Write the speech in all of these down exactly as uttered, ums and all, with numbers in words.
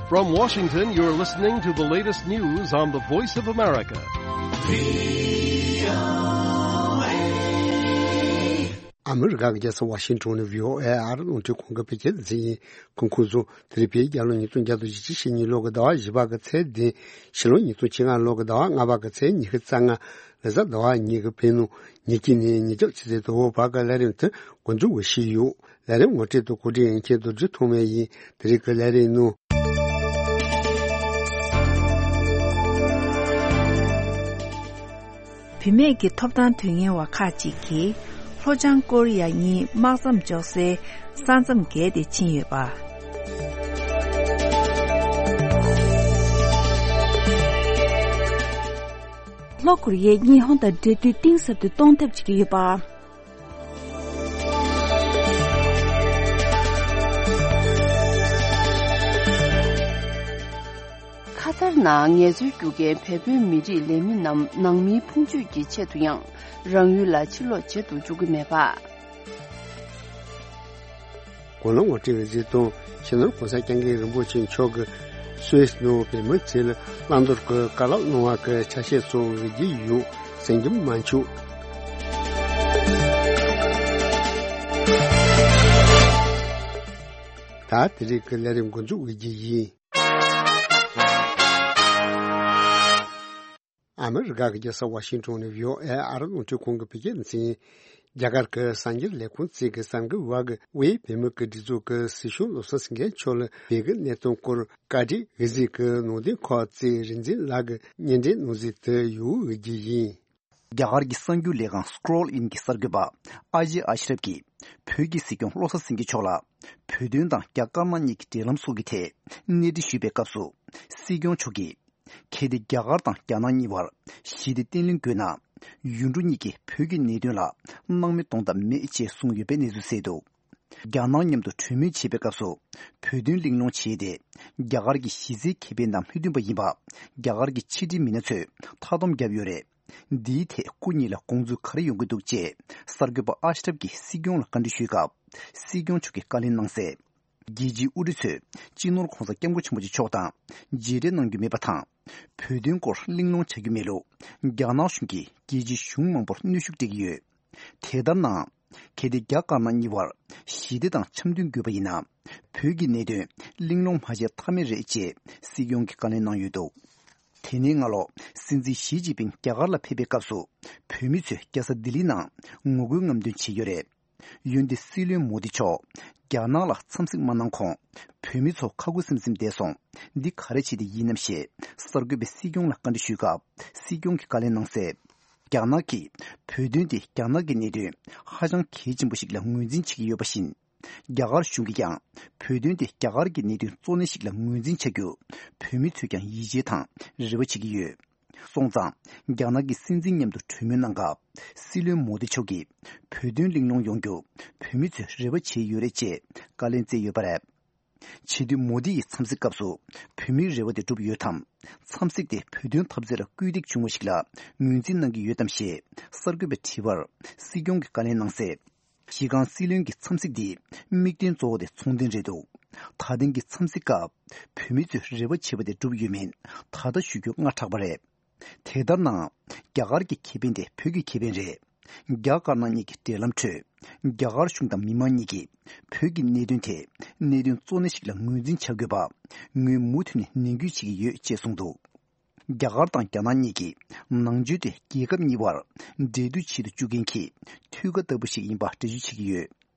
From Washington, you're listening to the latest news on the Voice of America. ཨ་མི་རི་ཀ་གི་རྒྱལ་ས་ཝ་ཤིང་ཊོན་ནས་བྷི་ཨོ་ཨེ་རླུང་འཕྲིན་ཁང་གི་བོད་སྐད་སྡེ་ཚན་ཡིན། གོང་ཁུངས་སུ་དེ་རིང་བོད་རྒྱལ་ལོ་ཉིས་སྟོང་བརྒྱ་དང་བཞི་བཅུ་ཞེ་གཉིས་ལོ་གི་ཟླ་བ་བཞི་པ་གི་ཚེས་བདུན། ཕྱི་ལོ་ཉིས་སྟོང་བཅོ་ལྔ་ལོ་གི་ཟླ་བ་ལྔ་པ་གི་ཚེས་ཉི་ཤུ་རྩ་ལྔ། ལོ་གསར་ཟླ་བ་གཉིས་ཀྱི་བོད་ནང་ཉིན་གཅིག་ནས་ཉིན་རྒྱབ་ཆུ་ཚོད་དང་པོ་བར་གྱི་ལས་རིམ་དེ་འགོ་འཛུགས་ཞུས་ཡོད། ལས་རིམ་ངོ་སྤྲོད་དང་གོ་སྒྲིག་ཡིན་མཁན་རྡོ་རྗེ་ཐོགས་མེད་ཡིན། དེ་རིང་གི་ལས་རིམ་ནང་། བུད་མེད་ཀྱི་ཐོབ་ཐང་དོན་གཉེར་བ་ཁག་ཅིག་གིས་ལྷོ་བྱང་ཀོ་རི་ཡ་གཉིས་དམག་མཚམས་འཇོག་སའི་ས་མཚམས་བརྒལ་ཏེ་ཕྱིན་ཡོད་པ། ལྷོ་ཀོ་རི་ཡས་གཉིས་ཧོང་དང་འབྲེལ་མཐུད་གཏིང་ཟབ་ཏུ་གཏོང་ཐབས་བྱེད་ཀྱི་ཡོད་པ། ཁ་ཐར་ནང་ངལ་རྩོལ་རྒྱུག་མཁན་བལ་པོའི་མི་རིགས་ལས་མི་རྣམས་ནང་མིའི་ཕུང་མཆོད་ཀྱི་ཆེད་དུ་ཡང་རང་ཡུལ་ལ་ཕྱིར་ལོག་བྱེད་དུ་འཇུག་གི་མེད་པ། གོང་ལ་ངོ་སྤྲོད་ཀྱི་གཟིགས་སྟངས། སྤྱི་ནོར་༸གོང་ས་༸སྐྱབས་མགོན་རིན་པོ་ཆེ་མཆོག་གིས་སུད་སི་ནང་བོད་མི་ཚོ་ལ་བླང་དོར་གྱི་བཀའ་སློབ་གནང་བ་གི་ཆ་ཤས་སོགས་འབུལ་གྱི་ཡོད། གསན་རྒྱུ་མ་འཆུག་ད་དེ་རིང་གི་ལས་རིམ་འགོ་འཛུགས་འབུལ་གྱི་ཡིན། ཨ་མི་རི་ཀ་གི་རྒྱལ་ས་ཝ་ཤིང་ཊོན་ནས་བྷི་ཨོ་ཨེ་ཨ་རི་རླུང་འཕྲིན་ཁང་གི་བོད་སྐད་སྡེ་ཚན་ཡིན། རྒྱ་གར་གྱི་གསར་འགྱུར་ལས་ཁུངས་གཅིག་གི་གསར་འགོད་པ་གིས་དབུས་བོད་མི་གི་སྒྲིག་འཛུགས་ཀྱི་སྲིད་སྐྱོང་བློ་བཟང་སེང་གེ་མཆོག་ལ་བོད་ཀྱི་གནད་དོན་སྐོར་བཀའ་འདྲི་འོས་འཛིན་གྱི་ནང་དོན་ཁག་གཙོས་རིག་འཛིན་ལགས་ཀྱིས་སྙན་སྒྲོན་གནང་གཟིགས་དུ་ཡོད་འོས་རྒྱུ་ཡིན། རྒྱ་གར་གྱི་གསར་འགྱུར་ལས་ཁང་Scroll In་གྱི་གསར་འགོད་པ་ཨ་ཇེ་ཨ་ཤི་རབ་ཀྱིས་བོད་ཀྱི་སྲིད་སྐྱོང་བློ་བཟང་སེང་གེ་མཆོག་ལ་བོད་དོན་དང་རྒྱ་དཀར་ནག་གཉིས་ཀྱི་འབྲེལ་ལམ་སོགས་ཀྱི་ཐད་གནས་འདྲི་ཞུས་པའི་སྐབས་སུ་སྲིད་སྐྱོང་མཆོག་གིས། གལ་ཏེ་རྒྱ་གར་དང་རྒྱ་ནག་གཉིས་བར་ཞི་བདེ་བརྟན་ལྷིང་དགོས་ན། ཡུལ་གྲུ་གཉིས་ཀྱིས་བོད་ཀྱི་གནད་དོན་ལ་སྣང་མེད་གཏོང་ཐབས་མེད་ཅེས་གསུངས་ཡོད་པའི་གནས་ཚུལ་གསལ་འདུག་རྒྱ་ནག་མཉམ་དུ་གྲོས་མོལ་བྱེད་པའི་སྐབས་སུ་བོད་དོན་གླེང་སློང་བྱས་ཏེ། རྒྱ་གར་གྱི་གཞི་རྩའི་ཁེ་ཕན་དང་མི་མཐུན་པ་ཡིན་པ་རྒྱ་གར་གྱི་ཕྱི་འབྲེལ་མི་སྣ་ཚོས་མཐའ་སྡོམ་བརྒྱབ་ཡོད་རེད། འདིའི་ཐད་སྐུ་ཉིད་ལ་དགོངས་ཚུལ་ག་རེ་ཡོང་གི་འདུག་ཅེས་གསར་འགོད་པ་ཨ་ཤི་རབ་ཀྱིས་སྲིད་སྐྱོང་ལ་བཀའ་འདྲི་ཞུས་སྐབས། སྲིད་སྐྱོང་མཆོག་གིས་བཀའ་ལན་གནང་གསལ། རྒྱལ་སྤྱིའི་དབུ་ཁྲིད་ཚོས་སྤྱི་ནོར་༸གོང་ས་༸སྐྱབས་མགོན་ཆེན་པོ་མཆོག་དང་མཇལ་འཕྲད་གནང་རྒྱུ་མེད་པ་དང་། བོད་དོན་སྐོར་གླེང་སློང་བྱ་རྒྱུ་མེད་ལུགས་རྒྱ་ནག་གཞུང་གིས་རྒྱལ་སྤྱིའི་གཞུང་མང་པོར་གནོན་ཤུགས་སྤྲད་ཀྱི་ཡོད། དེ་ལྟར་ནའང་། གལ་ཏེ་རྒྱ་དཀར་ནག་གཉིས་བར་ཞི་བདེ་དང་འཆམ་མཐུན་དགོས་པ་ཡིན་ན། བོད་ཀྱི་གནད་དོན་གླེང་སློང་མ་བྱས་ཐབས་མེད་རེད་ཅེས་སྲིད་སྐྱོང་གིས་བཀའ་ལན་གནང་ཡོད་འདུག་དེ་ནས་སྔ་ལོ་སྲིད་འཛིན་ཞི་ཅིན་ཕིང་རྒྱ་གར་ལ་ཕེབས་པའི་སྐབས་སུ་བོད་མི་ཚོས་རྒྱལ་ས་ལྡི་ལི་ནང་ངོ་རྒོལ་རྔམ་སྟོན་བྱས་ཡོད་རེད། འོན་ཏེ་སྲིད་བློན་མོ་དི་མཆོག་རྒྱ་ནག་ལ་འཚམས་གཟིགས་མ་གནང་གོང་། བོད་མི་ཚོ་ཁ་ཁུ་སིམ་སིམ་བསྡད་སོང་། འདི་ག་རེ་བྱས་ཏེ་ཡིན་ནམ་ཞེས་གསར་འགོད་པས་སྲིད་སྐྱོང་ལ་བཀའ་འདྲི་ཞུས་སྐབས། སྲིད་སྐྱོང་གིས་བཀའ་ལན་གནང་གསལ། རྒྱ་ནག་གིས་བོད་དོན་དེ་རྒྱ་ནག་གི་གནད་དོན་ཧ་ཅང་གལ་ཆེན་པོ་ཞིག་ལ་ངོས་འཛིན་བྱེད་ཀྱི་ཡོད་པ་བཞིན། རྒྱ་གར་གཞུང་གིས་ཀྱང་བོད་དོན་དེ་རྒྱ་གར་གྱི་གནད་དོན་གཙོ་གནད་ཞིག་ལ་ངོས་འཛིན་བྱ་རྒྱུ་བོད་མི་ཚོས་ཀྱང་ཡིད་ཆེས་དང་རེ་བ་བྱེད་ཀྱི་ཡོད། སོང་ཙང་། རྒྱ་ནག་གི་སྲིད་འཛིན་མཉམ་དུ་གྲོས་མོལ་གནང་སྐབས། སྲིད་བློན་མོ་དི་མཆོག་གིས་བོད་དོན་གླེང་སློང་ཡོང་རྒྱུ་བོད་མི་ཚོས་རེ་བ་བྱས་ཡོད་རེད་ཅེས་བཀའ་ལན་སྩལ་ཡོད་པ་རེད། བྱེས་འདུས་མོ་དི་ཡི་འཚམས་གཟིགས་སྐབས་སུ་བོད་མིའི་རེ་བ་དེ་འགྲུབ་ཡོད་དམ། འཚམས་གཟིགས་དེ་བོད་དོན་འཐབ་རྩོད་ལ་སྐུལ་འདེད་བྱུང་བ་ཞིག་ལ་ངོས་འཛིན་གནང་གི་ཡོད་དམ་ཞེས་གསར་འགོད་པས་དྲིས་པར། སྲིད་སྐྱོང་གིས་བཀའ་ལན་གནང་གསལ། གཞི་རྐང་སྲིད་བློན་གྱི་འཚམས་གཟིགས་འདིའི་དམིགས་དོན་གཙོ་བོ་དེ་ཚོང་དོན་རེད་འདུག་ད་ཐེངས་ཀྱི་འཚམས་གཟིགས་སྐབས་བོད་མི་ཚོས་རེ་བ་བྱས་པ་དེ་འགྲུབ་ཡོད་མིན་ད་ལྟ་ཞུ་རྒྱུ་སྔ་དྲགས་པ་རེད། དེ་ལྟར་ནའང་རྒྱ་གར་གྱི་ཁེ་ཕན་དེ་བོད་ཀྱི་ཁེ་ཕན་རེད། རྒྱ་དཀར་ནག་གཉིས་ཀྱི་འབྲེལ་ལམ་ཁྲོད་རྒྱ་གར་གཞུང་དང་མི་མང་གཉིས་ཀྱིས་བོད་ཀྱི་གནད་དོན་དེ་གནད་དོན་གཙོ་གནད་ཞིག་ལ་ངོས་འཛིན་བྱ་དགོས་པ་ངོས་མུ་མཐུད་ནས་ནན་སྐུལ་བྱེད་ཀྱི་ཡོད་ཅེས་གསུངས་འདུག་རྒྱ་གར་དང་རྒྱ་ནག་གཉིས་ཀྱིས་ནང་ཆོས་དེ་རྒྱལ་ཁབ་གཉིས་བར་འབྲེལ་མཐུད་བྱེད་དུ་བཅུག་མཁན་གྱི་མཐུད་ཀ་ལྟ་བུ་ཞིག་ཡིན་པ་འགྲེལ་བརྗོད་བྱེད་ཀྱི་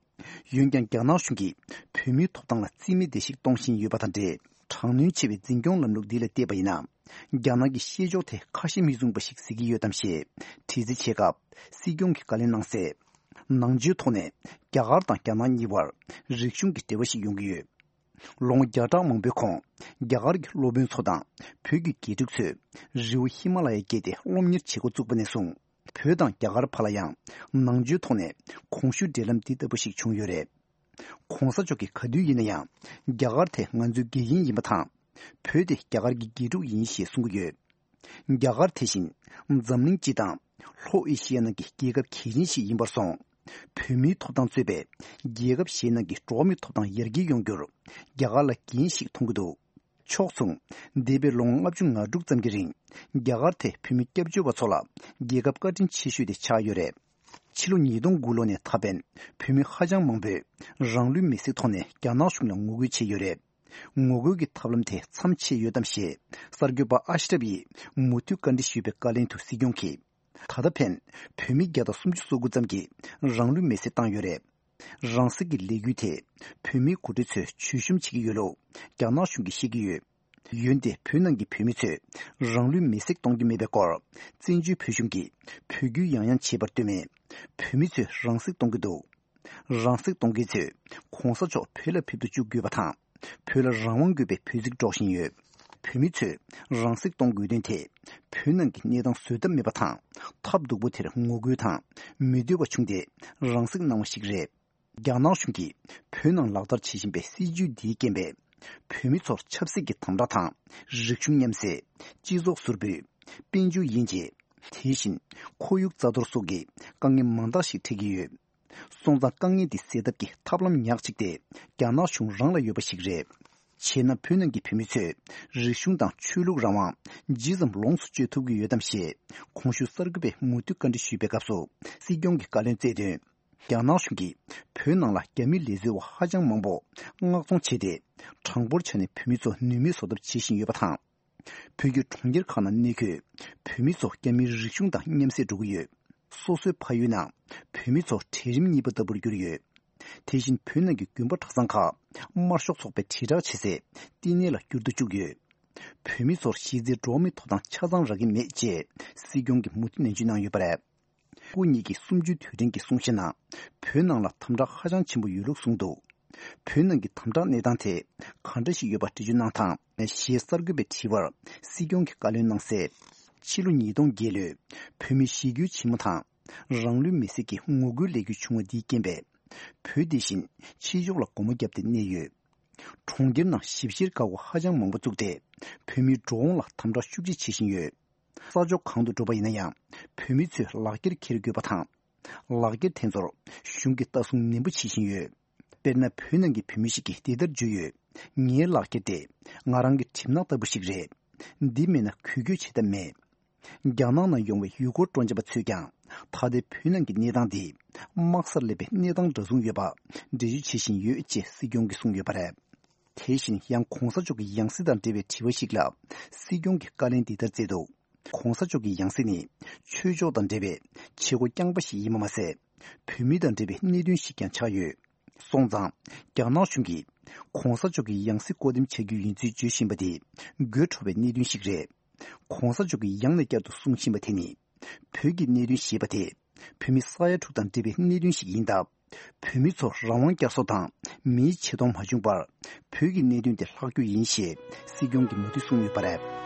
ཡོད། འོན་ཀྱང་རྒྱ་ནག་གཞུང་གིས་བོད་མིའི་ཐོབ་ཐང་ལ་རྩིས་མེད་བརྡལ་བཤིག་གཏོང་བཞིན་ཡོད་པ་དང་འབྲེལ། དྲག་གནོན་ཆེ་བའི་འཛིན་སྐྱོང་ལམ་ལུགས་འདི་ལ་བལྟས་པ་ཡིན་ན། རྒྱ་ནག་གི་བཤད་ཕྱོགས་དེ་ཁ་ཞེ་མིག་བཟུང་པ་ཞིག་གཟིགས་ཀྱི་ཡོད་དམ་ཞེས་དྲི་རྩད་བྱས་སྐབས། སྲིད་སྐྱོང་གིས་བཀའ་ལན་གནང་གསལ། ནང་ཆོས་ཐོག་ནས་རྒྱ་གར་དང་རྒྱ་ནག་གཉིས་བར་རིག་གཞུང་གི་འབྲེལ་བ་ཞིག་ཡོང་གི་ཡོད། ལོ་ངོ་བརྒྱ་ཕྲག་མང་པོའི་གོང་རྒྱ་གར་གྱི་སློབ་དཔོན་ཚོ་དང་བོད་ཀྱི་དགེ་ཕྲུག་ཚོས་རི་བོ་ཧི་མ་ལ་ཡ་བརྒལ་ཏེ་སློབ་གཉེར་བྱེད་འགོ་བཙུགས་པ་ནས་བཟུང་། བོད་དང་རྒྱ་གར་བར་ལ་ཡང་ནང་ཆོས་ཐོག་ནས་གོང་ཞུས་འབྲེལ་ལམ་འདི་ལྟ་བུ་ཞིག་བྱུང་ཡོད་རེད། ༸གོང་ས་མཆོག་གིས་ག་དུས་ཡིན་ན་ཡང་རྒྱ་གར་དེ་ང་ཚོའི་དགེ་རྒན་ཡིན་པ་དང་། བོད་དེ་རྒྱ་གར་གྱི་དགེ་ཕྲུག་ཡིན་ཞེས་གསུང་གི་ཡོད། རྒྱ་གར་དེ་བཞིན་འཛམ་གླིང་སྤྱི་དང་ལྷོ་ཨེ་ཤི་ཡ་ནང་གི་རྒྱལ་ཁབ་གལ་ཆེན་ཞིག་ཡིན་པར་སོང་། བོད་མིའི་ཐོབ་ཐང་གཙོས་པའི་རྒྱལ་ཁབ་གཞན་ནང་གི་འགྲོ་བ་མིའི་ཐོབ་ཐང་ཡར་རྒྱས་ཡོང་རྒྱུར་རྒྱ་གར་ལ་འགན་ཞིག་མཐོང་གི་འདུག་ཕྱོགས་མཚུངས། འདས་པའི་ལོ་ངོ་ལྔ་བཅུ་ང་དྲུག་ཙམ་གྱི་རིང་རྒྱ་གར་དེ་བོད་མི་སྐྱབས་བཅོལ་བ་ཚོ་ལ་རྒྱལ་ཁབ་བཀའ་དྲིན་ཆེ་ཤོས་དེ་ཆགས་ཡོད་རེད། ཕྱི་ལོ་ཉིས་སྟོང་དགུ་ལོ་ནས་ད་ཕན་བོད་མི་ཧ་ཅང་མང་པོས་རང་ལུས་མེར་སྲེག་ཐོག་ནས་རྒྱ་ནག་གཞུང་ལ་ངོ་རྒོལ་བྱས་ཡོད་རེད། ངོ་རྒོལ་གྱི་ཐབས་ལམ་དེ་མཚམས་ཆད་ཡོད་དམ་ཞེས་གསར་འགོད་པ་ཨ་ཤི་རབ་ཡིས་མུ་མཐུད་བཀའ་འདྲི་ཞུས་པའི་བཀའ་ལན་དུ་སྲིད་སྐྱོང་གིས། ད་ལྟ་ཕན་བོད་མི་བརྒྱ་དང་སུམ་ཅུ་སོ་དགུ་ཙམ་གྱིས་རང་ལུས་མེར་སྲེག་བཏང་ཡོད་རེད། རང་སྲེག་གི་ལས་འགུལ་དེ་བོད་མིའི་འགོ་ཁྲིད་ཚོས་བྱུས་ཤོམ་བྱེད་ཀྱི་ཡོད་ལུགས་རྒྱ་ནག་གཞུང་གིས་བཤད་ཀྱི་ཡོད། འོན་ཏེ་བོད་ནང་གི་བོད་མི་ཚོས་རང་ལུས་མེར་སྲེག་གཏོང་རྒྱུ་མེད་པའི་སྐོར་བཙན་བྱོལ་བོད་གཞུང་གིས་འབོད་སྐུལ་ཡང་ཡང་བྱས་པར་ལྟོས་མེད། བོད་མི་ཚོས་རང་སྲེག་གཏོང་གི་འདུག་རང་སྲེག་གཏོང་མཁན་ཚོས་གོང་ས་མཆོག་བོད་ལ་ཕེབས་དུ་བཅུག་དགོས་པ་དང་། བོད་ལ་རང་དབང་དགོས་པའི་འབོད་ཚིག་སྒྲོག་བཞིན་ཡོད། བོད་མི་ཚོས་རང་སྲེག་གཏོང་དགོས་དོན་དེ་བོད་ནང་གི་གནས་སྟངས་བཟོད་ཐབས་མེད་པ་དང་། ཐབས་སྡུག་པོ་དེར་ངོ་རྒོལ་དང་མི་འདོད་པ་བྱུང་སྟེ་རང་སྲེག་གནང་བ་ཞིག་རེད། རྒྱ་ནག་གཞུང་གིས་བོད་ནང་ལག་བསྟར་བྱེད་བཞིན་པའི་སྲིད་བྱུས་འདིའི་རྐྱེན་པས། བོད་མི་ཚོར་ཆབ་སྲིད་ཀྱི་དམ་དྲག་དང་། རིག་གཞུང་མཉམ་བསྲེས། སྤྱི་ཚོགས་ཟུར་འབུད། དཔལ་འབྱོར་དབྱེ་འབྱེད། དེ་བཞིན་ཁོར་ཡུག་རྩ་གཏོར་སོགས་ཀྱི་དཀའ་ངལ་མང་དག་ཞིག་འཕྲད་ཀྱི་ཡོད། སོང་ཙང་དཀའ་ངལ་འདི་སེལ་ཐབས་ཀྱི་ཐབས་ལམ་ཉག་གཅིག་དེ་རྒྱ་ནག་གཞུང་རང་ལ་ཡོད་པ་ཞིག་རེད། བྱས་ན་བོད་ནང་གི་བོད་མི་ཚོས་རིག་གཞུང་དང་ཆོས་ལུགས་རང་དབང་ཇི་ཙམ་ལོངས་སུ་སྤྱོད་ཐུབ་ཀྱི་ཡོད་དམ་ཞེས་གོང་ཞུས་གསར་འགོད་པས་མུ་མཐུད་བཀའ་འདྲི་ཞུས་པའི་སྐབས་སུ་སྲིད་སྐྱོང་གིས་བཀའ་ལན་སྩལ་དོན། རྒྱ་ནག་གཞུང་གིས་བོད་ནང་ལ་རྒྱ་མི་ལས་བཟོ་བ་ཧ་ཅང་མང་པོ་མངགས་གཏོང་བྱས་ཏེ། གྲངས་འབོར་ཆ་ནས་བོད་མི་ཚོ་ནུས་མེད་བཟོ་ཐབས་བྱེད་བཞིན་ཡོད་པ་དང་། བོད་ཀྱི་གྲོང་ཁྱེར་ཁག་ནང་གནས་འཁོད་བོད་མི་ཚོ་རྒྱ་མིའི་རིག་གཞུང་དང་མཉམ་བསྲེས་འགྲོ་གི་ཡོད། སོ་སོའི་ཕ་ཡུལ་ནང་བོད་མི་ཚོ་གྲལ་རིམ་གཉིས་པ་ལྟ་བུར་གྱུར་ཡོད། དེ་བཞིན་བོད་ནང་གི་དགོན་པ་གྲྭ་ཚང་ཁག་དམར་ཤོག་ཚོགས་པའི་དྲིལ་བསྒྲགས་བྱེད་སའི་བསྟི་གནས་ལ་འགྱུར་དུ་བཅུག་ཡོད། བོད་མི་ཚོར་གཞི་རྩའི་འགྲོ་བ་མིའི་ཐོབ་ཐང་ཆ་ཚང་རག་གི་མེད་ཅེས་སྲིད་སྐྱོང་གིས་མུ་མཐུད་ནན་བརྗོད་གནང་ཡོད་པ་རེད། སྐུ་ཉིད་ཀྱིས་གསུམ་བཅུའི་དུས་དྲན་གྱི་གསུང་བཤད་ནང་བོད་ནང་ལ་དམ་དྲག་ཧ་ཅང་ཆེན་པོ་ཡོད་ལུགས་གསུངས་འདུག་བོད་ནང་གི་དམ་དྲག་གནས་སྟངས་དེ་ག་འདྲ་ཞིག་ཡོད་པ་འགྲེལ་བརྗོད་གནང་དང་ཞེས་གསར་འགོད་པའི་དྲི་བར་སྲིད་སྐྱོང་གིས་བཀའ་ལན་གནང་གསལ། ཕྱི་ལོ་ཉིས་སྟོང་བརྒྱད་ལོའི་བོད་མིའི་གཞིས་སྒྱུར་ཆེན་མོ་དང་རང་ལུས་མེར་སྲེག་གི་ངོ་རྒོལ་ལས་འགུལ་བྱུང་བ་འདིའི་རྐྱེན་པས། བོད་འདི་བཞིན་ཕྱི་ཕྱོགས་ལ་སྒོ་མོ་བརྒྱབ་སྟེ་གནས་ཡོད། གྲོང་ཁྱེར་ནང་ཞིབ་བཤེར་འགག་སྒོ་ཧ་ཅང་མང་པོ་བཙུགས་ཏེ། བོད་མིའི་འགྲོ་འོང་ལ་དམ་དྲག་ཤུགས་ཆེ་བྱེད་བཞིན་ཡོད། ས་ཕྱོགས་གང་དུ་འགྲོ་བ་ཡིན་ན་ཡང་། བོད་མི་ཚོས་ལག་འཁྱེར་འཁྱེར་དགོས་པ་དང་། ལག་འཁྱེར་དེ་ཚོར་གཞུང་གིས་ལྟ་སྲུང་ནན་པོ་བྱེད་བཞིན་ཡོད། དཔེར་ན། བོད་ནང་གི་བོད་མི་ཞིག་གིས་འདི་ལྟར་བརྗོད་ཡོད། ངའི་ལག་འཁྱེར་དེ་ང་རང་གི་གྲིབ་ནག་ལྟ་བུ་ཞིག་རེད། འདི་མེད་ན་འགུལ་སྐྱོད་བྱེད་ཐབས་མེད། རྒྱ་ནག་ནང་ཡོང་བའི་ཡུལ་སྐོར་སྤྲོ་འཆམ་པ་ཚོས་ཀྱང་ད་ལྟའི་བོད་ནང་གི་གནས་སྟངས་འདི་དམག་སར་སླེབས་པའི་གནས་སྟངས་འདྲ་མཚུངས་ཡོད་པ་འགྲེལ་བརྗོད་བྱེད་བཞིན་ཡོད་ཅེས་སྲིད་སྐྱོང་གིས་གསུངས་ཡོད་པ་རེད། དེ་བཞིན་ཡང་གོང་ས་མཆོག་གི་ཡང་སྲིད་དང་འབྲེལ་བའི་དྲི་བ་ཞིག་ལ་སྲིད་སྐྱོང་གིས་བཀའ་ལན་འདི་ལྟར་སྩལ་འདུག་གོང་ས་མཆོག་གི་ཡང་སྲིད་ནི་ཆོས་ཕྱོགས་དང་འབྲེལ་བའི་བྱེད་སྒོ་རྐྱང་པ་ཞིག་ཡིན་པ་མ་ཟད། བོད་མི་དང་འབྲེལ་བའི་གནད་དོན་ཞིག་ཀྱང་ཆགས་ཡོད། སོང་ཙང་། རྒྱ་ནག་གཞུང་གིས་གོང་ས་མཆོག་གི་ཡང་སྲིད་བསྐོ་འདེམས་བྱ་རྒྱུ་ཡིན་ཚུལ་བརྗོད་བཞིན་པ་དེ་དགོད་བྲོ་བའི་གནད་དོན་ཞིག་རེད། གོང་ས་མཆོག་གིས་ཡང་ནས་བསྐྱར་དུ་གསུང་བཞིན་པ་དེ་ནི། བོད་ཀྱི་གནད་དོན་ཞེས་པ་དེ་བོད་མི་ས་ཡ་དྲུག་དང་འབྲེལ་བའི་གནད་དོན་ཞིག་ཡིན་སྟབས། བོད་མི་ཚོར་རང་དབང་བསྐྱར་གསོ་དང་མིའི་ཆེ་མཐོང་མ་བྱུང་བར་བོད་ཀྱི་གནད་དོན་དེ་ལྷག་རྒྱུ་ཡིན་ཞེས་སྲིད་སྐྱོང་གིས་མུ་མཐུད་གསུངས་ཡོད་པ་རེད།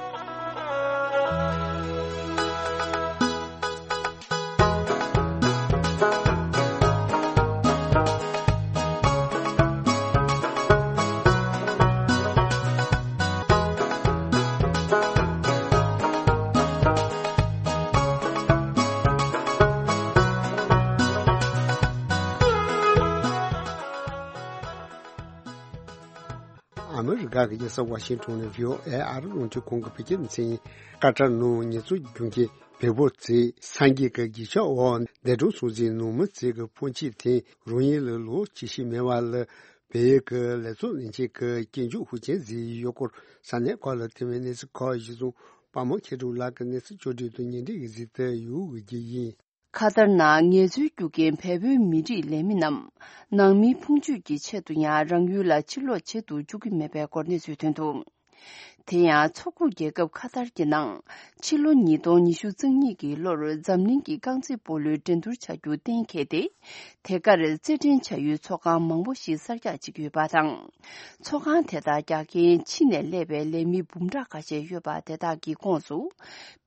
ཨ་མི་རི་ཀ་གི་རྒྱལ་ས་ཝ་ཤིང་ཊོན་ནས་བྷི་ཨོ་ཨེ་ཨ་རི་རླུང་འཕྲིན་ཁང་གི་བོད་སྐད་སྡེ་ཚན་ཡིན། ཀ་ཏར་ནང་ཉེས་འཛུགས་རྒྱུ་མཁན་བལ་པོ་ཚོས་སངས་རྒྱས་ཀྱི་རྗེས་ཆོས་འོག་འདས་གྲོངས་སོང་ཟིན་ནང་མི་ཚོའི་གི་ཕོན་ཆེ་དེ་རང་ཉིད་ལ་ལོ་ཇི་སྲིད་མེད་པ་ལ་བལ་ཡུལ་གྱི་ལས་ཚོགས་ལས་བྱེད་ཀྱི་སྐྱིན་འཇུག་ཧུ་ཅན་ཟེར་ཡོད་སྐོར་ས་གནས་ཁག་ལ་ཐོན་པའི་གནས་ཚུལ་ཁག་གཞིར་བཟུང་པ་མོ་མཁས་གྲུབ་ལགས་ཀྱི་གནས་ཚུལ་བཅོས་སྒྲིག་དང་སྙན་སྒྲོན་གྱི་གཟིགས་ཏེ་ཡོད་དགོས་ཀྱི་ཡིན། ཁ་ཏར་ནང་ངལ་རྩོལ་རྒྱུ་རྐྱེན་བལ་པོའི་མི་རིགས་ལས་མི་རྣམས་ནང་མིའི་ཕུང་མཆོད་ཀྱི་ཆེད་དུ་ཡང་རང་ཡུལ་ལ་ཕྱིར་ལོག་བྱེད་དུ་བཅུག་གི་མེད་པའི་སྐོར་གནས་ཚུལ་ཐོན་འདུག་དེ་ཡང་མཚོ་ཁུག་རྒྱལ་ཁབ་ཁ་ཏར་གྱི་ནང་ཕྱི་ལོ་ཉིས་སྟོང་ཉི་ཤུ་རྩ་གཉིས་ཀྱི་ལོར་འཛམ་གླིང་གི་རྐང་རྩེད་སྤོ་ལོའི་འགྲན་བསྡུར་བྱ་རྒྱུ་གཏན་འཁེལ་ཏེ། དེ་གར་རྩེད་འགྲན་བྱ་ཡུལ་ཚོགས་ཁང་མང་པོ་ཞིག་གསར་རྒྱག་བྱེད་ཀྱི་ཡོད་པ་དང་། ཚོགས་ཁང་དེ་དག་རྒྱག་མཁན་ཕྱི་ནས་སླེབས་པའི་ལས་མི་འབུམ་ཕྲག་ཁ་ཤས་ཡོད་པ་དེ་དག་གི་ཁོངས་སུ།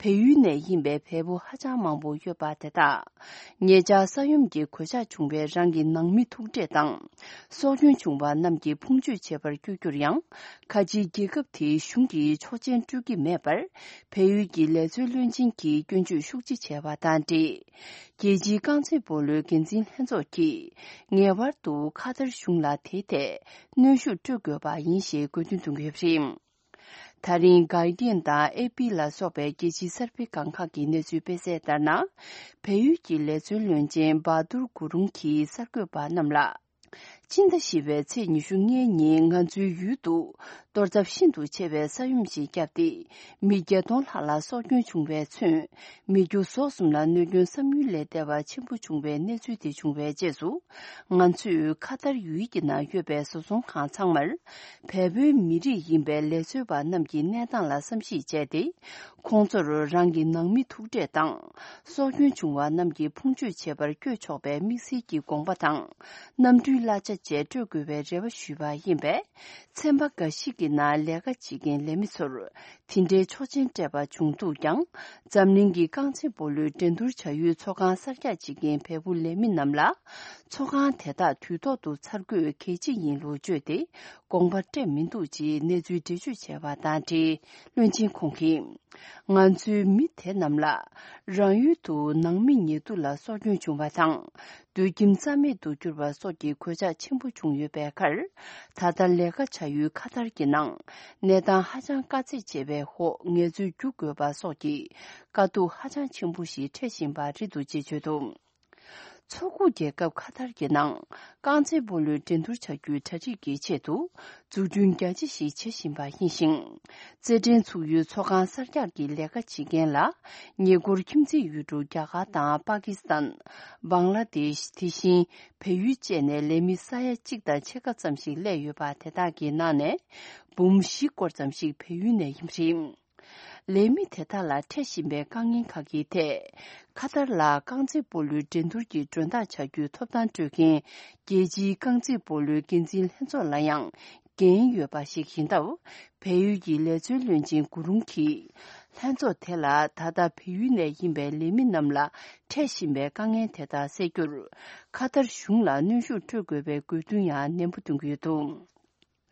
བལ་ཡུལ་ནས་ཡིན་པའི་བལ་པོ་ཧ་ཅང་མང་པོ་ཡོད་པ་དེ་དག་ཉེ་ཆར་ས་ཡོམ་གྱི་གོད་ཆག་བྱུང་བའི་རང་གི་ནང་མི་ཐུག་འཕྲད་དང་། སྲོག་སྐྱོན་བྱུང་བ་རྣམས་ཀྱི་ཕུང་མཆོད་བྱེད་པར་བསྐྱོད་རྒྱུར་ཡང་། ཁ་ཆེའི་རྒྱལ་ཁབ་དེའི་གཞུང་གིས་ཆོག་མཆན་སྤྲོད་ཀྱི་མེད་པར། བལ་ཡུལ་གྱི་ལས་བཟོའི་བློན་ཆེན་གྱིས་སྐྱོན་བརྗོད་ཤུགས་ཆེ་བྱས་པ་དང་འབྲེལ། རྒྱལ་སྤྱིའི་རྐང་རྩེད་སྤོ་ལོའི་འགན་འཛིན་ལྷན་ཚོགས་ཀྱིས་ངེས་པར་དུ་ཁ་ཏར་གཞུང་ལ་དེའི་ཐད་གནོན་ཤུགས་སྤྲོད་དགོས་པ་ཡིན་ཞེས་དགོས་འདུན་བཏོན་གྱི་ཡོད་པ་རེད། ད་རིང་Guardian་དང་ཨེ་པི་ལ་སོགས་པའི་རྒྱལ་སྤྱིའི་གསར་སྤེལ་སྒང་ཁག་གི་གནས་ཚུལ་སྤེལ་གསལ་ལྟར་ན། བལ་ཡུལ་གྱི་ལས་བཟོའི་བློན་ཆེན་བྷ་དུར་གུ་རུང་གིས་གསར་འགོད་པ་རྣམས་ལ། སྤྱི་ཟླ་བཞི་པའི་ཚེས་ཉི་ཤུ་ལྔའི་ཉིན་ང་ཚོའི་ཡུལ་དུ་གཏོར་ཚབས་ཤིན་ཏུ་ཆེ་བའི་ས་ཡོམ་ཞིག་བརྒྱབ་སྟེ། མི་བརྒྱད་སྟོང་ལྷག་ལ་སྲོག་སྐྱོན་བྱུང་བས་མཚོན། མི་རྒྱུ་ཟོག་གསུམ་ལ་གནོད་སྐྱོན་བསམ་ཡུལ་ལས་འདས་པ་ཆེན་པོ་བྱུང་བའི་གནས་ཚུལ་དེ་བྱུང་བའི་རྗེས་སུ། ང་ཚོས་ཁ་ཐར་ཡུལ་གྱི་ནང་ཡོད་པའི་བཟོ་ཚོང་ཁང་ཚང་མར། བལ་པོའི་མི་རིགས་ཡིན་པའི་ལས་བཟོ་བ་རྣམས་ཀྱི་གནས་སྟངས་ལ་བསམ་གཞིག་བྱས་ཏེ། ཁོང་ཚོར་རང་གི་ནང་མི་ཐུག་འཕྲད་དང་། སྲོག་སྐྱོན་བྱུང་བ་རྣམས་ཀྱི་ཕུང་མཆོད་བྱེད་པར་བསྐྱོད་ཆོག་པའི་དམིགས་བསལ་གྱི་དགོངས་པ་དང་། གནམ་གྲུའི་གླ་ཆ་བཅས་སྤྲོད་དགོས་པའི་རེ་བ་ཞུས་པ་ཡིན་པས། ཚན་པ་འགའ་ཞིག་གི་ནང་ལས་ཀ་བྱེད་མཁན་ལས་མི་ཚོར། དེ་འདྲའི་ཆོག་མཆན་སྤྲད་པ་བྱུང་འདུག་ཀྱང་། འཛམ་གླིང་གི་རྐང་རྩེད་སྤོ་ལོའི་འགྲན་བསྡུར་བྱ་ཡུལ་ཚོགས་ཁང་གསར་རྒྱག་བྱེད་མཁན་བལ་པོ་ལས་མི་རྣམས་ལ། ཚོགས་ཁང་དེ་དག་དུས་ཐོག་ཏུ་འཚར་དགོས་གལ་ཆེ་ཡིན་ལུགས་བརྗོད་དེ། དགོངས་པ་སྤྲད་མི་འདུག་ཅེས་གནས་ཚུལ་འགྲེལ་བརྗོད་བྱས་པ་དང་འབྲེལ། བློན་ཆེན་ཁོང་གིས། ང་ཚོའི་མི་དེ་རྣམས་ལ། རང་ཡུལ་དུ་ནང་མི་ཉེ་དུ་ལ་སྲོག་སྐྱོན་བྱུང་བ་དང་། སྡོད་ཁྱིམ་རྩ་མེད་དུ་གྱུར་པ་སོགས་ཀྱི་གོད་ཆག་ཆེན་པོ་བྱུང་ཡོད་པའི་ཁར། ད་ལྟ་ལས་ཀ་བྱ་ཡུལ་ཁ་ཐར་གྱི་ནང་། གནས་སྟངས་ཧ་ཅང་དཀའ་ཚེགས་ཆེ་བའི་འོག་ངལ་རྩོལ་རྒྱུག་དགོས་པ་སོགས་ཀྱི་དཀའ་སྡུག་ཧ་ཅང་ཆེན་པོ་ཞིག་འཕྲད་བཞིན་པ་རེད་འདུག་ཅེས་བརྗོད་འདུག། མཚོ་ཁུག་རྒྱལ་ཁབ་ཁ་ཐར་གྱི་ནང་རྐང་རྩེད་སྤོ་ལོའི་འགྲན་བསྡུར་བྱ་རྒྱུའི་གྲ་སྒྲིག་གི་ཆེད་དུ་འཛུགས་སྐྲུན་རྒྱ་ཆེ་ཞིག་བྱེད་བཞིན་པ་ཡིན་ཞིང་། རྩེད་འགྲན་ཚུགས་ཡུལ་ཚོགས་ཁང་གསར་རྒྱག་གི་ལས་ཀ་བྱེད་མཁན་ལ་ཉེ་འཁོར་ཁྱིམ་མཚེས་ཡུལ་གྲུ་རྒྱ་གར་དང་པ་ཀི་སི་ཐན། བང་ལ་དེཤ། དེ་བཞིན་བལ་ཡུལ་བཅས་ནས་ལས་མི་ས་ཡ་གཅིག་དང་ཕྱེད་ཀ་ཙམ་ཞིག་སླེབས་ཡོད་པ། དེ་དག་གི་ནང་ནས་འབུམ་བཞི་སྐོར་ཙམ་ཞིག་བལ་ཡུལ་ནས་ཡིན་པ་རེད། ལས་མི་དེ་དག་ལ་འཕྲད་བཞིན་པའི་དཀའ་ངལ་ཁག་གི་ཐད། ཁ་ཐར་ལ་རྐང་རྩེད་སྤོ་ལོའི་འགྲན་བསྡུར་གྱི་མགྲོན་བདག་བྱ་རྒྱུའི་ཐོབ་ཐང་སྤྲོད་མཁན་རྒྱལ་སྤྱིའི་རྐང་རྩེད་སྤོ་ལོའི་འགན་འཛིན་ལྷན་ཚོགས་ལ་ཡང་འགན་ཡོད་པ་ཞིག་ཡིན་སྟབས། བལ་ཡུལ་གྱི་ལས་བཟོའི་བློན་ཆེན་གུ་རུང་གིས། ལྷན་ཚོགས་དེ་ལ་ད་ལྟ་བལ་ཡུལ་ནས་ཡིན་པའི་ལས་མི་རྣམས་ལ་འཕྲད་བཞིན་པའི་དཀའ་ངལ་དེ་དག་སེལ་རྒྱུར། ཁ་ཐར་གཞུང་ལ་གནོན་ཤུགས་སྤྲོད་དགོས་པའི་དགོས་འདུན་ཡང་ནན་པོ་འདོན་གྱི་ཡོད་འདུག།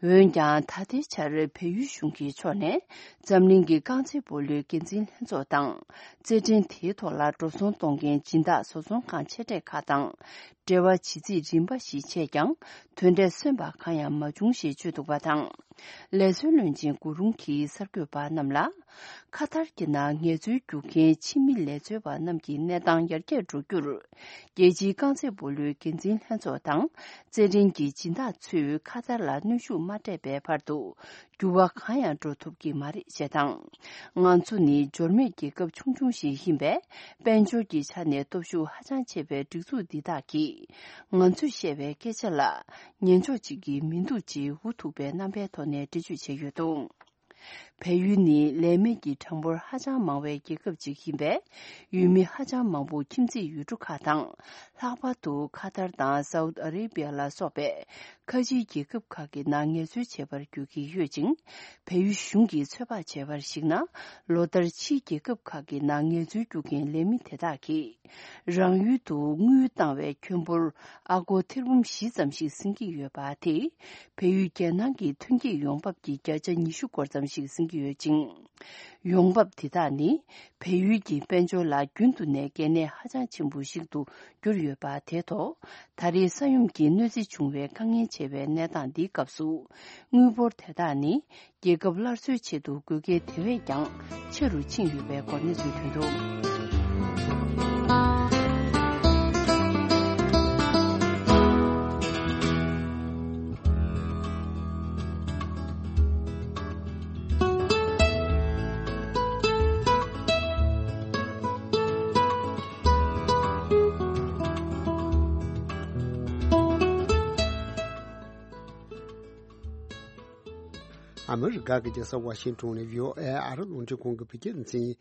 འོན་ཀྱང་། ད་ལྟའི་ཆར་བལ་ཡུལ་གཞུང་གི་ཕྱོགས་ནས་འཛམ་གླིང་གི་རྐང་རྩེད་སྤོ་ལོའི་འགན་འཛིན་ལྷན་ཚོགས་དང་། རྩེད་འགྲན་དེའི་ཐོག་ལ་འགྲོ་སོང་གཏོང་མཁན་སྦྱིན་བདག་བཟོ་ཚོང་ཁང་ཆེ་གྲས་ཁག་དང་འབྲེལ་བ་བྱེད་རྩིས་རིམ་པ་ཞིག་བྱས་ཀྱང་། དོན་འབྲས་སོན་པ་གང་ཡང་མ་བྱུང་ཞེས་བརྗོད་འདུག་པ་དང་། ལས་བཟོའི་བློན་ཆེན་གུ་རུང་གིས་གསར་འགོད་པ་རྣམས་ལ། ཁ་ཐར་གྱི་ནང་ངལ་རྩོལ་རྒྱུག་མཁན་ཕྱི་མི་ལས་བཟོ་བ་རྣམས་ཀྱི་གནས་སྟངས་ཡར་རྒྱས་འགྲོ་རྒྱུར། རྒྱལ་སྤྱིའི་རྐང་རྩེད་སྤོ་ལོའི་འགན་འཛིན་ལྷན་ཚོགས་དང་། རྩེད་འགྲན་གྱི་སྦྱིན་བདག་ཚོས་ཁ་ཐར་ལ་གནོན་ཤུགས་མ་སྤྲད་པའི་བར་དུ། འགྱུར་བ་གང་ཡང་འགྲོ་ཐུབ་ཀྱི་མ་རེད་ཅེས་དང་། ང་ཚོ་ནི་འབྱོར་མེད་རྒྱལ་ཁབ་ཆུང་ཆུང་ཞིག་ཡིན་པས། དཔལ་འབྱོར་གྱི་ཆ་ནས་སྟོབས་ཤུགས་ཧ་ཅང་ཆེ་བའི་སྒྲིག་འཛུགས་འདི་དག་གིས། ང་ཚོས་བཤད་པའི་སྐད་ཆ་ལ་ཉན་ཕྱོགས་གཅིག་གིས་མི་འདུག་ཅེས་འུ་ཐུག་པའི་རྣམ་པའི་ཐོག་ནས་འགྲེལ་བརྗོད་བྱས་ཡོད་འདུག། བལ་ཡུལ་ནི་ལས་མེད་ཀྱི་གྲངས་འབོར་ཧ་ཅང་མང་བའི་རྒྱལ་ཁབ་ཅིག་ཡིན་པས། ཡུལ་མི་ཧ་ཅང་མང་པོ་ཁྱིམ་མཚེས་ཡུལ་གྲུ་ཁག་དང་། ལྷག་པར་དུ་ཁ་ཐར་དང་སའུ་ཏི་ཨ་རེ་བི་ཡ་ལ་སོགས་པའི་ཁ་ཆེའི་རྒྱལ་ཁབ་ཁག་གི་ནང་ངལ་རྩོལ་བྱེད་པར་འགྱུར་གྱི་ཡོད་ཅིང་། བལ་ཡུལ་གཞུང་གིས་ཚོད་དཔག་བྱས་པར་གཞིགས་ན། ལོ་ལྟར་ཕྱིའི་རྒྱལ་ཁབ་ཁག་གི་ནང་ངལ་རྩོལ་རྒྱུག་མཁན་ལས་མི་དེ་དག་གིས། རང་ཡུལ་དུ་དངུལ་བཏང་བའི་ཁྱོན་འབོར་ཨ་སྒོར་ཐེར་འབུམ་བཞི་ཙམ་ཞིག་ཟིན་གྱི་ཡོད་པ་དེས། བལ་ཡུལ་རྒྱལ་ནང་གི་ཐོན་སྐྱེད་ཡོང་འབབ་ཀྱི་བརྒྱ་ཆ་ཉི་ཤུ་སྐོར་ཙམ་ཞིག་ཟིན་གྱི་ཡོད་ཅིང་། ཡོང་འབབ་དེ་དག་ནི། བལ་ཡུལ་གྱི་དཔལ་འབྱོར་ལ་རྒྱུན་དུ་ནས་གལ་གནད་ཧ་ཅང་ཆེན་པོ་ཞིག་ཏུ་གྱུར་ཡོད་པ་དེ་ཐོག་ད་རེས་ས་ཡོམ་གྱིས་གནོད་འཚེ་བྱུང་བའི་དཀའ་ངལ་ཆེ་བའི་གནས་སྟངས་འདིའི་སྐབས་སུ། དངུལ་འབོར་དེ་དག་ནི། རྒྱལ་ཁབ་སླར་གསོའི་ཆེད་དུ་དགོས་གལ་དེ་བས་ཀྱང་ཆེ་རུ་ཕྱིན་ཡོད་པའི་སྐོར་གནས་ཚུལ་ཐོན་འདུག། ཨ་མི་རི་ཀ་གི་རྒྱལ་ས་ཝ་ཤིང་ཊོན་ནས་བྷི་ཨོ་ཨེ་ཨ་རི་རླུང་འཕྲིན་ཁང་གི་བོད་སྐད་སྡེ་ཚན་ཡིན།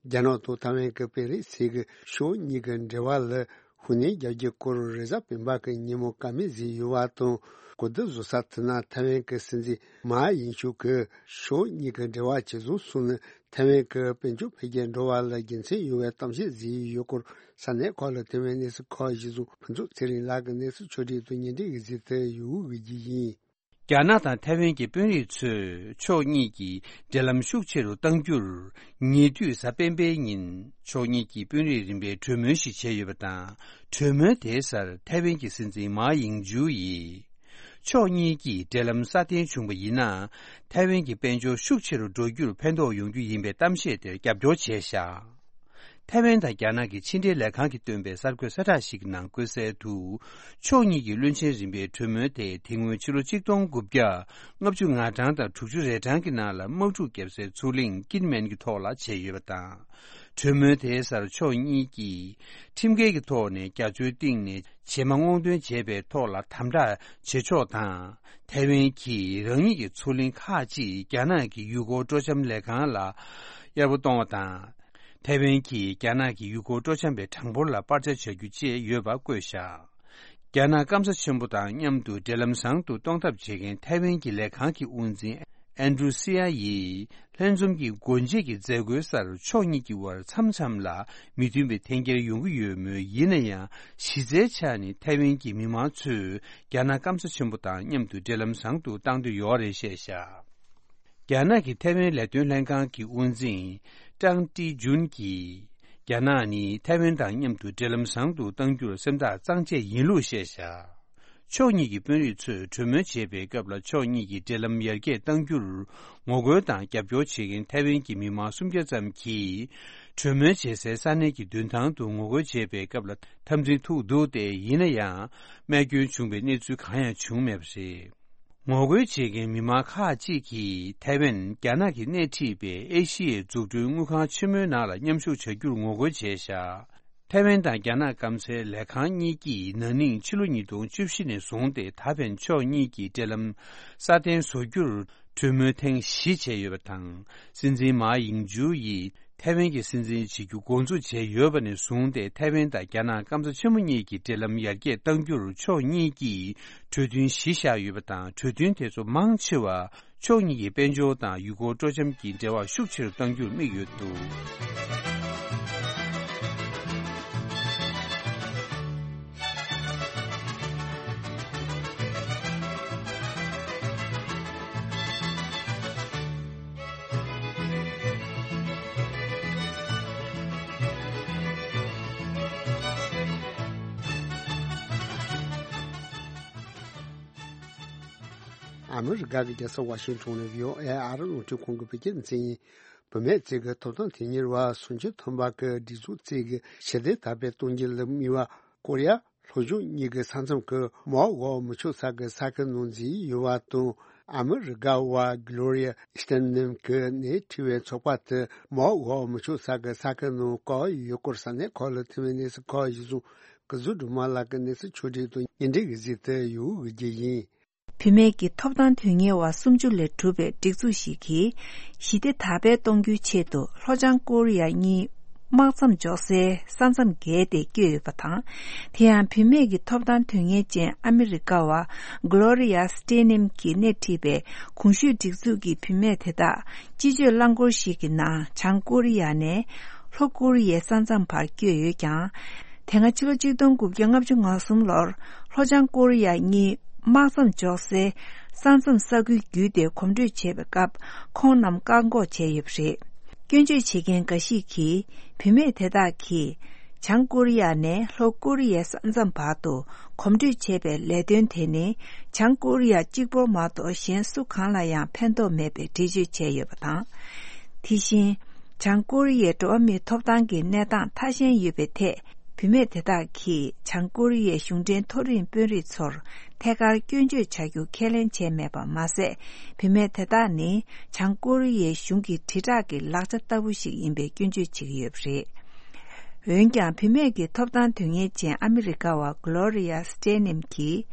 རྒྱ་ནག་དང་ཐའེ་ཝན་གྱི་པེ་རི་སི་གི་ཕྱོགས་གཉིས་ཀྱི་འབྲེལ་བ་ལ་ཤུགས་སྣོན་རྒྱག་རྒྱུའི་སྐོར་རེས་གཟའ་སྤེན་པ་གི་ཉིན་མོ་བཀའ་མོལ་བཟོས་ཡོད་པ་དང་། གོ་བསྡུར་བཟོ་ས་དེ་ན་ཐའེ་ཝན་གྱི་སྲིད་འཛིན་མཱ་ཡིང་ཤུ་གིས་ཕྱོགས་གཉིས་ཀྱི་འབྲེལ་བ་ཇེ་བཟང་སོང་ནས་ཐའེ་ཝན་གྱི་དཔལ་འབྱོར་འཕེལ་རྒྱས་འགྲོ་བ་ལ་དགེ་མཚན་ཡོང་བའི་གཏམ་བཤད་བཟོས་ཡོད་སྐོར་ས་གནས་ཁག་ལ་ཐའེ་ཝན་གནས་ཚུལ་ཁག་གཞིར་བཟུང་ཕུན་ཚོགས་ཚེ་རིང་ལགས་ཀྱིས་གནས་ཚུལ་ཕྱོགས་སྒྲིག་དང་སྙན་སྒྲོན་གྱིས་གཟིགས་ཏེ་ཡོད་པ་ཞིག་ཡིན། རྒྱ་ནག་དང་ཐའེ་ཝན་གྱི་དཔོན་རིགས་ཚོས་ཕྱོགས་གཉིས་ཀྱི་འབྲེལ་ལམ་ཤུགས་ཆེ་རུ་གཏང་རྒྱུར། ཉེ་དུས་གཟའ་སྤེན་པའི་ཉིན་ཕྱོགས་གཉིས་ཀྱི་དཔོན་རིགས་རིམ་པས་གྲོས་མོལ་ཞིག་བྱས་ཡོད་པ་དང་། གྲོས་མོལ་དེའི་སར་ཐའེ་ཝན་གྱི་སྲིད་འཛིན་མཱ་ཡིང་ཇུ་ཡིས། ཕྱོགས་གཉིས་ཀྱིས་འབྲེལ་ལམ་སྲ་བརྟན་བྱུང་བ་ཡིན་ན། ཐའེ་ཝན་གྱི་དཔལ་འབྱོར་ཤུགས་ཆེ་རུ་འགྲོ་རྒྱུར་ཕན་ཐོགས་ཡོང་རྒྱུ་ཡིན་པའི་གཏམ་བཤད་དེར་རྒྱབ་སྐྱོར་བྱས་བཞག་ཐའེ་ཝན་དང་རྒྱ་ནག་གི་ཕྱི་འབྲེལ་ལས་ཁང་གིས་བཏོན་པའི་གསར་འགོད་གསལ་བསྒྲགས་ཤིག་གི་ནང་བཀོད་གསལ་དུ། ཕྱོགས་གཉིས་ཀྱི་བློན་ཆེན་རིམ་པའི་གྲོས་མོལ་དེ་དེ་སྔོན་ཕྱི་ལོ་ཆིག་སྟོང་དགུ་བརྒྱ་ལྔ་བཅུ་ང་གྲངས་དང་དྲུག་ཅུ་རེ་གྲངས་ཀྱི་ནང་ལ་དམག་འཁྲུག་བརྒྱབ་སའི་མཚོ་གླིང་ཀིན་མེན་གྱི་ཐོག་ལ་བྱས་ཡོད་པ་དང་། གྲོས་མོལ་དེའི་སར་ཕྱོགས་གཉིས་ཀྱིས་ཁྲིམས་འགལ་གྱི་ཐོག་ནས་རྒྱ་མཚོའི་གཏིང་ནས་བྱེ་མ་སྔོག་འདོན་བྱས་པའི་ཐོག་ལ་དམ་དྲག་བྱེད་ཕྱོགས་དང་། ཐའེ་ཝན་གྱིས་རང་ཉིད་ཀྱི་མཚོ་གླིང་ཁག་ཅིག་རྒྱ་ནག་གི་ཡུལ་སྐོར་སྤྲོ་འཆམ་ལས་ཁང་ལ་གཡར་པོ་གཏོང་བ་དང་། ཐའེ་ཝན་གྱིས་རྒྱ་ནག་གི་ཡུལ་སྐོར་སྤྲོ་འཆམ་པའི་གྲངས་འབོར་ལ་སྤར་ཆ་བྱ་རྒྱུ་བཅས་ཡོད་པ་བཀོད་བཞག་རྒྱ་ནག་སྐམ་ས་ཆེན་པོ་དང་མཉམ་དུ་འབྲེལ་ལམ་བཟང་དུ་གཏོང་ཐབས་བྱེད་མཁན་ཐའེ་ཝན་གྱི་ལས་ཁང་གི་དབུ་འཛིན་ཨན་ཌྲུ་སི་ཡ་ཡིས། ལྷན་འཛོམས་ཀྱི་སྒོ་འབྱེད་ཀྱི་མཛད་སྒོའི་སར་ཕྱོགས་གཉིས་ཀྱི་དབར་མཚམས་མཚམས་ལ་མི་མཐུན་པའི་འཐེན་འཁྱེར་ཡོང་གི་ཡོད་མོད། ཡིན་ན་ཡང་། གཞི་རྩའི་ཆ་ནས་ཐའེ་ཝན་གྱི་མི་མང་ཚོས་རྒྱ་ནག་སྐམ་ས་ཆེན་པོ་དང་མཉམ་དུ་འབྲེལ་ལམ་བཟང་དུ་གཏང་འདོད་ཡོད་རེད་བཤད་བཞག་རྒྱ་ནག་གི་ཐའེ་ཝན་ལས་དོན་ལྷན་ཁང་གི་དབུ་འཛིན་ཀྲང་ཀྲི་ཇུན་གྱིས། རྒྱ་ནག་ནི་ཐའེ་ཝན་དང་མཉམ་དུ་འབྲེལ་ལམ་བཟང་དུ་གཏང་རྒྱུར་སེམས་ཐག་གཙང་བཅད་ཡིན་ལུགས་བཤད་བཞག་ཕྱོགས་གཉིས་ཀྱི་དཔོན་རིགས་ཚོས་གྲོས་མོལ་བྱེད་པའི་སྐབས་ལ་ཕྱོགས་གཉིས་ཀྱི་འབྲེལ་ལམ་ཡར་རྒྱས་གཏང་རྒྱུར་ངོ་རྒོལ་དང་རྒྱབ་སྐྱོར་བྱེད་མཁན་ཐའེ་ཝན་གྱི་མི་མང་སུམ་བརྒྱ་ཙམ་གྱིས། གྲོས་མོལ་བྱེད་སའི་ས་གནས་ཀྱི་མདུན་ཐང་དུ་ངོ་རྒོལ་བྱེད་པའི་སྐབས་ལ་འཐབ་འཛིང་ཐུག་འདུག་སྟེ། ཡིན་ན་ཡང་། རྨས་སྐྱོན་བྱུང་བའི་གནས་ཚུལ་གང་ཡང་བྱུང་མེད་པ་རེད། ངོ་རྒོལ་བྱེད་མཁན་མི་མང་ཁག་ཅིག་གིས་ཐའེ་ཝན་རྒྱ་ནག་གིས་སྣེ་ཁྲིད་པའི་ཨེ་ཤི་ཡའི་འཛུགས་སྐྲུན་དངུལ་ཁང་ཆེན་མོའི་ནང་ལ་མཉམ་ཞུགས་བྱ་རྒྱུར་ངོ་རྒོལ་བྱས་བཞག་ཐའེ་ཝན་དང་རྒྱ་ནག་སྐམ་སའི་ལས་ཁང་གཉིས་ཀྱིས་ན་ནིང་ཕྱི་ལོ་ཉིས་སྟོང་བཅུ་བཞི་ནས་བཟུང་སྟེ་ད་ཕན་ཕྱོགས་གཉིས་ཀྱི་འབྲེལ་ལམ་སྲ་བརྟན་བཟོ་རྒྱུར་གྲོས་མོལ་ཐེངས་བཞི་བྱས་ཡོད་པ་དང་། སྲིད་འཛིན་མཱ་ཡིང་ཇུ་ཡིས་ཐའེ་ཝན་གྱི་སྲིད་འཛིན་བྱེད་རྒྱུ་འགོ་འཛུགས་བྱས་ཡོད་པ་ནས་བཟུང་སྟེ། ཐའེ་ཝན་དང་རྒྱ་ནག་སྐམ་ས་ཆེན་མོ་གཉིས་ཀྱི་འབྲེལ་ལམ་ཡར་རྒྱས་གཏང་རྒྱུར་ཕྱོགས་གཉིས་ཀྱིས་གྲོས་མཐུན་གཞི་བཞག་ཡོད་པ་དང་། གྲོས་མཐུན་དེ་ཚོ་མང་ཆེ་བ། ཕྱོགས་གཉིས་ཀྱི་དཔལ་འབྱོར་དང་ཡུལ་སྐོར་སྤྲོ་འཆམ་གྱི་འབྲེལ་བ་ཤུགས་ཆེ་རུ་གཏང་རྒྱུར་དམིགས་ཡོད་འདུག་ཨ་མི་རི་ཀ་གི་རྒྱལ་ས་ཝ་ཤིང་ཊོན་ནས་བྷི་ཨོ་ཨེ་ཨ་རི་རླུང་འཕྲིན་ཁང་གི་བོད་སྐད་སྡེ་ཚན་ཡིན། བུད་མེད་ཚོའི་ཐོབ་ཐང་དོན་གཉེར་བ་སུམ་ཅུ་ཐམ་པ་གིས་སྒྲིག་འཛུགས་ཚོས་ཞི་བདེ་དར་སྤེལ་གཏོང་རྒྱུ་ལ་དམིགས་པ། ཀོ་རི་ཡ་ལྷོ་ཕྱོགས་གཉིས་ཀྱི་ས་མཚམས་ཀྱི་མའོ་འོག་མི་ཆོག་ས་ཀྱི་ས་ཁུལ་ནང་འཛུལ་ཡོད་པ་དང་། ཨ་མི་རི་ཀ་བ་གྷི་ལོ་རི་ཡ་སི་ཏེ་ནམ་གྱིས་སྣེ་ཁྲིད་པའི་ཚོགས་པ་དེ་མའོ་འོག་མི་ཆོག་ས་ཀྱི་ས་ཁུལ་ནང་བཀག་ཡོད་སྐོར་ས་གནས་ཁག་ལ་ཐོན་པའི་གནས་ཚུལ་ཁག་གཞིར་བཟུང་། སྐུ་ཞབས་སྒྲོལ་མ་ལགས་ཀྱིས་གནས་ཚུལ་ཕྱོགས་སྒྲིག་དང་སྙན་སྒྲོན་གྱི་གཟིགས་དུ་ཡོད་རྒྱུ་ཡིན། བུད་མེད་ཀྱི་ཐོབ་ཐང་དོན་གཉེར་བ་སུམ་ཅུ་ལས་གྲུབ་པའི་སྒྲིག་འཛུགས་ཤིག་གིས། ཞི་བདེ་དར་སྤེལ་གཏོང་རྒྱུའི་ཆེད་དུ་ལྷོ་བྱང་ཀོ་རི་ཡ་གཉིས་དམག་མཚམས་འཇོག་སའི་ས་མཚམས་བརྒལ་ཏེ་བསྐྱོད་ཡོད་པ་དང་། དེ་ཡང་བུད་མེད་ཀྱི་ཐོབ་ཐང་དོན་གཉེར་ཅན་ཨ་མི་རི་ཀ་བ་གྷི་ལོ་རི་ཡ་སི་ཏེ་ནམ་གྱིས་སྣེ་ཁྲིད་པའི་གོང་ཞུས་སྒྲིག་འཛུགས་ཀྱི་བུད་མེད་དེ་དག་སྤྱི་སྤྱོད་རླངས་འཁོར་ཞིག་གི་ནང་བྱང་ཀོ་རི་ཡ་ནས་ལྷོ་ཀོ་རི་ཡའི་ས་མཚམས་བར་བསྐྱོད་ཡོད་ཀྱང་། དེ་སྔ་ཕྱི་ལོ་ཆིག་སྟོང་དགུ་བརྒྱ་ལྔ་བཅུ་ང་གསུམ་ལོར་ལྷོ་བྱང་ཀོ་རི་ཡ་གཉིས་དམག་མཚམས་འཇོག་སའི་ས་མཚམས་ས་ཁུལ་བརྒྱུད་དེ་གོམ་བགྲོད་བྱེད་པའི་སྐབས་ཁོང་རྣམས་བཀག་འགོག་བྱས་ཡོད་པ་རེད། སྐྱོན་བརྗོད་བྱེད་མཁན་འགའ་ཞིག་གིས་བུད་མེད་དེ་དག་གིས་བྱང་ཀོ་རི་ཡ་ནས་ལྷོ་ཀོ་རི་ཡའི་ས་མཚམས་བར་དུ་གོམ་བགྲོད་བྱེད་པའི་ལས་དོན་དེ་ནི་བྱང་ཀོ་རི་ཡ་གཅིག་པོར་མ་གཏོགས་གཞན་སུ་གང་ལ་ཡང་ཕན་ཐོགས་མེད་པའི་འགྲེལ་བརྗོད་བྱས་ཡོད་པ་དང་། དེ་བཞིན། བྱང་ཀོ་རི་ཡའི་འགྲོ་བ་མིའི་ཐོབ་ཐང་གི་གནས་སྟངས་ཐ་ཞན་ཡོད་པའི་ཐད། བུད་མེད་དེ་དག་གིས་བྱང་ཀོ་རི་ཡའི་གཞུང་འབྲེལ་མཐོ་རིམ་དཔོན་རིགས་ཚོར་ཐད་ཀར་སྐྱོན་བརྗོད་བྱ་རྒྱུ་ཁས་ལེན་བྱས་མེད་པ་མ་ཟད། བུད་མེད་དེ་དག་ནི་བྱང་ཀོ་རི་ཡའི་གཞུང་གི་དྲིལ་བསྒྲགས་ཀྱི་ལག་ཆ་ལྟ་བུ་ཞིག་ཡིན་པའི་སྐྱོན་བརྗོད་བྱེད་ཀྱི་ཡོད་པ་རེད། འོན་ཀྱང་། བུད་མེད་ཀྱི་ཐོབ་ཐང་དོན་གཉེར་ཅན་ཨ་མི་རི་ཀ་བ་གྷི་ལོ་རི་ཡ་སི་ཏེ་ནམ་གྱིས།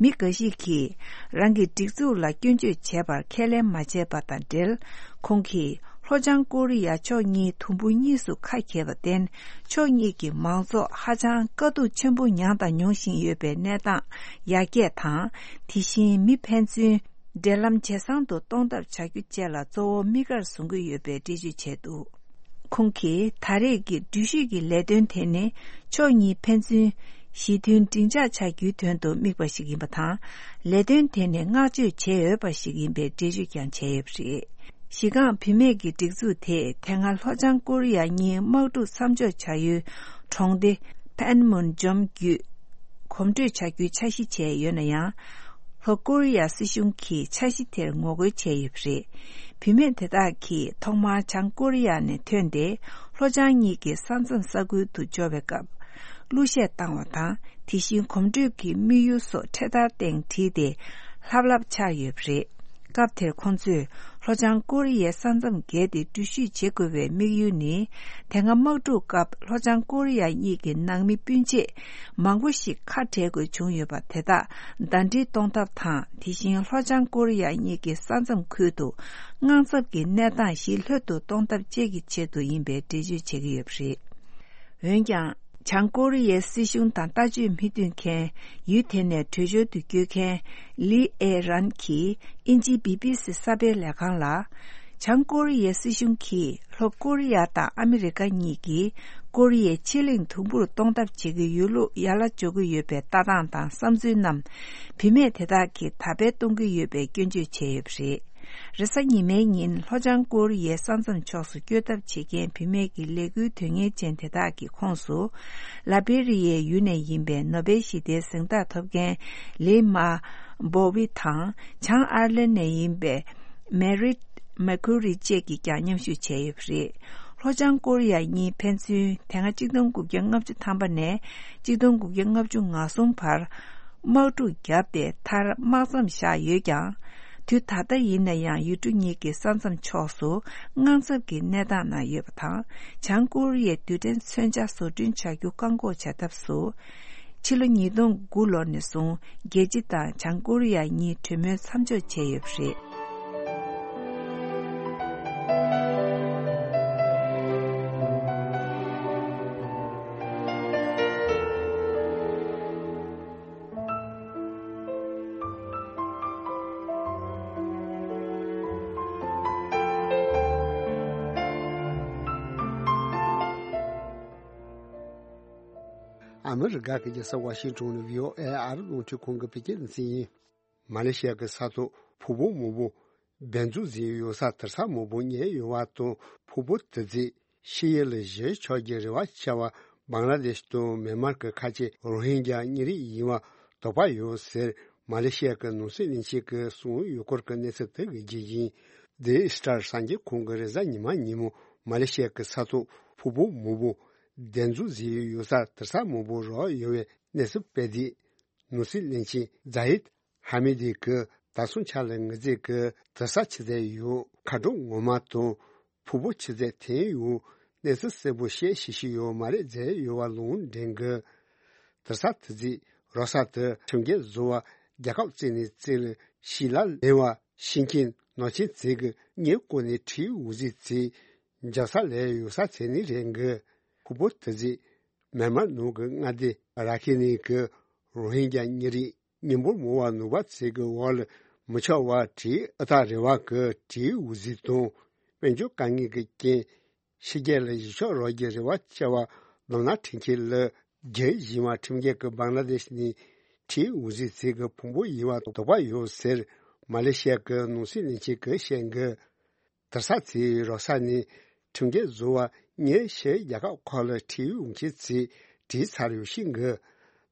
མི་འགའ་ཞིག་གིས་རང་གི་སྒྲིག་འཛུགས་ལ་སྐྱོན་བརྗོད་བྱས་པར་ཁས་ལེན་མ་བྱས་པ་དང་འབྲེལ། ཁོང་གིས་ལྷོ་བྱང་ཀོ་རི་ཡ་ཕྱོགས་གཉིས་དུམ་བུ་གཉིས་སུ་ཁ་གྱེས་པར་བརྟེན། ཕྱོགས་གཉིས་ཀྱི་མང་ཚོགས་ཧ་ཅང་དཀའ་སྡུག་ཆེན་པོ་མྱངས་དང་མྱོང་བཞིན་ཡོད་པའི་གནས་སྟངས་ཡར་རྒྱས་དང་། དེ་བཞིན་མི་ཕན་ཚུན་འབྲེལ་ལམ་ཇེ་བཟང་དུ་གཏོང་ཐབས་བྱ་རྒྱུ་བཅས་ལ་གཙོ་བོ་དམིགས་ཀར་བཟུང་གི་ཡོད་པའི་འགྲེལ་བརྗོད་བྱས་འདུག་ཁོང་གིས་ད་རེས་ཀྱི་འགྲུལ་བཞུད་ཀྱི་ལས་དོན་དེ་ནི་ཕྱོགས་གཉིས་ཕན་ཚུན་ཞི་མཐུན་འབྲིང་ཆགས་ཆགས་རྒྱུའི་དོན་དུ་དམིགས་པ་ཞིག་ཡིན་པ་དང་། ལས་དོན་དེ་ནི་བསྔགས་བརྗོད་བྱེད་འོས་པ་ཞིག་ཡིན་པའི་འགྲེལ་བརྗོད་ཀྱང་བྱས་ཡོད་པ་རེད། གཞི་རྐང་བུད་མེད་ཀྱི་སྒྲིག་འཛུགས་དེས་དེ་སྔ་ལྷོ་བྱང་ཀོ་རི་ཡ་གཉིས་དམག་འཁྲུག་མཚམས་འཇོག་བྱ་ཡུལ་གྲོང་སྡེ་ཕན་མུན་ཇོམ་བརྒྱུད་གོམ་བགྲོད་བྱ་རྒྱུའི་འཆར་གཞི་བྱས་ཡོད་ན་ཡང་། ལྷོ་ཀོ་རི་ཡ་སྲིད་གཞུང་གིས་འཆར་གཞི་དེར་ངོ་རྒོལ་བྱས་ཡོད་པ་རེད། བུད་མེད་དེ་དག་གིས་ཐོག་མར་བྱང་ཀོ་རི་ཡ་ནས་ཐོན་ཏེ། ལྷོ་བྱང་གཉིས་ཀྱི་ས་མཚམས་ས་ཁུལ་དུ་འབྱོར་བའི་སྐབས། གླུ་གཞས་བཏང་བ་དང་། དེ་བཞིན་གོམ་བགྲོད་ཀྱི་དམིགས་ཡུལ་སོགས་འཕྲེད་དར་སྟེང་བྲིས་ཏེ། ལྷབ་ལྷབ་འཆར་ཡོད་པ་རེད། སྐབས་དེར་ཁོང་ཚོས་ལྷོ་བྱང་ཀོ་རི་ཡའི་ས་མཚམས་བརྒལ་ཏེ་འགྲུལ་བཞུད་བྱེད་དགོས་པའི་དམིགས་ཡུལ་ནི། དེ་སྔ་དམག་འཁྲུག་སྐབས་ལྷོ་བྱང་ཀོ་རི་ཡ་གཉིས་ཀྱི་ནང་མི་སྤུན་མཆེད་མང་པོ་ཞིག་ཁ་བྲལ་དགོས་བྱུང་ཡོད་པ་དེ་དག་ཟླ་སྒྲིལ་གཏོང་ཐབས་དང་། དེ་བཞིན་ལྷོ་བྱང་ཀོ་རི་ཡ་གཉིས་ཀྱི་ས་མཚམས་ཁུལ་དུ་དངངས་འཚབ་ཀྱི་གནས་སྟངས་ཞི་ལྷོད་དུ་གཏོང་ཐབས་བཅས་ཀྱི་ཆེད་དུ་ཡིན་པའི་འགྲེལ་བརྗོད་བྱེད་ཀྱི་ཡོད་པ་རེད། འོན་ཀྱང་། བྱང་ཀོ་རི་ཡའི་སྲིད་གཞུང་དང་ལྟ་སྤྱོད་མི་མཐུན་མཁན། ཡུལ་དེ་ནས་བྲོས་བྱོལ་དུ་བསྐྱོད་མཁན། ལི་ཨེ་རན་གྱིས་དབྱིན་ཇིའི་བི་བི་སི་གསར་སྤེལ་ལས་ཁང་ལ། བྱང་ཀོ་རི་ཡའི་སྲིད་གཞུང་གིས་ལྷོ་ཀོ་རི་ཡ་དང་ཨ་མི་རི་ཀ་གཉིས་ཀྱིས་ཀོ་རི་ཡའི་ཕྱེད་གླིང་དུམ་བུར་གཏོང་ཐབས་བྱེད་ཀྱི་ཡོད་ལུགས་ཡར་ལ་འཇོག་གི་ཡོད་པའི་ལྟ་སྟངས་དང་བསམ་ཚུལ་རྣམས། བུད་མེད་དེ་དག་གིས་ད་སྤེལ་གཏོང་གི་ཡོད་པའི་སྐྱོན་བརྗོད་བྱས་ཡོད་པ་རེད། རེས་གཟའ་ཉི་མའི་ཉིན་ལྷོ་བྱང་ཀོ་རི་ཡའི་ས་མཚམས་ཕྱོགས་སུ་བསྐྱོད་ཐབས་བྱེད་མཁན་བུད་མེད་ཀྱི་ལས་འགུལ་དོན་གཉེར་ཅན་དེ་དག་གི་ཁོངས་སུ། ལ་བེ་རི་ཡའི་ཡུལ་ནས་ཡིན་པའི་ནོ་བེལ་ཞི་བདེའི་གཟེངས་རྟགས་ཐོབ་མཁན་ལི་མ་བོ་ཝི་དང་། བྱང་ཨར་ལན་ནས་ཡིན་པའི་མེ་རིད་མེ་ཁུ་རི་བཅས་ཀྱིས་ཀྱང་མཉམ་ཞུགས་བྱས་ཡོད་པ་རེད། ལྷོ་བྱང་ཀོ་རི་ཡ་གཉིས་ཕན་ཚུན་དེ་སྔ་གཅིག་སྟོང་དགུ་བརྒྱ་ལྔ་བཅུ་ཐམ་པ་ནས་གཅིག་སྟོང་དགུ་བརྒྱ་ལྔ་བཅུ་ང་གསུམ་བར། དམག་འཁྲུག་བརྒྱབ་སྟེ། མཐར་དམག་མཚམས་བཞག་ཡོད་ཀྱང་། དུས་ད་ལྟ་ཡིན་ན་ཡང་ཡུལ་གྲུ་གཉིས་ཀྱི་ས་མཚམས་ཕྱོགས་སུ་དངངས་འཚབ་ཀྱི་གནས་སྟངས་ནང་ཡོད་པ་དང་། བྱང་ཀོ་རི་ཡའི་རྡུལ་ཕྲན་མཚོན་ཆ་བཟོ་སྐྲུན་བྱ་རྒྱུ་བཀག་འགོག་བྱ་ཐབས་སུ། ཕྱི་ལོ་ཉིས་སྟོང་དགུ་ལོ་ནས་བཟུང་རྒྱལ་སྤྱི་དང་བྱང་ཀོ་རི་ཡ་གཉིས་གྲོས་མོལ་མཚམས་འཇོག་བྱས་ཡོད་པ་རེད། ཨ་མི་རི་ཀ་གི་རྒྱལ་ས་ཝ་ཤིང་ཊོན་ནས་བྷི་ཨོ་ཨེ་ཨ་རི་རླུང་འཕྲིན་ཁང་གི་བོད་སྐད་སྡེ་ཚན་ཡིན། མ་ལེ་ཤི་ཡ་གི་ས་ཐོག་ཕུང་པོ་མང་པོ་བདེ་འཛུགས་ཟིན་ཡོད་ས་དུར་ས་མང་པོ་རྙེད་ཡོད་པ་དང་། ཕུང་པོ་དེ་ཚོས་ཕྱི་ཡུལ་ལ་བཞུད་ཆོག་རྒྱུའི་རེ་བ་བྱས་པ་བང་ལ་དེཤ་དང་མེན་མར་གྱི་ཁ་ཆེ་རོ་ཧིན་རྒྱ་གཉན་རིགས་ཡིན་པ་དོགས་པ་ཡོད་ཟེར། མ་ལེ་ཤི་ཡ་གི་ནང་སྲིད་བློན་ཆེན་གྱིས་གསུངས་ཡོད་སྐོར་གྱི་གནས་ཚུལ་དེ་གི་རྒྱུ་ཡིན། དེ་སི་ཊར་གསར་འགྱུར་ཁང་གིས་རེས་གཟའ་ཉི་མ་ཉིན་མོ་མ་ལེ་ཤི་ཡ་གི་ས་ཐོག་ཕུང་པོ་མང་པོ་བདེ་འཛུགས་ཟིན་ཡོད་ས་དུར་ས་མང་པོ་རག་ཡོད་པའི་གནས་ཚུལ་སྤེལ་དུས། ནང་སྲིད་བློན་ཆེན་ཛ་ཡིད་ཧ་མི་དི་གིས་ད་སོང་ཆ་ལ་ངེད་ཚོས་ཀྱི་དུར་ས་ཆུ་ཚད་ཡོད། མཁའ་འགྲོ་ངོ་མ་དང་ཕུང་པོ་ཆུ་ཚད་ཐོན་ཡོད། གནས་ཚུལ་གསལ་པོ་བཤད་ཤེས་ཤིག་ཡོད་མ་རེད་ཟེར་ཡོད་པ་ལུང་འདྲེན་གྱིས། དུར་ས་དེ་ཚོས་རག་ས་དེ་ཁྲིམས་འགལ་བཟོ་བ་རྒྱལ་ཁབ་བཙུགས་ནས་བཙུགས་ལ་ཞིང་ལ་ལེན་པ་ཤིང་མཁན་ནག་ཆེན་ཚོས་ཀྱི་གཉེན་བསྐོར་ནས་ཁྲིའི་འོག་ཟིག་ཚོས་འཇབ་ས་ལས་ཡོད་ས་ཚོད་ནི་རེད་གི། ཕུང་པོ་དེ་ཚོས་མེན་མར་ནང་གི་མངའ་སྡེ་ར་ཁེ་ནི་གི་རོ་ཧིན་རྒྱ་གཉན་རིགས་མི་འབོར་མང་བ་ནུབ་པ་ཚོས་ཀྱི་འོག་ལ་མི་ཆགས་པ་ཁྲིའི་ཨ་ཐག་རིང་བ་གི་ཁྲིའི་འོག་ཟིག་དང་། དཔལ་འབྱོར་དཀའ་ངལ་གྱི་རྐྱེན་ཕྱི་རྒྱལ་ལ་གཞིས་ཆགས་རག་རྒྱུའི་རེ་བ་བྱས་པ་ལམ་སྣ་ཁྲིད་མཁན་ལ་རྒྱུ་བཞིན་པ་ཁྲིམས་འགལ་གྱི་བང་ལ་དེཤ་ནི་ཁྲིའི་འོག་ཟིག་ཚོས་ཀྱི་ཕུང་པོ་ཡིན་པ་དོགས་པ་ཡོད་ཟེར། མ་ལེ་ཤི་ཡ་གི་ནང་སྲིད་བློན་ཆེན་གྱིས་བཤད་གི། དུར་ས་ཚོས་རག་ས་ནི་ཁྲིམས་འགལ་བཟོ་བ་གཉེན་ཕྱིའི་རྒྱལ་ཁབ་ཁག་ལ་ཁྲིའི་འོག་མཁན་ཚོས་བྲིས་ཚར་ཡོད་ཤིང་གི།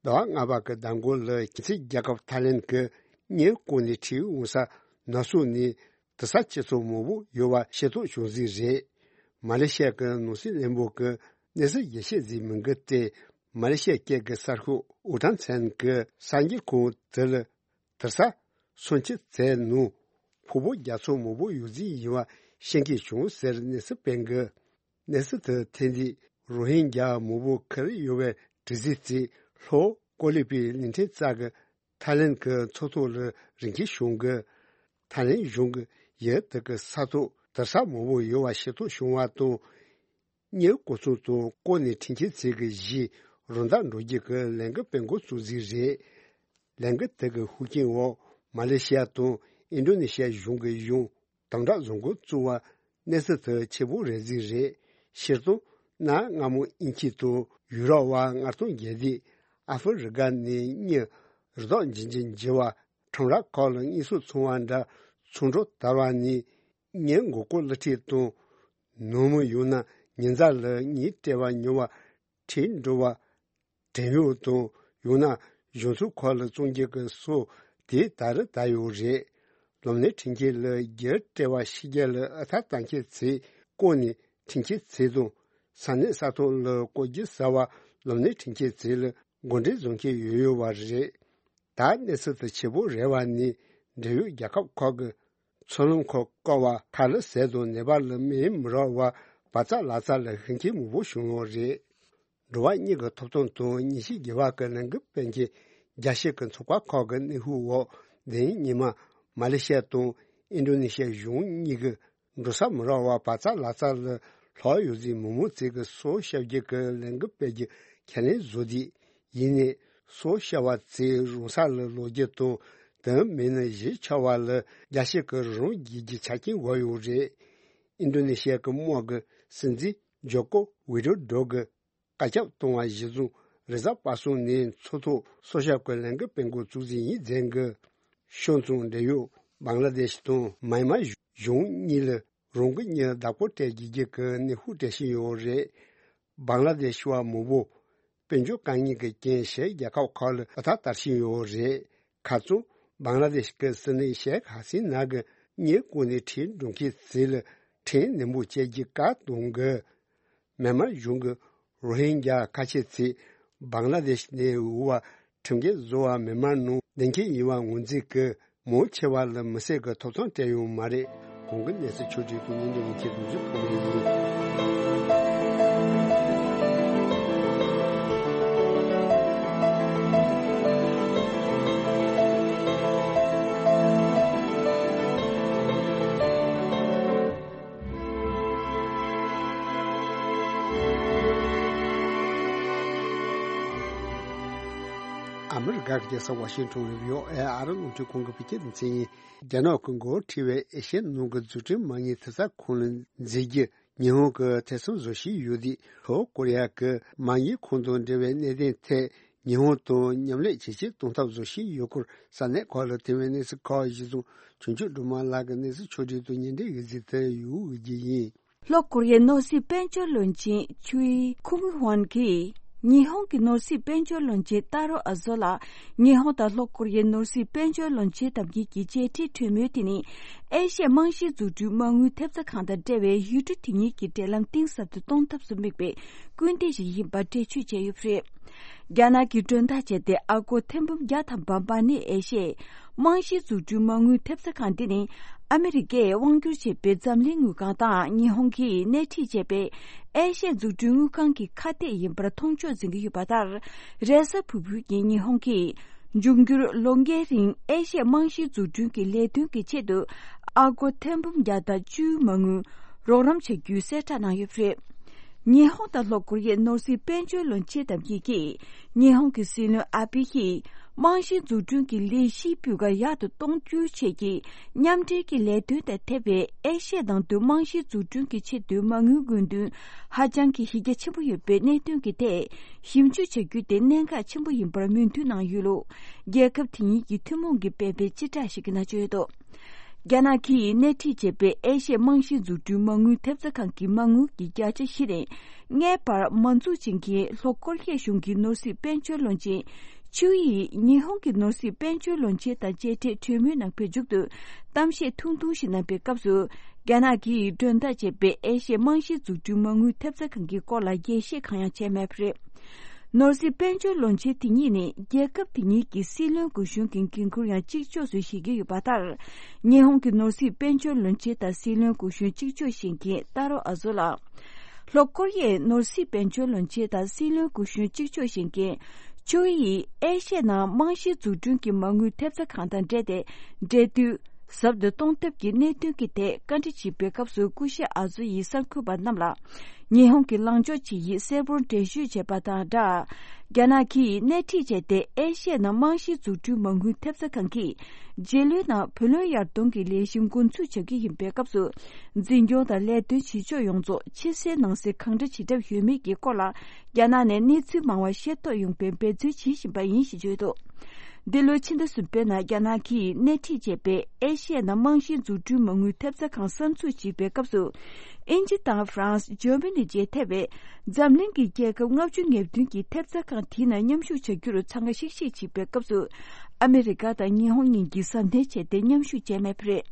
ཟླ་བ་ལྔ་པ་གི་ཟླ་མགོ་ལ་ཁྱིམ་མཚེས་རྒྱལ་ཁབ་ཐའི་ལན་གྱི་གཉེན་བསྐོར་ནས་ཁྲིའི་འོག་ས་ནག་སོགས་ནས་དུར་ས་ཆུ་ཚད་མང་པོ་ཡོད་པ་ཤེས་རྟོགས་བྱུང་ཟིག་རེད། མ་ལེ་ཤི་ཡ་གི་ནང་སྲིད་བློན་པོ་གིས་གནས་ཚུལ་ཡིད་ཆེས་ཟིག་མིན་གི་སྟེ། མ་ལེ་ཤི་ཡ་སྐད་ཀྱི་གསར་ཤོག་ཨུ་ཐང་ཚན་གྱི་གསར་འགྱུར་ཁང་དེ་ལ། དུར་ས་སུམ་ཅུ་ཙམ་ནང་ཕུང་པོ་རྒྱ་མཚོ་མང་པོ་ཡོད་རྫས་ཡིན་པ་ཤེས་མཁན་བྱུང་ཟེར་གནས་ཚུལ་སྤེལ་གི། གནས་ཚུལ་དེ་ཐོན་དུས་རོ་ཧིན་རྒྱ་མང་པོ་ཁུར་ཡོད་པའི་གྲུ་གཟིངས་ཚོས་ལྷོ་ཀོ་ལི་པའི་གླིང་ཕྲན་རྩ་གི་ཐའི་ལན་གྱི་མཚོ་ཐོག་ལ་རིན་ཆེན་བྱུང་གི། ཐའི་ལན་གཞུང་གིས་ཡུལ་དེ་གི་ས་ཐོག་དུར་ས་མང་པོ་ཡོད་པ་ཤེས་རྟོགས་བྱུང་བ་དང་། གཉེན་བསྐོར་ཚུལ་དང་བསྐོར་ནས་ཁྲིམས་ཆད་ཚིག་གི་གཞི་རང་བདག་འགྲོ་རྒྱུ་གི་ལས་འགུལ་སྤེལ་འགོ་བཙུགས་ཟིག་རེད། ལས་འགུལ་དེ་གི་ཤུགས་རྐྱེན་འོག་མ་ལེ་ཤི་ཡ་དང་ཨིན་ཌོ་ནེ་ཤི་ཡ་གཞུང་གི་གཞུང་དམ་དྲག་བཟོ་འགོ་བཙུགས་པ་གནས་ཚུལ་དེ་ཆེ་པོ་རེད་ཟིག་རེད། སྤྱིར་བཏང་གནའ་སྔ་མོ་དབྱིན་ཇི་དང་ཡུ་རོབ་པ་མངའ་སྟོང་རྒྱལ་དུས་ཨ་ཧྥེ་རི་ཀ་ནས་གཉེན་རི་དྭགས་འབྱིན་གྱིན་འགྱེལ་བ་ཁྲོམ་ར་ཁག་ལ་དངོས་སུ་འཚོང་བ་འདྲ་ཚོང་འགྲོ་དར་བ་ནས། གཉེན་མགོ་སྐོར་གླུ་ཁྲིད་དང་། ནང་མི་ཡང་ན་ཉེ་མཛའ་ལ་གཉེན་སྤྲད་པ་ཉོ་བ་ཁྲིད་འགྲོ་བ། བྲན་གཡོག་དང་ཡང་ན་གཞུང་ཚབ་ཁག་ལ་བཙོང་རྒྱུ་གི་སོགས་ དེ་ད་རེས་དར་ཡོད་རེད། ལམ་སྣེ་འཕྲིན་སྐྱེལ་ལ་རྒྱུ་སྤྲད་པ་ཕྱི་རྒྱལ་ལ་ཨ་ཐར་བཏང་མཁན་ཚོས་བསྐོར་ནས་འཕྲིན་སྐྱེལ་བྱས་དང་། ས་གནས་ས་ཐོག་ལ་བཀོད་རྒྱུ་ཟེར་བ་ལམ་སྣེ་འཕྲིན་སྐྱེལ་ཚོ་ལ་འགོ་འདྲེན་བཟོ་མཁན་ཡོད་ཡོད་པ་རེད། ད་གནས་ཚུལ་དེ་ཕྱི་པོ་རེད་པ་ནས་འབྲེལ་ཡོད་རྒྱལ་ཁབ་ཁག་གི་མཚོ་ལམ་ཁག་བཀག་པ། ཁ་ལག་ཟས་དང་ནད་པ་ལ་སྨན་མི་རག་པར་བག་ཚ་ལག་ཚ་ལ་ཤི་མཁན་མང་པོ་བྱུང་ཡོད་རེད། འགྲོ་བ་མིའི་ཐོབ་ཐང་དང་ཉིན་ཤས་རྒྱལ་བ་གི་ལས་འགུལ་སྤེལ་མཁན་རྒྱལ་སྤྱི་གི་ཚོགས་པ་ཁག་གི་གནོན་ཤུགས་འོག་དེ་རིང་ཉི་མ་མ་ལེ་ཤི་ཡ་དང་ཨིན་ཌོ་ནེ་ཤི་ཡ་གཞུང་གཉིས་ཀྱིས་འགྲོ་ས་མི་རག་པར་བག་ཚ་ལག་ཚ་ལ་ལྷག་ཡོད་ཚེ་མི་མང་ཚོས་ཀྱི་སྲོག་སྐྱབས་རྒྱུ་གི་ལས་འགུལ་སྤེལ་རྒྱུ་ཁས་ལེན་བཟོས་ཏེ། ཡིན་ནའི་སྲོག་སྐྱབས་པ་ཚོས་རང་ས་ལ་ལོག་རྒྱུ་དང་། དེ་མིན་ན་གཞིས་ཆགས་པ་ལ་རྒྱལ་སྤྱི་གིས་རང་རྒྱལ་གྱི་ཆ་རྐྱེན་དགོས་ཡོད་རེད། ཨིན་ཌོ་ནེ་ཤི་ཡ་གི་དམག་གི་སྲིད་འཛིན་ཇོ་ཀོ་ཝི་ཌོ་ཌོ་གིས་བཀའ་ཁྱབ་གཏོང་བ་གཞིར་བཟུང་རེས་གཟའ་པ་སངས་ཉིན་མཚོ་ཐོག་སྲོག་སྐྱབས་ཀྱི་ལས་འགུལ་སྤེལ་འགོ་བཙུགས་ཟིན་ཡིན་ཟེར་གི། ཕྱོགས་མཚུངས་འབྲེལ་ཡོད་བང་ལ་དེཤ་དང་མཱན་མཱ་གཞུང་གཉིས་ལ་རང་གི་མྱི་ལ་བདག་པོ་སྤྲད་རྒྱུ་གི་གནོན་ཤུགས་སྤྲད་བཞིན་ཡོད་རེད། བང་ལ་དེཤ་བ་མང་པོ་དཔལ་འབྱོར་དཀའ་ངལ་གྱི་རྐྱེན་ཕྱིའི་རྒྱལ་ཁབ་ཁག་ལ་ཨ་ཐར་དར་བཞིན་ཡོད་རེད། ཁ་སང་བང་ལ་དེཤ་གི་སྲིད་བློན་ཤེག་ཧ་སི་ན་གིས་མྱི་བསྐོས་ནས་ཁྲལ་འགྲོ་མཁན་ཚོ་ལ་ཁྲལ་ནན་པོ་བཅད་རྒྱུ་བཀའ་གཏོང་གི། མཱན་མཱ་གཞུང་གིས་རོ་ཧིན་རྒྱ་ཁ་ཆེ་ཚོས་བང་ལ་དེཤ་ནས་འོང་བ་ཁྲིམས་འགལ་བཟོ་བ་མཱན་མཱ་ནང་བསྡད་མཁན་ཡིན་པ་ངོས་འཛིན་གྱིས། མང་ཆེ་བ་ལ་མི་སེར་གྱི་ཐོབ་ཐང་སྤྲད་ཡོད་མ་རེད། གོང་གི་གནས་ཚུལ་ཕྱོགས་བསྒྲིགས་དང་སྙན་སྒྲོན་ཡིན་གྱི་འདུག་རྒྱུ་ཐོག་ནས་ཡིན། ཨ་མི་རི་ཀ་གི་རྒྱལ་ས་ཝ་ཤིང་ཊོན་ལ་བྷི་ཨོ་ཨེ་ཨ་རི་རླུང་འཕྲིན་ཁང་གི་བོད་སྐད་སྡེ་ཚན་ཡིན། རྒྱ་ནག་གིས་འགོ་ཁྲིད་པའི་ཨེ་ཤི་ཡའི་ནང་གི་འཛུགས་སྐྲུན་མ་དངུལ་ཐེབས་རྩ་ཁང་ལ་འཛུལ་རྒྱུ་ཉི་ཧོང་གིས་ཐེ་ཚོམ་བཟོ་བཞིན་ཡོད་དུས། ལྷོ་ཀོ་རི་ཡ་གིས་མ་དངུལ་ཁང་དང་འབྲེལ་བའི་གནད་དོན་ཐད་ཉི་ཧོང་དང་མཉམ་ལས་ཇེ་ཆེར་གཏོང་ཐབས་བཟོ་བཞིན་ཡོད་སྐོར་ས་གནས་ཁག་ལ་ཐོན་པའི་གནས་ཚུལ་ཁག་གཞིར་བཟུང་། ཆོས་འབྱོར་སྒྲོལ་མ་ལགས་ཀྱི་གནས་ཚུལ་ཕྱོགས་བསྒྲིགས་དང་སྙན་སྒྲོན་ཡོད་ཚུལ་དེ་ཡུ་འོས་ཀྱི་ཡིན། ལྷོ་ཀོ་རི་ཡའི་ནོར་སྲིད་དཔལ་འབྱོར་བློན་ཆེན་ཆུའི་ཁུང་ཧོན་གྱིས་ཉི་ཧོང་གི་ནོར་སྲིད་དཔལ་འབྱོར་བློན་ཆེན་ཏཱ་རོ་ཨ་ཟོ་ལ་ཉི་ཧོང་དང་ལྷོ་ཀོ་རི་ཡའི་ནོར་སྲིད་དཔལ་འབྱོར་བློན་ཆེན་དམ་འཛིན་གྱི་མཇལ་འཕྲད་གྲོས་མོལ་དེ་ནི་ཨེ་ཤ་ཡའི་རྨང་གཞིའི་འཛུགས་སྐྲུན་མ་དངུལ་ཐེབས་རྩ་ཁང་དང་འབྲེལ་བའི་ཡུལ་གྲུ་དེ་གཉིས་ཀྱི་འབྲེལ་ལམ་གཏིང་ཟབ་ཏུ་གཏོང་ཐབས་སུ་དམིགས་པའི་སྐུལ་འདེད་ཞིག་ཡིན་པ་འགྲེལ་བརྗོད་བྱས་ཡོད་པ་རེད། རྒྱ་ནག་གིས་མགྲོན་བདག་བྱས་ཏེ་ཨ་སྒོར་ཐེར་འབུམ་བརྒྱ་དང་བར་བར་ནས་ཨེ་ཤ་ཡའི་རྨང་གཞིའི་འཛུགས་སྐྲུན་མ་དངུལ་ཐེབས་རྩ་ཁང་འདི་ནི་ཨ་མི་རི་ཀས་དབང་བསྒྱུར་བྱས་པའི་འཛམ་གླིང་དངུལ་ཁང་དང་ཉི་ཧོང་གིས་སྣེ་ཁྲིད་བྱས་པའི་ཨེ་ཤ་ཡའི་འཛུགས་སྐྲུན་དངུལ་ཁང་གི་ཁ་གཏད་ཡིན་པར་མཐོང་ཕྱོགས་འཛིན་གྱི་ཡོད་པ་ལྟར། རེས་གཟའ་ཕུར་བུའི་ཉིན་ཉི་ཧོང་གིས་འབྱུང་འགྱུར་ལོ་འགའི་རིང་ཨེ་ཤ་ཡའི་རྨང་གཞིའི་འཛུགས་སྐྲུན་གྱི་ལས་དོན་གྱི་ཆེད་དུ་ཨ་སྒོར་ཐེར་འབུམ་བརྒྱ་དང་བཅུའི་མ་དངུལ་རོགས་རམ་བྱ་རྒྱུའི་གསལ་བསྒྲགས་གནང་ཡོད་པ་རེད། ཉི་ཧོང་དང་ལྷོ་ཀོ་རི་ཡའི་ནོར་སྲིད་དཔལ་འབྱོར་བློན་ཆེན་དམ་འཛིན་གྱིས་ཉི་ཧོང་གི་སྲིད་བློན་ཨ་བྷེ་ཡིས་རྨང་གཞིའི་འཛུགས་སྐྲུན་གྱི་ལས་གཞིའི་སྤུས་ཀ་ཡག་ཏུ་གཏོང་རྒྱུའི་ཆེད་ཀྱི་མཉམ་འབྲེལ་གྱི་ལས་དོན་དང་འཐབ་པའི་ཨེ་ཤ་ཡ་ནང་དུ་རྨང་གཞིའི་འཛུགས་སྐྲུན་གྱི་ཆེད་དུ་མ་དངུལ་དགོས་འདུན་ཧ་ཅང་གི་གཞི་རྒྱ་ཆེན་པོ་ཡོད་པའི་གནད་དོན་གྱི་ཐད་ཞིབ་འཇུག་བྱ་རྒྱུ་དེ་གནད་འགག་ཆེན་པོ་ཡིན་པར་མོས་མཐུན་གནང་ཡོད་ལུགས་རྒྱལ་ཁབ་དེ་གཉིས་ཀྱི་ཐུན་མོང་གིས་སྤེལ་བའི་སྤྱི་བསྒྲགས་ཤིག་གི་ནང་བརྗོད་འདུག་རྒྱ་ནག་གིས་སྣེ་ཁྲིད་བྱས་པའི་ཨེ་ཤ་ཡའི་རྨང་གཞིའི་འཛུགས་སྐྲུན་མ་དངུལ་ཐེབས་རྩ་ཁང་གི་མ་དངུལ་གྱི་བརྒྱ་ཆ་བཞི་ནས་ལྔའི་བར་མ་འཛུགས་བྱེད་མཁན་ལྷོ་ཀོ་རི་ཡའི་གཞུང་གི་ནོར་སྲིད་དཔལ་འབྱོར་བློན་ཆེན་ཆུའུ་ཡིས་ཉི་ཧོང་གི་ནོར་སྲིད་དཔལ་འབྱོར་བློན་ཆེན་དང་མཇལ་འཕྲད་གྲོས་མོལ་གནང་པའི་མཇུག་ཏུ་གཏམ་བཤད་ཐུང་ཐུང་ཞིག་གནང་པའི་སྐབས་སུ། རྒྱ་ནག་གིས་མགྲོན་བདག་བྱས་པའི་ཨེ་ཤ་ཡའི་རྨང་གཞིའི་འཛུགས་སྐྲུན་མ་དངུལ་ཐེབས་རྩ་ཁང་གི་སྐོར་ལ་རྒྱས་བཤད་གང་ཡང་བྱས་མེད་པ་རེད། ནོར་སྲིད་དཔལ་འབྱོར་བློན་ཆེན་དེ་གཉིས་ནི་རྒྱལ་ཁབ་དེ་གཉིས་ཀྱི་སྲིད་བློན་སྐུ་གཞོན་གྱི་འགན་ཁུར་ཡང་གཅིག་ལྕོགས་སུ་བཞེས་ཀྱི་ཡོད་པ་ལྟར། ཉི་ཧོང་གི་ནོར་སྲིད་དཔལ་འབྱོར་བློན་ཆེན་དང་སྲིད་བློན་སྐུ་གཞོན་གཅིག་ལྕོགས་བཞེས་མཁན་ཏཱ་རོ་ཨ་ཟོ་ལགས། ལྷོ་ཀོ་རི་ཡའི་ནོར་སྲིད་དཔལ་འབྱོར་བློན་ཆེན་དང་སྲིད་བློན་སྐུ་གཞོན་གཅིག་ལྕོགས་བཞེས་མཁན་ཆུའུ་ཡིས་ཨེ་ཤ་ཡའི་ནང་རྨང་གཞིའི་འཛུགས་སྐྲུན་གྱི་མ་དངུལ་ཐེབས་རྩ་ཁང་དང་འབྲེལ་ཏེ་འབྲེལ་མཐུད། ཟབ་ཏུ་གཏོང་ཐབས་ཀྱི་གནད་དོན་གྱི་ཐད་བཀའ་འདྲི་བྱེད་པའི་སྐབས་སུ་སྐུ་ཞབས་ཨ་ཟོ་ཡིས་གསར་འགོད་པ་རྣམས་ལ་ཉི་ཧོང་གི་ལངས་ཕྱོགས་ཇི་ཡིན་གསལ་པོར་འགྲེལ་བརྗོད་བྱས་པ་དང་སྦྲགས། རྒྱ་ནག་གིས་སྣེ་ཁྲིད་བྱས་ཏེ་ཨེ་ཤ་ཡའི་ནང་རྨང་གཞིའི་འཛུགས་སྐྲུན་མ་དངུལ་ཐེབས་རྩ་ཁང་གིས་རྗེས་ལོའི་ནང་བུ་ལོན་ཡར་གཏོང་གི་ལས་གཞི་འགོ་འཛུགས་བྱ་རྒྱུ་ཡིན་པའི་སྐབས་སུ་འཛིན་སྐྱོང་དང་ལས་དོན་བྱེད་ཕྱོགས་ཡོངས་རྫོགས་ཕྱི་གསལ་ནང་གསལ་གང་འདྲ་བྱེད་གྲབས་ཡོད་མེད་ཀྱི་སྐོར་ལ་རྒྱ་ནག་ནས་གནས་ཚུལ་མང་བ་ཤེས་རྟོགས་ཡོང་བའི་འབད་བརྩོན་བྱེད་བཞིན་པ་ཡིན་ཞེས་བརྗོད་འདུག་འདི་ལོའི་ཕྱི་ཟླ་གསུམ་པའི་ནང་རྒྱ་ནག་གིས་སྣེ་ཁྲིད་བྱས་པའི་ཨེ་ཤི་ཡའི་ནང་རྨང་གཞིའི་འཛུགས་སྐྲུན་མ་དངུལ་ཐེབས་རྩ་ཁང་གསར་འཛུགས་བྱེད་པའི་སྐབས་སུ། དབྱིན་ཇི་དང་ཧྥ་རན་སི། འཇར་མ་ནི་བཅས་ཐེ་བའི་འཛམ་གླིང་གི་རྒྱལ་ཁབ་ལྔ་བཅུ་ང་བདུན་གྱིས་ཐེབས་རྩ་ཁང་དེའི་ནང་མཉམ་ཞུགས་བྱ་རྒྱུར་འཚང་ཁ་ཤིག་ཤིག་བྱེད་པའི་སྐབས་སུ། ཨ་མི་རི་ཀ་དང་ཉི་ཧོང་གཉིས་ཀྱིས་གཟབ་ནན་བྱས་ཏེ་མཉམ་ཞུགས་བྱས་མེད་པ་རེད།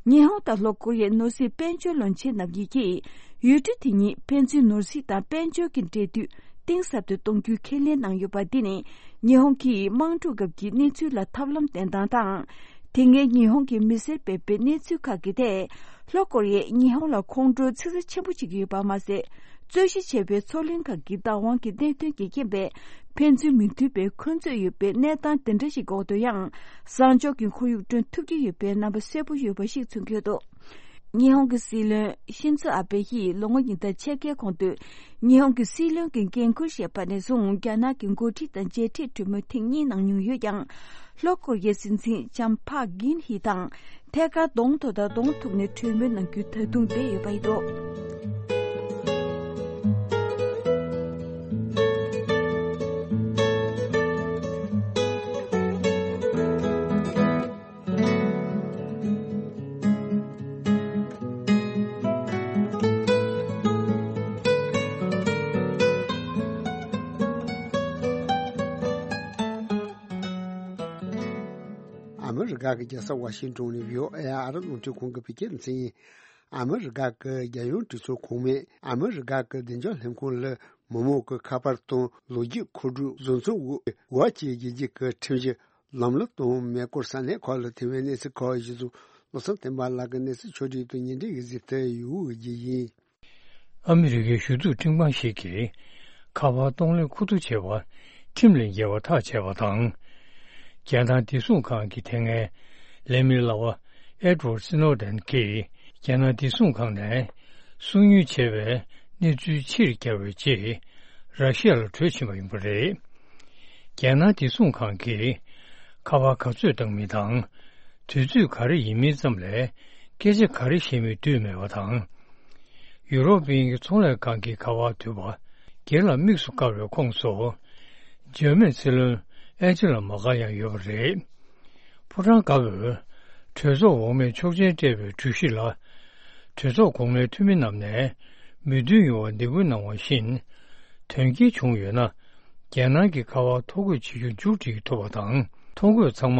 ཉི་ཧོང་དང་ལྷོ་ཀོ་རི་ཡའི་ནོར་སྲིད་དཔལ་འབྱོར་བློན་ཆེན་རྣམ་གཉིས་ཀྱིས་ཡུལ་གྲུ་དེ་གཉིས་ཕན་ཚུན་ནོར་སྲིད་དང་དཔལ་འབྱོར་གྱི་འབྲེལ་མཐུད་གཏིང་ཟབ་ཏུ་གཏོང་རྒྱུའི་ཁས་ལེན་གནང་ཡོད་པ། འདི་ནི་ཉི་ཧོང་གིས་དམག་འཁྲུག་སྐབས་ཀྱི་གནས་ཚུལ་ལ་ཐབས་ལམ་བསྟེན་སྟངས་དང་། དེ་སྔའི་ཉི་ཧོང་གི་མི་སེར་སྤེལ་པའི་གནས་ཚུལ་ཁག་གི་ཐད། ལྷོ་ཀོ་རི་ཡས་ཉི་ཧོང་ལ་ཁོང་ཁྲོ་ཚ་ཚ་ཆེན་པོ་བྱེད་ཀྱི་ཡོད་པ་མ་ཟད། རྩོད་གཞི་བྱས་པའི་མཚོ་གླིང་ཁག་གི་བདག་དབང་གི་གནད་དོན་གྱི་རྐྱེན་པས། ཕན་ཚུན་མི་མཐུན་པའི་འཁོན་རྩོད་ཡོད་པའི་གནས་སྟངས་དེ་འདྲ་ཞིག་འོག་ཏུ་ཡང་། བཟང་ཕྱོགས་ཀྱི་ཁོར་ཡུག་བསྐྲུན་ཐུབ་ཀྱི་ཡོད་པའི་རྣམ་པ་གསལ་པོ་ཡོད་པ་ཞིག་མཚོན་གྱི་ཡོད་འདུག་ཉི་ཧོང་གི་སྲིད་བློན་ཤིན་ཛོ་ཨ་བྷེ་ཡིས་ལོ་ངོ་ཉིས་ལྡབ་ཕྱེད་ཀའི་གོང་དུ། ཉི་ཧོང་གི་སྲིད་བློན་གྱི་འགན་འཁུར་བཞེས་པ་ནས་བཟུང་རྒྱ་ནག་གི་འགོ་ཁྲིད་དང་མཇལ་འཕྲད་གྲོས་མོལ་ཐེངས་གཉིས་གནང་མྱོང་ཡོད་ཀྱང་། ལྷོ་ཀོ་རི་ཡའི་སྲིད་འཛིན་ལྕམ་ཕག་གིན་ཧི་དང་ཐད་ཀར་གདོང་ཐོག་དང་གདོང་ཐུག་ནས་གྲོས་མོལ་གནང་རྒྱུ་ད་དུང་འདས་ཡོད་པ་ཡིན་འདུག་ཨ་མི་རི་ཀ་གི་རྒྱལ་ས་ཝ་ཤིང་ཏོན་ནས་བྷི་ཨོ་ཨེ་ཨ་རི་རླུང་འཕྲིན་ཁང་གི་བོད་སྐད་སྡེ་ཚན་ཡིན། ཨ་མི་རི་ཀ་གི་རྒྱལ་ཡོངས་གྲོས་ཚོགས་གོང་མས་ཨ་མི་རི་ཀ་གི་བདེ་འཇགས་ལྷན་ཁང་ལ་མི་མང་གི་ཁ་པར་དང་ལོ་རྒྱུས་མཁོ་སྒྲུབ་བཟོ་ཚོང་འོག་བཅས་རྒྱལ་སྤྱིའི་ཁྲིམས་གཞི་ལམ་ལུགས་དང་མེ་འཁོར་ས་གནས་ཁག་ལ་ཐེབས་པའི་གནས་ཚུལ་ཁག་གཞི་བཟུང་བློ་བཟང་བསྟན་པ་ལགས་ཀྱིས་གནས་ཚུལ་ཕྱོགས་སྒྲིག་དང་ཉིན་རེའི་གཟིགས་ཐོ་ཡོད་རྒྱུ་ཡིན། ཨ་མི་རི་ཀའི་ཞུ་གཏུག་ཁྲིམས་ཁང་ཞིག་གིས་ཁ་པར་གཏོང་ལེན་ཁུ་བསྡུ་བྱས་པ་ཁྲིམས་ལས་འགལ་བ་ཐག་བཅད་པ་དང་། རྒྱལ་ནང་བདེ་སྲུང་ཁང་གི་དེ་སྔའི་ལས་མི་ལག་པ་ཨེ་ཌི་ཝར་སི་ནོ་ཌེན་གྱིས་རྒྱལ་ནང་བདེ་སྲུང་ཁང་ནས་སོ་ཉུལ་བྱས་པའི་གནས་ཚུལ་ཕྱིར་བསྐྱར་བའི་རྗེས་ར་ཤི་ཡ་ལ་བྲོས་ཕྱིན་པ་ཡིན་པ་རེད། རྒྱལ་ནང་བདེ་སྲུང་ཁང་གིས་ཁ་པར་ག་ཚོད་བཏང་མིན་དང་། དུས་ཚོད་ག་རེ་ཡིན་མིན་ཙམ་ལས་སྐད་ཆ་ག་རེ་བཤད་མིན་བསྡུས་མེད་པ་དང་། ཡུ་རོབ་དབྱིན་ཡིག་ཚོང་ལས་ཁང་གི་ཁ་པར་དུད་པ་སྒེར་ལ་དམིགས་སུ་བཀར་བའི་ཁོངས་སུ། འཇར་མན་སྲིད་བློན་ཨན་ཇི་ལ་མར་ཀལ་ཡང་ཡོད་པ་རེད། ཕོ་བྲང་དཀར་པོས་གྲོས་ཚོགས་འོག་མའི་ཆོག་མཆན་སྤྲད་པའི་གྲོས་གཞི་ལ། གྲོས་ཚོགས་གོང་མའི་འཐུས་མི་རྣམས་ནས་མོས་མཐུན་ཡོང་བར་འདེད་སྐུལ་གནང་བ་བཞིན། དོན་རྐྱེན་བྱུང་ཡོད་ན། རྒྱལ་ནང་གི་ཁ་པར་ཐོ་འགོད་བྱེད་རྒྱུ་མཇུག་སྒྲིལ་ཐུབ་པ་དང་། ཐོ་འགོད་ཚང་མ་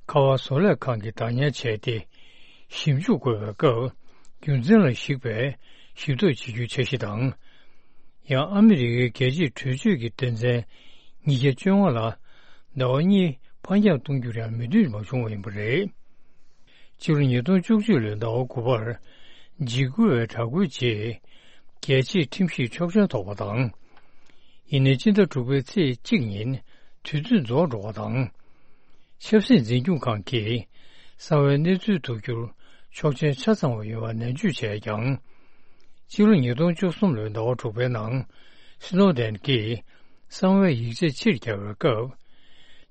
ཁ་པར་བཟོ་ལས་ཁང་གིས་བདག་ཉར་བྱས་ཏེ། ཞིབ་འཇུག་དགོས་པའི་སྐབས། རྒྱུ་མཚན་ལ་གཞིགས་པའི་ཞིབ་བརྟག་བྱེད་རྒྱུའི་འཆར་གཞི་དང་། ཡང་ཨ་མི་རི་ཀའི་རྒྱལ་སྤྱིའི་གྲོས་ཆོད་ཀྱི་དོན་ཚན་ཉིས་བརྒྱ་བཅོ་ལྔ་ལ། ཟླ་བ་གཉིས་ཕར་འགྱངས་གཏོང་རྒྱུར་ཡང་མོས་མཐུན་མ་བྱུང་བ་ཡིན་པ་རེད། ཕྱི་ལོ་ཉིས་སྟོང་བཅུ་གཅིག་ལོའི་ཟླ་བ་དགུ་པར་འཇིགས་སྐུལ་བའི་དྲག་རྒོལ་རྗེས། རྒྱལ་སྤྱིའི་ཁྲིམས་ཞིབ་ཆོག་མཆན་ཐོབ་པ་དང་། ཡིན་ནའི་སྤྱི་ཟླ་དྲུག་པའི་ཚེས་གཅིག་ཉིན་དུས་ཚོད་རྫོགས་འགྲོ་བ་དང་། ཆབ་སྲིད་འཛིན་སྐྱོང་ཁང་གིས་གསང་བའི་གནས་ཚུལ་བསྡུ་རྒྱུར་ཆོག་མཆན་ཆ་ཚང་བ་ཡོད་པ་ནན་བརྗོད་བྱས་ཀྱང་། ཕྱི་ལོ་ཉིས་སྟོང་བཅུ་གསུམ་ལོའི་ཟླ་བ་དྲུག་པའི་ནང་སི་ནོ་ཌེན་གྱིས་གསང་བའི་ཡིག་ཆ་ཕྱིར་བསྐྱར་བའི་སྐབས།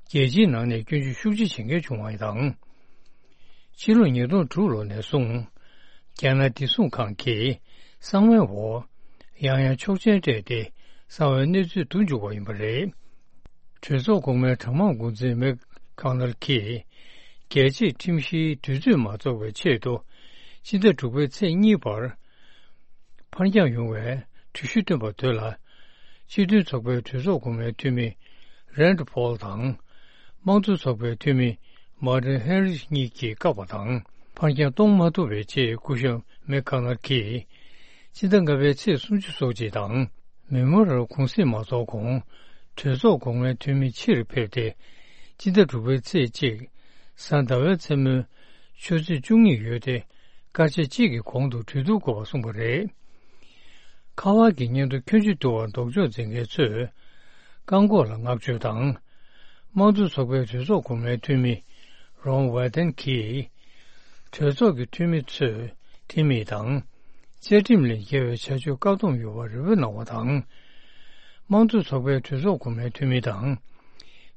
རྒྱལ་སྤྱིའི་ནང་ནས་སྐྱོན་བརྗོད་ཤུགས་ཆེ་བྱེད་མཁན་བྱུང་བ་དང་། ཕྱི་ལོ་ཉིས་སྟོང་དྲུག་ལོ་ནས་བཟུང་། རྒྱ་ནག་བདེ་སྲུང་ཁང་གིས་གསང་བའི་འོག་ཡང་ཡང་ཆོག་མཆན་སྤྲད་དེ་གསང་བའི་གནས་ཚུལ་བསྡུ་འཇུག་པ་ཡིན་པ་རེད། གྲོས་ཚོགས་གོང་མའི་གྲངས་མང་འགོ་འཛིན་མེག་ཁང་ནལ་གྱིས། རྒྱལ་སྤྱིའི་ཁྲིམས་གཞིའི་དུས་ཚོད་མ་རྫོགས་པའི་ཆེད་དུ། སྤྱི་ཟླ་དྲུག་པའི་ཚེས་གཉིས་བར། ཕར་འགྱངས་ཡོང་བའི་གྲོས་གཞི་བཏོན་པ་དེ་ལ། སྤྱི་མཐུན་ཚོགས་པའི་གྲོས་ཚོགས་གོང་མའི་འཐུས་མི་རན་ཌི་ཕོལ་དང་། དམངས་གཙོ་ཚོགས་པའི་འཐུས་མི་མར་ཏིན་ཧེན་རིས་གཉིས་ཀྱིས་བཀག་པ་དང་། ཕར་འགྱངས་གཏོང་མ་ཐུབ་པའི་རྗེས། སྐུ་ཞབས་མེག་ཁང་ནལ་གྱིས། སྤྱི་ཟླ་ལྔ་པའི་ཚེས་སུམ་ཅུ་སོགས་གཅིག་དང་། མི་མོ་རལ་གུང་སེང་མ་རྫོགས་གོང་། གྲོས་ཚོགས་གོང་མའི་འཐུས་མི་ཕྱིར་ཕེབས་ཏེ། སྤྱི་ཟླ་དྲུག་པའི་ཚེས་གཅིག་གཟའ་ཟླ་བའི་མཚན་མོའི་ཆུ་ཚོད་བཅུ་གཉིས་ཡོལ་ཏེ། སྐར་ཆ་གཅིག་གི་གོང་དུ་གྲོས་བསྡུར་དགོས་པ་གསུངས་པ་རེད། ཁ་པར་གྱི་སྙན་ཐོ་ཁྱོན་ཆུད་བསྡུ་བར་ལྡོག་ཕྱོགས་འཛིན་མཁན་ཚོས། བཀག་འགོག་ལ་བསྔགས་བརྗོད་དང་། དམངས་གཙོ་ཚོགས་པའི་གྲོས་ཚོགས་གོང་མའི་འཐུས་མི་རོན་ཝེ་ཏན་གྱིས། གྲོས་ཚོགས་ཀྱི་འཐུས་མི་ཚོས་འཐུས་མི་དང་། བཅའ་ཁྲིམས་ལས་འགལ་བའི་བྱ་སྤྱོད་བཀག་སྡོམ་ཡོད་པར་རེ་འབོད་གནང་བ་དང་། དམངས་གཙོ་ཚོགས་པའི་གྲོས་ཚོགས་གོང་མའི་འཐུས་མི་དང་།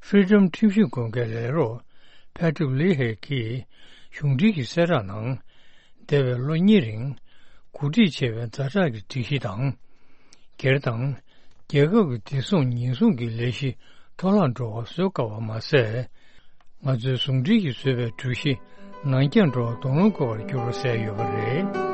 Freedom ཁྲིམས་ཞིབ་དགོན་སྡེའི་ལས་རོགས་Patrick Leahy གྱིས་གཞུང་འབྲེལ་གྱི་གསལ་བསྒྲགས་ནང་། འདས་པའི་ལོ་གཉིས་རིང་གོ་སྒྲིག་བྱས་པའི་ཛ་དྲག་གི་སྒྲིག་གཞི་དང་། སྒེར་དང་། རྒྱལ་ཁབ་ཀྱི་བདེ་སྲུང་ཉེན་སྲུང་གི་ལས་གཞི་འཕྲོ་བརླག་འགྲོ་བ་བཟོ་དཀའ་བ་མ་ཟད། ང་ཚོའི་ཟུང་འབྲེལ་གྱིས་བཟོས་པའི་གྲོས་གཞི་ནང་རྐྱང་འགྲོ་བ་དོགས་སློང་དགོས་པར་འགྱུར་ཟེར་ཡོད་པ་རེད།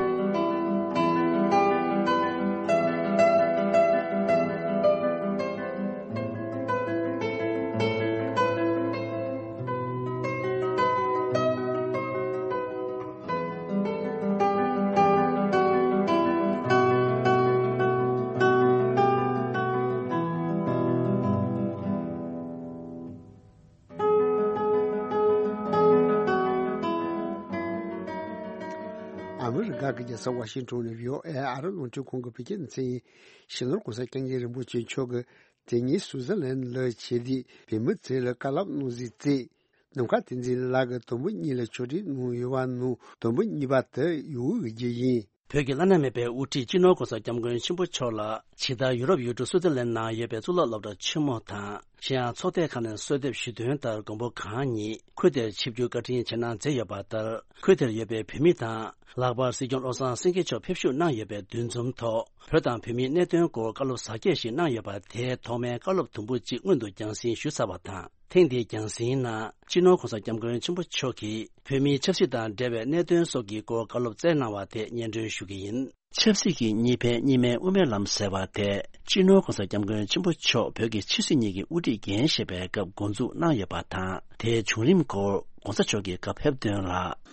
ཨ་མི་རི་ཀ་གི་རྒྱལ་ས་ཝ་ཤིང་ཊོན་ནས་བྷི་ཨོ་ཨེ་ཨ་རི་རླུང་འཕྲིན་ཁང་གི་བོད་སྐད་སྡེ་ཚན་ཡིན། གཞོན་ནུ་༸གོང་ས་༸སྐྱབས་མགོན་རིན་པོ་ཆེ་མཆོག་གིས་དེ་ཉིན་སུའུ་ཙེར་ལན་ལ་ཆེད་བསྡད་བོད་མི་ཚོ་ལ་བཀའ་སློབ་གནང་ཟིན་བརྩིས། ནམ་མཁའ་བསྟན་འཛིན་ལགས་ཀྱིས་དུམ་བུ་གཉིས་ལ་ཕྱོགས་སྒྲིག་གནང་ཡོད་པ་ནང་དུམ་བུ་གཉིས་པ་དེ་ཡུའུ་གི་རྒྱུད་ཡིན། བོད་ཀྱི་བླ་ན་མེད་པའི་དབུ་ཁྲིད་སྤྱི་ནོར་༸གོང་ས་༸སྐྱབས་མགོན་ཆེན་པོ་མཆོག་ལ་ཇི་ལྟར་ཡུ་རོབ་ཡུལ་གྲུ་སུའུ་ཙེར་ལན་ནང་ཡོད་པའི་གཙུག་ལག་སློབ་གྲྭ་ཆེན་མོ་དང་། གཞན་ཡང་ཚོགས་སྡེ་ཁག་ནས་གསོལ་འདེབས་ཞུས་དོན་ལྟར་མགོན་པོ་གང་ཉིད་ཁུལ་དེར་ཆིབས་བསྒྱུར་བཀའ་དྲིན་ཆེ་གནང་མཛད་ཡོད་པ་ལྟར། ཁུལ་དེར་ཡོད་པའི་བོད་མི་དང་། ལྷག་པར་སྲིད་སྐྱོང་བློ་བཟང་སེང་གེ་མཆོག་ཕེབས་ཞུགས་གནང་ཡོད་པའི་འདུ་འཛོམས་ཐོག་བོད་དང་བོད་མིའི་གནད་དོན་སྐོར་བཀའ་སློབ་གཟབ་རྒྱས་ཤིག་གནང་ཡོད་པ་དེའི་ཐོག་མའི་བཀའ་སློབ་དུམ་བུ་གཅིག་སྔོན་དུ་རྒྱང་སྲིང་ཞུས་ཚར་བ་དང་། ཐེངས་འདིའི་རྒྱང་སྲིང་ནང་སྤྱི་ནོར་༸གོང་ས་༸སྐྱབས་མགོན་ཆེན་པོ་མཆོག་གིས་བོད་མིའི་ཆབ་སྲིད་དང་འབྲེལ་བའི་གནད་དོན་སོགས་ཀྱི་སྐོར་བཀའ་སློབ་སྩལ་གནང་བ་དེ་སྙན་སྒྲོན་ཞུ་གི་ཡིན། ཆབ་སྲིད་ཀྱི་གཉིས་ཕན་གཉིས་སྨན་དབུ་མའི་ལམ་ཟེར་བ་དེ་སྤྱི་ནོར་༸གོང་ས་༸སྐྱབས་མགོན་ཆེན་པོ་མཆོག་བོད་ཀྱི་ཕྱི་སྲིད་གཉིས་ཀྱི་དབུ་ཁྲིད་འགན་བཞེས་པའི་སྐབས་འགོ་འཛུགས་གནང་ཡོད་པ་དང་། དེའི་བྱུང་རིམ་སྐོར་༸གོང་ས་མཆོག་གིས་བཀའ་ཕེབས་དོན་ལ།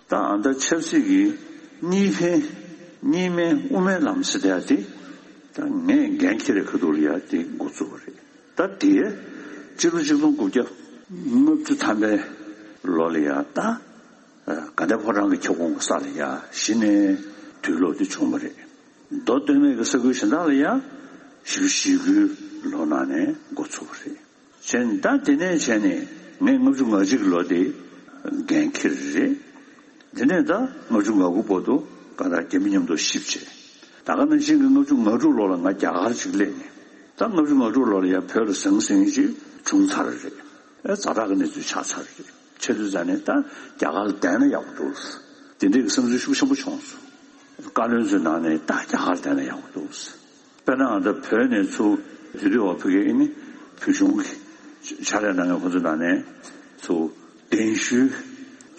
ད་ཨ་ད་ཆབ་སྲིད་ཀྱི་གཉིས་ཕན་གཉིས་སྨན་དབུ་མའི་ལམ་ཟེར་ཡ་དེ་ད་ངས་འགན་འཁྱེར་བའི་ཁ་ཐུག་ལ་ཡ་དེ་འགོ་བཙུགས་པ་རེད། ད་དེ་སྤྱི་ལོ་ཆིག་སྟོང་དགུ་བརྒྱ་ལྔ་བཅུ་ཐམ་པའི་ལོ་ལ་ཡ་ད་དགའ་ལྡན་ཕོ་བྲང་གི་ཁྱབ་ཁོངས་ཀྱི་ས་ལ་ཡ་གཞི་ནས་དུས་ལོག་དེ་བྱུང་བ་རེད། མདོ་སྟོད་སྨད་ཀྱི་ས་ཁུལ་གཞན་དག་ལ་ཡ་བཞི་བཅུ་ཞེ་དགུའི་ལོ་ནང་ནས་འགོ་ཚུགས་པ་རེད། བྱས་ནས་ད་དེ་ནས་བྱས་ནས་ངས་ལྔ་བཅུ་ང་གཅིག་གི་ལོ་དེ་འགན་འཁྱེར་རེད། དེ་ནས་ད་ལྔ་བཅུ་ང་དགུ་བར་དུ་ག་ད་རྒྱ་མི་མཉམ་དུ་གཤིབ་བྱས། ད་ག་ནང་བཞིན་གྱི་ལྔ་བཅུ་ང་དྲུག་ལོ་ལ་ང་རྒྱ་གར་ཅིག་སླེབས་ནས། ད་ལྔ་བཅུ་ང་དྲུག་ལོ་ལ་ཡང་བོད་ལ་ཟང་ཟིང་ཅིག་བྱུང་ཚར་རེད། ཨེ་ཛ་དྲག་གི་གནས་ཚུལ་ཆགས་ཚར་རེད། བྱས་དུས་ཙ་ནས་ད་རྒྱ་གར་ལ་བསྡད་ན་ཡག་པོ་འདུག་དེ་འདྲའི་གི་བསམ་ཚུལ་ཤུགས་ཆེན་པོ་བྱུང་སོང་། བཀའ་བློན་ཚོའི་ནང་ནས་ད་རྒྱ་གར་ལ་བསྡད་ན་ཡག་པོ་འདུག་དཔེར་ན་ང་ཚོ་བོད་ནས་ཚུར་དེ་དུས་འོ་ཕ་གི་ཨེ་ནི་བོད་གཞུང་གི་ཕྱག་ལས་གནང་མཁན་ཁོ་ཚོའི་ནང་ནས་ཚུར་གདན་ཞུའི་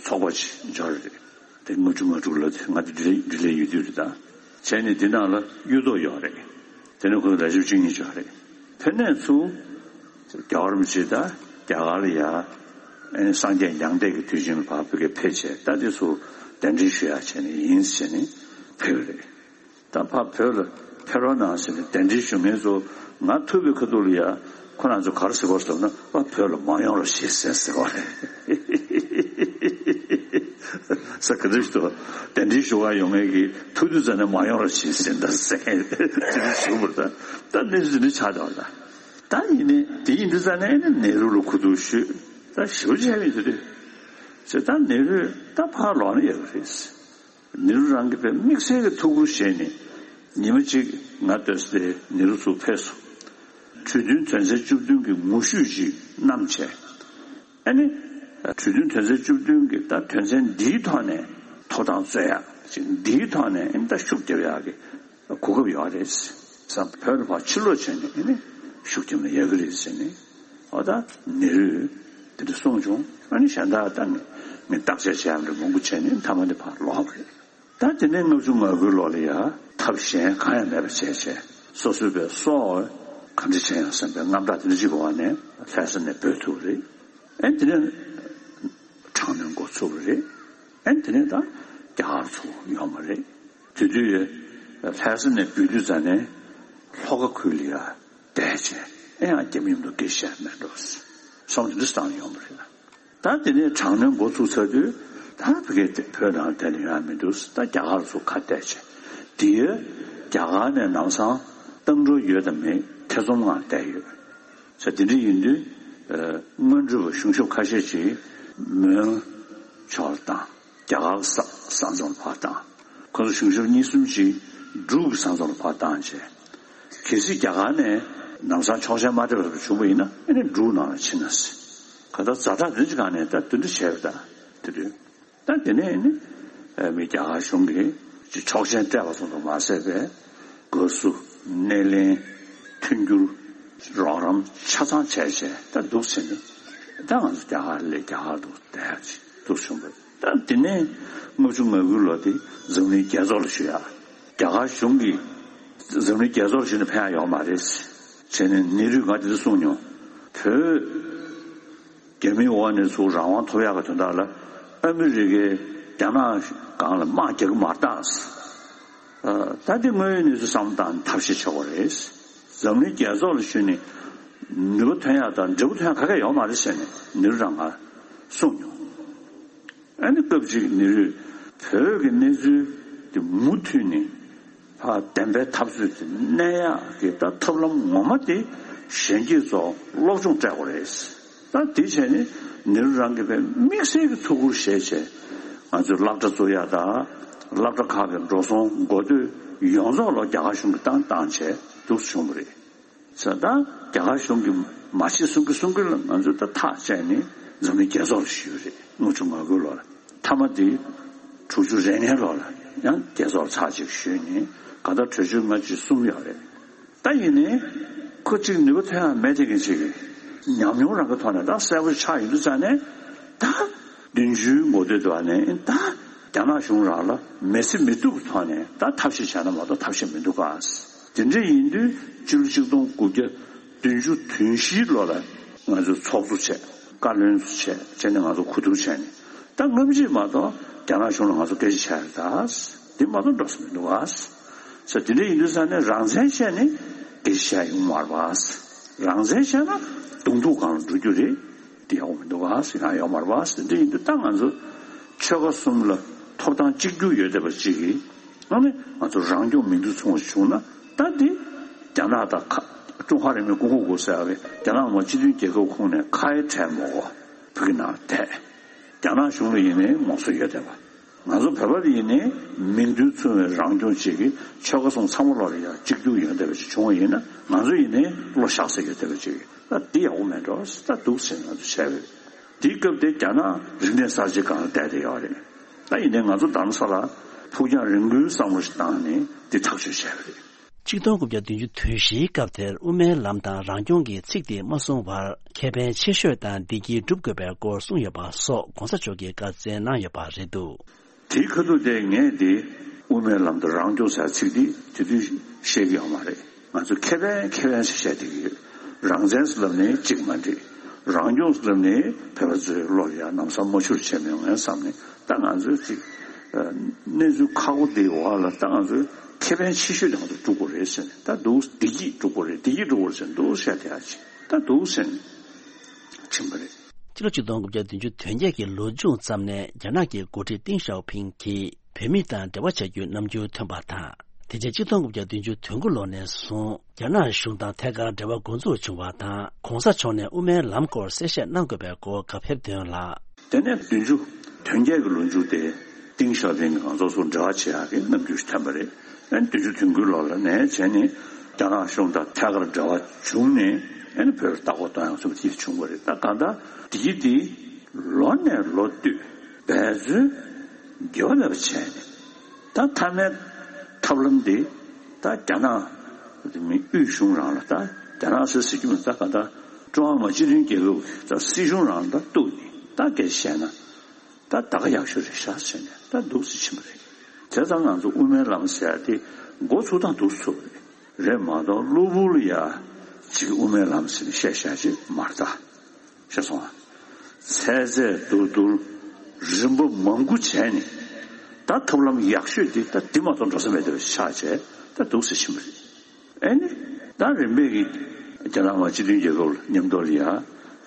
ཚོགས་པ་ཅིག་འབྱོར་རེད། དེ་ལྔ་བཅུ་ང་དྲུག་ལོ་དེ་ང་དེ་འབྲེལ་འབྲེལ་ཡོད་དུས་རེད་ད། བྱས་ནས་དེ་ནང་ལ་གཡུ་ཐོག་ཡོད་རེད། དེ་ནས་ཁོ་ཚོ་ལས་བྱེད་བཅུ་གཉིས་ཅིག་ཡོད་རེད། ཕེབས་ནས་ཚུར་རྒྱལ་བ་རིན་པོ་ཆེ་ད་རྒྱ་གར་ལ་ཡ་ཨེ་ནི་སངས་རྒྱས་མྱང་འདས་ཀྱི་དུས་ཆེན་ལ་ཕར་བོད་སྐད་ཕེབས་བྱས། ད་དེ་ཚོ་གདན་འདྲེན་ཞུ་ཡག་བྱས་ནས་ཡིན་ཟེར་ནས་ཕེབས་རེད། ད་ཕར་བོད་ལ་ཕེབས་རོགས་གནང་ཟེར་ནས་གདན་འདྲེན་ཞུ་མཁན་ཚོ་ང་ཐུག་པའི་ཁ་ཐུག་ལ་ཡ་ཁོ་རང་ཚོ་ག་རེ་ཟེར་བ་ཟེར་ན། པ་བོད་ལ་མ་ཡོང་རོགས་བྱེད་ཟེར་ཟེར་བ་རེད། ས་ག་འདྲ་ཞིག་ཏུ་གདན་འདྲེན་ཞུ་ག་ཡོང་མཁན་གྱི་ཐུག་དུས་ཙ་ནས་མ་ཡོང་རོགས་བྱེད་ཟེར་ད་ཟེར་མཁན་དེ་འདྲ་ཞུ་བར་ད་ད་གནས་ཚུལ་འདི་ཆགས་བསྡད་པ་ད། ད་ཡིན་ནའི་དེ་ཡིན་དུས་ཙ་ནས་ནེ་རུ་ལ་གོ་བསྡུར་ཞུས། ད་ཞེ་པོ་བྱས་པ་ཡིན་དུས་དུས་ཟེར། ད་ནེ་རུས་ད་ཕར་ལོག་ན་ཡག་གི་རེད། ནེ་རུ་རང་གི་དཔེ་དམིགས་བསལ་གྱི་ཐུགས་ཁུར་བཞེས་ནས་ཉི་མ་གཅིག་ང་སྡོད་ས་དེ་ནེ་རུ་ཚུར་ཕེབས་སོང་། གྲོས་མཐུན་དོན་ཚན་བཅུ་བདུན་གྱི་ངོ་བཤུས་ཤིག་བསྣམས་བྱས། ཨ་ནི་གྲོས་མཐུན་དོན་ཚན་བཅུ་བདུན་གྱི་ད་དོན་ཚན་འདིའི་ཐོག་ནས་ཐོབ་ཐང་རྩོད་ཡག་ཅིག་འདིའི་ཐོག་ནས་ཨ་ནི་ད་ཤུགས་རྒྱབ་ཡག་གི་གོ་སྐབས་ཡོད་རེད། ས་བོད་ལ་ཕར་ཕྱིར་ལོག་བྱས་ནས་ཨ་ནི་ཤུགས་རྒྱབ་ན་ཡག་གི་རེད་ཟེར་ནས། འོ་ད་ནེ་རུས་དེ་འདྲ་གསུངས་བྱུང་། ཨ་ནི་གཞན་དག་ད་ངས་ངས་བརྟག་དཔྱད་བྱས་ཡག་འདྲ་མང་པོ་བྱས་ནས་མཐའ་མ་དེ་ཕར་ལོག་པ་རེད། ད་དེ་ནས་ལྔ་བཅུ་ང་དགུའི་ལོ་ལ་ཡ་ཐབས་གཞན་གང་ཡང་མེད་པ་བྱས་བྱས། སོ་སོའི་པའི་སྲོག་ག་འདྲ་བྱས་ཡང་བསམ་པའི་རྔམ་སྐྲག་དེ་འདྲ་ཅིག་གི་འོག་ནས་ལྷ་ས་ནས་བྲོས་ཐུབ་པ་རེད། ཨེ་དེ་ནས་དྲག་གནོན་འགོ་ཚུགས་པ་རེད། ཨེ་དེ་ནས་ད་རྒྱ་གར་ཚུར་ཡོང་བ་རེད། དེ་དུས་ལྷ་ས་ནས་བྲོས་དུས་ཙ་ནས་ལྷོ་ཁ་ཁུལ་ལ་ཡ་བསྡད་བྱས། ཨེ་ཡང་རྒྱ་མི་མཉམ་དུ་སྐད་ཆ་བཤད་མེད་འགྲོ། སོང་དེ་འདྲ་བཏང་ཡོང་བ་རེད། ད་དེ་ནས་དྲག་གནོན་འགོ་ཚུགས་ཚར་དུས་ད་བོད་སྐད་བོད་ནང་བསྡད་ན་ཡོང་ཡ་མི་འདུག་ད་རྒྱ་གར་ཚུར་ཁ་གཏད་བྱས། དེ་ཡོད་རྒྱ་གར་ནས་ནམ་སང་བཏང་འགྲོ་ཡོད་དམ་མེད་ཐེ་ཚོམ་ངང་བསྡད་ཡོད། ས་དེ་འདྲ་ཡིན་དུས། ཨ། སྔོན་འགྲོ་བ་གཞུང་ཞབས་ཁ་ཤས་ཀྱིས་མོན་ཕྱོགས་ལ་བཏང་། རྒྱ་གར་ས་ས་མཚམས་ལ་ཕར་བཏང་། ཁོ་ཚོ་གཞུང་ཞབས་གཉིས་གསུམ་ཅིག་འབྲུག་གི་ས་མཚམས་ལ་ཕར་བཏང་བྱས། གལ་སྲིད་རྒྱ་གར་ནས་ནམ་སང་ཆོག་མཆན་མ་སྤྲད་པ་བྱུང་བ་ཡིན་ན། ཨ་ནི་འབྲུག་ནང་ལ་ཕྱིན་ན་ཟེར། ག་ད་ཛ་དྲག་དེ་འདྲ་ཅིག་སྒང་ནས་ད་དེ་འདྲ་བྱས་པ་ད་དེ་དུས། ད་དེ་ནས་ནི་མི་རྒྱ་གར་གཞུང་གིས་ཅིག་ཆོག་མཆན་སྤྲད་པ་ཙམ་དུ་མ་ཟད་པའི་དགའ་བསུ། སྣེ་ལེན། མཐུན་འགྱུར། རོགས་རམ་ཆ་ཚང་བྱས་བྱས་ད་འདུག་ཟེར་ནས་ ད་ང་ཚོ་རྒྱ་གར་ལས་རྒྱ་གར་དུ་བསྡད་ཡག་ཅིག་འདུག་བྱུང་བས། ད་དེ་ནས་ལྔ་བཅུ་ང་དགུ་ལོ་དེ་འཛམ་གླིང་རྒྱལ་ཚོགས་ལ་ཞུ་ཡག་རྒྱ་གར་གཞུང་གིས་འཛམ་གླིང་རྒྱལ་ཚོགས་ལ་ཞུས་ནས་ཕན་ཡག་ཡོད་མ་རེད། བྱས་ནས་ནེ་རུས་ང་དེ་འདྲ་གསུངས་མྱོང་། བོད་རྒྱ་མིའི་འོག་ནས་ཚུར་རང་དབང་ཐོབ་ཡག་གི་དོན་དག་ལ་ཨ་མི་རི་ཀའི་རྒྱ་ནག་སྒང་ལ་དམག་རྒྱག་གི་མ་རེད་ད། ཨ། ད་འདི་དངོས་ཡོད་གནས་ཚུལ་བསམ་བློ་བཏང་ནས་ཐབས་ཤེས་བྱེད་དགོས་རེད། འཛམ་གླིང་རྒྱལ་ཚོགས་ལ་ཞུས་ནས་ནུས་པ་ཐོན་ཡག་དང་འབྲས་བུ་ཐོན་ཡག་ག་གེ་ཡོད་མ་རེད་ཟེར་ནས་ནེ་རུ་རང་ང་གསུངས་མྱོང་། ཨ་ནི་སྐབས་གཅིག་ནེ་རུས་བོད་ཀྱི་གནས་ཚུལ་དེ་མུ་མཐུད་ནས་ཕར་བདེན་པའི་འཐབ་རྩོད་དེ་གནས་ཡག་གི་ད་ཐབས་ལམ་ངོ་མ་དེ་གཞོན་སྐྱེས་ཚོ་སློབ་སྦྱོང་སྤྲད་དགོས་རེད། ད་དེ་བྱས་ནས་ནེ་རུ་རང་གིས་དཔེ་དམིགས་བསལ་གྱི་ཐུགས་ཁུར་བཞེས་བྱས་ང་ཚོས་སློབ་གྲྭ་བཙུགས་ཡག་དང་སློབ་གྲྭ་ཁག་གི་འགྲོ་སོང་འགོ་སྟོད་ཡོངས་རྫོགས་ལ་རྒྱ་གར་གཞུང་གིས་བཏང་བཏང་བྱས་འདུག་སེ་བྱུང་བ་རེད། ས་ད་རྒྱ་གར་གཞུང་གིས་མ་བྱེད་གསུང་གི་གསུང་གི་ལ་ང་ཚོས་ད་ཐག་བཅད་ནས་འཛམ་གླིང་རྒྱལ་ཚོགས་ལ་ཞུས་རེད། ལྔ་བཅུ་ང་དགུ་ལོ་ལ་མཐའ་མ་དེ་དྲུག་ཅུ་རེ་ལྔའི་ལོ་ལ་ཡང་རྒྱལ་ཚོགས་ལ་ཚར་གཅིག་ཞུས་ནས་ག་ད་གྲོས་ཆོད་ལྔ་བཅུ་གསུམ་ཡོད་རེད། ད་ཡིན་ནའི་ཁོ་གཅིག་ནུས་པ་ཐོན་ཡག་མེད་དེ་གི་ཅིག་ཉམས་མྱོང་རང་གི་ཐོག་ནས་ད་གསལ་པོ་ཆགས་ཡོང་དུས་ཙང་ནས་ད་བདུན་ཅུའི་འགོ་སྟོད་དུ་བ་ནས་ད་རྒྱ་ནག་གཞུང་རང་ལ་མི་སེམས་མི་སྡུག་གི་ཐོག་ནས་ད་ཐབས་ཤེས་བྱས་ན་མ་གཏོགས་ཐབས་ཤེས་མི་འདུག་ག། དེ་འདྲ་ཡིན་དུས་སྤྱི་ལོ་ཆིག་སྟོང་དགུ་བརྒྱ་བདུན་ཅུ་དོན་བཞིའི་ལོ་ལ་ང་ཚོས་ཚོགས་གཙོ་བྱས། བཀའ་བློན་ཚོ་བྱས། བྱས་ནས་ང་ཚོ་གོ་བསྡུར་བྱས་ནས་ད་སྔ་ཕྱི་མ་གཏོགས་རྒྱ་ནག་གཞུང་ལ་ང་ཚོ་སྐད་ཆ་བཤད་ཡ་རེད་ད། འདི་མ་གཏོགས་འགྲོ་ས་མི་འདུག་ག། ས་དེ་འདྲ་ཡིན་དུས་ས་ནས་རང་བཙན་བཤད་ནས་སྐད་ཆ་བཤད་ཡོང་མ་རེད་པ། རང་བཙན་བཤད་ན་གདོང་ཐུག་སྒང་ལ་འགྲོ་རྒྱུ་རེད། དེ་ཡག་པོ་མི་འདུག་ག་ཟེར་ཡང་ཡོད་མ་རེད་པ་ཟེར། འདི་ཡིན་དུས་ད་ང་ཚོ་ཆོལ་ཁ་གསུམ་ལ་ཐོབ་ཐང་གཅིག་གྱུར་ཡོད་བསྡད་པ་གཅིག་གིས་ཨ་ནི་ང་ཚོ་རང་སྐྱོང་མིང་དུ་མཚུངས་པ་བྱུང་ན་ད་འདི་རྒྱ་ནག་དང་ཁ་ཀྲུང་ཧྭ་རེན་མོས་ཀུན་སྤོབས་དགོས་ཟེར་བའི་རྒྱ་ནག་མ་སྤྱི་མཐུན་རྒྱལ་ཁབ་ཁོངས་ནས་ཁ་ཡ་བྲལ་མ་དགོས་བོད་ཀྱི་ནང་བསྡད། རྒྱ་ནག་གཞུང་ལ་ཡིན་ནའི་ངོ་སོ་ཡོད་བསྡད་པ། ང་ཚོ་བོད་པ་ལ་ཡིན་ནའི་མིང་དོན་མཚུངས་པའི་རང་སྐྱོང་བཅས་ཀྱི་ཆོལ་ཁ་གསུམ་ཚང་མ་ལོག་ལ་ཡང་གཅིག་གྱུར་ཡོང་བསྡད་པ་ཞིག་བྱུང་བ་ཡིན་ན་ང་ཚོ་ཡིན་ནའི་བློ་བཞག་ས་ཡོད་བསྡད་པ་ཅིག་ད་འདི་ཡག་པོ་མེད་འགྲོ་ད་འདུག་ཟེར་ང་ཚོ་བྱས་པས། དེའི་སྐབས་དེ་རྒྱ་ནག་རིག་གནས་གསར་བརྗེ་སྒང་ལ་བསྡད་བསྡད་ཡོད་རེད། ད་ཡིན་ནའི་ང་ཚོ་རྡ་རམ་ས་ལ་ཕུགས་རྒྱང་རིང་པོའི་བསམ་བློ་ཞིག་བཏང་ནས་འདི་ཐག་གཅོད་བྱས་པ་རེད། ཆིག་སྟོང་དགུ་བརྒྱ་བདུན་ཅུ་དོན་བཞིའི་སྐབས་དེར་དབུ་མའི་ལམ་དང་རང་སྐྱོང་གི་ཚིག་དེ་མ་གསུངས་བར་ཁེ་ཕན་ཆེ་ཤོས་དང་བདེ་སྐྱིད་སྒྲུབ་དགོས་པའི་སྐོར་གསུངས་ཡོད་པ་སོགས་གོང་ས་མཆོག་གིས་བཀའ་སྩལ་གནང་ཡོད་པ་རེད་འདུག་དེའི་ཁ་ཐུག་དེ་ངས་དེ་དབུ་མའི་ལམ་དང་རང་སྐྱོང་ཟེར་ཚིག་དེ་དེ་དུས་བཤད་ཀྱི་ཡོད་མ་རེད། ང་ཚོ་ཁེ་ཕན་ཁེ་ཕན་ཞེས་བཤད་བསྡད་ཀྱི་ཡོད། རང་བཙན་ཟེར་ལབ་ནས་གཅིག་མ་འགྲིག་རང་སྐྱོང་ཟེར་ལབ་ནས་བོད་པ་ཚོའི་བློ་ལ་ཡང་ལམ་སང་མ་ཆུར་བྱས་མི་ཡོང་ངས་བསམ་ནས་ད་ང་ཚོས་ཅིག་གནས་ཚུལ་ཁག་པོ་འདིའི་འོག་ལ་ད་ང་ཚོས་ཁེ་ཕན་ཆེ་ཤོས་དེ་ང་ཚོ་སྒྲུབ་དགོས་རེད་ཟེར་ནས་ད་འདུག་བདེ་སྐྱིད་སྒྲུབ་དགོས་རེད། བདེ་སྐྱིད་སྒྲུབ་དགོས་རེད་ཟེར་འདུག་བཤད་བསྡད་ཡ་ཅིག་ད་འདུག་ཟེར་ནས་ཕྱིན་པ་རེད། ཕྱི་ལོ་ཆིག་སྟོང་དགུ་བརྒྱ་བདུན་ཅུ་དོན་བརྒྱད་ཀྱི་ལོ་མཇུག་ཙམ་ནས་རྒྱ་ནག་གི་འགོ་ཁྲིད་ཏིང་ཞའོ་ཕིང་གིས་བོད་མི་དང་འབྲེལ་བ་བྱ་རྒྱུའི་རྣམ་འགྱུར་ཐོན་པ་དང་། དེ་རྗེས་ཆིག་སྟོང་དགུ་བརྒྱ་བདུན་ཅུ་དོན་དགུ་ལོ་ནས་བཟུང་རྒྱ་ནག་གཞུང་དང་ཐད་ཀར་འབྲེལ་བ་འགོ་འཛུགས་བྱུང་བ་དང་གོང་ས་མཆོག་ནས་དབུ་མའི་ལམ་སྐོར་གསལ་བཤད་གནང་དགོས་པའི་སྐོར་བཀའ་ཕེབས་དོན་ལ། དེ་ནས་བདུན་ཅུ་དོན་བརྒྱད་ཀྱི་ལོ་མཇུག་དེ་ཏིང་ཞའོ་ཕིང་གིས་ང་ཚོ་ཚོ་འབྲེལ་བ་བྱེད་ཡག་གི་རྣམ་འགྱུར་ཞིག་ཐོན་པ་རེད། ཨ་ནི་བདུན་ཅུ་དོན་དགུའི་ལོ་ལ་ནས་བྱས་ནས་རྒྱ་ནག་གཞུང་དང་ཐད་ཀར་འབྲེལ་བ་བྱུང་ནས་ཨ་ནི་བོད་ལ་ལྟ་སྐོར་གཏོང་ཡག་ཚུགས་པ་དེ་བྱུང་བ་རེད། ད་གང་ལྟར་དེ་གི་དེ་ལོ་ནས་ལོ་བསྟུད་འབད་བརྩོན་དགེ་བ་ལས་པ་བྱས་ནས་ད་མཐའ་མའི་ཐབས་ལམ་དེ་ད་རྒྱ་ནག་མི་དབུས་གཞུང་རང་ལ་ད་རྒྱ་ནག་ཟེར་ཟེར་རྒྱུ་མི་ད་གང་ལྟར་ཀྲུང་ཧྭ་མི་དམངས་སྤྱི་མཐུན་རྒྱལ་ཁབ་ཀྱི་ད་སྲིད་གཞུང་རང་ལ་ད་གཏུགས་ནས་ད་སྐད་ཆ་བཤད་ན། ད་ད་ག་ཡག་ཤོས་རེད་ཤག་ཟེར་ནས་ད་འདུག་སེ་ཕྱིན་པ་རེད། དེ་ཙང་ང་ཚོ་དབུ་མའི་ལམ་ཟེར་ཡ་དེ་འགོ་ཚུགས་སྟངས་འདུག་སེ་ཚུགས་པ་རེད། རེད་མ་གཏོགས་གློ་བུར་ལ་ཡ་ཅིག་དབུ་མའི་ལམ་ཟེར་ནས་བཤད་བཤད་ཅིག་མ་རེད་ད། ཤེས་སོང་ཨ། ཚད་ཚད་བསྡུར་བསྡུར་རིམ་པ་མང་པོ་བྱས་ནས་ད་ཐབས་ལམ་ཡག་ཤོས་དེ་ད་འདི་མ་གཏོགས་འགྲོ་ས་མེད་པ་ཆགས་བྱས་ད་འདུག་སེ་ཕྱིན་པ་རེད། ཨེ་ནི། ད་རིམ་པས་ཀྱི་རྒྱ་ནག་མ་སྤྱི་མཐུན་རྒྱལ་ཁབ་ལ་མཉམ་དུ་ལ་ཡ་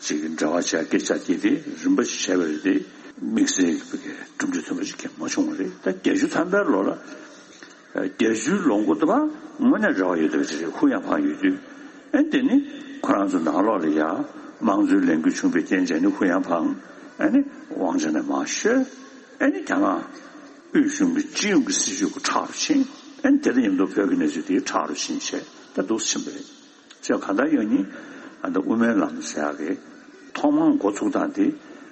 ཅིག་འབྲེལ་བ་བྱ་སྐད་ཆ་དེ་དེ་རིམ་པ་ཞིག་བྱས་པ་རེད་དེ་དམིགས་བསལ་གྱི་གྲུབ་འབྲས་ཐོན་པ་ཞིག་གང་མ་བྱུང་བ་རེད། ད་བརྒྱད་ཅུ་ཐམ་པའི་ལོ་ལ་བརྒྱད་ཅུའི་ལོ་འགོ་དེ་བ་དངོས་གནས་རེ་བ་ཡོད་པ་ཞིག་རེད། ཧུ་ཡང་ཕང་ཡོད་དུས་ཨེ་དེ་ནི་ཁོ་རང་ཚོ་ནང་ལོགས་ལ་ཡ་དམངས་གཙོའི་ལས་འགུལ་བྱུང་བའི་རྐྱེན་བྱས་ནི་ཧུ་ཡང་ཕང་ཨེ་ནི་དབང་ཆ་ནས་མར་བཤོལ། ཨེ་ནི་རྒྱ་ནག་དབུས་གཞུང་གི་སྤྱི་ཡོངས་ཀྱི་སྲིད་ཇུས་ཀྱི་ཁྲག་རུ་ཕྱིན། ཨེ་ནི་དེ་དང་མཉམ་དུ་བོད་ཀྱི་གནས་ཚུལ་དེའི་ཁྲག་རུ་ཕྱིན་བྱས་ད་འདུག་སེ་ཕྱིན་པ་རེད། ཅེས་གང་ལྟར་ཡང་ནི་ཨ་ད་དབུ་མའི་ལམ་ཟེར་ཡག་གི་ཐོག་མར་འགོ་ཚུགས་སྟངས་དེ་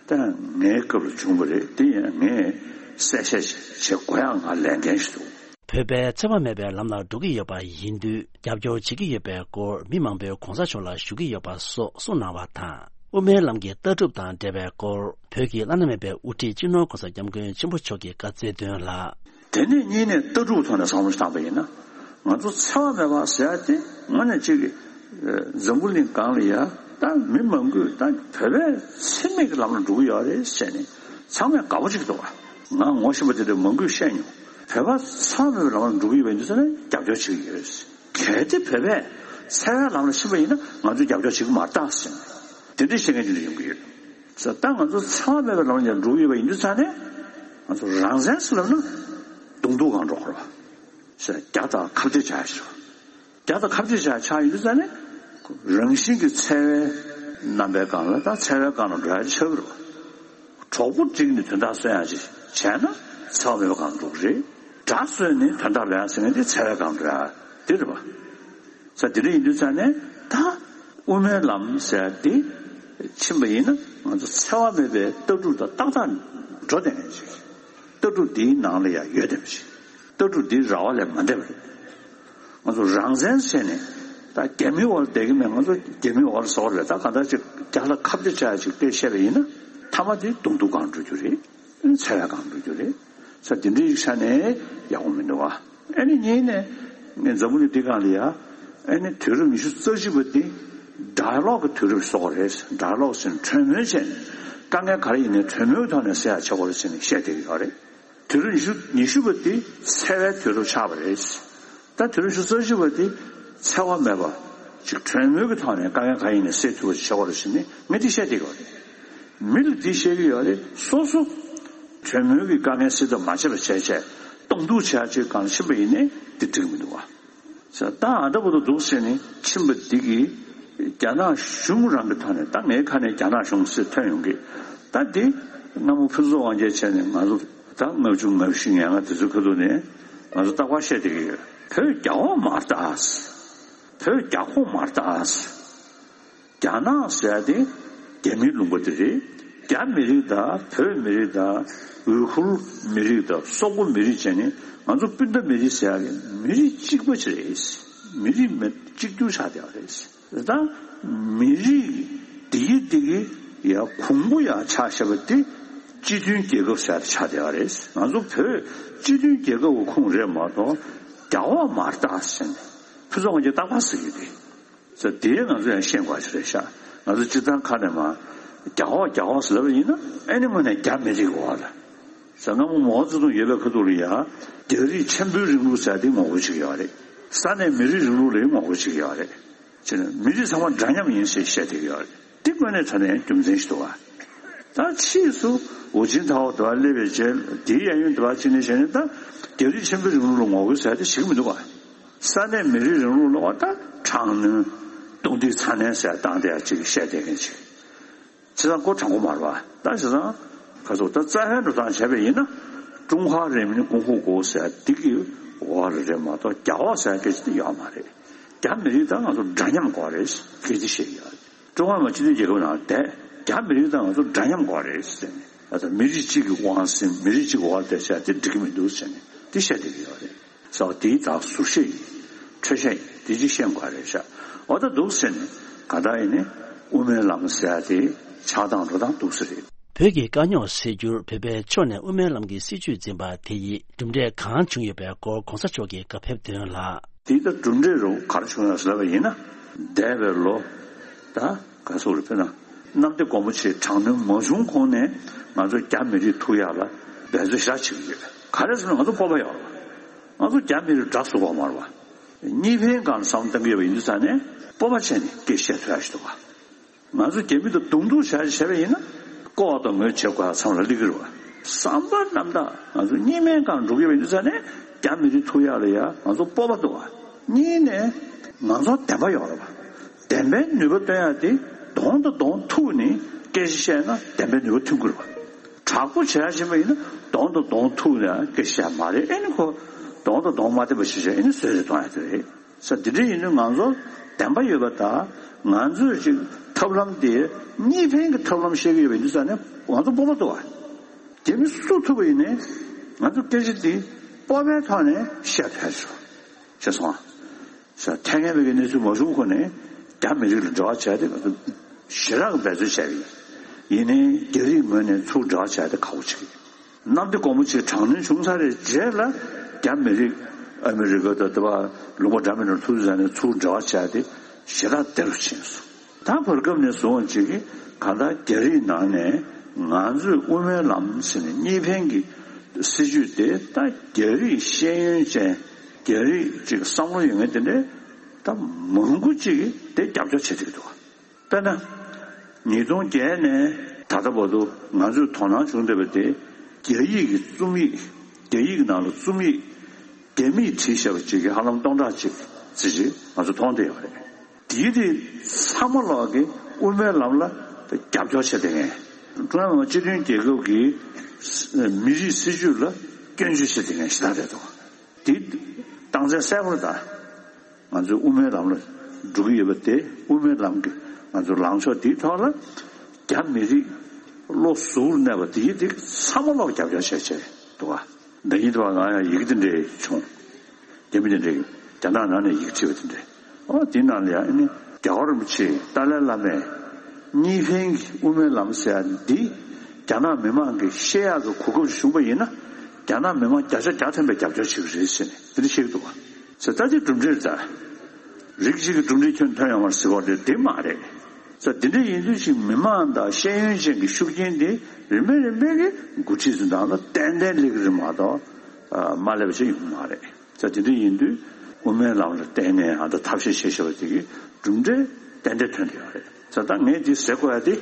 ད་ངའི་སྐབས་ལ་བྱུང་བ་རེད། དེ་ཡང་ངས་གསལ་བཤད་བྱེད་དགོས་ཡག་ང་ལས་འགན་ཞིག་འདུག་བོད་པས་འཚེ་བ་མེད་པའི་ལམ་ལ་འགྲོ་གི་ཡོད་པ་ཡིན་དུས་རྒྱབ་སྐྱོར་བྱེད་ཀྱི་ཡོད་པའི་སྐོར་མི་མང་པོས་གོང་ས་མཆོག་ལ་ཞུ་གི་ཡོད་པ་སོགས་གསུངས་གནང་བ་དང་། དབུ་མའི་ལམ་གྱི་ལྟ་གྲུབ་དང་འབྲེལ་བའི་སྐོར། བོད་ཀྱི་བླ་ན་མེད་པའི་དབུ་ཁྲིད་སྤྱི་ནོར་༸གོང་ས་༸སྐྱབས་མགོན་ཆེན་པོ་མཆོག་གིས་བཀའ་སྩལ་དོན་ལ། དེ་ནས་གཉིས་ནས་ལྟ་གྲུབ་ཐོག་ནས་བསམ་བློ་བཏང་པ་ཡིན་ན། ང་ཚོ་འཚེ་བ་མེད་པ་ཟེར་ཡ་དེ་དངོས་གནས་གཅིག་གི་འཛམ་བུ་གླིང་སྒང་ལ་ཡ་ད་མི་མང་པོས་ད་བོད་པའི་འཚེ་མེད་ཀྱི་ལམ་ལ་འགྲོ་གི་ཡོད་རེད་ཟེར་ནས་ཚང་མས་དགའ་པོ་བྱེད་ཀྱི་འདུག་བ། ང་ངོ་ཤེས་པ་དེ་འདྲ་མང་པོས་བཤད་མྱོང་། བོད་པ་འཚེ་བ་མེད་པའི་ལམ་ལ་འགྲོ་གི་ཡོད་པ་ཡིན་དུས་ཙང་ནས་རྒྱབ་སྐྱོར་བྱེད་ཀྱི་ཡོད་རེད། གལ་ཏེ་བོད་པས་འཚེ་བའི་ལམ་ལ་ཕྱིན་པ་ཡིན་ན་ང་ཚོས་རྒྱབ་སྐྱོར་བྱེད་ཀྱི་མ་རེད་ད་ཟེར་ནས་དེ་འདྲ་བཤད་མཁན་ཅིག་ཡོང་གི་ཡོད། ད་ང་ཚོ་འཚེ་བ་མེད་པའི་ལམ་ལ་འགྲོ་གི་ཡོད་པ་ཡིན་དུས་ཙང་ནས་ང་ཚོ་རང་བཙན་ཟེར་ལབ་ན་གདོང་ཐུག་སྒང་འགྲོ་དགོས་རེད་བ། ཟེར་རྒྱ་དང་ཁ་གཏད་བྱ་ཡ་ཞིག་རྒྱ་དང་ཁ་གཏད་བྱ་ཡ་ཆགས་ཡོད་དུས་ཙང་ནས་རང་བཞིན་གྱི་འཚེ་བའི་རྣམ་པའི་སྒང་ལ་ད་འཚེ་བའི་སྒང་ལ་འགྲོ་ཡ་ཆགས་ཀྱི་རེད་བ། གྲོགས་པོ་བསྒྲིགས་ནས་དོན་དག་སེལ་ཡ་ཅིག་བྱས་ན་འཚེ་བ་མེད་པའི་སྒང་འགྲོ་གི་རེད། དགྲ་གསོས་ནས་དོན་དག་ལེན་ཡ་ཟེར་མཁན་དེ་འཚེ་བའི་སྒང་འགྲོ་ཡ་དེ་རེད་བ། ས་དེ་འདྲ་ཡིན་དུས་ཙང་ནས་ད་དབུ་མའི་ལམ་ཟེར་ཡ་དེ་ཕྱིན་པ་ཡིན་ན་ང་ཚོ་འཚེ་བ་མེད་པའི་ལྟ་གྲུབ་དང་ཏག་ཏག་འགྲོ་བསྡད་མཁན་ཅིག་ལྟ་གྲུབ་འདིའི་ནང་ལ་ཡང་ཡོད་བསྡད་པ་ཅིག་ལྟ་གྲུབ་འདི་ར་བ་ལས་མ་འདས་པ་རེད། ང་ཚོ་རང་བཙན་བྱས་ནས་ད་རྒྱ་མིའི་འོག་ལ་བསྡད་ཀྱི་མེད། ང་ཚོ་རྒྱ་མིའི་འོག་ལ་བཟོ་བ་རེད། ད་གང་ལྟར་ཅིག་རྒྱ་ལ་ཁ་གཏད་བྱ་ཡ་ཅིག་སྐད་བཤད་པ་ཡིན་ན་མཐའ་མ་དེ་གདོང་ཐུག་སྒང་འགྲོ་རྒྱུ་རེད། འཚེ་བའི་སྒང་འགྲོ་རྒྱུ་རེད། ས་དེ་འདྲའི་ཆ་ནས་ཡག་པོ་མི་འདུག་བ། ཨ་ནི་གཉིས་ནས་ངས་འཛམ་བུ་གླིང་འདི་སྒང་ལ་ཡ་ཨ་ནི་དུས་རབས་ཉི་ཤུ་རྩ་གཅིག་པ་འདི་ཌའི་ལོག་གི་དུས་རབས་བཟོ་དགོས་རེད། ཌའི་ལོག་ཟེར་ནས་གྲོས་མོལ་བྱས་ནས་དཀའ་ངལ་ག་རེ་ཡིན་ནའི་གྲོས་མོལ་གྱི་ཐོག་ནས་སེལ་ཡ་བྱེད་དགོས་རེད་ཟེར་ནས་བཤད་བསྡད་ཀྱི་ཡོད་རེད། དུས་རབས་ཉི་ཤུ་ཉི་ཤུ་པ་འདི་འཚེ་བའི་དུས་རབས་ཆགས་པ་རེད། ད་དུས་རབས་ཉི་ཤུ་རྩ་གཅིག་པ་འདི་འཚེ་བ་མེད་པ་ཅིག་གྲོས་མོལ་གྱི་ཐོག་ནས་དཀའ་ངལ་ག་ཡིན་ནའི་སེལ་ཐུབ་པ་ཞིག་བྱེད་དགོས་རེད་ཟེར་ནས་ངས་འདི་བཤད་བསྡད་ཀྱི་ཡོད་རེད། མི་ལ་འདི་བཤད་ཀྱི་ཡོད་རེད། སོ་སོ་གྲོས་མོལ་གྱི་དཀའ་ངལ་སེལ་ཐབས་མ་བྱས་པ་བྱས་བྱས་གདོང་ཐུག་བྱས་ཅིག་གང་ཕྱིན་པ་ཡིན་ནའི་འདི་འགྲིག་མི་འདུག་བ། ས་ད་ཨ་ད་བུ་དུ་འདུག་ཟེར་ནས་ཕྱིན་པ་འདི་གིས་རྒྱ་ནག་གཞུང་རང་གི་ཐོག་ནས་ད་ངའི་ཁ་ནས་རྒྱ་ནག་གཞུང་ཟེར་ཐོན་ཡོང་གི། ད་འདི་སྔ་མོ་ཕུན་ཚོགས་དབང་རྒྱལ་བྱས་ནས་ང་ཚོ་ད་ལྔ་བཅུ་ང་བཞི་ང་ལྔ་དེ་ཚོའི་ཁ་ཐུག་ནས་ང་ཚོ་རྟག་པར་བཤད་བསྡད་ཀྱི་ཡོད། བོད་རྒྱ་དབང་མ་རེད་ད། བོད་རྒྱ་ཁོངས་མ་རེད་ད། རྒྱ་ནག་ཟེར་ཡ་དེ་རྒྱ་མིའི་ལུང་པ་དེ་རེད། རྒྱ་མི་རིགས་དང་བོད་མི་རིགས་དང་ཝུ་ཁུར་མི་རིགས་དང་སོག་པོ་མི་རིགས་བྱས་ནས་ང་ཚོ་སྤུན་ཟླ་མི་རིགས་ཟེར་ཡ་གི་མི་རིགས་གཅིག་པ་ཅིག་རེད། མི་རིགས་མི་གཅིག་གྱུར་ཆགས་བསྡད་པ་རེད། ད་མི་རིགས་འདི་གི་འདི་གི་ཡ་གོང་བུ་ཡ་ཆགས་བཞག་པ་དེ་སྤྱི་མཐུན་རྒྱལ་ཁབ་ཟེར་ཡ་དེ་ཆགས་བསྡད་པ་རེད། ང་ཚོ་བོད་སྤྱི་མཐུན་རྒྱལ་ཁབ་ཀྱི་ཁོངས་རེད་མ་གཏོགས་རྒྱ་དབང་མ་རེད་ད་ཟེར་ནས་ཕུན་ཚོགས་དབང་རྒྱལ་རྟག་པར་ཟེར་གྱི་རེད། ཟེར་དེ་ང་ཚོ་ཡང་ཤེས་དགོས་ཞིག་རེད་ཤག་ང་ཚོ་སྤྱིར་བཏང་ཁ་ནས་མ་རྒྱ་ཧོ་རྒྱ་ཧོ་ཟེར་ལབ་པ་ཡིན་ན་ཨེ་ནི་དངོས་གནས་རྒྱ་མི་རིགས་འོག་ལ། ཟེར་སྔ་མོ་མའོ་ཙེ་ཏུང་ཡོད་པའི་ཁ་ཐུག་ལ་ཡ་རྒྱ་རིགས་ཆེན་པོའི་རིང་ལུགས་ཟེར་དེ་ངོ་རྒོལ་བྱེད་ཀྱི་ཡོད་རེད། ས་གནས་མི་རིགས་རིང་ལུགས་ལ་ཡང་ངོ་རྒོལ་བྱེད་ཀྱི་ཡོད་རེད། ཅེས་ནས་མི་རིགས་ཚང་མ་འདྲ་མཉམ་ཡིན་ཞེས་བཤད་བསྡད་ཀྱི་ཡོད་རེད། དེ་དངོས་གནས་དྲང་གནས་རྒྱུ་མཚན་ཞིག་འདུག་བ། ད་ཕྱིས་སུ་ཧུའུ་ཅིན་ཐའོ་དེ་བ་སླེབས་པའི་རྗེས་དེའི་གཡས་གཡོན་དེ་བ་ཅིག་ནས་བྱས་ནས་ད་རྒྱ་རིགས་ཆེན་པོའི་རིང་ལུགས་ལ་ངོ་རྒོལ་ཟེར་དེ་ཞིག་མི་འདུག་བ། ས་གནས་མི་རིགས་རིང་ལུགས་ལ་བ་ད་དྲག་གནོན་རྡུང་རྡེག་ཚ་ནན་ཟེར་བཏང་བསྡད་ཡ་ཅིག་བཤད་བསྡད་མཁན་ཅིག་བྱས་ཙང་ཁོ་དྲང་པོ་མ་རེད་བ། ད་བྱས་ཙང་ཁ་སོ་ད་རྩ་བའི་འགྲོ་སྟངས་བྱས་པ་ཡིན་ན་ཀྲུང་ཧྭ་རིན་མིན་ཀུང་ཧྥུ་ཀོ་ཟེར་འདི་གི་འོག་ལ་རེད་མ་གཏོགས་རྒྱ་འོག་ཟེར་སྐད་ཆ་དེ་ཡོད་མ་རེད། རྒྱ་མི་རིགས་དང་ང་ཚོ་འདྲ་མཉམ་དགོས་རེད་སྐད་ཆ་བཤད་ཡོད་རེད། ཀྲུང་ཧྭ་མི་དམངས་སྤྱི་མཐུན་རྒྱལ་ཁབ་ནང་བསྡད་རྒྱ་མི་རིགས་དང་ང་ཚོ་འདྲ་མཉམ་དགོས་རེད་ཟེར་ནས་ད་ལྟ་མི་རིགས་གཅིག་གི་དབང་ཟིན་མི་རིགས་གཅིག་གི་འོག་ལ་བསྡད་བྱས་དེ་འགྲིག་གི་མི་འདུག་ཟེར་ནས་དེ་བཤད་བསྡད་ཀྱི་ཡོད་རེད། ཟེར་བ་དེའི་དག་ཟུར་བཤད་ཡིན། འཕྲོས་བཤད་ཡིན། དེ་ཅིག་ཤེས་དགོས་རེད་ཤག་འོ་ད་འདུག་ཟེར་ནས་ག་ད་ཡིན་ནས་དབུ་མའི་ལམ་ཟེར་ཡ་དེ་ཆགས་སྟངས་འགྲོ་སྟངས་འདུག་ས་རེད། བོད་ཀྱི་དཀའ་རྙོག་སེལ་རྒྱུར་བོད་པའི་ཕྱོགས་ནས་དབུ་མའི་ལམ་གྱི་སྲིད་བྱུས་འཛིན་པ་དེ་ཡིས་གྲུབ་འབྲས་གང་བྱུང་ཡོད་པའི་སྐོར་གོང་ས་མཆོག་གིས་བཀའ་ཕེབས་དོན་ལ། དེ་ད་གྲུབ་འབྲས་རུ་ག་རེ་བྱུང་ཡོད་ཟེར་བ་ཡིན་ན། འདས་པའི་ལོ་ད་ག་ཚོད་རེད་དཔེར་ན་གནམ་བདེ་སྒོ་མོ་ཆེའི་དྲག་གནོན་མ་བྱུང་གོང་ནས་ང་ཚོ་རྒྱ་མི་རིགས་ཐུག་ཡག་ལ་འབད་རྩོལ་ཞེ་དྲག་བྱེད་ཀྱི་ཡོད། ག་རེ་ཟེར་ན་ང་ཚོ་སྤོབས་པ་ཡོད་རེད་བ། ང་ཚོ་རྒྱ་མི་རིགས་དགྲ་བཟོ་དགོས་མ་རེད་བ། གཉིས་ཕན་སྒང་ལ་བསམ་བློ་གཏང་གི་ཡོད་པ་ཡིན་དུས་ཙང་ནས་སྤོབས་པ་བྱས་ནས་སྐད་བཤད་ཐུབ་ཡག་ཞིག་འདུག་བ། ང་ཚོ་རྒྱ་མི་དང་གདོང་ཐུག་བྱས་བྱས་པ་ཡིན་ན་ལྐོག་དང་ངོས་བྱེད་དགོས་ཡག་མཚམས་ལ་སླེབས་ཀྱི་རེད་བ། བསམ་པ་རྣམ་དག་ང་ཚོ་གཉིས་ཕན་སྒང་འགྲོ་གི་ཡོད་པ་ཡིན་དུས་ཙང་ནས་རྒྱ་མི་རིགས་ཐུག་ཡག་ལ་ཡ་ང་ཚོ་སྤོབས་པ་འདུག་བ། གཉིས་ནས་ང་ཚོ་བདེན་པ་ཡོད་རེད་བ། བདེན་པའི་ནུས་པ་སྟོན་ཡག་དེ་གདོང་དང་གདོང་ཐུག་ནས་སྐད་ཆ་བཤད་ན་བདེན་པའི་ནུས་པ་ཐོན་གྱི་རེད་བ། དྲག་པོ་བྱས་ཕྱིན་པ་ཡིན་ན་གདོང་དང་གདོང་ཐུག་ནས་སྐད་ཆ་བཤད་མ་རེད། ཨེ་ནི་ཁོ་གདོང་དང་གདོང་མ་བསྟན་པ་ཞིག་བྱས་ཨེ་ནི་བཟོད་རེ་གཏོང་ཡག་དེ་རེད། ས་འདི་འདྲ་ཡིན་དུས་ང་ཚོ་བདེན་པ་ཡོད་པ་དང་ང་ཚོས་ཅིག་ཐབས་ལམ་དེ་གཉིས་ཕན་གྱི་ཐབས་ལམ་བཤད་ཀྱི་ཡོད་པ་ཡིན་དུས་ཙང་ནས་ང་ཚོ་སྤོབས་པ་འདུག་བ། རྒྱ་མི་སུ་ཐུག་པ་ཡིན་ནའི་ང་ཚོ་སྐད་ཆ་དེ་སྤོབས་པའི་ཐོག་ནས་བཤད་ཐུབ་ཡག་ཞིག་བྱས་སོང་ཨ། ས་ཐད་ངན་པའི་གནས་ཚུལ་མ་བྱུང་གོང་ནས་རྒྱ་མི་རིགས་ལ་འབྲེལ་བ་བྱས་ཏེ་ང་ཚོ་ ཞེ་དྲག་འབད་རྩོལ་བྱས་པ་ཡིན། ཡིན་ནའི་རྒྱ་རིགས་ངོས་ནས་ཚུར་འབྲེལ་བ་བྱས་ཏེ་ཁག་པོ་ཆགས་ཀྱི་རེད། གནམ་བདེ་སྒོ་མོ་ཆེ་དྲག་གནོན་བྱུང་ཚར་བའི་རྗེས་ལ་རྒྱ་མི་རིགས་ཨ་མི་རི་ཀ་དང་དེ་བ་ལུང་པ་འདྲ་མིན་ནང་ཐུག་ཚར་ནས་ཚུར་འབྲེལ་བ་བྱས་ཏེ་ཞེ་དྲག་བདེ་རུ་ཕྱིན་སོང་། ད་བར་སྐབས་ནས་བཟུང་བ་ཅིག་གིས་གང་ལྟར་རྒྱ་རིགས་ནང་ནས་ང་ཚོས་དབུ་མའི་ལམ་ཟེར་ནས་གཉིས་ཕན་གྱི་སྲིད་བྱུས་དེ་ད་རྒྱ་རིགས་ཤེས་ཡོན་ཅན་རྒྱ་རིགས་ཅིག་བསམ་བློ་ཡོད་མཁན་དེ་འདྲའི་ད་མང་པོ་ཅིག་གིས་དེ་རྒྱབ་སྐྱོར་བྱེད་ཀྱི་འདུག། དཔེར་ན། ཉིས་སྟོང་བརྒྱད་ནས་ད་ལྟ་བར་དུ་ང་ཚོས་དོ་སྣང་བྱུང་བསྡད་པ་དེ་རྒྱ་ཡིག་གི་རྩོམ་ཡིག་རྒྱ་ཡིག་ནང་ལ་རྩོམ་ཡིག་རྒྱ་མིས་བྲིས་བཞག་པ་ཅིག་གི་ཧ་ལམ་སྟོང་ཕྲག་གཅིག་ཙམ་ཅིག་ང་ཚོ་མཐོང་བསྡད་ཡོད་རེད། དེའི་རིགས་ཚང་མ་ལོག་གི་དབུ་མའི་ལམ་ལ་རྒྱབ་སྐྱོར་བྱས་བསྡད་མཁན། ཀྲུང་དབྱང་སྤྱི་མཐུན་རྒྱལ་ཁབ་ཀྱི་མི་རིགས་སྲིད་བྱུས་ལ་སྐྱོན་བརྗོད་བྱས་བསྡད་མཁན་ཞིག་ད་རེད་དོ། དེ་རྟགས་མཚན་གསལ་པོ་རེད་ད། ང་ཚོའི་དབུ་མའི་ལམ་ལ་འགྲོ་གི་ཡོད་པ་དེ་དབུ་མའི་ལམ་གྱི་ང་ཚོའི་ལངས་ཕྱོགས་དེའི་ཐོག་ལ་རྒྱ་མི་རིགས་བློ་གཟུ་བོར་གནས་པ་དེའི་དེ་ཚང་མ་ལོག་རྒྱབ་སྐྱོར་བྱས་བྱས་འདུག་ག། ཟླ་ཉིན་དུ་བ་ང་ཡང་ཡི་གེ་དེ་འདྲས་བྱུང་། རྒྱ་མི་དེ་འདྲས་རྒྱ་ནག་ནང་ནས་ཡི་གེ་བྲིས་པ་དེ་འདྲས། ཨོ་དེ་ནང་ལ་ཡང་ཨ་ནི་རྒྱལ་བ་རིན་པོ་ཆེ་ཏཱ་ལའི་བླ་མས་གཉིས་ཕན་གྱི་དབུ་མའི་ལམ་ཟེར་ཡ་འདི་རྒྱ་ནག་མི་མང་གིས་ཤེས་ཡག་གི་གོ་སྐབས་བྱུང་པ་ཡིན་ན་རྒྱ་ནག་མི་མང་བརྒྱ་ཆ་བརྒྱ་ཐམ་པས་རྒྱབ་སྐྱོར་བྱེད་ཀྱི་རེད་ཟེར་ནས་དེ་འདྲ་བཤད་ཀྱི་འདུག་ག། ཟེར་ད་དེ་གྲུབ་འབྲས་རེད་ད། རིགས་གཅིག་གི་གྲུབ་འབྲས་ཁྱོན་ཐོན་ཡོང་བར་ཟེར་བ་དེ་དེ་མ་རེད། ཟེར་དེ་འདྲ་ཡིན་དུས་ཅིག་མི་མང་དང་ཤེས་ཡོན་ཅན་གྱི་ཤུགས་རྐྱེན་དེ་རིམ་པས་རིམ་པས་ཀྱི་འགོ་ཁྲིད་ཚོའི་ནང་ལ་ཏན་ཏན་སླེབས་ཀྱི་རེད་མ་གཏོགས་མ་སླེབས་པ་ཞིག་ཡོང་གི་མ་རེད། ཟེར་དེ་འདྲ་ཡིན་དུས་དབུ་མའི་ལམ་ལ་བརྟེན་ནས་ཨ་ད་ཐབས་ཤེས་བྱེད་བཞིན་པ་དེ་གི་གྲུབ་འབྲས་ཏན་ཏན་ཐོན་གྱི་ཡོད་རེད། ཟེར་ད་ངས་འདི་ཟེར་དགོས་ཡ་དེ་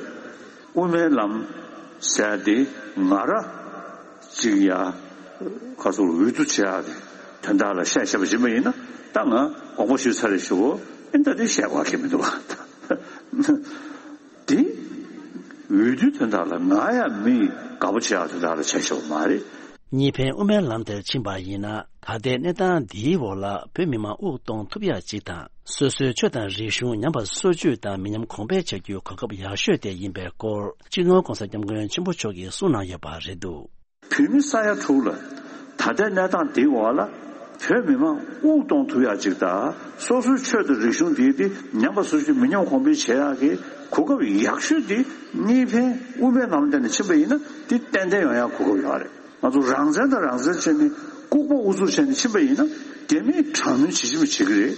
དབུ་མའི་ལམ་ཟེར་ཡ་དེ་ང་ར་ཅིག་ཡ་ཁ་སོགས་འོས་བསྡུ་བྱེད་ཡ་དེ་དོན་དག་ལ་བཤད་བཤད་པ་ཡིན་པ་ཡིན་ན་ད་ང་དགོངས་པ་ཞུས་ཚར་རེད་ཞུ་གོ། ཨེ་ད་དེ་བཤད་དགོས་ཀྱི་མི་འདུག་བ། དེ་འོས་བསྡུའི་དོན་དག་ལ་ང་ཡང་མི་དགའ་པོ་བྱེད་ཡག་དོན་དག་ལ་བྱས་ཤོག་མ་རེད། གཉིས་ཕན་དབུ་མའི་ལམ་དེར་ཕྱིན་པ་ཡིན་ན་ད་ལྟའི་གནས་སྟངས་འདིའི་འོག་ལ་བོད་མི་མང་དབུགས་གཏོང་ཐུབ་ཡག་ཅིག་དང་སོ་སོའི་ཆོས་དང་རིག་གཞུང་ཉམས་པ་སོར་ཆུད་དང་མི་ཉམས་གོང་འཕེལ་བྱ་རྒྱུའི་གོ་སྐབས་ཡག་ཤོས་དེ་ཡིན་པའི་སྐོར་སྤྱི་ནོར་༸གོང་ས་༸སྐྱབས་མགོན་ཆེན་པོ་མཆོག་གིས་གསུངས་གནང་ཡོད་པ་རེད་འདུག། བོད་མི་ས་ཡ་དྲུག་ལ་ད་ལྟའི་གནས་སྟངས་འདིའི་འོག་ལ་བོད་མི་མང་དབུགས་གཏོང་ཐུབ་ཡག་ཅིག་དང་སོ་སོའི་ཆོས་དང་རིག་གཞུང་འདི་འདི་ཉམས་པ་སོར་ཆུད་མི་ཉམས་གོང་འཕེལ་བྱེད་ཡག་གི་གོ་སྐབས་ཡག་ཤོས་འདི་གཉིས་ཕན་དབུ་མའི་ལམ་སྟེང་ནས་ཕྱིན་པ་ཡིན་ན་འདི་ཏན་ཏན་ཡོང་ཡག་གོ་སྐབས་ཡོད་རེད། ང་ཚོ་རང་བཙན་དང་རང་བཙན་བྱས་ནས་ལྐུགས་པ་ཨུ་ཚུགས་བྱས་ནས་ཕྱིན་པ་ཡིན་ན་རྒྱ་མིས་དྲག་གནོན་ཇི་བཞིན་བྱེད་ཀྱི་རེད།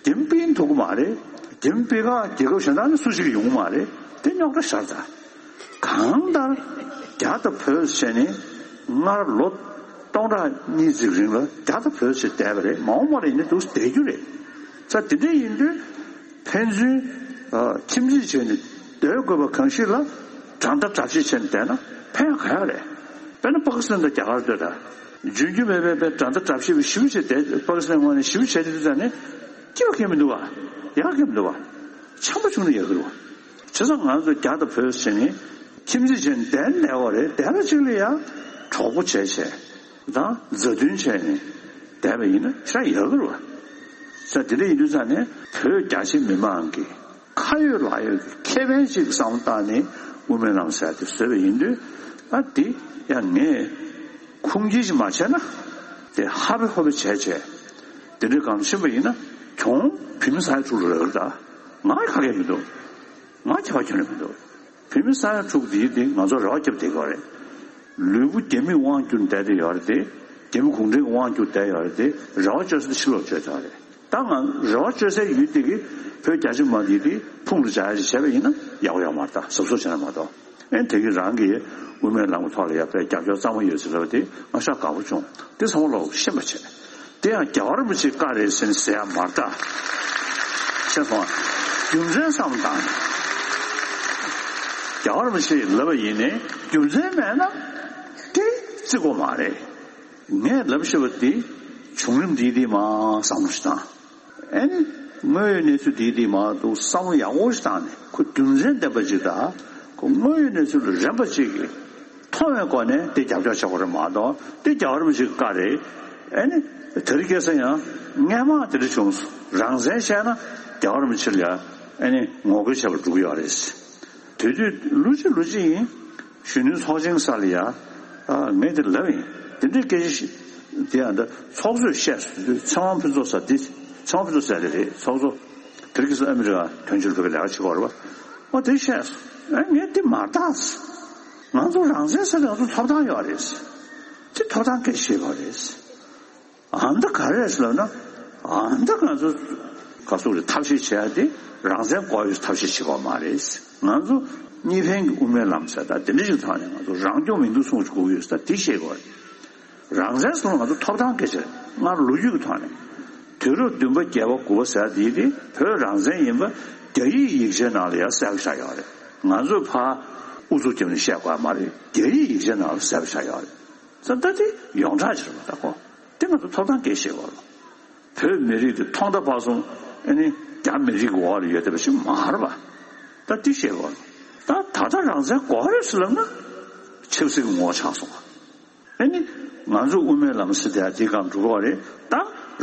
རྒྱ་མི་སྤེལ་ཐུབ་ཀྱི་མ་རེད། རྒྱ་མི་སྤེལ་ཁག་རྒྱལ་ཁབ་གཞན་དག་ནས་སུ་ཞིག་ཡོང་གི་མ་རེད། དེ་རྙོག་དྲ་ཤར་ཚར། གང་ལྟར་རྒྱ་དང་བོད་ཟེར་ནས་སྔར་ལོ་སྟོང་ཕྲག་གཉིས་ཙམ་རིང་ལ་རྒྱ་དང་བོད་ཟེར་བསྡད་པ་རེད། མ་འོངས་པ་ལ་ཡིན་ན་འདུག་བསྡད་རྒྱུ་རེད། ས་དེ་འདྲ་ཡིན་དུས་ཕན་ཚུན་ཨ་ཁྱིམ་མཚེས་བྱས་ནས་སྡོད་དགོས་པ་གང་ཞིག་ལ་དགྲ་ཟླ་དགྲ་བཤེས་བྱས་ནས་བསྡད་ན་ཕན་ག་ཡག་རེད། དཔེར་ན་པ་ཀི་སི་ཐན་དང་རྒྱ་གར་ལྟོས་དང་། འཇོན་རྒྱུ་མེད་པའི་དཔེ་དགྲ་ཟླ་དགྲ་བཤེས་པ་ཞེ་པོ་ཅིག་བསྡད། པ་ཀི་སི་ཐན་ངོས་ནས་ཞེ་པོ་བྱས་དུས་ཙང་ནས་སྐྱིད་པ་གང་ཡང་མི་འདུག་བ། ཡག་གང་ཡང་མི་འདུག་བ། འཆམ་པོ་བྱུང་ན་ཡག་གི་རེད་བ། བྱས་ཙང་ང་ཚོ་རྒྱ་དང་བོད་ཟེར་ནས་ཁྱིམ་མཚེས་བྱས་ནས་བསྡད་ན་བསྡད་པ་རེད། བསྡད་པ་གཅིག་ལ་ཡང་གྲོགས་པོ་བྱས་བྱས་དང་མཛའ་མཐུན་བྱས་ནས་བསྡད་པ་ཡིན་ན་ཤ་ཡག་གི་རེད་བ། ས་དེ་འདྲ་ཡིན་དུས་ཙང་ནས་བོད་རྒྱ་ཆེ་མི་མང་གི་ཁ་ཡོད་ལག་ཡོད་ཀྱི་ཁེ་ཕན་ཅིག་བསམ་བློ་བཏང་ནས་དབུ་མའི་ལམ་ཟེར་དེ་བཟོས་པ་ཡིན་དུས་ཨ་དེ་ཡང་ངས་ཁུངས་སྐྱེལ་ཞིག་མ་བྱས་ན་དེ་ཧ་པེ་ཧོ་པེ་བྱས་བྱས་དེ་འདྲའི་གང་ཕྱིན་པ་ཡིན་ན་གྱོང་བོད་མི་ས་ཡ་དྲུག་ལ་རག་གི་རེད། ད་ང་ཁ་སྐད་མི་འདུག། ང་ཁྱད་པར་ཁྱོན་ནས་མི་འདུག། བོད་མི་ས་ཡ་དྲུག་དེའི་སྟེང་ང་ཚོ་རེ་བ་བརྒྱབ་བསྡད་ཀྱི་ཡོད་རེད། ལུས་པོ་རྒྱ་མིས་དབང་བསྒྱུར་བསྡད་དེ་ཡོད་རེད་དེ། རྒྱ་མི་གུང་ཁྲན་གྱིས་དབང་བསྒྱུར་བསྡད་ཡོད་རེད་དེ། རེ་བ་བཅོལ་ས་དེ་ཕྱི་ལོགས་བཅོལ་ཚར་རེད། ད་ང་རེ་བ་བཅོལ་སའི་ཡུལ་དེ་གི་བོད་རྒྱ་ཆེ་མ་དེ་དེ་ཕུང་རུ་འཇགས་ཡ་ཞིག་བྱས་པ་ཡིན་ན་ཡག་པོ་ཡོད་མ་རེད། ད་གཟབ་གཟབ་བྱས་ན་མ་གཏོགས། ཨེ་དེ་གི་རང་གི་དབུ་མའི་ལམ་གྱི་ཐོག་ལ་ཡ་དཔེ་རྒྱབ་སྐྱོར་གཙང་མ་ཡོད་ཟེར་ལབ་པ་དེ་ང་ཤ་དགའ་པོ་བྱུང་། དེ་ཚང་མ་ལོག་ཤེས་པ་བྱས། དེ་ཡང་རྒྱལ་བ་རིན་པོ་ཆེའི་བཀའ་རེད་ཟེར་ནས་ཟེར་ཡ་མ་རེད་ད། ཤེས་སོང་ཨ། རྒྱུ་མཚན་བསམ་བློ་བཏང་ནས། རྒྱལ་བ་རིན་པོ་ཆེས་ལབ་པ་ཡིན་ནའི་རྒྱུ་མཚན་མེད་ན་དེ་བརྩི་དགོས་མ་རེད། ངས་ལབ་ཤེས་པ་དེ་བྱུང་རིམ་དེ་དེ་མ་བསམ་བློ་ཞིག་བཏང་། ཨེ་ནི་དངོས་ཡོད་གནས་ཚུལ་དེ་དེ་མ་གཏོགས་བསམ་བློ་ཡག་པོ་ཞིག་བཏང་ནས་ཁོ་རྒྱུ་མཚན་ལྡན་པ་ཅིག་དང་ཁོ་དངོས་ཡོད་གནས་ཚུལ་ལ་རན་པ་ཅིག་གིས། མཐོང་བའི་སྒོ་ནས་དེ་རྒྱབ་སྐྱོར་བྱེད་དགོས་རེད་མ་གཏོགས་དེ་རྒྱལ་བ་རིན་པོ་ཆེའི་བཀའ་རེད། ཨེ་ནི་དེ་རིང་ཁ་སང་ཡང་སྔས་མ་དེ་འདྲ་བྱུང་སོང་། རང་བཙན་བཤད་ན་རྒྱལ་བ་རིན་པོ་ཆེ་ལ་ཡང་ཨེ་ནི་ངོ་རྒོལ་བྱེད་པར་འགྲོ་གི་ཡོད་རེད། དེ་དུས་ལོ་གཅིག་ལོ་གཅིག་ཡིན་གཞོན་ནུའི་ཚོགས་ཆེན་ས་ལ་ཡང་ཨ་ངས་དེ་ལབ་ཡིན། དེ་འདྲའི་སྐད་ཆ་ཞིག་དེ་ཡང་ད་ཚོགས་གཙོས་བཤད་སོང་དུས་ཚེ་དབང་ཕུན་ཚོགས་ཟེར་དེ་ཚེ་དབང་ཕུན་ཚོགས་ཟེར་དེ་རེད། ཚོགས་གཙོ་དེ་རིང་ཁ་སང་ཨ་མི་རི་ཀ་དོན་གཅོད་ལྷན་ཁང་ལས་ཀ་བྱེད་ཀྱི་ཡོད་རེད་པ། ཨོ་དེ་བཤད་སོང་། ཨེ་ངས་དེ་མ་བཏང་། ང་ཚོ་རང་བཙན་ཟེར་ན་ང་ཚོ་ཐོབ་ཐང་ཡོད་རེད། དེ་ཐོབ་ཐང་སྐད་ཆ་བཤད་པ་རེད། ཨ་མདའ་ག་རེ་རེད་ལབ་ན། ཨ་མདའ་ང་ཚོ་ག་ཚོད་རེད་ཐབས་ཤེས་བྱེད་ཡ་དེ་རང་བཙན་དགོས་ཡོད་ཐབས་ཤེས་བྱེད་པ་མ་རེད། ང་ཚོ་གཉིས་ཕན་གྱི་དབུ་མའི་ལམ་ཟེར་ད་དེ་འདྲ་ཞིག་ཐོག་ནས་ང་ཚོ་རང་སྐྱོང་མི་འདུག་གསུངས་དགོས་ཡོད་ཟེར་ད་དེ་བཤད་དགོས་རེད། རང་བཙན་སོང་ང་ཚོ་ཐོབ་ཐང་སྐད་ཆ་རེད། སྔར་ལོ་རྒྱུས་ཀྱི་ཐོག་ནས་དུས་རབས་བདུན་པ་བརྒྱད་པ་དགུ་པ་ཟེར་དེའི་དེ་བོད་རང་བཙན་ཡིན་པ་རྒྱ་ཡིག་ཡིག་ཆའི་ནང་ལ་ཡང་གསལ་པོ་ཆགས་ཡོད་རེད། ང་ཚོས་ཕར་ཨུ་ཚུགས་བརྒྱབ་ནས་བཤད་དགོས་མ་རེད། རྒྱ་ཡིག་ཡིག་ཆའི་ནང་ལ་གསལ་པོ་ཆགས་ཡོད་རེད། ཙང་ད་དེ་ཡོངས་གྲགས་ཅིག་རེད་མ་ད་ཁོ་དེ་ང་ཚོ་ཐོབ་ཐང་སྐད་ཆ་བཤད་དགོས་རེད། བོད་མི་རིགས་དེ་ཐོག་མཐའ་བར་གསུམ་ཨ་ནི་རྒྱ་མི་རིགས་ཀྱི་འོག་ལ་ཡོད་བསྡད་པ་ཞིག་མ་རེད་པ། ད་དེ་བཤད་དགོས་རེད། ད་ད་ལྟ་རང་བཙན་དགོས་རེད་ཟེར་ལབ་ན་ཆབ་སྲིད་ཀྱི་ངོ་བོ་ཆགས་སོང་བ། ཨ་ནི་ང་ཚོ་དབུ་མའི་ལམ་ཟེར་དེ་དེའི་སྒང་འགྲོ་གི་རེད། ད་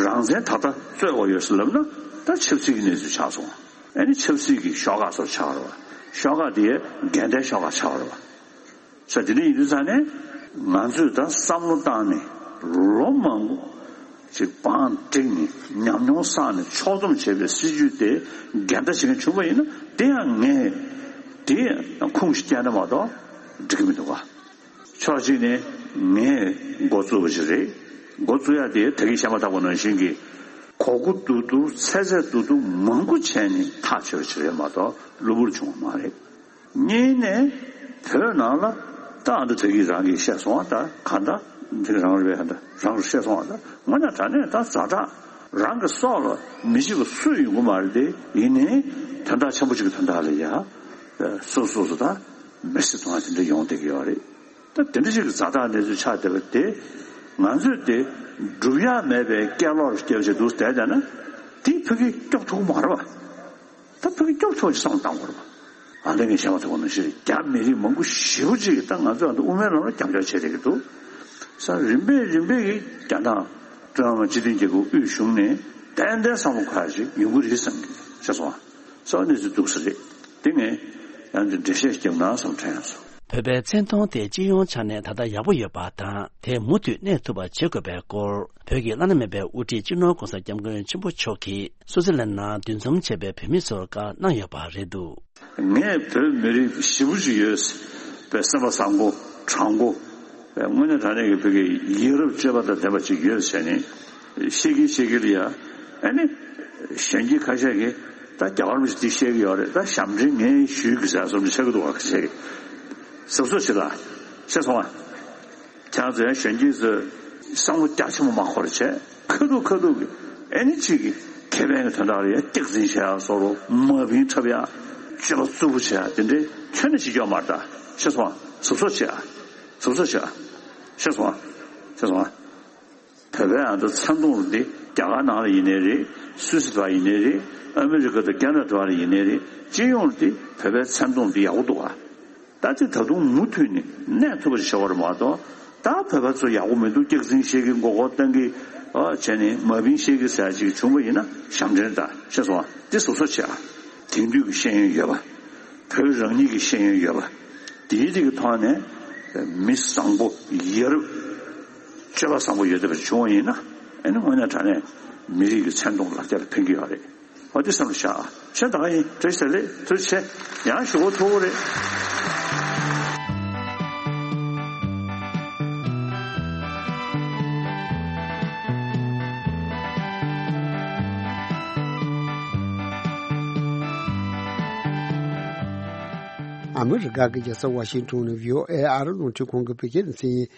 རང་བཙན་ད་ལྟ་རྩོད་དགོས་ཡོད་ཟེར་ལབ་ན་ད་ཆབ་སྲིད་ཀྱི་གནས་ཚུལ་ཆགས་སོང་། ཨ་ནི་ཆབ་སྲིད་ཀྱི་ཤོག་ཁག་སོགས་ཆགས་རེད་བ། ཤོག་ཁག་དེ་འགལ་ཟླའི་ཤོག་ཁག་ཆགས་རེད་བ། ས་དེ་འདྲ་ཡིན་དུས་ཙང་ནས་ང་ཚོས་ད་བསམ་བློ་བཏང་ནས་ལོ་མང་པོ་ཅིག་བང་བསྒྲིགས་ནས་ཉམས་མྱོང་བསགས་ནས་ཕྱོགས་བསྡོམས་བྱས་པའི་སྲིད་ཇུས་དེ་འགལ་ཟླ་བྱེད་མཁན་བྱུང་བ་ཡིན་ན་དེ་ཡང་ངས་དེ་ཁུངས་ཤིག་བསྐྱལ་ན་མ་གཏོགས་འགྲིག་གི་མི་འདུག་ག་ཕྱོགས་གཅིག་ནས་ངས་འགོ་བཙུགས་པ་ཞིག་རེད། འགོ་བཙུགས་ཡ་དེ་ད་གིན་བཤད་མ་ཐག་པ་ནང་བཞིན་གྱི་གོ་དགུ་རྡུག་རྡུག་ཚད་ཚད་རྡུག་རྡུག་མང་པོ་བྱས་ནས་ཐག་ཆོད་པ་ཞིག་རེད་མ་གཏོགས་གློ་བུར་བྱུང་བ་མ་རེད། གཉིས་ནས་བོད་ནང་ལ་ད་ཨ་འདྲ་ད་གིན་རང་གིས་བཤད་སོང་བ་ད་ག་འདྲ་འདི་རང་རེད་པས་ཨ་འདྲ་རང་རེད་བཤད་སོང་བ་ད་དངོས་གནས་དྲང་གནས་ད་ཛ་དྲག་རང་གི་སྲོག་ལ་མི་བྱེད་པ་སུ་ཡོང་གི་མ་རེད་དེ་ཡིན་ནའི་དོན་དག་ཆེན་པོ་ཅིག་གི་དོན་དག་ལ་ཡ་སོ་སོ་སོ་ད་མེར་སྲེག་གཏོང་བ་དེ་འདྲ་ཡོང་བསྡད་ཀྱི་ཡོད་རེད། ད་དེ་འདྲ་ཞིག་གི་ཛ་དྲག་གནས་ཚུལ་ཆགས་བསྡད་པ་དེ་ང་ཚོས་དེ་སྒྲུབ་ཡག་མེད་པའི་སྐད་ལོག་སྐྱེལ་བྱེད་འདུག་བསྡད་བསྡད་ན་དེ་བོད་ཀྱིས་སྐྱོབ་ཐུབ་ཀྱི་མ་རེད་བ། ད་བོད་ཀྱིས་སྐྱོབ་ཐུབ་ཅིག་བསམ་བློ་བཏང་དགོས་རེད་བ། ཨ་ནི་ངས་བཤད་མ་ཐུབ་པ་ནང་བཞིན་རྒྱ་མི་རིགས་མང་པོ་ཞེ་པོ་ཅིག་གིས་ད་ང་ཚོ་ཨ་ནི་དབུ་མའི་ལམ་ལ་རྒྱབ་སྐྱོར་བྱེད་བསྡད་ཀྱི་འདུག་ས་རིམ་པས་རིམ་པས་ཀྱིས་རྒྱ་ནག་ཀྲུང་དབྱང་སྤྱི་མཐུན་རྒྱལ་ཁབ་དབུས་གཞུང་ནས་ཏན་ཏན་བསམ་བློ་འཁོར་ཡག་ཅིག་ཡོང་གི་རེད་བསམ་གྱི་ཤེས་སོང་ཨ། ས་གནས་ཚུལ་འདུག་ས་རེད། དེ་ངས་ཡང་འདི་འགྲེལ་བཤད་རྒྱབ་ན་བསམ་དྲན་ཡང་སོང་། བོད་པའི་མཚན་མཐོང་དེ་སྤྱི་ཡོངས་ཆ་ནས་ད་ལྟ་ཡག་པོ་ཡོད་པ་དང་དེ་མུ་མཐུད་གནས་ཐུབ་པ་བྱེད་དགོས་པའི་སྐོར་བོད་ཀྱི་བླ་ན་མེད་པའི་དབུ་ཁྲིད་སྤྱི་ནོར་༧གོང་ས་༧སྐྱབས་མགོན་ཆེན་པོ་མཆོག་གིས་སུའུ་ཙི་ལན་ནང་འདུ་འཛོམས་བྱས་པའི་བོད་མི་ཚོར་བཀའ་གནང་ཡོད་པ་རེད་འདུག་ངས་བོད་མི་རིགས་ཞེ་པོ་ཅིག་ཡོད་པའི་སེམས་པ་བཟང་པོ་དྲང་པོ། དངོས་གནས་དྲང་གནས་ཀྱི་བོད་ཀྱི་ཡ་རབས་སྤྱོད་པ་དང་ལྡན་པ་ཅིག་ཡོད་ཟེར་ནས་བཤད་ཀྱིན་བཤད་ཀྱིན་ལ་ཡ་ཨ་ནི་གཞོན་སྐྱེས་ཁ་ཤས་ཀྱིས་ད་རྒྱ་གར་མི་ཞིག་འདི་བཤད་ཀྱི་ཡོད་རེད། ད་ཞབས་འདྲེན་ངས་ཞུས་ཀྱི་ཟེར་སོང་ནས་བཤད་ཀྱི་འདུག་བ། ཁ་ཤས་ཀྱིས་གཟབ་གཟབ་བྱེད་ད་བཤད་སོང་བ། ཁྱེད་རང་ཚོ་ཡང་གཞོན་སྐྱེས་ཚོས་བསམ་བློ་རྒྱ་ཆེན་པོ་མ་འཁོར་བྱས་ཁ་ཐུག་ཁ་ཐུག་གི་ཨ་ནི་གཅིག་གི་ཁེ་ཕན་གྱི་དོན་དག་ལ་ཡ་སྐྱག་རྫུན་བཤད་ཡ་བཟོ་འདྲ་མ་བིན་འཁྲབ་ཡ་སྤྱོད་པ་རྩུབ་པོ་བྱེད་ཡ་དེ་འདྲའི་ཁྱོན་ནས་བྱེད་ཀྱི་ཡོད་མ་རེད། ད་ཤེས་སོང་ང་། གཟབ་གཟབ་བྱེད་ཡ། གཟབ་གཟབ་བྱེད་ཡ། ཤེས་སོང་ང་། ཤེས་སོང་ང་། བོད་པའི་ཨ་ད་མཚན་མཐོང་འདི་རྒྱ་གར་ནང་ལ་ཡིན་ནའི་རེད། སུད་སི་བ་ཡིན་ནའི་རེད། ཨ་མི་རི་ཀ་དང་ཁེ་ན་ཌ་བ་ལ་ཡིན་ནའི་རེད། སྤྱི་ཡོངས་འདི་བོད་པའི་མཚན་མཐོང་འདི་ཡག་པོ་འདུག་ག་ད་དེ་ད་དུང་མུ་མཐུད་ནས་གནས་ཐུབ་པ་ཞིག་བྱ་དགོས་རེད་མ་གཏོགས། ད་བོད་པ་ཚོ་ཡག་པོ་མི་འདུག་སྐྱག་རྫུན་བཤད་ཀྱི་མགོ་སྐོར་གཏོང་གི་ཨ་བྱས་ནས་མ་བིན་བཤད་ཀྱི་ཟེར་ཅིག་བྱུང་བ་ཡིན་ན་ཞབས་འདྲེན་ད་ཤེས་སོང་ང་། དེ་གཟབ་གཟབ་བྱེད་ཨ། དེང་དུས་ཀྱི་ཤེས་ཡོན་ཡོད་པ། བོད་རང་ཉིད་ཀྱི་ཤེས་ཡོན་ཡོད་པ། དེའི་རིགས་ཀྱི་ཐོག་ནས་མི་བཟང་པོ་ཡ་རབས་སྤྱོད་པ་བཟང་པོ་ཡོད་བསྡད་པ་ཞིག་བྱུང་བ་ཡིན་ན་ཨ་ནི་དངོས་གནས་དྲང་གནས་མི་རིགས་ཀྱི་མཚན་མཐོང་ལག་ཁྱེར་ལ་ཕན་གྱི་ཡོད་རེད། འོ་དེ་བསམ་བློ་བཞག་ཨ། ཆེ་ད་ག་ཡིན། བཀྲ་ཤིས་བདེ་ལེགས། ཐུགས་རྗེ་ཆེ། ཡང་ཞུ་གོ་ཐུག་རེད། ཨ་མི་རི་ཀ་གི་རྒྱལ་ས་ཝ་ཤིང་ཏོན་ནས་བྷི་ཨོ་ཨེ་ཨ་རི་རླུང་འཕྲིན་ཁང་གི་བོད་སྐད་སྡེ་ཚན་ཡིན།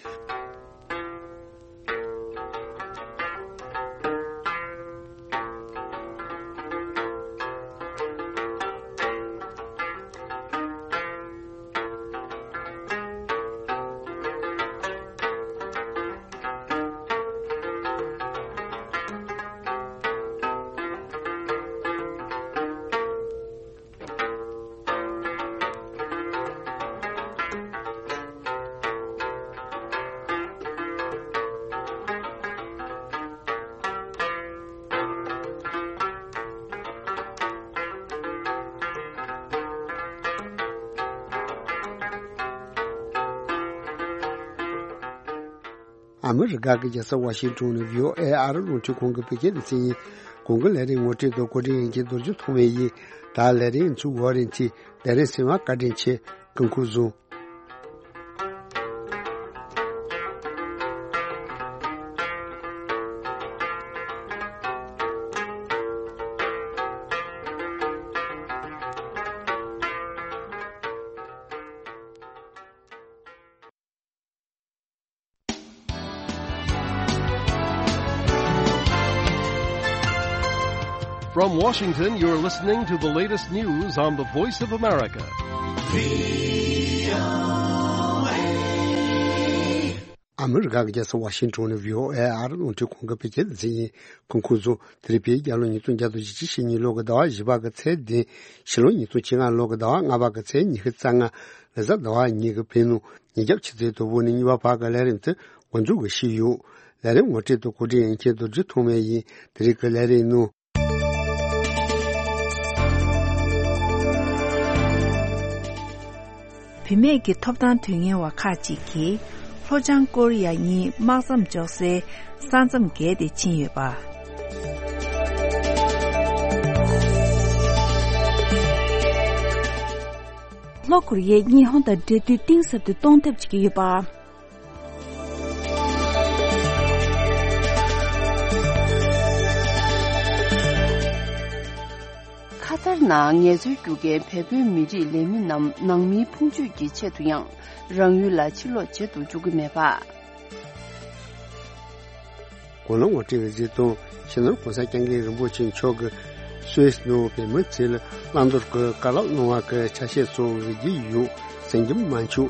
ཨ་མི་རི་ཀ་གི་རྒྱལ་ས་ཝ་ཤིང་ཏོན་ནས་བྷི་ཨོ་ཨེ་ཨ་རི་རླུང་འཕྲིན་ཁང་གི་བོད་སྐད་སྡེ་ཚན་ཡིན། གོང་གི་ལས་རིམ་ངོ་སྤྲོད་དང་བཀོད་སྒྲིག་ཡིན་གྱི་རྡོ་རྗེ་ཐོགས་མེད་ཡིན། ད་ལས་རིམ་ཚུགས་བར་རིན་ཆེ་ལས་རིམ་གསན་པར་བཀའ་དྲིན་ཆེ། སྐུ་ཁམས་བཟང་། From Washington, you're listening to the latest news on the Voice of America. ཨ་མི་རི་ཀ་གི་རྒྱལ་ས་ཝ་ཤིང་ཊོན་ནས་བྷི་ཨོ་ཨེ་ཨ་རི་རླུང་འཕྲིན་ཁང་གི་བོད་སྐད་སྡེ་ཚན་ཡིན། སྐུ་ཁམས་བཟང་། དེ་རིང་བོད་རྒྱལ་ལོ་ཉིས་སྟོང་བརྒྱ་དང་བཞི་བཅུ་ཞེ་གཉིས་ལོ་གི་ཟླ་བ་བཞི་པ་གི་ཚེས་བདུན། ཕྱི་ལོ་ཉིས་སྟོང་བཅོ་ལྔ་ལོ་གི་ཟླ་བ་ལྔ་པ་གི་ཚེས་ཉི་ཤུ་རྩ་ལྔ། ལོ་གསར་ཟླ་བ་གཉིས་ཀྱི་བོད་གནས་ཉིན་རྒྱབ་ཆུ་ཚོད་དང་པོ་ནས་གཉིས་པ་བར་གྱི་ལས་རིམ་དེ་འགོ་འཛུགས་ཞུས་ཡོད། ལས་རིམ་ངོ་སྤྲོད་དང་བཀོད་སྒྲིག་ཡིན་མཁན་རྡོ་རྗེ་ཐོགས་མེད་ཡིན། དེ་རིང་གི་ལས་རིམ་ནང་། བུད་མེད་ཀྱི་ཐོབ་ཐང་དོན་གཉེར་བ་ཁག་ཅིག་གིས་ལྷོ་བྱང་ཀོ་རི་ཡ་གཉིས་དམག་མཚམས་འཇོག་སའི་ས་མཚམས་བརྒལ་ཏེ་ཕྱིན་ཡོད་པ། ལྷོ་ཀོ་རི་ཡས་ཉི་ཧོང་དང་འབྲེལ་མཐུད་གཏིང་ཟབ་ཏུ་གཏོང་ཐབས་བྱེད་ཀྱི་ཡོད་པ། ཁ་ཐར་ནང་ངལ་རྩོལ་རྒྱུག་མཁན་བལ་པོའི་མི་རིགས་ལས་མི་རྣམས་ནང་མིའི་ཕུང་མཆོད་ཀྱི་ཆེད་དུ་ཡང་རང་ཡུལ་ལ་ཕྱིར་ལོག་བྱེད་དུ་འཇུག་གི་མེད་པ། གོ་ལ་ངོ་སྤྲོད་ཀྱི་གཞི་དང་། སྤྱི་ནོར་༸གོང་ས་༸སྐྱབས་མགོན་རིན་པོ་ཆེ་མཆོག་གིས་སུད་སི་ནང་བོད་མི་ཚོ་ལ་བླང་དོར་གྱི་བཀའ་སློབ་གནང་བ་གི་ཆ་ཤས་སོགས་ཡོད་ཀྱི་ཡོད། གསན་རྒྱུ་མ་འཆུག་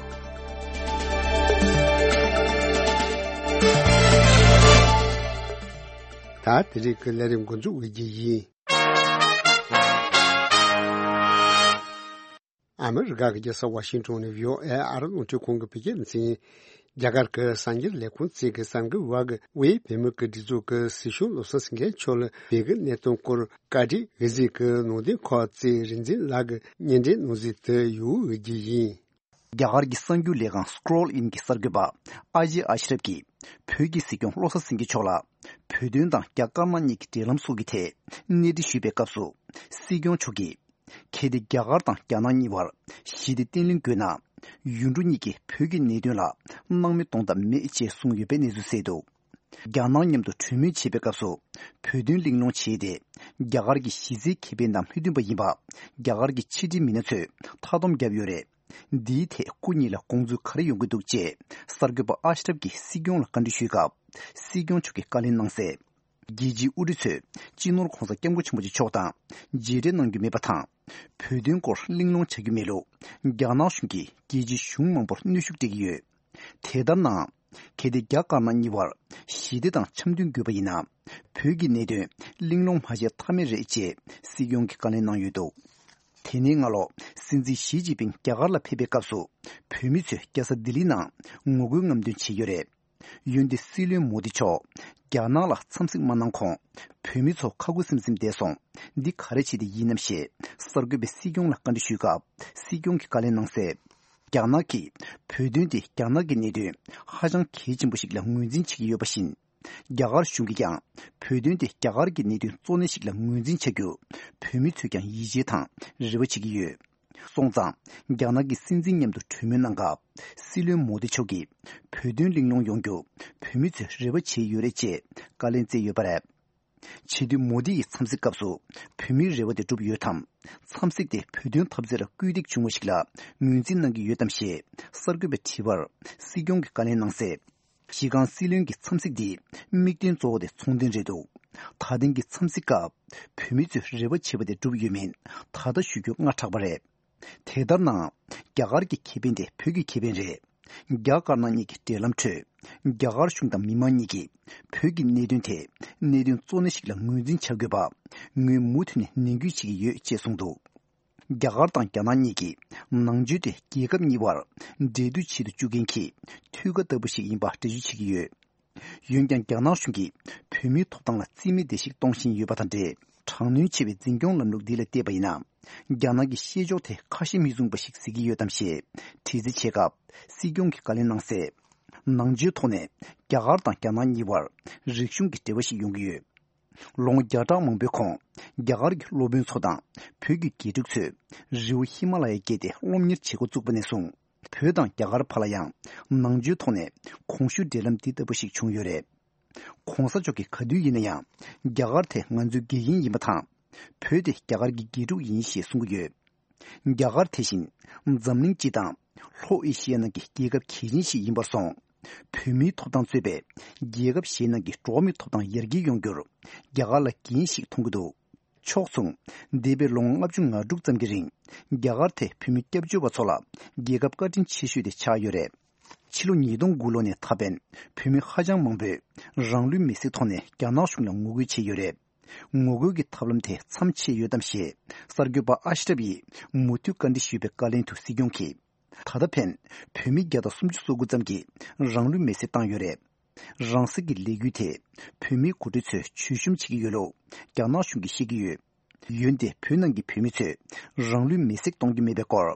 ད་དེ་རིང་གི་ལས་རིམ་འགོ་འཛུགས་ཡིན། ཨ་མི་རི་ཀ་གི་རྒྱལ་ས་ཝ་ཤིང་ཊོན་ནས་བྷི་ཨོ་ཨེ་ཨ་རི་རླུང་འཕྲིན་ཁང་གི་བོད་སྐད་སྡེ་ཚན། རྒྱ་གར་གྱི་གསར་འགྱུར་ལས་ཁུངས་བཅས་ཀྱི་གསར་འགོད་པ་གིས་དབུས་བོད་མི་གི་སྒྲིག་འཛུགས་ཀྱི་སྲིད་སྐྱོང་བློ་བཟང་སེང་གེ་མཆོག་ལ་བོད་ཀྱི་གནད་དོན་སྐོར་བཀའ་འདྲི་འོས་འཛིན་གྱི་ནང་དོན་ཁག་བཅས་རིག་འཛིན་ལགས་ཀྱིས་སྙན་སྒྲོན་གནང་གཟིགས་དེ་ཡོད་འོས་ཀྱི་ཡིན། རྒྱ་གར་གྱི་གསར་འགྱུར་ལས་ཁང་Scroll In་གྱི་གསར་འགོད་པ་ཨ་ཇེ་ཨ་ཤི་རབ་ཀྱིས་བོད་ཀྱི་སྲིད་སྐྱོང་བློ་བཟང་སེང་གེ་མཆོག་ལ་བོད་དོན་དང་རྒྱ་དཀར་ནག་གཉིས་ཀྱི་འབྲེལ་ལམ་སོགས་ཀྱི་ཐད་གནས་འདྲི་ཞུས་པའི་སྐབས་སུ། སྲིད་སྐྱོང་མཆོག་གིས། གལ་ཏེ་རྒྱ་གར་དང་རྒྱ་ནག་གཉིས་བར་ཞི་བདེ་བརྟན་ལྷིང་དགོས་ན། ཡུལ་གྲུ་གཉིས་ཀྱིས་བོད་ཀྱི་གནད་དོན་ལ་སྣང་མེད་གཏོང་ཐབས་མེད་ཅེས་གསུངས་ཡོད་པའི་གནས་ཚུལ་གསལ་འདུག་རྒྱ་ནག་མཉམ་དུ་གྲོས་མོལ་བྱེད་པའི་སྐབས་སུ། བོད་དོན་གླེང་སློང་བྱས་ཏེ། རྒྱ་གར་གྱི་གཞི་རྩའི་ཁེ་ཕན་དང་མོས་མཐུན་པ་ཡིན་པ། རྒྱ་གར་གྱི་ཕྱི་འབྲེལ་མི་སྣ་ཚོས་མཐའ་སྡོམ་བརྒྱབ་ཡོད་རེད། འདིའི་ཐད་སྐུ་ཉིད་ལ་དགོངས་ཚུལ་ག་རེ་ཡོང་གི་འདུག་ཅེས་གསར་འགོད་པ་ཨ་ཤི་རབ་ཀྱིས་སྲིད་སྐྱོང་ལ་བཀའ་འདྲི་ཞུས་སྐབས། སྲིད་སྐྱོང་མཆོག་གིས་བཀའ་ལན་གནང་གསལ། རྒྱལ་སྤྱིའི་དབུ་ཁྲིད་ཚོས་སྤྱི་ནོར་༸གོང་ས་༸སྐྱབས་མགོན་ཆེན་པོ་མཆོག་དང་མཇལ་འཕྲད་གནང་རྒྱུ་མེད་པ་དང་། བོད་དོན་སྐོར་གླེང་སློང་བྱ་རྒྱུ་མེད་ལུགས། རྒྱ་ནག་གཞུང་གིས་རྒྱལ་སྤྱིའི་གཞུང་མང་པོར་གནོན་ཤུགས་སྤྲད་ཀྱི་ཡོད། དེ་ལྟར་ན། གལ་ཏེ་རྒྱ་དཀར་ནག་གཉིས་བར་ཞི་བདེ་དང་འཆམ་མཐུན་དགོས་པ་ཡིན་ན། བོད་ཀྱི་གནད་དོན་གླེང་སློང་མ་བྱས་ཐབས་མེད་རེད་ཅེས་སྲིད་སྐྱོང་གིས་བཀའ་ལན་གནང་ཡོད་འདུག་དེ་ནས་སྔ་ལོ། སྲིད་འཛིན་ཞི་ཅིན་ཕིང་རྒྱ་གར་ལ་ཕེབས་པའི་སྐབས་སུ། བོད་མི་ཚོས་རྒྱལ་ས་ལྡི་ལི་ནང་ངོ་རྒོལ་རྔམ་སྟོན་བྱས་ཡོད་རེད། འོན་ཏེ་སྲིད་བློན་མོ་དི་མཆོག་རྒྱ་ནག་ལ་འཚམས་གཟིགས་མ་གནང་གོང་། བོད་མི་ཚོ་ཁ་ཁུ་སིམ་སིམ་བསྡད་སོང་། འདི་ག་རེ་བྱས་ཏེ་ཡིན་ནམ་ཞེས་གསར་འགོད་པས་སྲིད་སྐྱོང་ལ་བཀའ་འདྲི་ཞུས་སྐབས། སྲིད་སྐྱོང་གིས་བཀའ་ལན་གནང་གསལ། རྒྱ་ནག་གིས་བོད་དོན་དེ་རྒྱ་ནག་གི་གནད་དོན་ཧ་ཅང་གལ་ཆེན་པོ་ཞིག་ལ་ངོས་འཛིན་བྱེད་ཀྱི་ཡོད་པ་བཞིན། རྒྱ་གར་གཞུང་གིས་ཀྱང་བོད་དོན་དེ་རྒྱ་གར་གྱི་གནད་དོན་གཙོ་གནད་ཞིག་ལ་ངོས་འཛིན་བྱ་རྒྱུར་བོད་མི་ཚོས་ཀྱང་ཡིད་ཆེས་དང་རེ་བ་བྱེད་ཀྱི་ཡོད། སོང་ཙང་། རྒྱ་ནག་གི་སྲིད་འཛིན་མཉམ་དུ་གྲོས་མོལ་གནང་སྐབས། སྲིད་བློན་མོ་དི་མཆོག་གིས་བོད་དོན་གླེང་སློང་ཡོང་རྒྱུ་བོད་མི་ཚོས་རེ་བ་བྱས་ཡོད་རེད་ཅེས་བཀའ་ལན་སྩལ་ཡོད་པ་རེད། བྱེད་དུས་མོ་དི་ཡི་འཚམས་གཟིགས་སྐབས་སུ་བོད་མིའི་རེ་བ་དེ་འགྲུབ་ཡོད་དམ། འཚམས་གཟིགས་དེ་བོད་དོན་འཐབ་རྩོད་ལ་སྐུལ་འདེད་བྱུང་བ་ཞིག་ལ་ངོས་འཛིན་གནང་གི་ཡོད་དམ་ཞེས་གསར་འགོད་པས་དྲིས་པར། སྲིད་སྐྱོང་གིས་བཀའ་ལན་གནང་གསལ། གཞི་རྐང་སྲིད་བློན་གྱི་འཚམས་གཟིགས་འདིའི་དམིགས་དོན་གཙོ་བོ་དེ་ཚོང་དོན་རེད་འདུག་ད་ཐེངས་ཀྱི་འཚམས་གཟིགས་སྐབས། བོད་མི་ཚོས་རེ་བ་བྱས་པ་དེ་འགྲུབ་ཡོད་མིན་ད་ལྟ་ཞུ་རྒྱུ་སྔ་དྲགས་པ་རེད། དེ་ལྟར་ན། རྒྱ་གར་གྱི་ཁེ་ཕན་དེ་བོད་ཀྱི་ཁེ་ཕན་རེད། རྒྱ་དཀར་ནག་གཉིས་ཀྱི་འབྲེལ་ལམ་ཁྲོད། རྒྱ་གར་གཞུང་དང་མི་མང་གཉིས་ཀྱིས་བོད་ཀྱི་གནད་དོན་དེ་གནད་དོན་གཙོ་གནད་ཞིག་ལ་ངོས་འཛིན་བྱ་དགོས་པ། ངོས་མུ་མཐུད་ནས་ནན་སྐུལ་བྱེད་ཀྱི་ཡོད་ཅེས་གསུངས་འདུག་རྒྱ་གར་དང་རྒྱ་ནག་གཉིས་ཀྱིས་ནང་ཆོས་དེ་རྒྱལ་ཁབ་གཉིས་བར་འབྲེལ་མཐུད་བྱེད་དུ་བཅུག་མཁན་གྱི་མཐུད་ཀ་ལྟ་བུ་ཞིག་ཡིན་པ་འགྲེལ་བརྗོད་བྱེད་ཀྱི་ཡོད། འོན་ཀྱང་རྒྱ་ནག་གཞུང་གིས་བོད་མིའི་ཐོབ་ཐང་ལ་རྩིས་མེད་བརྡལ་བཤིག་གཏོང་བཞིན་ཡོད་པ་དང་འབྲེལ། དྲག་གནོན་ཆེ་བའི་འཛིན་སྐྱོང་ལམ་ལུགས་འདི་ལ་བལྟས་པ་ཡིན་ན། རྒྱ་ནག་གི་བཤད་ཕྱོགས་དེ་ཁ་ཞེ་མི་བཟུང་བ་ཞིག་གཟིགས་ཀྱི་ཡོད་དམ་ཞེས་དྲི་རྩད་བྱས་སྐབས། སྲིད་སྐྱོང་གིས་བཀའ་ལན་གནང་གསལ། ནང་ཆོས་ཐོག་ནས་རྒྱ་གར་དང་རྒྱ་ནག་གཉིས་བར་རིག་གཞུང་གི་འབྲེལ་བ་ཞིག་ཡོང་གི་ཡོད། ལོ་ངོ་བརྒྱ་ཕྲག་མང་པོའི་གོང་རྒྱ་གར་གྱི་སློབ་དཔོན་ཚོ་དང་བོད་ཀྱི་དགེ་ཕྲུག་ཚོས་རི་བོ་ཧི་མ་ལ་ཡ་བརྒལ་ཏེ་སློབ་གཉེར་བྱེད་འགོ་བཙུགས་པ་ནས་བཟུང་། བོད་དང་རྒྱ་གར་བར་ལ་ཡང་ནང་ཆོས་ཐོག་ནས་གོང་ཞུས་འབྲེལ་ལམ་འདི་ལྟ་བུ་ཞིག་བྱུང་ཡོད་རེད། ༸གོང་ས་མཆོག་གིས་ག་དུས་ཡིན་ན་ཡང་རྒྱ་གར་དེ་ང་ཚོའི་དགེ་རྒན་ཡིན་པ་དང་། བོད་དེ་རྒྱ་གར་གྱི་དགེ་ཕྲུག་ཡིན་ཞེས་གསུང་གི་ཡོད། རྒྱ་གར་དེ་བཞིན་འཛམ་གླིང་སྤྱི་དང་ལྷོ་ཨེ་ཤི་ཡ་ནང་གི་རྒྱལ་ཁབ་གལ་ཆེན་ཞིག་ཡིན་པར་སོང་། བོད་མིའི་ཐོབ་ཐང་གཙོས་པའི་རྒྱལ་ཁབ་གཞན་ནང་གི་འགྲོ་བ་མིའི་ཐོབ་ཐང་ཡར་རྒྱས་ཡོང་རྒྱུར་རྒྱ་གར་ལ་འགན་ཞིག་མཐོང་གི་འདུག་ཕྱོགས་མཚུངས། འདས་པའི་ལོ་ངོ་ལྔ་བཅུ་ང་དྲུག་ཙམ་གྱི་རིང་རྒྱ་གར་དེ་བོད་མི་སྐྱབས་བཅོལ་བ་ཚོ་ལ་རྒྱལ་ཁབ་བཀའ་དྲིན་ཆེ་ཤོས་དེ་ཆགས་ཡོད་རེད། ཕྱི་ལོ་ཉིས་སྟོང་དགུ་ལོ་ནས་ད་ཕན་བོད་མི་ཧ་ཅང་མང་པོས་རང་ལུས་མེར་སྲེག་ཐོག་ནས་རྒྱ་ནག་གཞུང་ལ་ངོ་རྒོལ་བྱས་ཡོད་རེད། ངོ་རྒོལ་གྱི་ཐབས་ལམ་དེ་མཚམས་ཆད་ཡོད་དམ་ཞེས་གསར་འགོད་པ་ཨ་ཤི་རབ་ཡིས་མུ་མཐུད་བཀའ་འདྲི་ཞུས་པའི་བཀའ་ལན་དུ་སྲིད་སྐྱོང་གིས། ད་ལྟ་ཕན་བོད་མི་བརྒྱ་དང་སུམ་ཅུ་སོ་དགུ་ཙམ་གྱིས་རང་ལུས་མེར་སྲེག་བཏང་ཡོད་རེད། རང་སྲེག་གི་ལས་འགུལ་དེ་བོད་མིའི་འགོ་ཁྲིད་ཚོས་བྱུས་གཤོམ་བྱེད་ཀྱི་ཡོད་ལུགས་རྒྱ་ནག་གཞུང་གིས་བཤད་ཀྱི་ཡོད། འོན་ཏེ་བོད་ནང་གི་བོད་མི་ཚོས་རང་ལུས་མེར་སྲེག་གཏོང་རྒྱུ་མེད་པའི་སྐོར་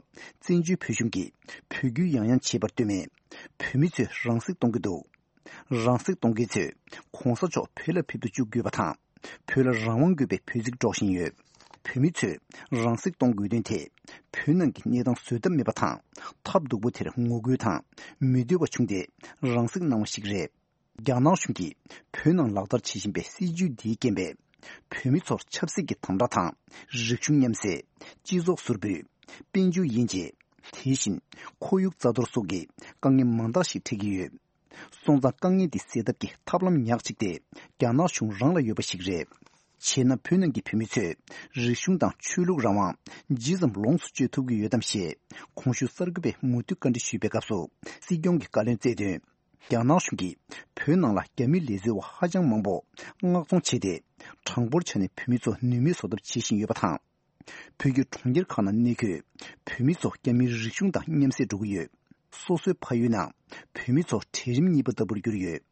བཙན་བྱོལ་བོད་གཞུང་གིས་འབོད་སྐུལ་ཡང་ཡང་བྱས་པར་ལྟོས་མེད། བོད་མི་ཚོས་རང་སྲེག་གཏོང་གི་འདུག་རང་སྲེག་གཏོང་མཁན་ཚོས་གོང་ས་མཆོག་བོད་ལ་ཕེབས་དུ་བཅུག་དགོས་པ་དང་། བོད་ལ་རང་དབང་དགོས་པའི་འབོད་ཚིག་སྒྲོག་བཞིན་ཡོད། བོད་མི་ཚོས་རང་སྲེག་གཏོང་དགོས་དོན་དེ་བོད་ནང་གི་གནས་སྟངས་བཟོད་ཐབས་མེད་པ་དང་། ཐབས་སྡུག་པོ་དེར་ངོ་རྒོལ་དང་མི་འདོད་པ་བྱུང་སྟེ་རང་སྲེག་གནང་བ་ཞིག་རེད། རྒྱ་ནག་གཞུང་གིས་བོད་ནང་ལག་བསྟར་བྱེད་བཞིན་པའི་སྲིད་བྱུས་འདིའི་རྐྱེན་པས། བོད་མི་ཚོར་ཆབ་སྲིད་ཀྱི་དམ་དྲག་དང་། རིག་གཞུང་མཉམ་བསྲེས། སྤྱི་ཚོགས་ཟུར་འབུད། དཔལ་འབྱོར་དབྱེ་འབྱེད། དེ་བཞིན་ཁོར་ཡུག་རྩ་གཏོར་སོགས་ཀྱི་དཀའ་ངལ་མང་དག་ཞིག་འཕྲད་ཀྱི་ཡོད། སོང་ཙང་དཀའ་ངལ་འདི་སེལ་ཐབས་ཀྱི་ཐབས་ལམ་ཉག་གཅིག་དེ་རྒྱ་ནག་གཞུང་རང་ལ་ཡོད་པ་ཞིག་རེད། བྱས་ན་བོད་ནང་གི་བོད་མི་ཚོས་རིག་གཞུང་དང་ཆོས་ལུགས་རང་དབང་ཇི་ཙམ་ལོངས་སུ་སྤྱོད་ཐུབ་ཀྱི་ཡོད་དམ་ཞེས་གོང་ཞུས་གསར་འགོད་པས་མུ་མཐུད་བཀའ་འདྲི་ཞུས་པའི་སྐབས་སུ་སྲིད་སྐྱོང་གིས་བཀའ་ལན་སྩལ་དོན། རྒྱ་ནག་གཞུང་གིས་བོད་ནང་ལ་རྒྱ་མི་ལས་བཟོ་བ་ཧ་ཅང་མང་པོ་མངགས་གཏོང་བྱས་ཏེ། གྲངས་འབོར་ཆ་ནས་བོད་མི་ཚོ་ནུས་མེད་བཟོ་ཐབས་བྱེད་བཞིན་ཡོད་པ་དང་། བོད་ཀྱི་གྲོང་ཁྱེར་ཁག་ནང་གནས་འཁོད་བོད་མི་ཚོ་རྒྱ་མིའི་རིག་གཞུང་དང་མཉམ་བསྲེས་འགྲོ་གི་ཡོད། སོ་སོའི་ཕ་ཡུལ་ནང་བོད་མི་ཚོ་གྲལ་རིམ་གཉིས་པ་ལྟ་བུར་གྱུར་ཡོད།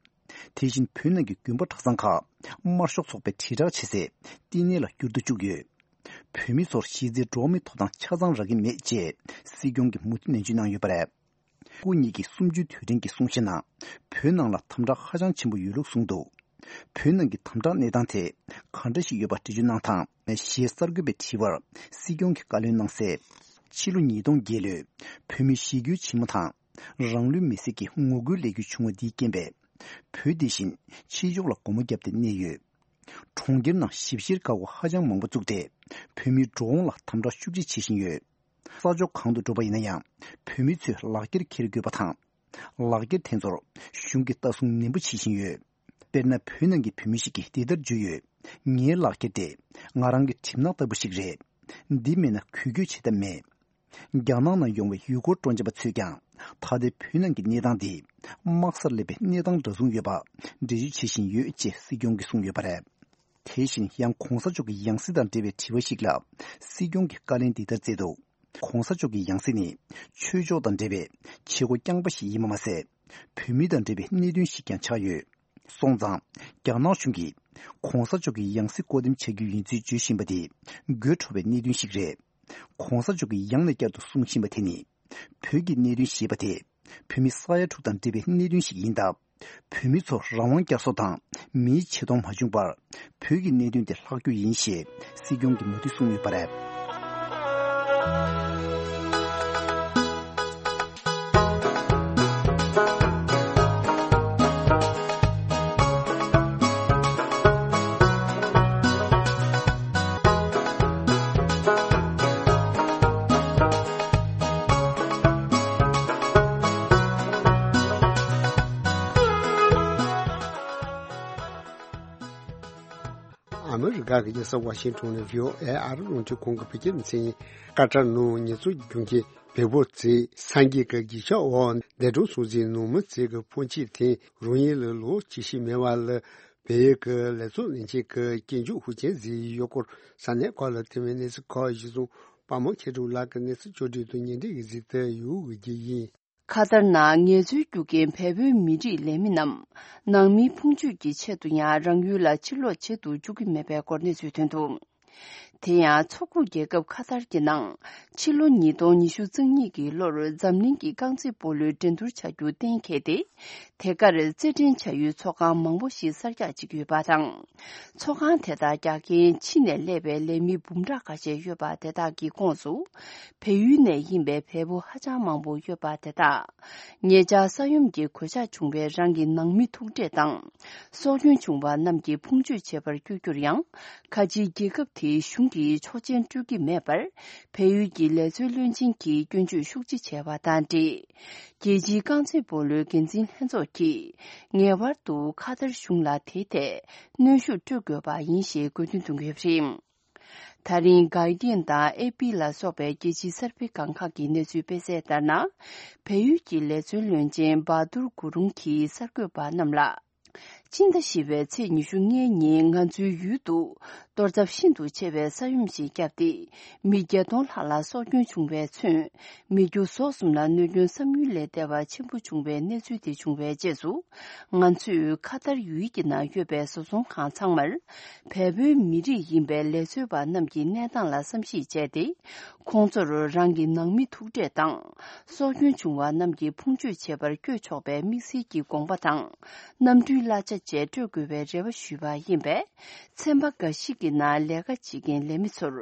དེ་བཞིན་བོད་ནང་གི་དགོན་པ་གྲྭ་ཚང་ཁག་དམར་ཤོག་ཚོགས་པའི་དྲིལ་བསྒྲགས་བྱེད་སའི་བསྟི་གནས་ལ་འགྱུར་དུ་བཅུག་ཡོད། བོད་མི་ཚོར་གཞི་རྩའི་འགྲོ་བ་མིའི་ཐོབ་ཐང་ཆ་ཚང་རག་གི་མེད་ཅེས་སྲིད་སྐྱོང་གིས་མུ་མཐུད་ནན་བརྗོད་གནང་ཡོད་པ་རེད། སྐུ་ཉིད་ཀྱིས་གསུམ་བཅུའི་དུས་དྲན་གྱི་གསུང་བཤད་ནང་བོད་ནང་ལ་དམ་དྲག་ཧ་ཅང་ཆེན་པོ་ཡོད་ལུགས་གསུངས་འདུག་བོད་ནང་གི་དམ་དྲག་གནས་སྟངས་དེ་ག་འདྲ་ཞིག་ཡོད་པ་འགྲེལ་བརྗོད་གནང་དང་ཞེས་གསར་འགོད་པའི་དྲི་བར་སྲིད་སྐྱོང་གིས་བཀའ་ལན་གནང་གསལ། ཕྱི་ལོ་ཉིས་སྟོང་བརྒྱད་ལོའི་བོད་མིའི་ཞི་རྒོལ་ཆེན་མོ་དང་རང་ལུས་མེར་སྲེག་གི་ངོ་རྒོལ་ལས་འགུལ་བྱུང་བ་འདིའི་རྐྱེན་པས། བོད་འདི་བཞིན་ཕྱི་ཕྱོགས་ལ་སྒོ་མོ་བརྒྱབ་སྟེ་གནས་ཡོད། གྲོང་ཁྱེར་ནང་ཞིབ་བཤེར་འགག་སྒོ་ཧ་ཅང་མང་པོ་བཙུགས་ཏེ། བོད་མིའི་འགྲོ་འོང་ལ་དམ་དྲག་ཤུགས་ཆེ་བྱེད་བཞིན་ཡོད། ས་ཕྱོགས་གང་དུ་འགྲོ་བ་ཡིན་ན་ཡང་། བོད་མི་ཚོས་ལག་འཁྱེར་འཁྱེར་དགོས་པ་དང་། ལག་འཁྱེར་དེ་ཚོར་གཞུང་གིས་ལྟ་སྲུང་ནན་པོ་བྱེད་བཞིན་ཡོད། དཔེར་ན། བོད་ནང་གི་བོད་མི་ཞིག་གིས་འདི་ལྟར་བརྗོད་ཡོད། ངའི་ལག་འཁྱེར་དེ་ང་རང་གི་གྲིབ་ནག་ལྟ་བུ་ཞིག་རེད། འདི་མེད་ན་འགུལ་སྐྱོད་བྱེད་ཐབས་མེད། རྒྱ་ནག་ནང་ཡོང་བའི་ཡུལ་སྐོར་སྤྲོ་འཆམ་པ་ཚོས་ཀྱང་ད་ལྟའི་བོད་ནང་གི་གནས་སྟངས་འདི་དམག་སར་སླེབས་པའི་གནས་སྟངས་འདྲ་མཚུངས་ཡོད་པ་འགྲེལ་བརྗོད་བྱེད་བཞིན་ཡོད་ཅེས་སྲིད་སྐྱོང་གིས་གསུངས་ཡོད་པ་རེད། དེ་བཞིན་ཡང་གོང་ས་མཆོག་གི་ཡང་སྲིད་དང་འབྲེལ་བའི་དྲི་བ་ཞིག་ལ་སྲིད་སྐྱོང་གིས་བཀའ་ལན་འདི་ལྟར་སྩལ་འདུག་གོང་ས་མཆོག་གི་ཡང་སྲིད་ནི་ཆོས་ཕྱོགས་དང་འབྲེལ་བའི་བྱེད་སྒོ་རྐྱང་པ་ཞིག་ཡིན་པ་མ་ཟད། བོད་མི་དང་འབྲེལ་བའི་གནད་དོན་ཞིག་ཀྱང་ཆགས་ཡོད། སོང་ཙང་། རྒྱ་ནག་གཞུང་གིས་གོང་ས་མཆོག་གི་ཡང་སྲིད་བསྐོ་འདེམས་བྱ་རྒྱུ་ཡིན་ཚུལ་བརྗོད་བཞིན་པ་དེ་དགོད་བྲོ་བའི་གནད་དོན་ཞིག་རེད། གོང་ས་མཆོག་གིས་ཡང་ནས་བསྐྱར་དུ་གསུང་བཞིན་པ་དེ་ནི། བོད་ཀྱི་གནད་དོན་ཞེས་པ་དེ་བོད་མི་ས་ཡ་དྲུག་དང་འབྲེལ་བའི་གནད་དོན་ཞིག་ཡིན་སྟབས། བོད་མི་ཚོར་རང་དབང་བསྐྱར་གསོ་དང་མིའི་ཆེ་མཐོང་མ་བྱུང་བར་བོད་ཀྱི་གནད་དོན་དེ་ལྷག་རྒྱུ་ཡིན་ཞེས་སྲིད་སྐྱོང་གིས་མུ་མཐུད་གསུངས་ཡོད་པ་རེད། ཨ་མི་རི་ཀ་གི་རྒྱལ་ས་ཝ་ཤིང་ཊོན་ནས་བྷི་ཨོ་ཨེ་ཨ་རི་རླུང་འཕྲིན་ཁང་གི་བོད་སྐད་སྡེ་ཚན་ཡིན། ཀ་ཏར་ནང་ཉེས་གསོག་རྒྱུ་མཁན་བལ་པོ་ཚོས་སངས་རྒྱས་ཀྱི་གདུལ་བྱ་འོག་འདས་གྲོངས་སོང་ཚེ་ནང་མི་ཚོས་ཀྱི་ཕོན་ཆེན་དེ་རང་ཉིད་ལ་ལོ་ཆེ་ཤོས་མེད་པ་ལ་བལ་ཡུལ་གྱི་ལས་ཚོགས་ལས་བྱེད་ཀྱི་སྐྱིན་འཇུག་ཧུ་ཅན་ཟེར་བའི་ཡུལ་སྐོར་ས་གནས་ཁག་ལ་ཐོན་པའི་གནས་ཚུལ་ཁག་གཞིར་བཟུང་པ་མོ་མཁས་གྲུབ་ལགས་ཀྱིས་གནས་ཚུལ་བཅོས་སྒྲིག་དང་ཉེ་འབྲེལ་གྱི་གཟིགས་དེབ་ཡོད་དགོས་ཀྱི་ཡིན། ཁ་ཏར་ནང་ངལ་རྩོལ་རྒྱུ་རྐྱེན་བལ་པོའི་མི་རིགས་ལས་མི་རྣམས་ནང་མིའི་ཕུང་མཆོད་ཀྱི་ཆེད་དུ་ཡང་རང་ཡུལ་ལ་ཕྱིར་ལོག་བྱེད་དུ་བཅུག་གི་མེད་པའི་སྐོར་གནས་ཚུལ་ཐོན་འདུག་དེ་ཡང་མཚོ་ཁུག་རྒྱལ་ཁབ་ཁ་ཐར་གྱི་ནང་ཕྱི་ལོ་ཉིས་སྟོང་ཉི་ཤུ་རྩ་གཉིས་ཀྱི་ལོར་འཛམ་གླིང་གི་རྐང་རྩེད་སྤོ་ལོའི་འགྲན་བསྡུར་བྱ་རྒྱུ་གཏན་འཁེལ་ཏེ། དེ་གར་རྩེད་འགྲན་བྱ་ཡུལ་ཚོགས་ཁང་མང་པོ་ཞིག་གསར་རྒྱག་བྱེད་ཀྱི་ཡོད་པ་དང་། ཚོགས་ཁང་དེ་དག་རྒྱག་མཁན་ཕྱི་ནས་སླེབས་པའི་ལས་མི་འབུམ་ཕྲག་ཁ་ཤས་ཡོད་པ་དེ་དག་གི་ཁོངས་སུ། བལ་ཡུལ་ནས་ཡིན་པའི་བལ་པོ་ཧ་ཅང་མང་པོ་ཡོད་པ་དེ་དག་ཉེ་ཆར་ས་ཡོམ་གྱི་གོད་ཆག་བྱུང་བའི་རང་གི་ནང་མི་ཐུག་འཕྲད་དང་། སྲོག་སྐྱོན་བྱུང་བ་རྣམས་ཀྱི་ཕུང་མཆོད་བྱེད་པར་བསྐྱོད་རྒྱུར་ཡང་། ཁ་ཆེའི་རྒྱལ་ཁབ་དེའི་གཞུང་གིས་ཆོག་མཆན་སྤྲོད་ཀྱི་མེད་པར། བལ་ཡུལ་གྱི་ལས་བཟོའི་བློན་ཆེན་གྱིས་སྐྱོན་བརྗོད་ཤུགས་ཆེ་བྱས་པ་དང་འབྲེལ། རྒྱལ་སྤྱིའི་རྐང་རྩེད་སྤོ་ལོའི་འགན་འཛིན་ལྷན་ཚོགས་ཀྱིས་ངེས་པར་དུ་ཁ་ཐར་གཞུང་ལ་དེའི་ཐད་གནོན་ཤུགས་སྤྲོད་དགོས་པ་ཡིན་ཞེས་དགོས་འདུན་གཏོང་གི་ཡོད་པ་རེད། ད་རིང་Guardian་དང་ཨེ་པི་ལ་སོགས་པའི་རྒྱལ་སྤྱིའི་གསར་སྤེལ་སྒང་ཁག་གི་གནས་ཚུལ་སྤེལ་གསལ་ལྟར་ན། བལ་ཡུལ་གྱི་ལས་བཟོའི་བློན་ཆེན་བྷ་དུར་གུ་རུང་གིས་གསར་འགོད་པ་རྣམས་ལ། སྤྱི་ཟླ་བཞི་པའི་ཚེས་ཉི་ཤུ་ལྔའི་ཉིན་ང་ཚོའི་ཡུལ་དུ་གཏོར་ཚབས་ཤིན་ཏུ་ཆེ་བའི་ས་ཡོམ་ཞིག་བརྒྱབ་སྟེ། མི་བརྒྱད་སྟོང་ལྷག་ལ་སྲོག་སྐྱོན་བྱུང་བའི་ཚུན། མི་རྒྱུ་ཟོག་གསུམ་ལ་གནོད་སྐྱོན་བསམ་ཡུལ་ལས་འདས་པ་ཆེན་པོ་བྱུང་བའི་གནས་ཚུལ་དེ་བྱུང་བའི་རྗེས་སུ། ང་ཚོས་ཁ་ཐར་ཡུལ་གྱི་ནང་ཡོད་པའི་བཟོ་ཚོང་ཁང་ཚང་མར། བལ་པོའི་མི་རིགས་ཡིན་པའི་ལས་བཟོ་བ་རྣམས་ཀྱི་གནས་སྟངས་ལ་བསམ་གཞིག་བྱས་ཏེ། ཁོང་ཚོར་རང་གི་ནང་མི་ཐུག་འཕྲད་དང་། སྲོག་སྐྱོན་བྱུང་བ་རྣམས་ཀྱི་ཕུང་མཆོད་བྱེད་པར་བསྐྱོད་ཆོག་པའི་དམིགས་བསལ་གྱི་དགོངས་པ་དང་། གནམ་གྲུའི་གླ་ཆ་བཅས་སྤྲོད་དགོས་པའི་རེ་བ་ཞུས་པ་ཡིན་པས། ཚན་པ་འགའ་ཞིག་གི་ནང་ལས་ཀ་བྱེད་མཁན་ལས་མི་ཚོར་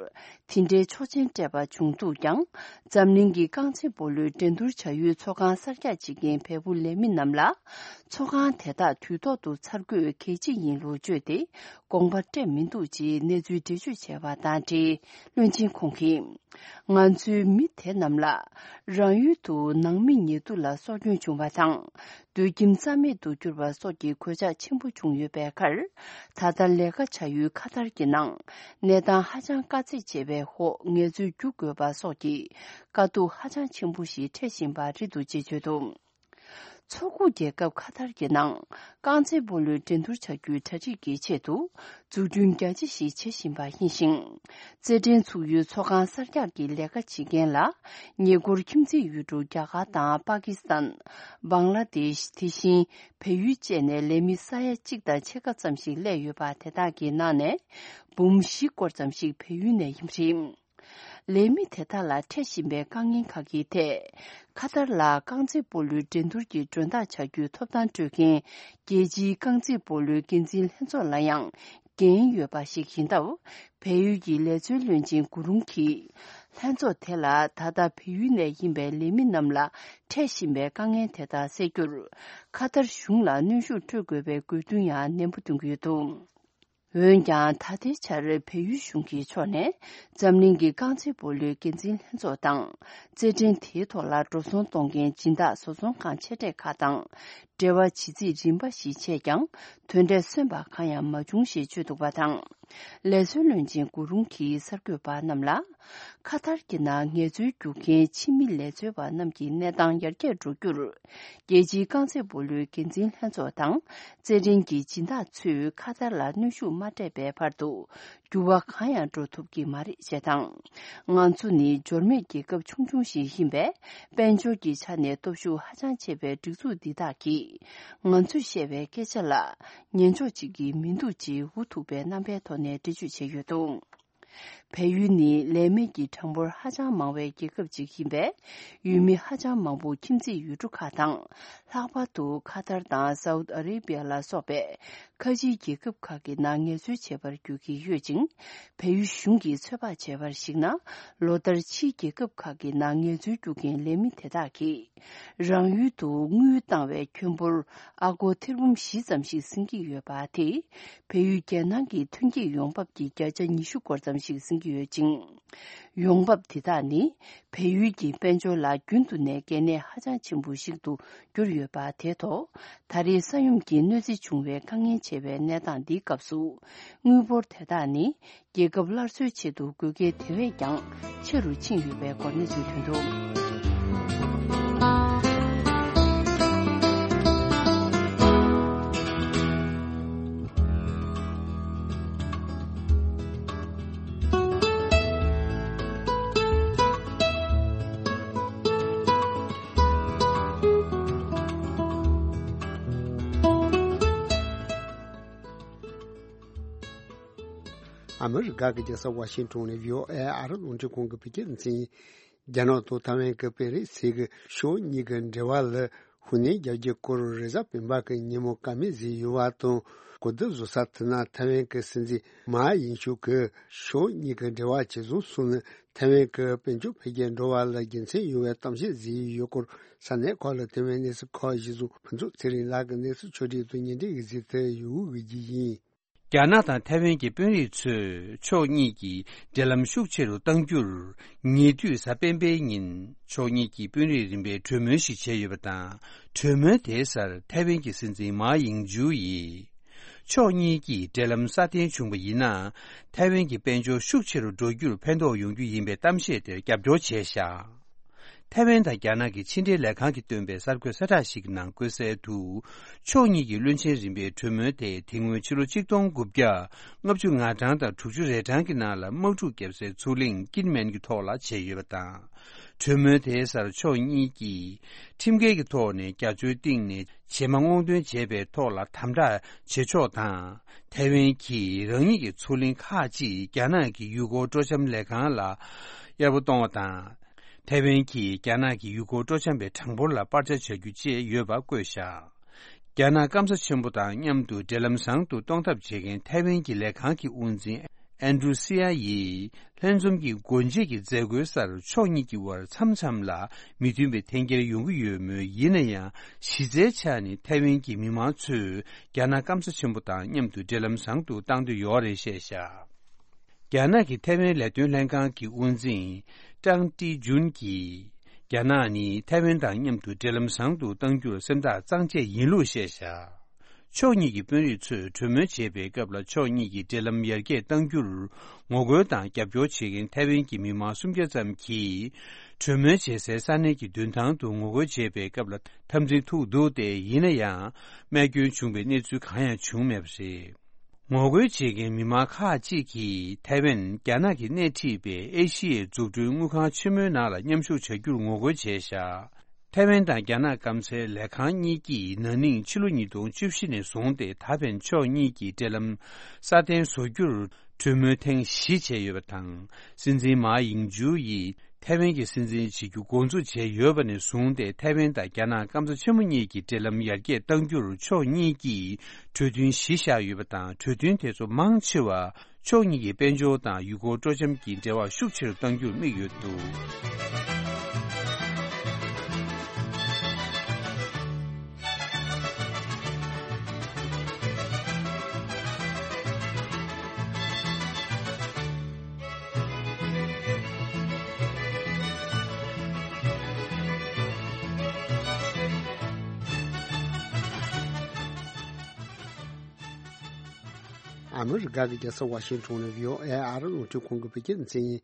དེ་འདྲའི་ཆོག་མཆན་སྤྲད་པ་བྱུང་འདུག་ཀྱང་། འཛམ་གླིང་གི་རྐང་རྩེད་སྤོ་ལོའི་འགྲན་བསྡུར་བྱ་ཡུལ་ཚོགས་ཁང་གསར་རྒྱག་བྱེད་མཁན་བལ་པོ་ལས་མི་རྣམས་ལ། ཚོགས་ཁང་དེ་དག་དུས་ཐོག་ཏུ་ཚར་དགོས་གལ་ཆེ་ཡིན་ལུགས་བརྗོད་དེ། དགོངས་པ་སྤྲད་མི་འདུག་ཅེས་གནས་ཚུལ་འགྲེལ་བརྗོད་བྱས་པ་དང་འབྲེལ། བློན་ཆེན་ཁོང་གིས། ང་ཚོའི་མི་དེ་རྣམས་ལ། རང་ཡུལ་དུ་ནང་མི་ཉེ་དུ་ལ་སྲོག་སྐྱོན་བྱུང་བ་དང་། སྡོད་ཁྱིམ་རྩ་མེད་དུ་གྱུར་པ་སོགས་ཀྱི་གོད་ཆག་ཆེན་པོ་བྱུང་ཡོད་པའི་ཁར། ད་ལྟ་ལས་ཀ་བྱ་ཡུལ་ཁ་ཐར་གྱི་ནང་། གནས་སྟངས་ཧ་ཅང་དཀའ་ཚེགས་ཆེ་བའི་འོག་ངལ་རྩོལ་རྒྱུག་དགོས་པ་སོགས་ཀྱི་དཀའ་སྡུག་ཧ་ཅང་ཆེན་པོ་ཞིག་འཕྲད་བཞིན་པ་རེད་འདུག་ཅེས་བརྗོད་འདུག་མཚོ་ཁུག་རྒྱལ་ཁབ་ཁ་ཐར་གྱི་ནང་། རྐང་རྩེད་སྤོ་ལོའི་འགྲན་བསྡུར་བྱ་རྒྱུའི་གྲ་སྒྲིག་གི་ཆེད་དུ། འཛུགས་སྐྲུན་རྒྱ་ཆེ་ཞིག་བྱེད་བཞིན་པ་ཡིན་ཞིང་། རྩེད་འགྲན་ཚུགས་ཡུལ་ཚོགས་ཁང་གསར་རྒྱག་གི་ལས་ཀ་བྱེད་མཁན་ལ། ཉེ་འཁོར་ཁྱིམ་མཚེས་ཡུལ་གྲུ་རྒྱ་གར་དང་པ་ཀི་སི་ཐན། བང་ལ་དེཤ། དེ་བཞིན་བལ་ཡུལ་བཅས་ནས་ལས་མི་ས་ཡ་གཅིག་དང་ཕྱེད་ཀ་ཙམ་ཞིག་སླེབས་ཡོད་པ། དེ་དག་གི་ནང་ནས་འབུམ་བཞི་སྐོར་ཙམ་ཞིག་བལ་ཡུལ་ནས་ཡིན་པ་རེད། ལས་མི་དེ་དག་ལ་འཕྲད་བཞིན་པའི་དཀའ་ངལ་ཁག་གི་ཐད། ཁ་ཐར་ལ་རྐང་རྩེད་སྤོ་ལོའི་འགྲན་བསྡུར་གྱི་མགྲོན་བདག་བྱ་རྒྱུའི་ཐོབ་ཐང་སྤྲོད་མཁན་རྒྱལ་སྤྱིའི་རྐང་རྩེད་སྤོ་ལོའི་འགན་འཛིན་ལྷན་ཚོགས་ལ་ཡང་འགན་ཡོད་པ་ཞིག་ཡིན་སྟབས། བལ་ཡུལ་གྱི་ལས་བཟོའི་བློན་ཆེན་གུ་རུང་གིས། ལྷན་ཚོགས་དེ་ལ་ད་ལྟ་བལ་ཡུལ་ནས་ཡིན་པའི་ལས་མི་རྣམས་ལ་འཕྲད་བཞིན་པའི་དཀའ་ངལ་དེ་དག་སེལ་རྒྱུར། ཁ་ཐར་གཞུང་ལ་གནོན་ཤུགས་སྤྲོད་དགོས་པའི་དགོས་འདུན་ཡང་ནན་པོ་འདོན་གྱི་ཡོད་འདུག་འོན་ཀྱང་། ད་ལྟའི་ཆར་བལ་ཡུལ་གཞུང་གི་ཕྱོགས་ནས། འཛམ་གླིང་གི་རྐང་རྩེད་སྤོ་ལོའི་འགན་འཛིན་ལྷན་ཚོགས་དང་། རྩེད་འགྲན་དེའི་ཐོག་ལ་འགྲོ་སོང་གཏོང་མཁན་སྦྱིན་བདག་བཟོ་ཚོང་ཁང་ཆེ་གྲས་ཁག་དང་། འབྲེལ་བ་བྱེད་རྩིས་རིམ་པ་ཞིག་བྱས་ཀྱང་། དོན་འབྲས་སོན་པ་གང་ཡང་མ་བྱུང་ཞེས་བརྗོད་འདུག་པ་དང་། ལས་བཟོའི་བློན་ཆེན་གུ་རུང་གིས་གསར་འགོད་པ་རྣམས་ལ། ཁ་ཐར་གྱི་ནང་ངལ་རྩོལ་རྒྱུག་མཁན་ཕྱི་མི་ལས་བཟོ་བ་རྣམས་ཀྱི་གནས་སྟངས་ཡར་རྒྱས་འགྲོ་རྒྱུར། རྒྱལ་སྤྱིའི་རྐང་རྩེད་སྤོ་ལོའི་འགན་འཛིན་ལྷན་ཚོགས་དང་། རྩེད་འགྲན་གྱི་སྦྱིན་བདག་ཚོས་ཁ་ཐར་ལ་གནོན་ཤུགས་མ་སྤྲད་པའི་བར་དུ། འགྱུར་བ་གང་ཡང་འགྲོ་ཐུབ་ཀྱི་མ་རེད་ཅེས་དང་། ང་ཚོ་ནི་འབྱོར་མེད་རྒྱལ་ཁབ་ཆུང་ཆུང་ཞིག་ཡིན་པས། དཔལ་འབྱོར་གྱི་ཆ་ནས་སྟོབས་ཤུགས་ཧ་ཅང་ཆེ་བའི་སྒྲིག་འཛུགས་འདི་དག་གིས། ང་ཚོས་བཤད་པའི་སྐད་ཆ་ལ། ཉན་ཕྱོགས་གཅིག་གི་མི་འདུག་ཅེས་འུ་ཐུག་པའི་རྣམ་པའི་ཐོག་ནས་འགྲེལ་བརྗོད་བྱས་ཡོད་འདུག་བལ་ཡུལ་ནི་ལས་མེད་ཀྱི་གྲངས་འབོར་ཧ་ཅང་མང་བའི་རྒྱལ་ཁབ་ཅིག་ཡིན་པས། ཡུལ་མི་ཧ་ཅང་མང་པོ་ཁྱིམ་མཚེས་ཡུལ་གྲུ་ཁག་དང་། ལྷག་པར་དུ་ཁ་ཐར་དང་སའུ་ཏི་ཨ་རེ་བྷི་ཡ་ལ་སོགས་པའི་ཁ་ཆེའི་རྒྱལ་ཁབ་ཁག་གི་ནང་ངལ་རྩོལ་བྱེད་པར་འགྱུར་གྱི་ཡོད་ཅིང་། བལ་ཡུལ་གཞུང་གིས་ཚོད་དཔག་བྱས་པར་གཞིགས་ན། ལོ་ལྟར་ཕྱིའི་རྒྱལ་ཁབ་ཁག་གི་ནང་ངལ་རྩོལ་རྒྱུག་མཁན་ལས་མི་དེ་དག་གིས། རང་ཡུལ་དུ་དངུལ་བཏང་བའི་ཁྱོན་འབོར་ཨ་སྒོར་ཐེར་འབུམ་བཞི་ཙམ་ཞིག་ཟིན་གྱི་ཡོད་པ་དེས། བལ་ཡུལ་རྒྱལ་ནང་གི་ཐོན་སྐྱེད་ཡོང་འབབ་ཀྱི་བརྒྱ་ཆ་ཉི་ཤུ་སྐོར་ཙམ་ཞིག་ཟིན་གྱི་ཡོད་ཅིང་། ཡོང་འབབ་དེ་དག་ནི། བལ་ཡུལ་གྱི་དཔལ་འབྱོར་ལ་རྒྱུན་དུ་ནས་གལ་གནད་ཧ་ཅང་ཆེན་པོ་ཞིག་ཏུ་གྱུར་ཡོད་པ་དེ་ཐོག་ད་རེས་ས་ཡོམ་གྱིས་གནོད་འཚེ་བྱུང་བའི་དཀའ་ངལ་ཆེ་བའི་གནས་སྟངས་འདིའི་སྐབས་སུ། དངུལ་འབོར་དེ་དག་ནི། རྒྱལ་ཁབ་སླར་གསོའི་ཆེད་དུ་དགོས་གལ་དེ་བས་ཀྱང་ཆེ་རུ་ཕྱིན་ཡོད་པའི་སྐོར་གནས་ཚུལ་ཐོན་འདུག་ཨ་མི་རི་ཀ་གི་རྒྱལ་ས་ཝ་ཤིང་ཊོན་ནས་བྷི་ཨོ་ཨེ་ཨ་རི་རླུང་འཕྲིན་ཁང་གི་བོད་སྐད་སྡེ་ཚན་ཡིན། རྒྱ་ནག་དང་ཐའེ་ཝན་གྱི་པེ་རི་སི་གི་ཕྱོགས་གཉིས་ཀྱི་འབྲེལ་བ་ལ་ཧུར་ནན་རྒྱག་རྒྱུའི་སྐོར་རེས་གཟའ་སྤེན་པ་གི་ཉིན་མོ་བཀའ་མོལ་བཟོས་ཡོད་པ་དང་། གོ་བསྡུར་བཟོ་ས་དེ་ན་ཐའེ་ཝན་གྱི་སྲིད་འཛིན་མཱ་ཡིང་ཅུ་གིས་ཕྱོགས་གཉིས་ཀྱི་འབྲེལ་བ་ཇེ་བཟང་སོང་ནས་ཐའེ་ཝན་གྱི་དཔལ་འབྱོར་འཕེལ་རྒྱས་འགྲོ་བ་ལ་དགེ་མཚན་ཡོད་པའི་གཏམ་བཤད་བཟོས་ཡོད་སྐོར། ས་གནས་ཁག་ལ་ཐའེ་ཝན་གནས་ཚུལ་ཁག་གཞི་བཟུང་ཕུན་ཚོགས་ཚེ་རིང་ལགས་ཀྱིས་གནས་ཚུལ་ཕྱོགས་སྒྲིག་དང་སྙན་སྒྲོན་གྱི་གཟིགས་ཏེ་ཡོད་པའི་རྒྱུ་ཡིན། རྒྱ་ནག་དང་ཐའེ་ཝན་གྱི་དཔོན་རིགས་ཚོས་ཕྱོགས་གཉིས་ཀྱི་འབྲེལ་ལམ་ཤུགས་ཆེ་རུ་གཏང་རྒྱུར། ཉེ་དུས་གཟའ་སྤེན་པའི་ཉིན་ཕྱོགས་གཉིས་ཀྱི་དཔོན་རིགས་རིམ་པས་གྲོས་མོལ་ཞིག་བྱས་ཡོད་པ་དང་། གྲོས་མོལ་དེའི་སར་ཐའེ་ཝན་གྱི་སྲིད་འཛིན་མཱ་ཡིང་ཅུ་ཡིས། ཕྱོགས་གཉིས་ཀྱི་འབྲེལ་ལམ་སྲ་བརྟན་བྱུང་བ་ཡིན་ན། ཐའེ་ཝན་གྱི་དཔལ་འབྱོར་ཤུགས་ཆེ་རུ་འགྲོ་རྒྱུར་ཕན་ཐོགས་ཡོང་རྒྱུ་ཡིན་པའི་གཏམ་བཤད་དེར་རྒྱབ་སྐྱོར་བྱས་བཞག་ཐའེ་ཝན་དང་རྒྱ་ནག་གི་ཕྱི་འབྲེལ་ལས་ཁང་གིས་བཏོན་པའི་གསར་འགོད་གསལ་བསྒྲགས་ཤིག་གི་ནང་བཀོད་གསལ་དུ། ཕྱོགས་གཉིས་ཀྱི་བློན་ཆེན་རིམ་པའི་གྲོས་མོལ་དེ་དེ་སྔོན་ཕྱི་ལོ་ཆིག་སྟོང་དགུ་བརྒྱ་ལྔ་བཅུ་ང་གྲངས་དང་དྲུག་ཅུ་རེ་གྲངས་ཀྱི་ནང་ལ་དམག་འཁྲུག་བརྒྱབ་སའི་མཚོ་གླིང་ཀིན་མེན་གྱི་ཐོག་ལ་བྱས་ཡོད་པ་དང་། གྲོས་མོལ་དེའི་སར་ཕྱོགས་གཉིས་ཀྱིས་ཁྲིམས་འགལ་གྱི་ཐོག་ནས་རྒྱ་མཚོའི་གཏིང་ནས་བྱེ་མ་སྔོག་འདོན་བྱས་པའི་ཐོག་ལ་དམ་དྲག་བྱེད་ཕྱོགས་དང་། ཐའེ་ཝན་གྱིས་རང་ཉིད་ཀྱི་མཚོ་གླིང་ཁག་ཅིག་རྒྱ་ནག་གི་ཡུལ་སྐོར་སྤྲོ་འཆམ་ལས་ཁང་ལ་གཡར་པོ་གཏོང་བ་དང་། ཐའེ་ཝན་གྱིས་རྒྱ་ནག་གི་ཡུལ་སྐོར་སྤྲོ་འཆམ་པའི་གྲངས་འབོར་ལ་སྤར་ཆ་བྱ་རྒྱུ་བཅས་ཡོད་པ་བཀོད་བཞག་རྒྱ་ནག་སྐམ་ས་ཆེན་པོ་དང་མཉམ་དུ་འབྲེལ་ལམ་བཟང་དུ་གཏོང་ཐབས་བྱེད་མཁན་ཐའེ་ཝན་གྱི་ལས་ཁང་གི་དབུ་འཛིན་ཨན་ཌྲུ་སི་ཡ་ཡིས་ལྷན་འཛོམས་ཀྱི་སྒོ་འབྱེད་ཀྱི་མཛད་སྒོའི་སར་ཕྱོགས་གཉིས་ཀྱི་དབར་མཚམས་མཚམས་ལ་མི་མཐུན་པའི་འཐེན་འཁྱེར་ཡོང་གི་ཡོད་མོད། ཡིན་ན་ཡང་གཞི་རྩའི་ཆ་ནས་ཐའེ་ཝན་གྱི་མི་མང་ཚོས་རྒྱ་ནག་སྐམ་ས་ཆེན་པོ་དང་མཉམ་དུ་འབྲེལ་ལམ་བཟང་དུ་གཏང་འདོད་ཡོད་རེད་བཤད་བཞག་རྒྱ་ནག་གི་ཐའེ་ཝན་ལས་དོན་ལྷན་ཁང་གི་དབུ་འཛིན་ཀྲང་ཏི་ཇུན་གྱིས། རྒྱ་ནག་ནི་ཐའེ་ཝན་དང་མཉམ་དུ་འབྲེལ་ལམ་བཟང་དུ་གཏང་རྒྱུར་སེམས་ཐག་གཙང་བཅད་ཡིན་ལུགས་བཤད་བཞག་ཕྱོགས་གཉིས་ཀྱི་དཔོན་རིགས་ཚོས་གྲོས་མོལ་བྱེད་པའི་སྐབས་ལ་ཕྱོགས་གཉིས་ཀྱི་འབྲེལ་ལམ་ཡར་རྒྱས་གཏང་རྒྱུར་ངོ་རྒོལ་དང་རྒྱབ་སྐྱོར་བྱེད་མཁན་ཐའེ་ཝན་གྱི་མི་མང་སུམ་བརྒྱ་ཙམ་གྱིས། གྲོས་མོལ་བྱེད་སའི་ས་གནས་ཀྱི་མདུན་ཐང་དུ་ངོ་རྒོལ་བྱེད་པའི་སྐབས་ལ་འཐབ་འཛིང་ཐུག་འདུག་སྟེ། ཡིན་ན་ཡང་རྨས་སྐྱོན་བྱུང་བའི་གནས་ཚུལ་གང་ཡང་བྱུང་མེད་པ་རེད། ངོ་རྒོལ་བྱེད་མཁན་མི་མང་ཁག་ཅིག་གིས་ཐའེ་ཝན་རྒྱ་ནག་གིས་སྣེ་ཁྲིད་པའི་ཨེ་ཤི་ཡའི་འཛུགས་སྐྲུན་དངུལ་ཁང་ཆེན་མོའི་ནང་ལ་མཉམ་ཞུགས་བྱ་རྒྱུར་ངོ་རྒོལ་བྱས་བཞག་ཐའེ་ཝན་དང་རྒྱ་ནག་སྐམ་སའི་ལས་ཁང་གཉིས་ཀྱིས་ན་ནིང་ཕྱི་ལོ་ཉིས་སྟོང་བཅུ་བཞི་ནས་བཟུང་སྟེ་ད་ཕན་ཕྱོགས་གཉིས་ཀྱི་འབྲེལ་ལམ་སྲ་བརྟན་བཟོ་རྒྱུར་གྲོས་མོལ་ཐེངས་བཞི་བྱས་ཡོད་པ་དང་། སྲིད་འཛིན་མཱ་ཡིང་ཅུ་ཡིས། ཐའེ་ཝན་གྱི་སྲིད་འཛིན་བྱེད་རྒྱུ་འགོ་འཛུགས་བྱས་ཡོད་པ་ནས་བཟུང་སྟེ། ཐའེ་ཝན་དང་རྒྱ་ནག་སྐམ་ས་ཆེན་མོ་གཉིས་ཀྱི་འབྲེལ་ལམ་ཡར་རྒྱས་གཏང་རྒྱུར་ཕྱོགས་གཉིས་ཀྱིས་གྲོས་མཐུན་གཞི་བཞག་ཡོད་པ་དང་། གྲོས་མཐུན་དེ་ཚོ་མང་ཆེ་བ་ཕྱོགས་གཉིས་ཀྱི་དཔལ་འབྱོར་དང་ཡུལ་སྐོར་སྤྲོ་འཆམ་གྱི་འབྲེལ་བ་ཤུགས་ཆེ་རུ་གཏང་རྒྱུར་དམིགས་ཡོད་འདུག་ཨ་མི་རི་ཀ་གི་རྒྱལ་ས་ཝ་ཤིང་ཊོན་ནས་བྷི་ཨོ་ཨེ་ཨ་རི་རླུང་འཕྲིན་ཁང་གི་བོད་སྐད་སྡེ་ཚན་ཡིན།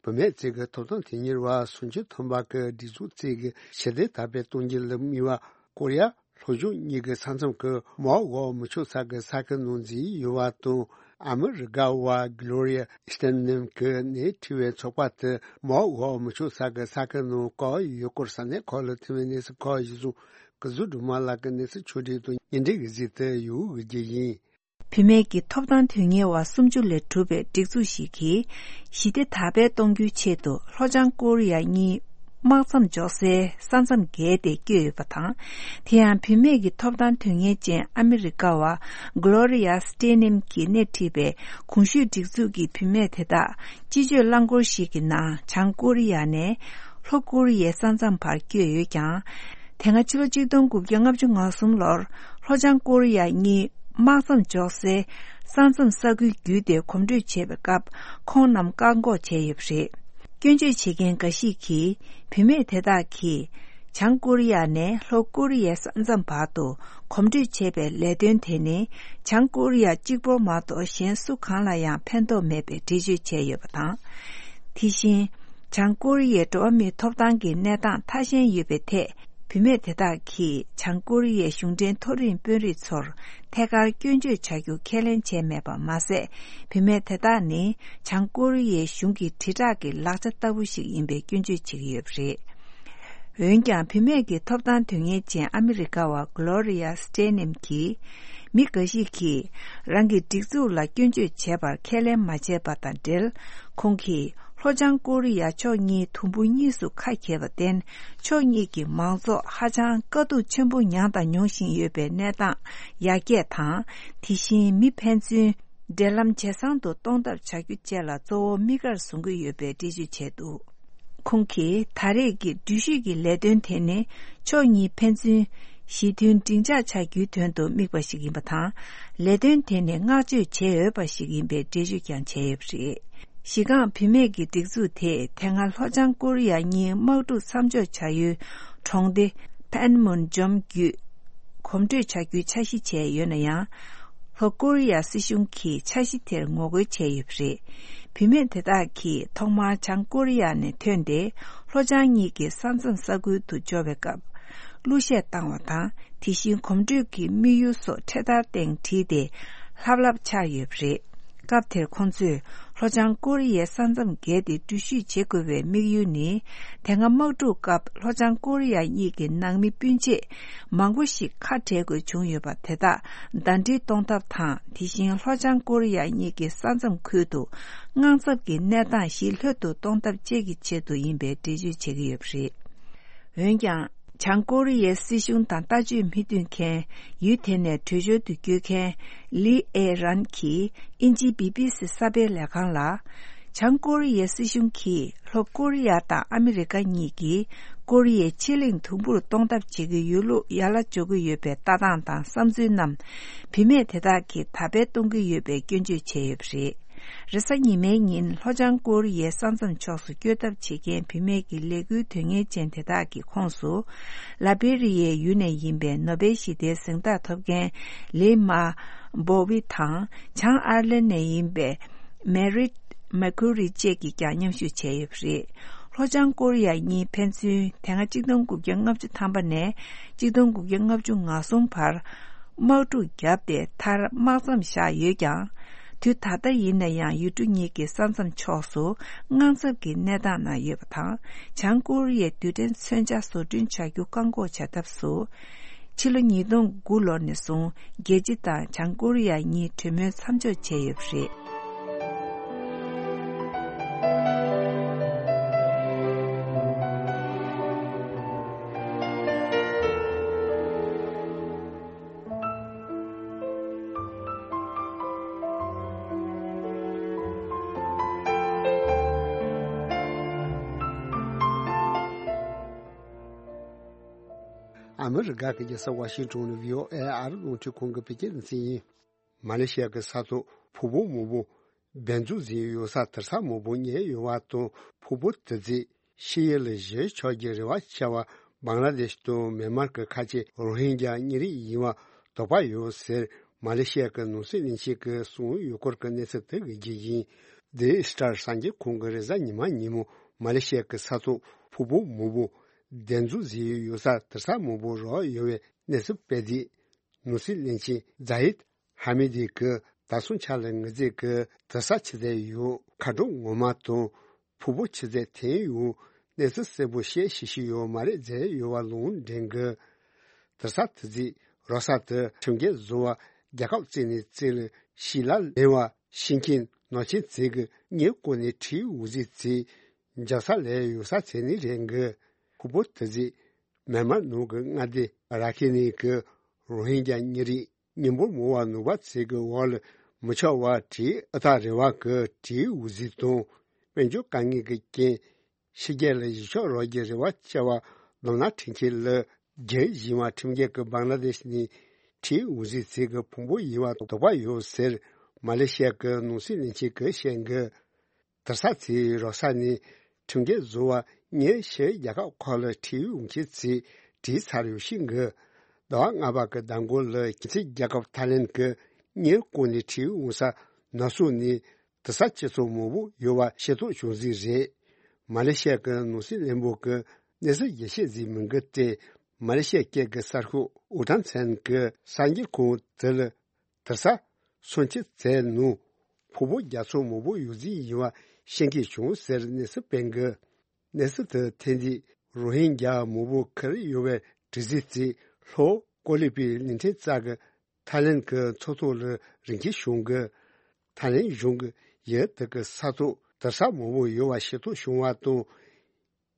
བུད་མེད་ཅིག་གི་ཐོབ་ཐང་དོན་གཉེར་བ་སུམ་ཅུ་ཐམ་པ་གི་སྒྲིག་འཛུགས་ཅིག་གི་ཞི་བདེ་དར་སྤེལ་གཏོང་རྒྱུ་ལ་དམིགས་པ། ཀོ་རི་ཡ་ལྷོ་ཕྱོགས་གཉིས་ཀྱི་ས་མཚམས་ཀྱི་མའོ་འོག་མི་ཆོག་ས་ཀྱི་ས་ཁུལ་ནང་འཛུལ་ཡོད་པ་དང་། ཨ་མི་རི་ཀ་བ་གྷི་ལོ་རི་ཡ་སྟེན་ནེམ་གྱིས་སྣེ་ཁྲིད་པའི་ཚོགས་པ་དེ་མའོ་འོག་མི་ཆོག་ས་ཀྱི་ས་ཁུལ་ནང་བཀག་ཡོད་སྐོར་ས་གནས་ཁག་ལ་ཐོན་པའི་གནས་ཚུལ་ཁག་གཞིར་བཟུང་། སྐུ་གཟུགས་སྒྲོལ་མ་ལགས་ཀྱིས་གནས་ཚུལ་ཕྱོགས་སྒྲིག་དང་སྙན་སྒྲོན་གྱི་གཟིགས་ཏེ་ཡོད་པའི་རྒྱུ་ཡིན། བུད་མེད་ཀྱི་ཐོབ་ཐང་དོན་གཉེར་བ་སུམ་ཅུ་ལས་གྲུབ་པའི་སྒྲིག་འཛུགས་ཤིག་གིས། ཞི་བདེ་དར་སྤེལ་གཏོང་རྒྱུའི་ཆེད་དུ་ལྷོ་བྱང་ཀོ་རི་ཡ་གཉིས་དམག་མཚམས་འཇོག་སའི་ས་མཚམས་བརྒལ་ཏེ་བསྐྱོད་ཡོད་པ་དང་། དེ་ཡང་བུད་མེད་ཀྱི་ཐོབ་ཐང་དོན་གཉེར་ཅན་ཨ་མི་རི་ཀ་བ་གྷི་ལོ་རི་ཡ་སྟེ་ནེམ་གྱིས་སྣེ་ཁྲིད་པའི་གོང་ཞུས་སྒྲིག་འཛུགས་ཀྱི་བུད་མེད་དེ་དག་སྤྱི་སྤྱོད་རླངས་འཁོར་ཞིག་གི་ནང་བྱང་ཀོ་རི་ཡ་ནས་ལྷོ་ཀོ་རི་ཡའི་ས་མཚམས་བར་བསྐྱོད་ཡོད་ཀྱང་། དེ་སྔ་ཕྱི་ལོ་ཆིག་སྟོང་དགུ་བརྒྱ་ལྔ་བཅུ་ང་གསུམ་ལོར་ལྷོ་བྱང་ཀོ་རི་ཡ་གཉིས་དམག་མཚམས་འཇོག་སའི་ས་མཚམས་ས་ཁུལ་བརྒྱུད་དེ་གོམ་བགྲོད་བྱེད་པའི་སྐབས་ཁོང་རྣམས་བཀག་འགོག་བྱས་ཡོད་པ་རེད། སྐྱོན་བརྗོད་བྱེད་མཁན་འགའ་ཞིག་གིས་བུད་མེད་དེ་དག་གིས་བྱང་ཀོ་རི་ཡ་ནས་ལྷོ་ཀོ་རི་ཡའི་ས་མཚམས་བར་དུ་གོམ་བགྲོད་བྱེད་པའི་ལས་དོན་དེ་ནི་བྱང་ཀོ་རི་ཡ་གཅིག་པོ་མ་གཏོགས་གཞན་སུ་གང་ལ་ཡང་ཕན་ཐོགས་མེད་པའི་འགྲེལ་བརྗོད་བྱས་ཡོད་པ་དང་། དེ་བཞིན། བྱང་ཀོ་རི་ཡའི་འགྲོ་བ་མིའི་ཐོབ་ཐང་གི་གནས་སྟངས་ཐ་ཞན་ཡོད་པའི་ཐད། བུད་མེད་དེ་དག་གིས་བྱང་ཀོ་རི་ཡའི་གཞུང་འབྲེལ་མཐོ་རིམ་དཔོན་རིགས་ཚོར་ཐད་ཀར་སྐྱོན་བརྗོད་བྱ་རྒྱུ་ཁས་ལེན་བྱས་མེད་པ་མ་ཟད། བུད་མེད་དེ་དག་ནི་བྱང་ཀོ་རི་ཡའི་གཞུང་གི་དྲིལ་བསྒྲགས་ཀྱི་ལག་ཆ་ལྟ་བུ་ཞིག་ཡིན་པའི་སྐྱོན་བརྗོད་བྱེད་ཀྱི་ཡོད་པ་རེད། འོན་ཀྱང་བུད་མེད་ཀྱི་ཐོབ་ཐང་དོན་གཉེར་ཅན་ཨ་མི་རི་ཀ་བ་Gloria Steinem་གྱིས། མི་འགའ་ཞིག་གིས་རང་གི་སྒྲིག་འཛུགས་ལ་སྐྱོན་བརྗོད་བྱས་པར་ཁས་ལེན་མ་བྱས་པ་དང་འབྲེལ། ཁོང་གིས་ལྷོ་བྱང་ཀོ་རི་ཡ་ཕྱོགས་གཉིས་དུམ་བུ་གཉིས་སུ་ཁ་གྱེས་པར་བརྟེན། ཕྱོགས་གཉིས་ཀྱི་མང་ཚོགས་ཧ་ཅང་དཀའ་སྡུག་ཆེན་པོ་མྱངས་དང་མྱོང་བཞིན་ཡོད་པའི་གནས་སྟངས་ཡར་རྒྱས་དང་། དེ་བཞིན་མི་ཕན་ཚུན་འབྲེལ་ལམ་ཇེ་བཟང་དུ་གཏོང་ཐབས་བྱ་རྒྱུ་བཅས་ལ་གཙོ་བོ་དམིགས་ཀར་བཟུང་གི་ཡོད་པའི་འགྲེལ་བརྗོད་བྱས་འདུག་ཁོང་གིས་ད་རེས་ཀྱི་འགྲུལ་བཞུད་ཀྱི་ལས་དོན་དེ་ནི་ཕྱོགས་གཉིས་ཕན་ཚུན་ཞི་མཐུན་འབྲིང་ཆགས་ཆགས་རྒྱུའི་དོན་དུ་དམིགས་པ་ཞིག་ཡིན་པ་དང་། ལས་དོན་དེ་ནི་བསྔགས་བརྗོད་བྱེད་འོས་པ་ཞིག་ཡིན་པའི་འགྲེལ་བརྗོད་ཀྱང་བྱས་ཡོད་པ་རེད། གཞི་རྐང་བུད་མེད་ཀྱི་སྒྲིག་འཛུགས་དེས་དེ་སྔ་ལྷོ་བྱང་ཀོ་རི་ཡ་གཉིས་དམག་འཁྲུག་མཚམས་འཇོག་བྱ་ཡུལ་གྲོང་སྡེ་Panmunjom་བརྒྱུད་གོམ་བགྲོད་བྱ་རྒྱུའི་འཆར་གཞི་བྱས་ཡོད་ན་ཡང་། ལྷོ་ཀོ་རི་ཡ་སྲིད་གཞུང་གིས་འཆར་གཞི་དེར་ངོ་རྒོལ་བྱས་ཡོད་པ་རེད། བུད་མེད་དེ་དག་གིས་ཐོག་མར་བྱང་ཀོ་རི་ཡ་ནས་ཐོན་ཏེ། ལྷོ་བྱང་གཉིས་ཀྱི་ས་མཚམས་ས་ཁུལ་དུ་འབྱོར་བའི་སྐབས། གླུ་གཞས་བཏང་བ་དང་། དེ་བཞིན་གོམ་བགྲོད་ཀྱི་དམིགས་ཡུལ་སོགས་འཕྲེད་དར་སྟེང་བྲིས་ཏེ། ལྷབ་ལྷབ་འཕྱར་ཡོད་པ་རེད། སྐབས་དེར་ཁོང་ཚོས་ལྷོ་བྱང་ཀོ་རི་ཡའི་ས་མཚམས་བརྒལ་ཏེ་འགྲུལ་བཞུད་བྱེད་དགོས་པའི་དམིགས་ཡུལ་ནི། དེ་སྔ་དམག་འཁྲུག་སྐབས་ལྷོ་བྱང་ཀོ་རི་ཡ་གཉིས་ཀྱི་ནང་མི་སྤུན་མཆེད་མང་པོ་ཞིག་ཁ་བྲལ་དགོས་བྱུང་ཡོད་པ་དེ་དག་ཟླ་སྒྲིལ་གཏོང་ཐབས་དང་། དེ་བཞིན་ལྷོ་བྱང་ཀོ་རི་ཡ་གཉིས་ཀྱི་ས་མཚམས་ཁུལ་དུ་དངངས་འཚབ་ཀྱི་གནས་སྟངས་ཞི་ལྷོད་དུ་གཏོང་ཐབས་བཅས་ཀྱི་ཆེད་དུ་ཡིན་པའི་འགྲེལ་བརྗོད་བྱེད་ཀྱི་ཡོད་པ་རེད། འོན་ཀྱང་། བྱང་ཀོ་རི་ཡའི་སྲིད་གཞུང་དང་ལྟ་སྤྱོད་མི་མཐུན་མཁན། ཡུལ་དེ་ནས་བྲོས་བྱོལ་དུ་བསྐྱོད་མཁན། ལི་ཨེ་རན་གྱིས་དབྱིན་ཇིའི་བི་བི་སི་གསར་སྤེལ་ལས་ཁང་ལ། བྱང་ཀོ་རི་ཡའི་སྲིད་གཞུང་གིས་ལྷོ་ཀོ་རི་ཡ་དང་ཨ་མི་རི་ཀ་གཉིས་ཀྱིས་ཀོ་རི་ཡའི་ཕྱེད་གླིང་དུམ་བུར་གཏོང་ཐབས་བྱེད་ཀྱི་ཡོད་ལུགས་ཡར་ལ་འཇོག་གི་ཡོད་པའི་ལྟ་སྟངས་དང་བསམ་ཚུལ་རྣམས། བུད་མེད་དེ་དག་གིས་དར་སྤེལ་གཏོང་གི་ཡོད་པའི་སྐྱོན་བརྗོད་བྱས་ཡོད་པ་རེད། རེས་གཟའ་ཉི་མའི་ཉིན་ལྷོ་བྱང་ཀོ་རི་ཡའི་ས་མཚམས་ཕྱོགས་སུ་བསྐྱོད་ཐབས་བྱེད་མཁན་བུད་མེད་ཀྱི་ལས་འགུལ་དོན་གཉེར་ཅན་དེ་དག་གི་ཁོངས་སུ། ལ་བྷི་རི་ཡའི་ཡུལ་ནས་ཡིན་པའི་ནོ་བེལ་ཞི་བདེའི་གཟེངས་རྟགས་ཐོབ་མཁན་ལི་མ་བྷོ་ཝི་དང་། བྱང་ཨར་ལན་ནས་ཡིན་པའི་མེ་རིད་མེ་ཁུ་རི་བཅས་ཀྱིས་ཀྱང་མཉམ་ཞུགས་བྱས་ཡོད་པ་རེད། ལྷོ་བྱང་ཀོ་རི་ཡ་གཉིས་ཕན་ཚུན་དེ་སྔ་གཅིག་སྟོང་དགུ་བརྒྱ་ལྔ་བཅུ་ཐམ་པ་ནས་གཅིག་སྟོང་དགུ་བརྒྱ་ལྔ་བཅུ་ང་གསུམ་བར། དམག་འཁྲུག་བརྒྱབ་སྟེ་མཐར་དམག་མཚམས་བཞག་ཡོད་ཀྱང་། དུས་ད་ལྟ་ཡིན་ན་ཡང་ཡུལ་གྲུ་གཉིས་ཀྱི་ས་མཚམས་ཕྱོགས་སུ་དངངས་འཚབ་ཀྱི་གནས་སྟངས་ནང་ཡོད་པ་དང་། བྱང་ཀོ་རི་ཡའི་རྡུལ་ཕྲན་མཚོན་ཆ་བཟོ་སྐྲུན་བྱ་རྒྱུ་བཀག་འགོག་བྱ་ཐབས་སུ། ཕྱི་ལོ་ཉིས་སྟོང་དགུ་ལོ་ནས་བཟུང་རྒྱལ་སྤྱི་དང་བྱང་ཀོ་རི་ཡ་གཉིས་གྲོས་མོལ་མཚམས་འཇོག་བྱས་ཡོད་པ་རེད། ཨ་མི་རི་ཀ་གི་རྒྱལ་ས་ཝ་ཤིང་ཏོན་ནས་བྷི་ཨོ་ཨེ་ཨ་རི་རླུང་འཕྲིན་ཁང་གི་བོད་སྐད་སྡེ་ཚན་ཡིན། མ་ལེ་ཤི་ཡ་གི་ས་ཐོག་ཕུང་པོ་མང་པོ་སྦས་འཛུགས་བཟོས་ཡོད་ས་དུར་ས་མང་པོ་རྙེད་ཡོད་པ་དང་། ཕུང་པོ་དེ་ཚོས་ཕྱི་ཡུལ་ལ་བཞུད་ཆོག་རྒྱུའི་རེ་བ་བྱས་པ་བང་ལ་དེ་ཤི་དང་མེན་མར་གྱི་ཁ་ཆེ་རོ་ཧིན་རྒྱ་གཉན་རིགས་ཡིན་པ་དོགས་པ་ཡོད་ཟེར། མ་ལེ་ཤི་ཡ་གི་ནང་སྲིད་བློན་ཆེན་གྱིས་གསུངས་ཡོད་སྐོར་གྱི་གནས་ཚུལ་དེ་གི་རྒྱུ་ཡིན། ཌེ་ལི་སི་ཊར་གསར་འགྱུར་ཁང་གིས་རེས་གཟའ་ཉི་མ་ཉིན་མོ་མ་ལེ་ཤི་ཡ་གི་ས་ཐོག་ཕུང་པོ་མང་པོ་སྦས་འཛུགས་བཟོས་ཡོད་ས་དུར་ས་མང་པོ་རག་ཡོད་པའི་གནས་ཚུལ་སྤེལ་དུས། ནང་སྲིད་བློན་ཆེན་ཛ་ཡིད་ཧ་མི་དི་གིས་ད་སོང་ཆ་ལ་ངེད་ཚོས་ཀྱི་དུར་ས་ཆུ་ཚད་ཡོད་མཁའ་འགྲོ་ངོ་མ་དང་ཕུང་པོ་ཆུ་ཚད་ཐོན་ཡོང་གནས་ཚུལ་གསལ་པོ་བཤད་ཤེས་ཤེས་ཡོད་མ་རེད་ཟེར་ཡོད་པ་ལུང་འདྲེན་གྱིས། དུར་ས་དེ་ཚོས་རག་ས་དེ་ཁྲིམས་འགལ་བཟོ་བ་རྒྱལ་ཁབ་བཙལ་ནས་བཙལ་ལ་ཤི་ལ་ལེན་པ་ཤི་མཁན་ནག་ཆེན་ཚོས་ཀྱི་ཉེས་སྐོར་ནས་ཁྲིའི་འོག་ཟིག་ཚོས་འཇབ་ས་ལས་ཡོད་ས་ཚོད་ནི་རེད་གི། ཕུང་པོ་དེ་ཚོས་མེན་མར་ནང་གི་མངའ་སྡེ་ར་ཁེ་ནི་གི་རོ་ཧིན་རྒྱ་གཉན་རིགས་མི་འབོར་མང་བ་ནུབ་པ་ཚོས་ཀྱི་འོག་ལ་མི་ཆགས་པ་ཁྲིའི་ཨུ་ཐག་རིང་བ་གི་ཁྲིའི་འོག་ཟིག་དང་། དཔལ་འབྱོར་དཀའ་ངལ་གྱི་རྐྱེན། ཕྱི་རྒྱལ་ལ་གཞིས་ཆགས་རག་རྒྱུའི་རེ་བ་བྱས་པ་ལམ་སྣ་ཁྲིད་མཁན་ལ་རྒྱུག་བཞིན་པ་ཁྲིམས་འགལ་གྱི་བང་ལ་དེ་ཤི་ནས་ཁྲིའི་འོག་ཟིག་ཚོས་ཀྱི་ཕུང་པོ་ཡིན་པ་དོགས་པ་ཡོད་ཟེར། མ་ལེ་ཤི་ཡ་གི་ནང་སྲིད་བློན་ཆེན་གྱིས་བཤད་གི། དུར་ས་ཚོའི་རག་ས་ནས་ཁྲིམས་འགལ་བཟོ་བ་ཉེར་བཞི་རྒྱལ་ཁབ་ཁག་ལ་ཁྲིའི་འོག་མཁན་ཚོས་བྲིས་ཚར་ཡོད་ཤིང་གི། ཟླ་བ་ལྔ་པ་གི་ཟླ་འགོ་ལ་རྒྱལ་སྲིད་རྒྱལ་ཁབ་ཐའི་ལན་གྱི་གཉེར་སྐོར་ནས་ཁྲིའི་འོག་ས་ན་སོ་ནས་དུར་ས་སྤྱི་ཚོགས་མང་པོ་ཡོད་པ་ཤེས་རྟོགས་བྱུང་ཟིག་རེད། མ་ལེ་ཤི་ཡ་གི་ནང་སྲིད་བློན་པོ་གི་གནས་ཚུལ་རྒྱས་བཤད་ཟིག་མིན་གི་སྟེ། མ་ལེ་ཤི་ཡ་སྐད་ཀྱི་གསར་ཤོག་ཨུ་ཐང་ཚན་གྱི་གསར་འགྱུར་ཁང་དེ་ལ། དུར་ས་སོན་ཆི་ཚད་ནང་ཕུང་པོ་རྒྱ་མཚོ་མང་པོ་ཡོད་རྫས་ཡིན་པ་ཤེས་མཁན་བྱུང་ཟེར་གནས་ཚུལ་སྤེལ་གི། གནས་ཚུལ་དེ་ཐོན་དུས་ རོ་ཧིན་རྒྱ་མང་པོ་ཁུར་ཡོང་བའི་དྲི་ཟའི་རྩེ་ལྷོ་ཀོ་ལི་པའི་གླིང་ཕྲན་རྩ་གི་ཐའི་ལན་གྱི་མཚོ་ཐོག་ལ་རིན་ཆེན་བྱུང་གི། ཐའི་ལན་གཞུང་གི་ཡུལ་དེ་གི་ས་ཐོག་དར་ས་མང་པོ་ཡོད་པ་ཤེས་རྟོགས་བྱུང་བ་དང་།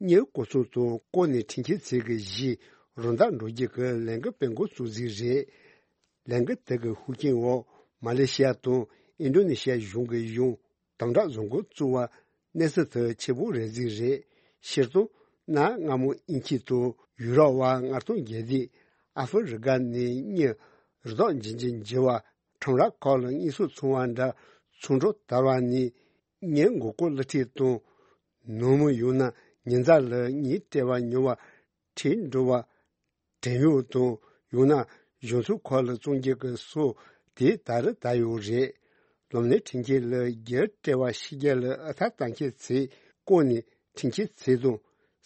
གཉེར་སྐོར་ཚོང་དང་བསྐོར་ནས་འཕྲིན་སྐྱེལ་ཚད་ཀྱི་གཞི་རོ་འདབ་འགྲོ་རྒྱུ་གི་ལན་གི་དཔལ་འགོ་བཙུགས་རྩིས་རེད། ལན་གི་དེ་གི་ཤུགས་རྐྱེན་འོག་མ་ལེ་ཤི་ཡ་དང་ཨིན་ཌོ་ནེ་ཤི་ཡ་གཞུང་གི་གཞུང་དམ་དྲག་བཟོ་འགོ་བཙུགས་པ་གནས་ཚུལ་དེ་ཆེ་པོ་རེད་རྩིས་རེད། ཕྱིར་གཏོང་གནའ་སྔ་མོ་དབྱིན་ཇི་དང་ཡུ་རོབ་པ་མངགས་གཏོང་རྒྱལ་སྡེ་ཨ་ཧྥེ་རི་ཀ་ནས་གཉེར་རི་དྭགས་འབྱིན་གྱི་འགྱེལ་བ་ཁྲོམ་ར་ཁག་ལ་དངོས་ཟོག་ཚོང་བ་འདྲ་ཚོང་འགྲོ་དར་བ་ནས་གཉེར་མགོ་སྐོར་གླུ་ཁྲིད་དང་། ནང་མི་ཡང་ན་ཉེ་མཛའ་ལ་གཉེན་སྤྲད་པ་ཉོ་བ་ཁྲིད་འགྲོ་བ། བྲན་གཡོག་དང་ཡང་ན་གཞུང་ཚབ་ཁག་ལ་བཙོང་རྒྱུ་གི་སྲོལ་དེ་ད་རེས་དར་ཡོད་རེད། སློབ་གཉེར་འཕྲིན་སྐྱེལ་ལ་རྒྱུ་སྤྲད་པ་ཕྱི་རྒྱལ་ལ་ཨ་ཐ་བཏང་ཁྱེད་ཚེ་བསྐོར་ནས་འཕྲིན་སྐྱེལ་ཚད་དང་།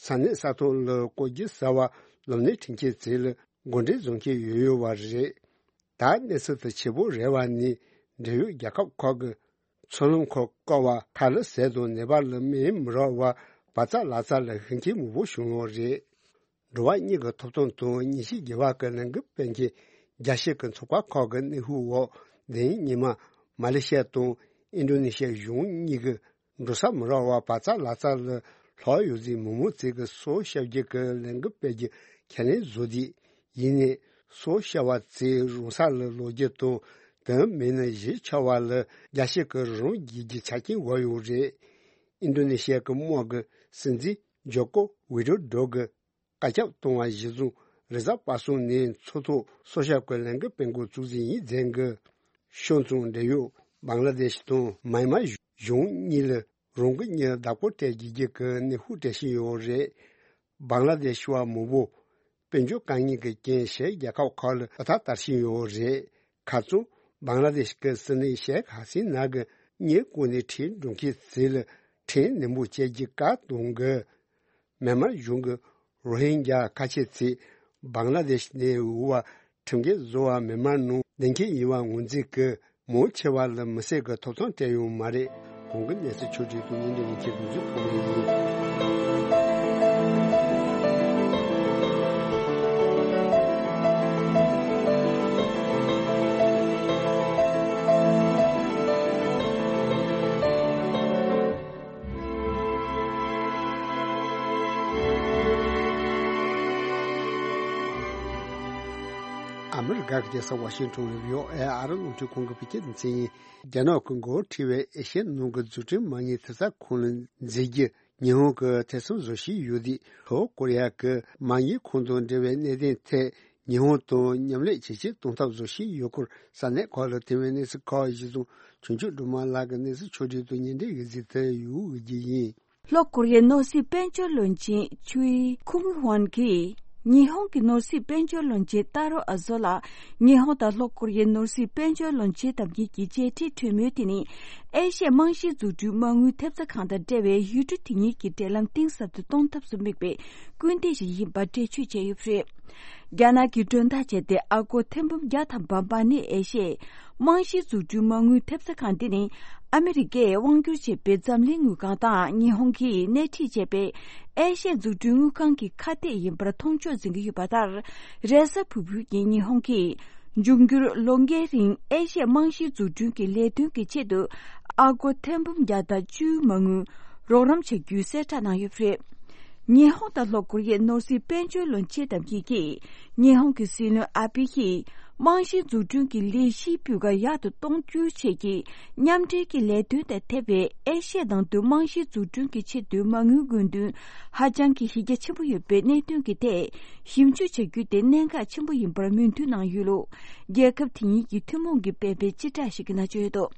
ས་གནས་ས་ཐོག་ལ་བསྐོར་རྒྱུ་ཟ་བ་སློབ་གཉེར་འཕྲིན་སྐྱེལ་ཚད་ལ་འགོ་འདྲེན་བཟོ་མཁན་ཡོད་ཡོད་པ་རེད། ད་གནས་ཚུལ་དེ་ཆེ་པོ་རེད་པ་ནི་འབྲེལ་ཡོད་རྒྱལ་ཁབ་ཁག་གི་མཚོ་ལམ་ཁག་བཀག་པ་ཁ་ལག་ཟས་དང་ནད་པ་ལ་སྨན་མི་རག་པ་བག་ཚ་ལག་ཚ་ལ་ཤུགས་རྐྱེན་མང་པོ་བྱུང་ཡོད་རེད། འགྲོ་བ་མིའི་ཐོབ་ཐང་དང་ཉིན་ཤས་རྒྱལ་བ་གི་ལན་གི་སྤེལ་མཁན་རྒྱལ་སྤྱི་གི་ཚོགས་པ་ཁག་གི་གནོན་ཤུགས་འོག་དེ་རིང་ཉི་མ་མ་ལེ་ཤི་ཡ་དང་ཨིན་ཌོ་ནེ་ཤི་ཡ་གཞུང་གཉིས་ཀྱི་འགྲོ་ས་མི་རག་པ་བག་ཚ་ལག་ཚ་ལ་ལྷག་ཡོད་ཚེ་མི་མང་ཚོས་ཀྱི་སྲོག་སྐྱོབ་རྒྱུ་གི་ལན་གི་སྤེལ་རྒྱུ་ཁས་ལེན་བཟོ་དུས། ཡིན་ནའི་སྲོག་སྐྱོབ་པ་ཚོས་རང་ས་ལ་ལོག་རྒྱུ་དང་དོན་མེད་ན་གཞིས་ཆགས་པ་ལ་རྒྱལ་སྤྱི་གི་རང་རྒྱལ་གྱི་ཆ་རྐྱེན་བབས་ཡོད་རེད། ཨིན་ཌོ་ནེ་ཤི་ཡ་གི་དམག་གི་སྲིད་འཛིན་ཇོ་ཀོ་ཝི་ཌོ་ཌོ་གི་བཀའ་ཁྱབ་གཏོང་བ་གཞིར་བཟུང་རེས་གཟའ་པ་སངས་ནས་མཚོ་ཐོག་སྲོག་སྐྱོབ་ཀྱི་ལན་གི་སྤེལ་འགོ་བཙུགས་ཟིན་ཡིན་ཟེར་གི། ཤོག་མཚུངས་འབྲེལ་ཡོད་བང་ལ་དེཤ་དང་མཱ་ཡན་མ་གཞུང་གཉིས་ལ་རང་གི་མྱི་བདག་པོ་སྤྲད་རྒྱུ་གི་གནོན་ཤུགས་སྤྲད་བཞིན་ཡོད་རེད། བང་ལ་དེཤ་བ་མང་པོ་དཔལ་འབྱོར་དཀའ་ངལ་གྱི་རྐྱེན་ཕྱིའི་རྒྱལ་ཁབ་ཁག་ལ་ཨ་ཐ་དར་བཞིན་ཡོད་རེད། ཁ་རྩང་བང་ལ་དེཤ་གི་སྲིད་བློན་ཤེག་ཧ་སི་ན་གི་གཉེར་སྐོར་ནས་ཁྲིད་འགྲོ་མཁན་ཚོ་ལ་ཁྲིམས་ནན་པོ་བྱེད་རྒྱུ་བཀའ་གཏོང་གི། མེན་མར་གཞུང་གི་རོ་ཧིན་རྒྱ་ཁ་ཆེ་ཚོས་བང་ལ་དེཤ་ནས་འོང་བ་ཁྲིམས་འགལ་བཟོ་བ་མེན་མར་ནང་བསྡད་མཁན་ཡིན་པ་ངོས་འཛིན་གྱིས་མང་ཆེ་བ་ལ་མི་སེར་གྱི་ཐོབ་ཐང་སྤྲད་ཡོད་མ་རེད། གོང་གི་གནས་ཚུལ་ཕྱོགས་སྒྲིག་དང་སྙན་སྒྲོན་ཡིན་གྱི་དགོངས་ཚུལ་ཕོག་ངེས་ཡིན། ཨ་མི་རི་ཀ་གི་རྒྱལ་ས་ཝ་ཤིང་ཊོན་ལ་ཡོད་ཨེ་ཨ་རི་རླུང་འཕྲིན་ཁང་གི་བོད་སྐད་སྡེ་ཚན་ཡིན། རྒྱ་ནག་གི་འགོ་ཁྲིད་པའི་ཨེ་ཤི་ཡའི་ནང་གི་འཛུགས་སྐྲུན་མ་དངུལ་ཐེབས་རྩ་ཁོངས་ལ་འཛུལ་རྒྱུ་ཉི་ཧོང་གི་ཐེ་ཚོམ་བཟོ་བཞིན་ཡོད་དུས། ལྷོ་ཀོ་རི་ཡ་གི་མ་དངུལ་ཁང་དང་འབྲེལ་བའི་གནད་དོན་ཐད་ཉི་ཧོང་དང་མཉམ་ལས་ཇེ་ཆེར་གཏོང་ཐབས་བཟོ་བཞིན་ཡོད་སྐོར་ས་གནས་ཁག་ལ་ཐོན་པའི་གནས་ཚུལ་ཁག་གཞིར་བཟུང་ཆོས་འབྱུང་སྒྲོལ་མ་ལགས་ཀྱིས་གནས་ཚུལ་ཕྱོགས་སྒྲིག་དང་སྙན་སྒྲོན་ཡོད་ཚུལ་དེ་ཡུལ་དབུས་རྒྱུ་ཡིན། ལྷོ་ཀོ་རི་ཡའི་ནོར་སྲིད་དཔལ་འབྱོར་བློན་ཆེན་ཆུའི་ཁུ་མི་ཧོན་གྱིས་ཉི་ཧོང་གི་ནོར་སྲིད་དཔལ་འབྱོར་བློན་ཆེན་ཏཱ་རོ་ཨ་ཟོ་ལ་ཉི་ཧོང་དང་ལྷོ་ཀོ་རི་ཡའི་ནོར་སྲིད་དཔལ་འབྱོར་བློན་ཆེན་དམ་གཉིས་ཀྱི་མཇལ་འཕྲད་གྲོས་མོལ་དེ་ནི་ཨེ་ཤ་ཡའི་རྨང་གཞིའི་འཛུགས་སྐྲུན་མ་དངུལ་ཐེབས་རྩ་ཁང་དང་འབྲེལ་བའི་ཡུལ་གྲུ་དེ་གཉིས་ཀྱི་འབྲེལ་ལམ་གཏིང་ཟབ་ཏུ་གཏོང་ཐབས་སུ་དམིགས་པའི་སྐུལ་འདེད་ཞིག་ཡིན་པ་འགྲེལ་བརྗོད་བྱས་ཡོད་པ་རེད། རྒྱ་ནག་གི་མགྲོན་བདག་བྱས་ཏེ་ཨ་སྒོར་ཐེར་འབུམ་བརྒྱ་དང་བརྒྱད་ནི་ཨེ་ཤ་ཡའི་རྨང་གཞིའི་འཛུགས་སྐྲུན་མ་དངུལ་ཐེབས་རྩ་ཁང་འདི་ནི་ཨ་མི་རི་ཀས་དབང་སྒྱུར་བྱེད་པའི་འཛམ་གླིང་དངུལ་ཁང་དང་ཉི་ཧོང་གིས་སྣེ་ཁྲིད་བྱས་པའི་ཨེ་ཤ་ཡའི་འཛུགས་སྐྲུན་དངུལ་ཁང་གི་ཁ་གཏད་ཡིན་པར་མཐོང་ཕྱོགས་འཛིན་གྱི་ཡོད་པ་ལྟར། རེས་གཟའ་ཕུར་བུའི་ཉིན་ཉི་ཧོང་གིས་འབྱུང་འགྱུར་ལོ་འགའི་རིང་ཨེ་ཤ་ཡའི་རྨང་གཞིའི་འཛུགས་སྐྲུན་གྱི་ལས་དོན་གྱི་ཆེད་དུ་ཨ་སྒོར་ཐེར་འབུམ་བརྒྱ་དང་བཅུ་མ་དངུལ་རོགས་རམ་བྱ་རྒྱུའི་གསལ་བསྒྲགས་གནང་ཡོད་པ་རེད། ཉི་ཧོང་དང་ལྷོ་ཀོ་རི་ཡའི་ནོར་སྲིད་དཔལ་འབྱོར་བློན་ཆེན་དམ་གཉིས་ཀྱིས་ཉི་ཧོང་གི་སྲིད་བློན་ཨ་བྷེ་ཡིས་རྨང་གཞིའི་འཛུགས་སྐྲུན་གྱི་ལས་གཞིའི་སྤུས་ཀ་ཡག་ཏུ་གཏོང་རྒྱུའི་ཆེད་ཀྱི་མཉམ་འབྲེལ་གྱི་ལས་དོན་དང་འཐབ་པའི་ཨེ་ཤ་ཡའི་ནང་དུ་རྨང་གཞིའི་འཛུགས་སྐྲུན་གྱི་ཆེད་དུ་མ་དངུལ་དགོས་འདུན་ཧ་ཅང་གི་གཞི་རྒྱ་ཆེན་པོ་ཡོད་པའི་གནད་དོན་གྱི་ཐད་ཞིབ་འཇུག་བྱ་རྒྱུ་དེ་གནད་འགག་ཆེན་པོ་ཡིན་པར་མོས་མཐུན་གནང་ཡོད་ལུགས་རྒྱལ་ཁབ་དེ་གཉིས་ཀྱི་ཐུན་མོང་གི་སྤེལ་བའི་སྤྱི་བསྒྲགས་ཤིག་གི་ནང་བརྗོད་ཡོད་འདུག་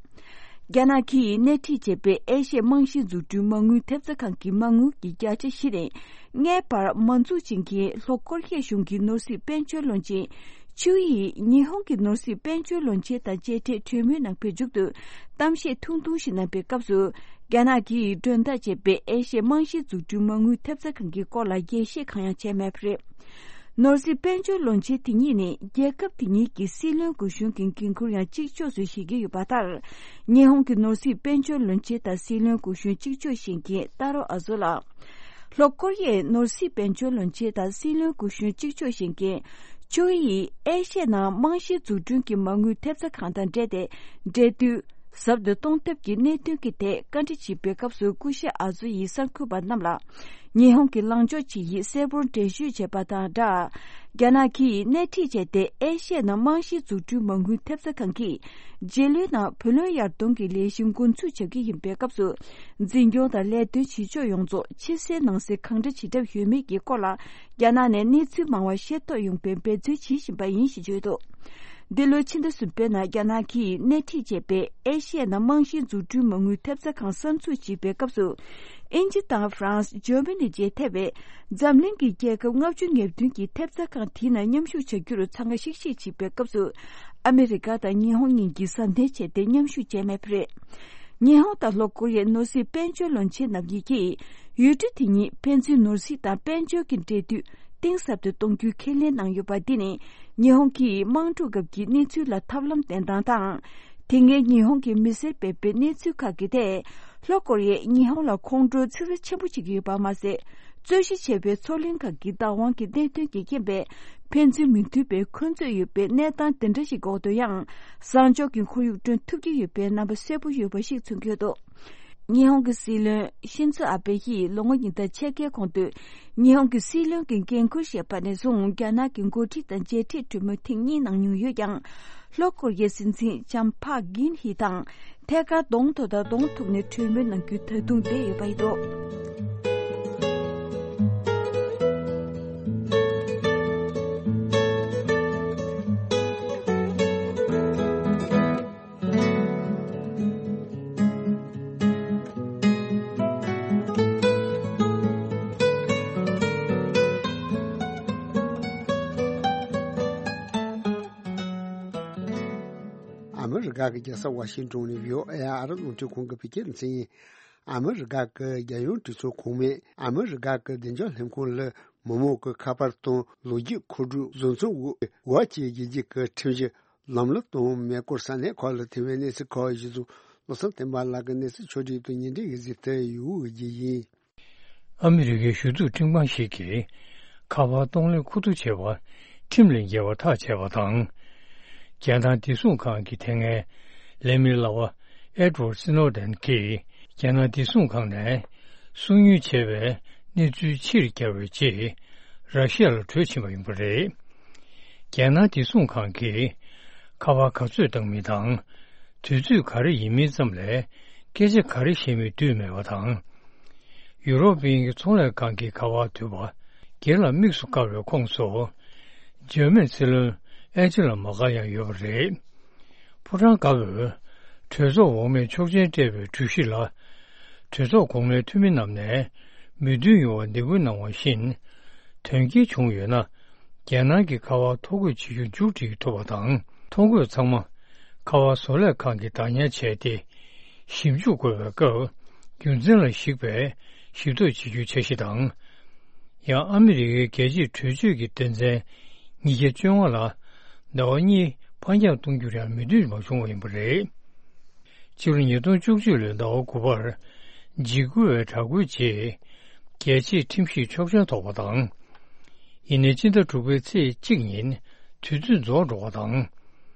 རྒྱ་ནག་གིས་སྣེ་ཁྲིད་བྱས་པའི་ཨེ་ཤ་ཡའི་རྨང་གཞིའི་འཛུགས་སྐྲུན་མ་དངུལ་ཐེབས་རྩ་ཁང་གི་མ་དངུལ་གྱི་བརྒྱ་ཆ་བཞི་ནས་ལྔའི་བར་མ་འཛུགས་བྱེད་མཁན་ལྷོ་ཀོ་རི་ཡའི་གཞུང་གི་ནོར་སྲིད་དཔལ་འབྱོར་བློན་ཆེན་ཆུའུ་ཡིས་ཉི་ཧོང་གི་ནོར་སྲིད་དཔལ་འབྱོར་བློན་ཆེན་དང་མཇལ་འཕྲད་གྲོས་མོལ་གནང་བའི་མཇུག་ཏུ་གཏམ་བཤད་ཐུང་ཐུང་ཞིག་གནང་པའི་སྐབས་སུ། རྒྱ་ནག་གིས་མགྲོན་བདག་བྱས་པའི་ཨེ་ཤ་ཡའི་རྨང་གཞིའི་འཛུགས་སྐྲུན་མ་དངུལ་ཐེབས་རྩ་ཁང་གི་སྐོར་ལ་རྒྱས་བཤད་གང་ཡང་བྱས་མེད་པ་རེད། ནོར་སྲིད་དཔལ་འབྱོར་བློན་ཆེན་དེ་གཉིས་ནི་རྒྱལ་ཁབ་དེ་གཉིས་ཀྱི་སྲིད་བློན་སྐུ་གཞོན་གྱི་འགན་ཁུར་ཡང་གཅིག་ལྕོགས་སུ་བཞེས་ཀྱི་ཡོད་པ་ལྟར། ཉི་ཧོང་གི་ནོར་སྲིད་དཔལ་འབྱོར་བློན་ཆེན་དང་སྲིད་བློན་སྐུ་གཞོན་གཅིག་ལྕོགས་བཞེས་མཁན་ཏཱ་རོ་ཨ་ཟོ་ལགས། ལྷོ་ཀོ་རི་ཡའི་ནོར་སྲིད་དཔལ་འབྱོར་བློན་ཆེན་དང་སྲིད་བློན་སྐུ་གཞོན་གཅིག་ལྕོགས་བཞེངས་མཁན་ཆུའུ་ཡིས་ཨེ་ཤི་ཡའི་ནང་རྨང་གཞིའི་འཛུགས་སྐྲུན་གྱི་མ་དངུལ་ཐེབས་རྩ་ཁང་དང་འབྲེལ་ཏེ་འབྲེལ་མཐུད། ཟབ་ཏུ་གཏོང་ཐབས་ཀྱི་གནད་དོན་གྱི་ཐད་བཀའ་འདྲི་བྱེད་པའི་སྐབས་སུ་སྐུ་ཞབས་ཨ་ཛོ་ཡིས་གསར་འགོད་པ་རྣམས་ལ། ཉི་ཧོང་གི་ལངས་ཕྱོགས་ཇི་ཡིན་གསལ་པོར་འགྲེལ་བརྗོད་བྱས་པ་དང་སྦྲགས། རྒྱ་ནག་གིས་སྣེ་ཁྲིད་བྱས་ཏེ་ཨེ་ཤི་ཡའི་ནང་རྨང་གཞིའི་འཛུགས་སྐྲུན་མ་དངུལ་ཐེབས་རྩ་ཁང་གིས། རྗེས་ལོའི་ནང་བུ་ལོན་ཡར་གཏོང་གི་ལས་གཞི་འགོ་འཛུགས་བྱ་རྒྱུ་ཡིན་པའི་སྐབས་སུ། འཛིན་སྐྱོང་དང་ལས་དོན་བྱེད་ཕྱོགས་ཡོངས་རྫོགས་ཕྱི་གསལ་ནང་གསལ་གང་འདྲ་བྱེད་གྲབས་ཡོད་མེད་ཀྱི་སྐོར་ལ། རྒྱ་ནག་ནས་གནས་ཚུལ་མང་བ་ཤེས་རྟོགས་ཡོང་པའི་འབད་བརྩོན་བྱེད་བཞིན་པ་ཡིན་ཞེས་བརྗོད་འདུག་འདི་ལོའི་ཕྱི་ཟླ་གསུམ་པའི་ནང་རྒྱ་ནག་གིས་སྣེ་ཁྲིད་བྱས་པའི་ཨེ་ཤི་ཡའི་ནང་རྨང་གཞིའི་འཛུགས་སྐྲུན་མ་དངུལ་ཐེབས་རྩ་ཁང་གསར་འཛུགས་བྱེད་པའི་སྐབས་སུ། དབྱིན་ཇི་དང་ཧྥ་རན་སི། འཇར་མ་ནི་བཅས་ཐེ་བའི་འཛམ་གླིང་གི་རྒྱལ་ཁབ་ལྔ་བཅུ་ང་བདུན་གྱིས་ཐེབས་རྩ་ཁང་དེའི་ནང་མཉམ་ཞུགས་བྱ་རྒྱུར་འཚང་ཁ་ཤིག་ཤིག་བྱེད་པའི་སྐབས་སུ། ཨ་མི་རི་ཀ་དང་ཉི་ཧོང་གཉིས་ཀྱིས་བསམ་གཏན་བྱས་ཏེ་མཉམ་ཞུགས་བྱས་མེད་པ་རེད། ཉི་ཧོང་དང་ལྷོ་ཀོ་རི་ཡའི་ནོར་སྲིད་དཔལ་འབྱོར་བློན་ཆེན་རྣམ་གཉིས་ཀྱིས་ཡུལ་གྲུ་དེ་གཉིས་ཕན་ཚུན་ནོར་སྲིད་དང་དཔལ་འབྱོར་གྱི་འབྲེལ་མཐུད་གཏིང་ཟབ་ཏུ་གཏོང་རྒྱུའི་ཁས་ལེན་གནང་ཡོད་པ། འདི་ནི་ཉི་ཧོང་གིས་དམག་འཁྲུག་སྐབས་ཀྱི་གནས་ཚུལ་ལ་ཐབས་ལམ་བསྟེན་སྟངས་དང་། དེ་སྔའི་ཉི་ཧོང་གི་མི་སེར་སྤེལ་བའི་གནས་ཚུལ་ཁག་གི་ཐད། ལྷོ་ཀོ་རི་ཡས་ཉི་ཧོང་ལ་ཁོང་ཁྲོ་ཚ་ཚ་ཆེན་པོ་བྱེད་ཀྱི་ཡོད་པ་མ་ཟད། རྩོད་གཞི་ཆེ་བའི་མཚོ་གླིང་ཁག་གི་བདག་དབང་གི་གནད་དོན་གྱི་རྐྱེན་པས། ཕན་ཚུན་མི་མཐུན་པའི་འཁོན་རྩོད་ཡོད་པའི་གནས་སྟངས་དེ་འདྲ་ཞིག་འོག་ཏུ་ཡང་། བཟང་ཕྱོགས་ཀྱི་ཁོར་ཡུག་བསྐྲུན་ཐུབ་ཀྱི་ཡོད་པའི་རྣམ་པ་གསལ་པོ་ཡོད་པ་ཞིག་མཚོན་གྱི་འདུག་ཉི་ཧོང་གི་སྲིད་བློན་ཤིན་ཛོ་ཨ་བྷེ་ཡིས་ལོ་ངོ་ཉིས་སྟོང་ཕྱེད་ཀའི་གོང་དུ། ཉི་ཧོང་གི་སྲིད་བློན་གྱི་འགན་འཁུར་བཞེས་པ་ནས་བཟུང་རྒྱ་ནག་གི་འགོ་ཁྲིད་དང་མཇལ་འཕྲད་གྲོས་མོལ་ཐེངས་གཉིས་གནང་མྱོང་ཡོད་ཀྱང་། ལྷོ་ཀོ་རི་ཡའི་སྲིད་འཛིན་ལྕམ་ཕག་གིན་ཧི་དང་ཐད་ཀར་གདོང་ཐོག་དང་གདོང་ཐུག་ནས་གྲོས་མོལ་གནང་རྒྱུ་ད་དུང་བསྡད་ཡོད་པ་ཡིན་འདུག་ཨ་མི་རི་ཀ་གི་རྒྱལ་ས་ཝ་ཤིང་ཏོན་ནས་བྷི་ཨོ་ཨེ་ཨ་རི་རླུང་འཕྲིན་ཁང་གི་བོད་སྐད་སྡེ་ཚན་ཡིན། ཨ་མི་རི་ཀ་གི་རྒྱལ་ཡོངས་གྲོས་ཚོགས་གོང་མས་ཨ་མི་རི་ཀ་གི་བདེ་འཇགས་ལྷན་ཁང་ལ་མི་མང་གི་ཁ་པར་དང་ལོ་རྒྱུས་མཁོ་སྒྲུབ་བཟོ་ཚོང་འོག་བཀག་ཆ་བཞེས་རྒྱུ་གི་ཁྲིམས་གཞི་ལམ་ལུགས་དང་མེ་འཁོར་ས་གནས་ཁག་ལ་ཐེ་བའི་གནས་ཚུལ་ཁག་གཞི་བཟུང་བློ་བཟང་བསྟན་པ་ལགས་ཀྱི་གནས་ཚུལ་ཕྱོགས་སྒྲིག་དང་ཉིན་རེའི་གཟིགས་ཏེ་ཡོད་རྒྱུ་ཡིན། ཨ་མི་རི་ཀའི་གཞུང་འཛུགས་ཁྲིམས་ཁང་ཞིག་གིས་ཁ་པར་གཏོང་ལེན་ཁུ་བསྡུ་བྱས་པ་ཁྲིམས་ལས་འགལ་བ་ཐག་བཅད་པ་དང་། རྒྱལ་ནང་བདེ་སྲུང་ཁང་གི་དེ་སྔའི་ལས་མི་ལག་པ་ཨེ་ཌི་ཝར་སི་ནོ་ཌེན་གྱིས་རྒྱལ་ནང་བདེ་སྲུང་ཁང་ནས་སོ་ཉུལ་བྱས་པའི་གནས་ཚུལ་ཕྱིར་བསྐྱར་བའི་རྗེས་ར་ཤི་ཡ་ལ་བྲོས་ཕྱིན་པ་ཡིན་པ་རེད། རྒྱལ་ནང་བདེ་སྲུང་ཁང་གིས་ཁ་པར་ག་ཚོད་བཏང་མིན་དང་། དུས་ཚོད་ག་རེ་ཡིན་མིན་ཙམ་ལས་སྐད་ཆ་ག་རེ་བཤད་མིན་བསྡུས་མེད་པ་དང་། ཡུ་རོབ་དབྱིན་གྱི་ཚོང་ལས་ཁང་གི་ཁ་པར་བསྡུས་པ་སྒེར་ལ་དམིགས་སུ་བཀར་བའི་ཁོངས་སུ། འཇར་མན་སྲིད་བློན་ཨན་ཇི་ལ་མར་ཀལ་ཡང་ཡོད་པ་རེད། ཕོ་བྲང་དཀར་པོས་གྲོས་ཚོགས་འོག་མའི་ཆོག་མཆན་སྤྲད་པའི་གྲོས་གཞི་ལ། གྲོས་ཚོགས་གོང་མའི་འཐུས་མི་རྣམས་ནས་མོས་མཐུན་ཡོང་བར་འདེད་སྐུལ་གནང་བ་བཞིན། དོན་རྐྱེན་བྱུང་ཡོད་ན། རྒྱལ་ནང་གི་ཁ་པར་ཐོ་འགོད་བྱེད་རྒྱུ་མཇུག་སྒྲིལ་ཐུབ་པ་དང་། ཐོ་འགོད་ཚང་མ་ཁ་པར་བཟོ་ལས་ཁང་གིས་བདག་ཉར་བྱས་ཏེ། ཞིབ་འཇུག་དགོས་པའི་སྐབས་རྒྱུ་མཚན་ལ་གཞིགས་པའི་ཞིབ་བརྟག་བྱེད་རྒྱུའི་འཆར་གཞི་དང་། ཡང་ཨ་མི་རི་ཀའི་རྒྱལ་སྤྱིའི་གྲོས་ཆོད་ཀྱི་དོན་ཚན་ཉིས་བརྒྱ་བཅོ་ལྔ་ལ་ཟླ་བ་གཉིས་ཕར་འགྱངས་གཏོང་རྒྱུར་ཡང་མོས་མཐུན་མ་བྱུང་བ་ཡིན་པ་རེད། ཕྱི་ལོ་ཉིས་སྟོང་བཅུ་གཅིག་ལོའི་ཟླ་བ་དགུ་པར་འཇིགས་སྐུལ་བའི་དྲག་རྒོལ་རྗེས་རྒྱལ་སྤྱིའི་ཁྲིམས་ཞིབ་ཆོག་མཆན་ཐོབ་པ་དང་། ཡིན་ནའི་སྤྱི་ཟླ་དྲུག་པའི་ཚེས་གཅིག་ཉིན་དུས་ཚོད་རྫོགས་འགྲོ་བ་དང་།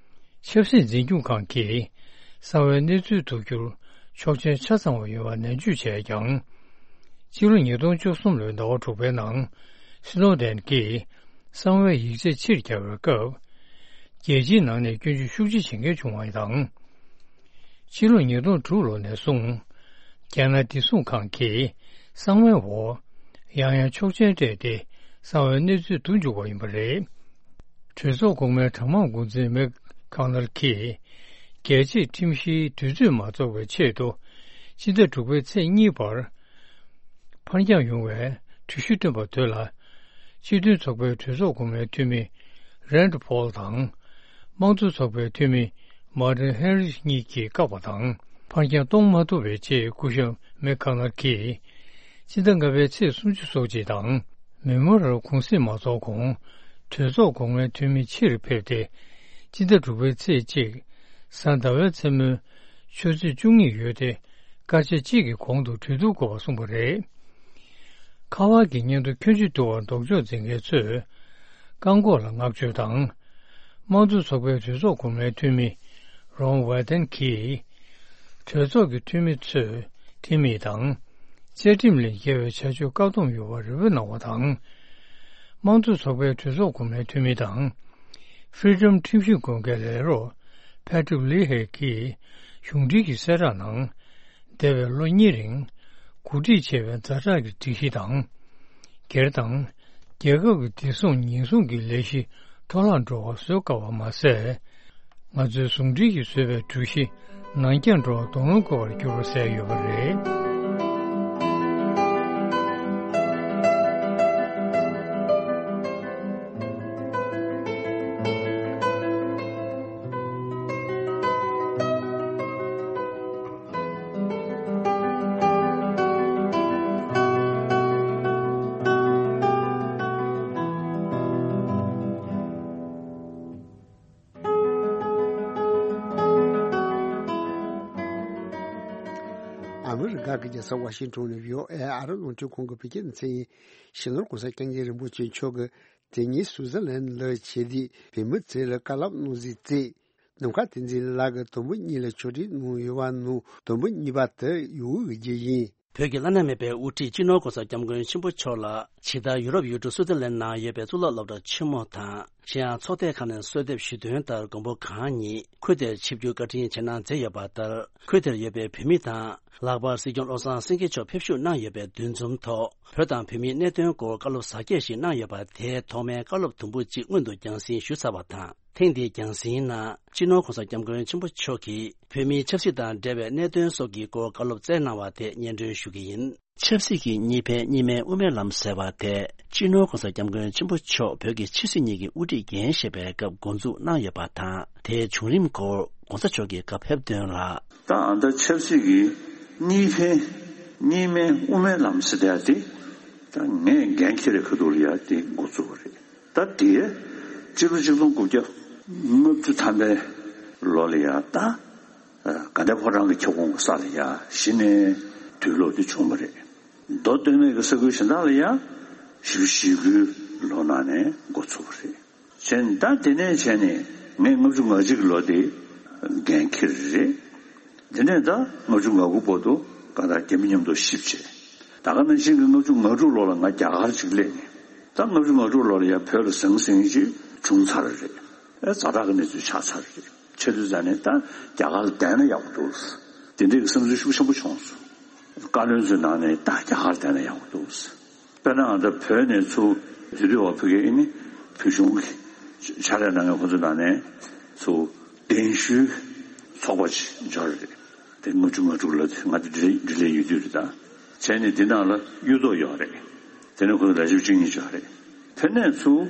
ཆབ་སྲིད་འཛིན་སྐྱོང་ཁང་གིས་གསང་བའི་གནས་ཚུལ་བསྡུ་རྒྱུར་ཆོག་མཆན་ཆ་ཚང་བ་ཡོད་པ་ནན་བརྗོད་བྱས་ཀྱང་། ཕྱི་ལོ་ཉིས་སྟོང་བཅུ་གསུམ་ལོའི་ཟླ་བ་དྲུག་པའི་ནང་སི་ནོ་ཌེན་གྱིས་གསང་བའི་ཡིག་ཆ་ཕྱིར་བསྐྱར་བའི་སྐབས། རྒྱལ་སྤྱིའི་ནང་ནས་སྐྱོན་བརྗོད་ཤུགས་ཆེ་བྱེད་མཁན་བྱུང་བ་དང་། ཕྱི་ལོ་ཉིས་སྟོང་དྲུག་ལོ་ནས་བཟུང་། རྒྱལ་ནང་བདེ་སྲུང་ཁང་གིས་གསང་བའི་འོག་ཡང་ཡང་ཆོག་མཆན་སྤྲད་དེ་གསང་བའི་གནས་ཚུལ་བསྡུ་འཇུག་པ་ཡིན་པ་རེད། གྲོས་ཚོགས་གོང་མའི་གྲངས་མང་འགོ་འཛིན་མེག་ཁང་ནར་གྱིས། རྒྱལ་སྤྱིའི་ཁྲིམས་གཞིའི་དུས་ཚོད་མ་རྫོགས་པའི་ཆེད་དུ། སྤྱི་ཟླ་དྲུག་པའི་ཚེས་གཉིས་བར། ཕར་འགྱངས་ཡོང་བའི་གྲོས་གཞི་བཏོན་པ་དེ་ལ། སྤྱི་མཐུན་ཚོགས་པའི་གྲོས་ཚོགས་གོང་མའི་འཐུས་མི་རན་ཌི་ཕོལ་དང་། དམངས་གཙོ་ཚོགས་པའི་འཐུས་མི་མར་ཏིན་ཧེན་རིས་གཉིས་ཀྱིས་བཀག་པ་དང་། ཕར་འགྱངས་གཏོང་མ་ཐུབ་པའི་རྗེས། སྐུ་ཞབས་མེག་ཁང་ནར་གྱིས། སྤྱི་ཟླ་ལྔ་པའི་ཚེས་སུམ་ཅུ་སོ་གཅིག་དང་། མེ་མོ་རལ་གུང་སེང་མ་རྫོགས་གོང་། གྲོས་ཚོགས་གོང་མའི་འཐུས་མི་ཕྱིར་ཕེབས་ཏེ། སྤྱི་ཟླ་དྲུག་པའི་ཚེས་གཅིག་གཟའ་ཟླ་བའི་མཚན་མོའི་ཆུ་ཚོད་བཅུ་གཉིས་ཡོལ་ཏེ། སྐར་ཆ་གཅིག་གི་གོང་དུ་གྲོས་བསྡུར་དགོས་པ་གསུངས་པ་རེད། ཁ་པར་གྱི་བརྙན་ཐུང་ཁྱོན་ཆེ་བཏུ་བར་ལྡོག་ཕྱོགས་འཛིན་མཁན་ཚོས་བཀག་འགོག་ལ་བསྔགས་བརྗོད་དང་། དམངས་གཙོ་ཚོགས་པའི་གྲོས་ཚོགས་གོང་མའི་འཐུས་མི་རོན་ཝེ་ཏན་གྱིས། གྲོས་ཚོགས་ཀྱི་འཐུས་མི་ཚོས་འཐུས་མི་དང་བཅའ་ཁྲིམས་ལས་འགལ་བའི་བྱ་སྤྱོད་བཀག་སྡོམ་ཡོད་པར་རེ་སྐུལ་གནང་བ་དང་། དམངས་གཙོ་ཚོགས་པའི་གྲོས་ཚོགས་གོང་མའི་འཐུས་མི་དང་། Freedom ཁྲིམས་ཞིབ་དགོན་སྡེའི་ལས་རོགས་Patrick Leahy གྱིས་གཞུང་འབྲེལ་གྱི་གསལ་བསྒྲགས་ནང་། འདས་པའི་ལོ་གཉིས་རིང་། གོ་སྒྲིག་བྱས་པའི་ཛ་དྲག་གི་སྒྲིག་གཞི་དང་། སྒེར་དང་། རྒྱལ་ཁབ་ཀྱི་བདེ་སྲུང་ཉེན་སྲུང་གི་ལས་གཞི་འཕྲོ་བརླག་འགྲོ་བ་བཟོ་དཀའ་བ་མ་ཟད། ང་ཚོའི་ཟུང་འབྲེལ་གྱིས་བཟོས་པའི་གྲོས་གཞི་ནང་འགྱངས་འགྲོ་བར་དོགས་སློང་དགོས་པར་འགྱུར་བ་གསལ་ཡོད་པ་རེད། ཨ་མི་རི་ཀ་གི་རྒྱལ་ས་ཝ་ཤིང་ཊོན་ནས་བྷི་ཨོ་ཨེ་ཨ་རི་རླུང་འཕྲིན་ཁང་གི་བོད་སྐད་སྡེ་ཚན་ཡིན། སྤྱི་ནོར་༸གོང་ས་༸སྐྱབས་མགོན་རིན་པོ་ཆེ་མཆོག་གིས་དེ་ཉིན་སུའུ་ཙེར་ལན་ལ་བྱས་ཏེ་བོད་མི་ཚོ་ལ་བཀའ་སློབ་གནང་གཟིགས་མཛད། ནམ་མཁའ་བསྟན་འཛིན་ལགས་ཀྱིས་དུམ་བུ་གཉིས་ལ་ཕྱོགས་སྒྲིག་གནང་ཡོད་པ་ནང་དུམ་བུ་གཉིས་པ་དེ་ཡུ་གུར་གྱི་རྒྱུད་ཡིན། བོད་ཀྱི་བླ་ན་མེད་པའི་དབུ་ཁྲིད་སྤྱི་ནོར་༸གོང་ས་༸སྐྱབས་མགོན་ཆེན་པོ་མཆོག་ལ་ཇི་ལྟར་ཡུ་རོབ་ཡུལ་གྲུ་སུའུ་ཙེར་ལན་ནང་ཡོད་པའི་གཙུག་ལག་སློབ་གྲྭ་ཆེན་མོ་དང་། གཞན་ཡང་ཚོགས་སྡེ་ཁག་ནས་གསོལ་འདེབས་ཞུས་དོན་ལྟར་མགོན་པོ་གང་ཉིད་ཁུལ་དེར་ཆིབས་བསྒྱུར་བཀའ་དྲིན་ཆེ་གནང་མཛད་ཡོད་པ་ལྟར། ཁུལ་དེར་ཡོད་པའི་བོད་མི་དང་། ལྷག་པར་སྲིད་སྐྱོང་བློ་བཟང་སེང་གེ་མཆོག་ཕེབས་ཞུགས་གནང་ཡོད་པའི་འདུ་འཛོམས་ཐོག་བོད་དང་བོད་མིའི་གནད་དོན་སྐོར་བཀའ་སློབ་གཟབ་རྒྱས་ཤིག་གནང་ཡོད་པ་དེའི་ཐོག་མའི་བཀའ་སློབ་དུམ་བུ་གཅིག་སྔོན་དུ་རྒྱང་སྲིང་ཞུས་ཚར་བ་དང་། ཐེངས་འདིའི་རྒྱང་སྲིང་ནང་སྤྱི་ནོར་༸གོང་ས་༸སྐྱབས་མགོན་ཆེན་པོ་མཆོག་གིས་བོད་མིའི་ཆབ་སྲིད་དང་འབྲེལ་བའི་གནད་དོན་སོགས་ཀྱི་སྐོར་བཀའ་སློབ་སྩལ་གནང་བ་དེ་སྙན་སྒྲོན་ཞུ་གི་ཡིན། ཆབ་སྲིད་ཀྱི་གཉིས་ཕན་གཉིས་སྨན་དབུ་མའི་ལམ་ཟེར་བ་དེ་སྤྱི་ནོར་༸གོང་ས་༸སྐྱབས་མགོན་ཆེན་པོ་མཆོག་བོད་ཀྱི་ཆབ་སྲིད་གཉིས་ཀྱི་དབུ་ཁྲིད་འགན་བཞེས་པའི་སྐབས་འགོ་འཛུགས་གནང་ཡོད་པ་དང་། དེའི་བྱུང་རིམ་སྐོར་༸གོང་ས་མཆོག་གིས་བཀའ་ཕེབས་དོན་ལ། ད་ཨ་ད་ཆབ་སྲིད་ཀྱི་གཉིས་ཕན་གཉིས་སྨན་དབུ་མའི་ལམ་ཟེར་བསྡད་དེ། ད་ངས་འགན་འཁྱེར་བའི་ཁ་ཐུག་ལ་ཡ་དེ་འགོ་བཙུགས་པ་རེད། ད་དེ་སྤྱི་ལོ་ཆིག་སྟོང་དགུ་བརྒྱ་ལྔ་བཅུ་ཐམ་པའི་ལོ་ལ་ཡ་ད་དགའ་ལྡན་ཕོ་བྲང་གི་ཁྱབ་ཁོངས་ཀྱི་ས་ལ་ཡ་གཞི་ནས་དུས་ལོག་དེ་བྱུང་བ་རེད། མདོ་སྟོད་སྨད་ཀྱི་ས་ཁུལ་གཞན་དག་ལ་ཡ་བཞི་བཅུ་ཞེ་དགུའི་ལོ་ནང་ནས་འགོ་ཚུགས་པ་རེད། བྱས་ནས་ད་དེ་ནས་བྱས་ནས་ངས་ལྔ་བཅུ་ང་གཅིག་གི་ལོ་དེ་འགན་འཁྱེར་རེད། དེ་ནས་ད་ལྔ་བཅུ་ང་དགུ་བར་དུ་གང་ལྟར་རྒྱ་མི་མཉམ་དུ་གཤིབ་བྱས། ད་ག་ནང་བཞིན་གྱི་ལྔ་བཅུ་ང་དྲུག་ལོ་ལ་ང་རྒྱ་གར་ཅིག་སླེབས་ནས། ད་ལྔ་བཅུ་ང་དྲུག་ལོ་ལ་ཡང་བོད་ལ་ཟང་ཟིང་ཅིག་བྱུང་ཚར་རེད། ཨེ་ཛ་དྲག་གི་གནས་ཚུལ་ཆགས་ཚར་རེད། ཆེ་དུས་ཙ་ནས་ད་རྒྱ་གར་ལ་བསྡད་ན་ཡག་པོ་འདུག་དེ་འདྲའི་གི་བསམ་ཚུལ་ཤུགས་ཆེན་པོ་བྱུང་སོང་། བཀའ་བློན་ཚོའི་ནང་ནས་ད་རྒྱ་གར་ལ་བསྡད་ན་ཡག་པོ་འདུག་དཔེར་ན་ང་ཚོ་བོད་ནས་ཚུར་དེ་དུས་བ་ཕ་གི་ཨེ་ནི་བོད་གཞུང་གི་ཕྱག་ལས་གནང་མཁན་ཁོ་ཚོའི་ནང་ནས་ཚུར་གདན་ཞུའི་ཚོགས་པ་ཅིག་འབྱོར་རེད། དེ་ལྔ་བཅུ་ང་དྲུག་ལོ་དེ་ང་ཚོ་འབྲེལ་འབྲེལ་ལས་ཡོད་དུས་རེད་ད། བྱས་ནས་འདི་ནང་ལ་གཡུ་ཐོག་ཡོད་རེད། དེ་ནས་ཁོ་ཚོ་ལས་བྱེད་བཅུ་གཉིས་འབྱོར་རེད། དེ་ནས་ཚུར་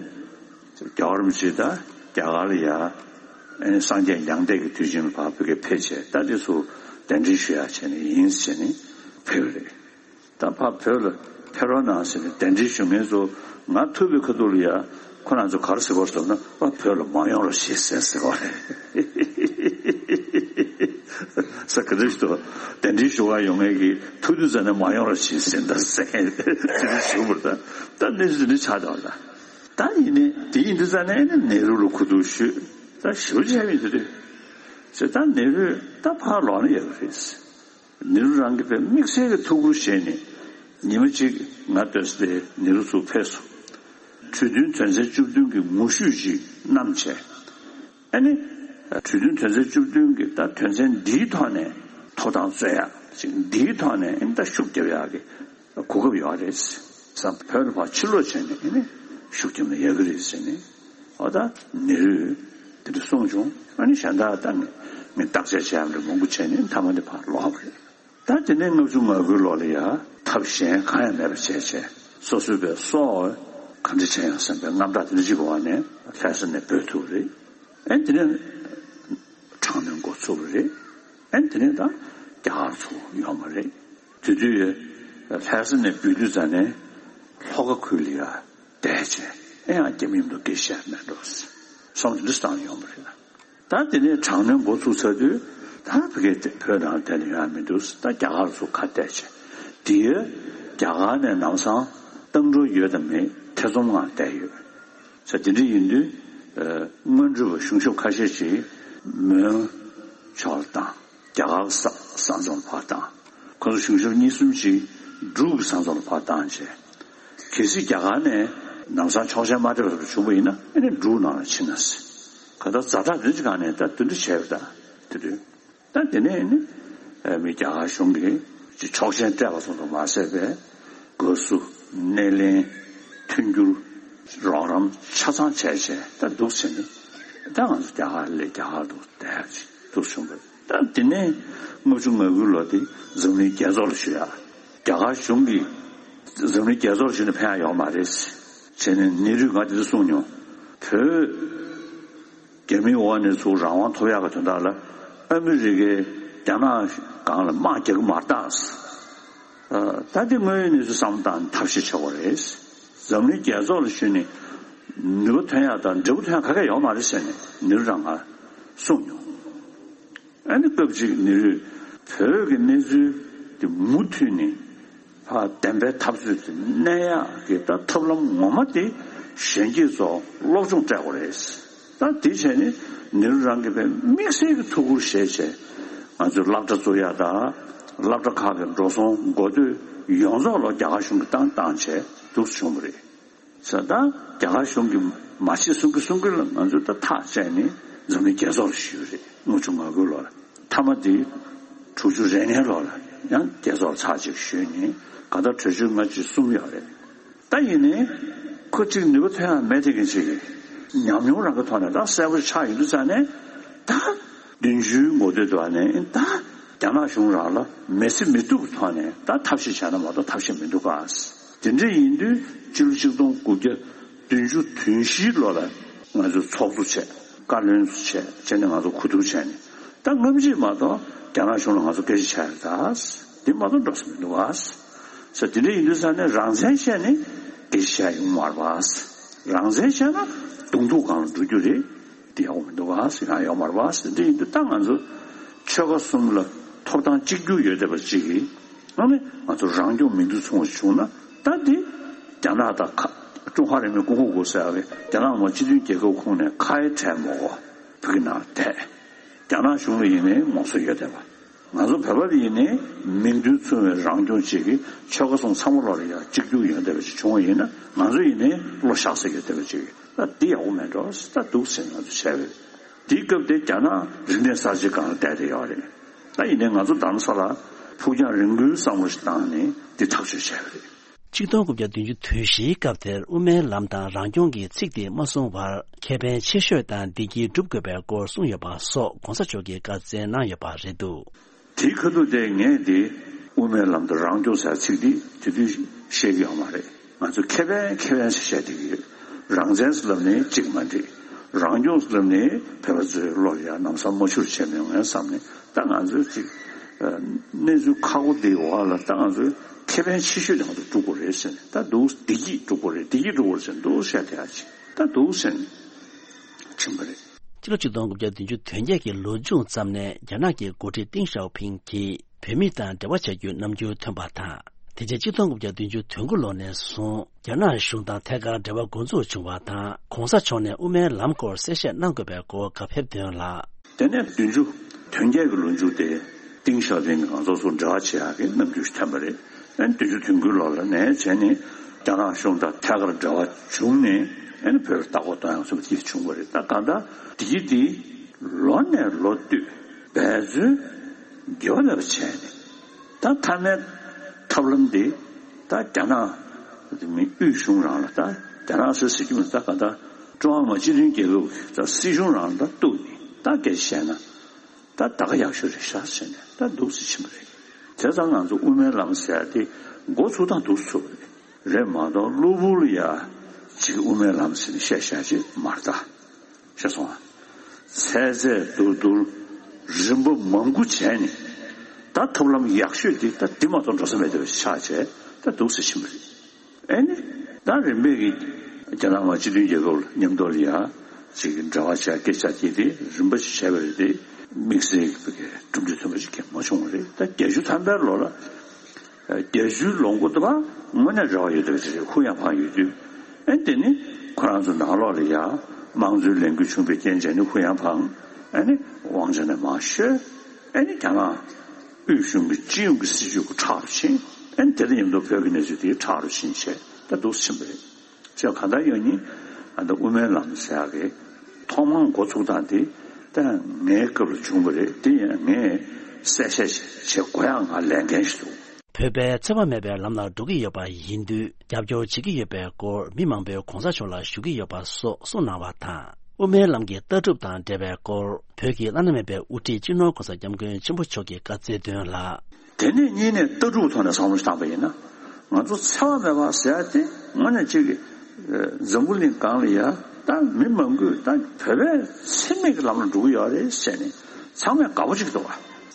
རྒྱལ་བ་རིན་པོ་ཆེ་ད་རྒྱ་གར་ལ་ཡ་ཨེ་ནི་སངས་རྒྱས་མྱང་འདས་ཀྱི་དུས་ཆེན་ལ་ཕར་བོད་སྐད་ཕེབས་བྱས། ད་དེ་ཚོ་གདན་འདྲེན་ཞུ་ཡག་བྱས་ནས་ཡིན་ཟེར་ནས་ཕེབས་རེད། ད་ཕར་བོད་ལ་ཕེབས་རོགས་གནང་ཟེར་ནས་གདན་འདྲེན་ཞུ་མཁན་ཚོ་ང་ཐུག་པའི་ཁ་ཐུག་ལ་ཡ་ཁོ་རང་ཚོ་ག་རེ་ཟེར་བ་ཟེར་ན། ཕར་བོད་ལ་མ་ཡོང་རོགས་བྱེད་ཟེར་ཟེར་བ་རེད། ས་ག་འདྲ་ཞིག་ཏུ་གདན་འདྲེན་ཞུ་ག་ཡོང་མཁན་གྱི་ཐུག་དུས་ཙ་ནས་མ་ཡོང་རོགས་བྱེད་ཟེར་ད་ཟེར་མཁན་དེ་འདྲ་ཞུ་བར་ད་ད་གནས་ཚུལ་དེ་འདྲ་ཆགས་བསྡད་པ་རེད། ད་ཡིན་ནའི་དེ་ཡིན་དུས་ཙ་ནས་ནི་ནེ་རུ་ལ་གོ་བསྡུར་ཞུས། ད་ཞུ་བྱས་མི་དེ་རེད་ཟེར། ད་ནེ་རུས་ད་ཕར་ལོག་ན་ཡག་གི་རེད། ནེ་རུ་རང་གིས་དཔེ་དམིགས་བསལ་གྱི་ཐུགས་ཁུར་བཞེས་ནས་ཉི་མ་གཅིག་ང་སྡོད་ས་དེ་ནེ་རུ་ཚུར་ཕེབས་སོང་། གྲོས་མཐུན་དོན་ཚན་བཅུ་བདུན་གྱི་ངོ་བཤུས་ཅིག་བསྣམས་བྱས། ཨ་ནི་གྲོས་མཐུན་དོན་ཚན་བཅུ་བདུན་གྱི་ད་དོན་ཚན་འདིའི་ཐོག་ནས་ཐོབ་ཐང་རྩོད་ཡག་ཅིག་འདིའི་ཐོག་ནས་ཨ་ནི་ད་ཤུགས་རྒྱབ་ཡག་གི་གོ་སྐབས་ཡོད་རེད་ཟེར། བོད་ལ་ཕར་ཕྱིར་ལོག་བྱས་ནས་ཨ་ནི་ཤུགས་རྒྱབ་ན་ཡག་གི་རེད་ཟེར་ནས། འོ་ད་ནེ་རུས་དེ་འདྲ་གསུངས་བྱུང་། ཨ་ནི་གཞན་དག་ད་ངས་ངས་བརྟག་དཔྱད་བྱས་ཡག་འདྲ་མང་པོ་བྱས་ནས་མཐའ་མ་དེ་ཕར་ལོག་པ་རེད། ད་དེ་ནས་ལྔ་བཅུ་ང་དགུའི་ལོ་ལ་ཡ་ཐབས་གཞན་གང་ཡང་མེད་པ་བྱས་བྱས། སོ་སོའི་པའི་སྲོག་ག་འདྲ་བྱས་ཡང་བསམ་པའི་རྔམ་སྐྲག་དེ་འདྲ་ཅིག་གི་འོག་ནས་ལྷ་ས་ནས་བྲོས་ཐུབ་པ་རེད། ཨེ་དེ་ནས་དྲག་གནོན་འགོ་ཚུགས་པ་རེད། ཨེ་དེ་ནས་ད་རྒྱ་གར་ཚུར་ཡོང་བ་རེད། དེ་དུས་ལྷ་ས་ནས་བྲོས་དུས་ཙ་ནས་ལྷོ་ཁ་ཁུལ་ལ་ཡ་བསྡད་བྱས། ཨེ་ཡང་རྒྱ་མི་མཉམ་དུ་སྐད་ཆ་བཤད་མེད་འགྲོ། སོམ་དེ་འདྲ་བཏང་ཡོང་བ་རེད། ད་དེ་ནས་དྲག་གནོན་འགོ་ཚུགས་ཚར་དུས་ད་ཕ་གིར་བོད་ནང་བསྡད་ན་ཡོང་ཡ་མི་འདུག་ད་རྒྱ་གར་ཚུར་ཁ་གཏད་བྱས། དེ་ཡང་རྒྱ་གར་ནས་ལམ་སང་ བཏང་འགྲོ་ཡོད་དམ་མེད་ཐེ་ཚོམ་ངང་བསྡད་ཡོད། ས་དེ་འདྲ་ཡིན་དུས། སྔོན་འགྲོ་བ་གཞུང་ཞབས་ཁ་ཤས་ཤིག་མོན་ཕྱོགས་ལ་བཏང་། རྒྱ་གར་ས་ས་མཚམས་ལ་ཕར་བཏང་། ཁོ་ཚོ་གཞུང་ཞབས་གཉིས་གསུམ་ཅིག་འབྲུག་གི་ས་མཚམས་ལ་ཕར་བཏང་བྱས། གལ་སྲིད་རྒྱ་གར་ནས་ལམ་སང་ཆོག་མཆན་མ་སྤྲད་པ་བྱུང་བ་ཡིན་ན་ཨ་ནི་འབྲུག་ནང་ལ་ཕྱིན་ན་སྲིད། ག་ད་ཛ་དྲག་དེ་འདྲ་ཅིག་སྒང་ནས་ད་དེ་འདྲ་བྱས་པ་ད་དེ་དུས། ད་དེ་ནས་ནི་མི་རྒྱ་གར་གཞུང་གིས་ཅིག་ཆོག་མཆན་སྤྲད་པ་ཙམ་དུ་མ་ཟད་པའི་དགའ་བསུ་སྣེ་ལེན་མཐུན་འགྱུར་རོགས་རམ་ཆ་ཚང་བྱས་བྱས་ད་འདུག་ཟེར་ནས། ད་ང་ཚོ་རྒྱ་གར་ལས་རྒྱ་གར་དུ་བསྡད་ཅིག་འདུག་བྱུང་བ། ད་དེ་ནས་ལྔ་བཅུ་ང་དགུ་ལོ་དེ་འཛམ་གླིང་རྒྱལ་ཚོགས་ལ་ཞུ་ཡ། རྒྱ་གར་གཞུང་གིས་འཛམ་གླིང་རྒྱལ་ཚོགས་ལ་ཞུས་ནས་ཕན་ཡ་ཡོད་མ་རེད་ཟེར་ནས་ནེ་རུས་ང་དེ་ཚོ་གསུངས་མྱོང་། བོད་རྒྱ་མིའི་འོག་ནས་ཚུར་རང་དབང་ཐོབ་ཡག་གི་དོན་དག་ལ་ཨ་མི་རི་ཀས་རྒྱ་ནག་སྒང་ལ་དམག་རྒྱག་གི་མ་རེད་ད། ད་དེ་དངོས་ཡོད་གནས་ཚུལ་བསམ་བློ་བཏང་ནས་ཐབས་ཤེས་བྱེད་དགོས་རེད། འཛམ་གླིང་རྒྱལ་ཚོགས་ལ་ཞུས་ནས་ནུས་པ་ཐོན་ཡག་དང་འབྲས་བུ་ཐོན་ཡག་ག་གེ་ཡོད་མ་རེད་ཟེར་ནས་ནེ་རུས་རང་ང་གསུངས་མྱོང་། ཨ་ནི་སྐབས་གཅིག་ནེ་རུས་བོད་ཀྱི་གནས་ཚུལ་དེ་མུ་མཐུད་ནས་ཕར་བདེན་པའི་འཐབ་རྩོད་དེ་གནས་ཡག་གི་ད་ཐབས་ལམ་ངོ་མ་དེ་གཞོན་སྐྱེས་ཚོ་སློབ་སྦྱོང་སྤྲད་དགོས་རེད། ད་དེ་བྱས་ནས་ནེ་རུ་རང་གིས་དཔེ་དམིགས་བསལ་གྱི་ཐུགས་ཁུར་བཞེས་བྱས་ང་ཚོས་སློབ་གྲྭ་བཙུགས་ཡག་དང་སློབ་གྲྭ་ཁག་གི་འགྲོ་སོང་འགོ་སྟོད་ཡོངས་རྫོགས་ལ་རྒྱ་གར་གཞུང་གིས་བཏང་བཏང་བྱས་འདུག་བྱུང་བ་རེད། ས་ད་རྒྱ་གར་གཞུང་གིས་མ་བྱེད་གསུང་གི་གསུང་གི་ལ་ང་ཚོས་ད་ཐག་བཅད་ནས་འཛམ་གླིང་རྒྱལ་ཚོགས་ལ་ཞུས་རེད། ལྔ་བཅུ་ང་དགུ་ལོར་མཐའ་མ་དེ་དྲུག་ཅུ་རེ་ལྔའི་ལོ་ལ་ཡང་རྒྱལ་ཚོགས་ཚར་གཅིག་ཞུས་ནས་ག་ད་གྲོས་ཆོད་ལྔ་བཅུ་གསུམ་ཡོད་རེད། ད་ཡིན་ནའི་ཁོ་གཅིག་ནུས་པ་ཐོན་ཡག་མེད་དེ་གི་ཅིག་ཉམས་མྱོང་རང་གི་ཐོག་ནས་ད་གསལ་པོ་ཆགས་ཡོང་དུས་ཙང་ནས་ད། བདུན་ཅུའི་འགོ་སྟོད་དུ་ནས་ད་རྒྱ་ནག་གཞུང་རང་ལ་མི་སེམས་མི་སྡུག་གི་ཐོག་ནས་ད་ཐབས་ཤེས་བྱས་ན་མ་གཏོགས་ཐབས་ཤེས་མི་འདུག་ག། དེ་འདྲ་ཡིན་དུས་ཕྱི་ལོ་ཆིག་སྟོང་དགུ་བརྒྱ་བདུན་ཅུ་དོན་བཞིའི་ལོ་ལ་ང་ཚོས་ཚོགས་གཙོ་བྱས་བཀའ་བློན་བྱས་བྱས་ནས་ང་ཚོ་གོ་བསྡུར་བྱས་ནས་ད་སྔ་ཕྱི་མ་གཏོགས་རྒྱ་ནག་གཞུང་ལ་ང་ཚོ་སྐད་ཆ་བྱས་ཡོད་ད། དེ་མ་གཏོགས་འགྲོ་ས་མི་འདུག་ག། ས་དེ་འདྲ་ཡིན་དུས་ས་ནས་རང་བཙན་བཤད་ནས་སྐད་ཆ་བཤད་ཡོང་མ་རེད་པ། རང་བཙན་བཤད་ན་གདོང་ཐུག་སྒང་ལ་འགྲོ་རྒྱུ་རེད། དེ་ཡག་པོ་མི་འདུག་ག་ཟེར་ཡང་ཡོག་མ་རེད་པ་ཟེར། འདི་ཡིན་དུས་ད་ང་ཚོ་ཆོལ་ཁ་གསུམ་ལ་ཐོབ་ཐང་གཅིག་གྱུར་ཡོད་བསྡད་པ་གཅིག་གིས་ཨ་ནི་ང་ཚོ་རང་སྐྱོང་མི་འདུག་ཚོང་བ་བྱུང་ན་ད་འདི་རྒྱ་ནག་དང་ཁ་ཀྲུང་ཧྭ་རིང་མོའི་ཀུང་ཧོ་གོ་ཟེར་བའི་རྒྱ་ནག་མ་སྤྱི་མཐུན་རྒྱལ་ཁབ་ཁོངས་ནས་ཁ་ཡེ་བྲལ་མ་དགོས་བོད་ཀྱི་ནང་བསྡད། རྒྱ་ནག་གཞུང་ལ་ཡིན་ནའི་ངོ་སོ་ཡོད་བསྡད་པ། ང་ཚོ་བོད་པ་ལ་ཡིན་ནའི་མིང་དོན་མཚུངས་པའི་རང་སྐྱོང་བཅས་ཀྱི་ཆོལ་ཁ་གསུམ་ཚང་མ་ལོག་ལ་ཡང་གཅིག་གྱུར་ཡོང་བསྡད་པ་ཅིག་བྱུང་བ་ཡིན་ན་ང་ཚོ་ཡིན་ནའི་བློ་བཞག་ས་ཡོད་བསྡད་པ་ཅིག་ད་འདི་ཡག་པོ་མེད་འགྲོ་ད་འདུག་ཟེར་ང་ཚོ་བྱས་པ་རེད། དེའི་སྐབས་དེ་རྒྱ་ནག་རིག་གནས་གསར་བརྗེ་སྒང་ལ་བསྡད་བསྡད་ཡོད་རེད། ད་ཡིན་ནའི་ང་ཚོ་རྡ་རམ་ས་ལ་ཕུགས་རྒྱང་རིང་པོའི་བསམ་བློ་ཞིག་བཏང་ནས་འདི་ཐག་གཅོད་བྱས་པ་རེད། ཆིག་སྟོང་དགུ་བརྒྱ་བདུན་ཅུ་དོན་བཞིའི་སྐབས་དེར་དབུ་མའི་ལམ་དང་རང་སྐྱོང་གི་ཚིག་དེ་མ་གསུངས་བར་ཁེ་ཕན་ཆེ་ཤོས་དང་བདེ་སྐྱིད་སྒྲུབ་དགོས་པའི་སྐོར་གསུངས་ཡོད་པ་སོགས་གོང་ས་མཆོག་གིས་བཀའ་སྩལ་གནང་ཡོད་པ་རེད་འདུག་དེའི་ཁ་ཐུག་དེ་ངས་དེ་དབུ་མའི་ལམ་དང་རང་སྐྱོང་ཟེར་ཚིག་འདི་དེ་དུས་བཤད་ཀྱི་ཡོད་མ་རེད། ང་ཚོ་ཁེ་ཕན་ཁེ་ཕན་ཟེར་བཤད་བསྡད་ཀྱི་ཡོད། རང་བཙན་ཟེར་ལབ་ནས་གཅིག་མ་འགྲིག་རང་སྐྱོང་ཟེར་ལབ་ནས་བོད་པ་ཚོའི་བློ་ལ་ཡང་ལམ་སང་མ་འཆོར་བྱས་མེད་ངས་བསམ་ནས་ད་ང་ཚོས་ཅིག་གནས་ཚུལ་ཁག་པོ་འདིའི་འོག་ལ་ད་ང་ཚོས་ཁེ་ཕན་ཆེ་ཤོས་དེ་ང་ཚོ་སྒྲུབ་དགོས་རེད་ཟེར་ནས་ད་འདུག་བདེ་སྐྱིད་སྒྲུབ་དགོས་རེད། བདེ་སྐྱིད་སྒྲུབ་དགོས་རེད་ཟེར་འདུག་བཤད་བསྡད་ཡ་ཅིག་ད་འདུག་ཟེར་ནས་ཕྱིན་པ་རེད། སྤྱི་ལོ་ཆིག་སྟོང་དགུ་བརྒྱ་བདུན་ཅུ་དོན་བརྒྱད་ཀྱི་ལོ་མཇུག་ཙམ་ནས་རྒྱ་ནག་གི་འགོ་ཁྲིད་ཏིང་ཞའོ་ཕིང་གིས་བོད་མི་དང་འབྲེལ་བ་བྱ་རྒྱུའི་རྣམ་འགྱུར་ཐོན་པ་དང་། དེ་རྗེས་ཆིག་སྟོང་དགུ་བརྒྱ་བདུན་ཅུ་དོན་དགུ་ལོ་ནས་བཟུང་རྒྱ་ནག་གཞུང་དང་ཐད་ཀར་འབྲེལ་བ་འགོ་འཛུགས་བྱུང་བ་དང་། གོང་ས་མཆོག་ནས་དབུ་མའི་ལམ་སྐོར་གསལ་བཤད་གནང་དགོས་པའི་སྐོར་བཀའ་ཕེབས་དོན་ལ། དེ་ནས་བདུན་ཅུ་དོན་བརྒྱད་ཀྱི་ལོ་མཇུག་དེ་ཏིང་ཞའོ་ཕིང་གིས་ང་ཚོ་ཚོ་འབྲེལ་བ་བྱེད་ཡག་གི་རྣམ་འགྱུར་ཞིག་ཐོན་པ་རེད། ཨ་ནི་བདུན་ཅུ་དོན་དགུའི་ལོ་ལ་ནས་བྱས་ནས་རྒྱ་ནག་གཞུང་དང་ཐད་ཀར་འབྲེལ་བ་བྱུང་ནས་ཨ་ནི་བོད་ལ་ལྟ་སྐོར་གཏོང་ཡག་སོགས་དེ་བྱུང་བ་རེད། ད་གང་ལྟར་དེ་དེ་ལོ་ནས་ལོ་བསྟུད་འབད་བརྩོན་དགེ་བ་ལས་པ་བྱས་ནས་ད་མཐའ་མའི་ཐབས་ལམ་དེ་ད་རྒྱ་ནག་མི་དབུས་གཞུང་རང་ལ་ད་རྒྱ་ནག་ཟེར་ཟེར་གྱི་མི་ད་གང་ལྟར་ཀྲུང་ཧྭ་མི་དམངས་སྤྱི་མཐུན་རྒྱལ་ཁབ་ད་སྲིད་གཞུང་རང་ལ་ད་གཏུགས་ནས་ད་སྐད་ཆ་བཤད་ན། ད་ད་ག་ཡག་ཤོས་རེད་ཤག་ཟེར་ནས་ད་འདུག་སེ་ཕྱིན་པ་རེད། བྱས་ཙང་ང་ཚོ་དབུ་མའི་ལམ་ཟེར་ཡ་དེ་འགོ་ཚུགས་སྟངས་འདུག་སེ་ཚུགས་པ་རེད། རེད་མ་གཏོགས་གློ་བུར་ལ་ཡ་ཅིག་དབུ་མའི་ལམ་ཟེར་ནས་བཤད་བཤད་ཅིག་མ་རེད་ད། ཤེས་སོང་ཨ། ཚད་ཚད་བསྡུར་བསྡུར་རིམ་པ་མང་པོ་བྱས་ནས་ད་ཐབས་ལམ་ཡག་ཤོས་དེ་ད་འདི་མ་གཏོགས་འགྲོ་ས་མེད་པ་ཆགས་བྱས་ད་འདུག་སེ་ཕྱིན་པ་རེད། ཨེ་ནི། ད་རིམ་པས་ཀྱི་རྒྱ་ནག་མ་སྤྱི་མཐུན་རྒྱལ་ཁབ་ལ་མཉམ་དུ་ལ་ཡ་ཅིག་འབྲེལ་བ་བྱ་སྐད་ཆ་དེ་དེ་རིམ་པ་ཞིག་བྱས་པ་རེད་དེ་དམིགས་བསལ་གྱི་གྲུབ་འབྲས་ཐོན་པ་ཞིག་གང་མ་བྱུང་བ་རེད། ད་བརྒྱད་ཅུ་ཐམ་པའི་ལོ་ལ་ བརྒྱད་ཅུའི་ལོ་འགོ་དུ་བ་དངོས་གནས་རེ་བ་ཡོད་དུ་ཧུ་ཡང་ཕང་ཡོད་དུས། ཨེ་དེ་ནི་ཁོ་རང་ཚོ་ནང་ལོགས་ལ་ཡ་དམངས་གཙོའི་ལས་འགུལ་བྱུང་བའི་རྐྱེན་བྱས་ནས་ཧུ་ཡང་ཕང་། ཨེ་ནི་དབང་ཆ་ནས་མར་བཤོལ། ཨེ་ནི་རྒྱ་ནག་དབུས་གཞུང་གི་སྤྱི་ཡོངས་ཀྱི་སྲིད་བྱུས་ཁྲག་རུ་ཕྱིན། ཨེ་ནི་དེ་དང་མཉམ་དུ་བོད་ཀྱི་གནས་ཚུལ་དེ་ཁྲག་རུ་ཕྱིན་བྱས་ད་འདུག་ཕྱིན་པ་རེད། ཅེས་གང་ལྟར་ཡང་ཉིན་ཨ་ད་དབུ་མའི་ལམ་ཟེར་ཡག་གི་ཐོག་མར་འགོ་ཚུགས་སྟངས་དེ་ད་ངའི་སྐབས་ལ་བྱུང་བ་རེད། དེ་ཡང་ངས་གསལ་བཤད་བྱེད་དགོས་ཡག་ང་ལས་འགན་ཞིག་འདུག་བོད་པས་འཚེ་བ་མེད་པའི་ལམ་ལ་འགྲོ་གི་ཡོད་པ་ཡིན་དུས་རྒྱབ་སྐྱོར་བྱེད་ཀྱི་ཡོད་པའི་སྐོར་མི་མང་པོས་གོང་ས་མཆོག་ལ་ཞུ་གི་ཡོད་པ་སོགས་གསུངས་གནང་བ་དང་། དབུ་མའི་ལམ་གྱི་ལྟ་གྲུབ་དང་འབྲེལ་བའི་སྐོར་བོད་ཀྱི་བླ་ན་མེད་པའི་དབུ་ཁྲིད་སྤྱི་ནོར་༸གོང་ས་༸སྐྱབས་མགོན་ཆེན་པོ་མཆོག་གིས་བཀའ་སྩལ་དོན་ལ། དེ་ནས་གཉིས་ནས་ལྟ་གྲུབ་ཐོག་ནས་བསམ་བློ་བཏང་པ་ཡིན་ན། ང་ཚོ་འཚེ་བ་མེད་པ་ཟེར་ཡ་དེ་དངོས་གནས་གཅིག་གི་འཛམ་བུ་གླིང་སྒང་ལ་ཡ་ད་མི་མང་པོས་ད་བོད་པས་འཚེ་མེད་ཀྱི་ལམ་ལ་འགྲོ་གི་ཡོད་རེད་ཟེར་ནས་ཚང་མས་དགའ་པོ་བྱེད་ཀྱི་འདུག་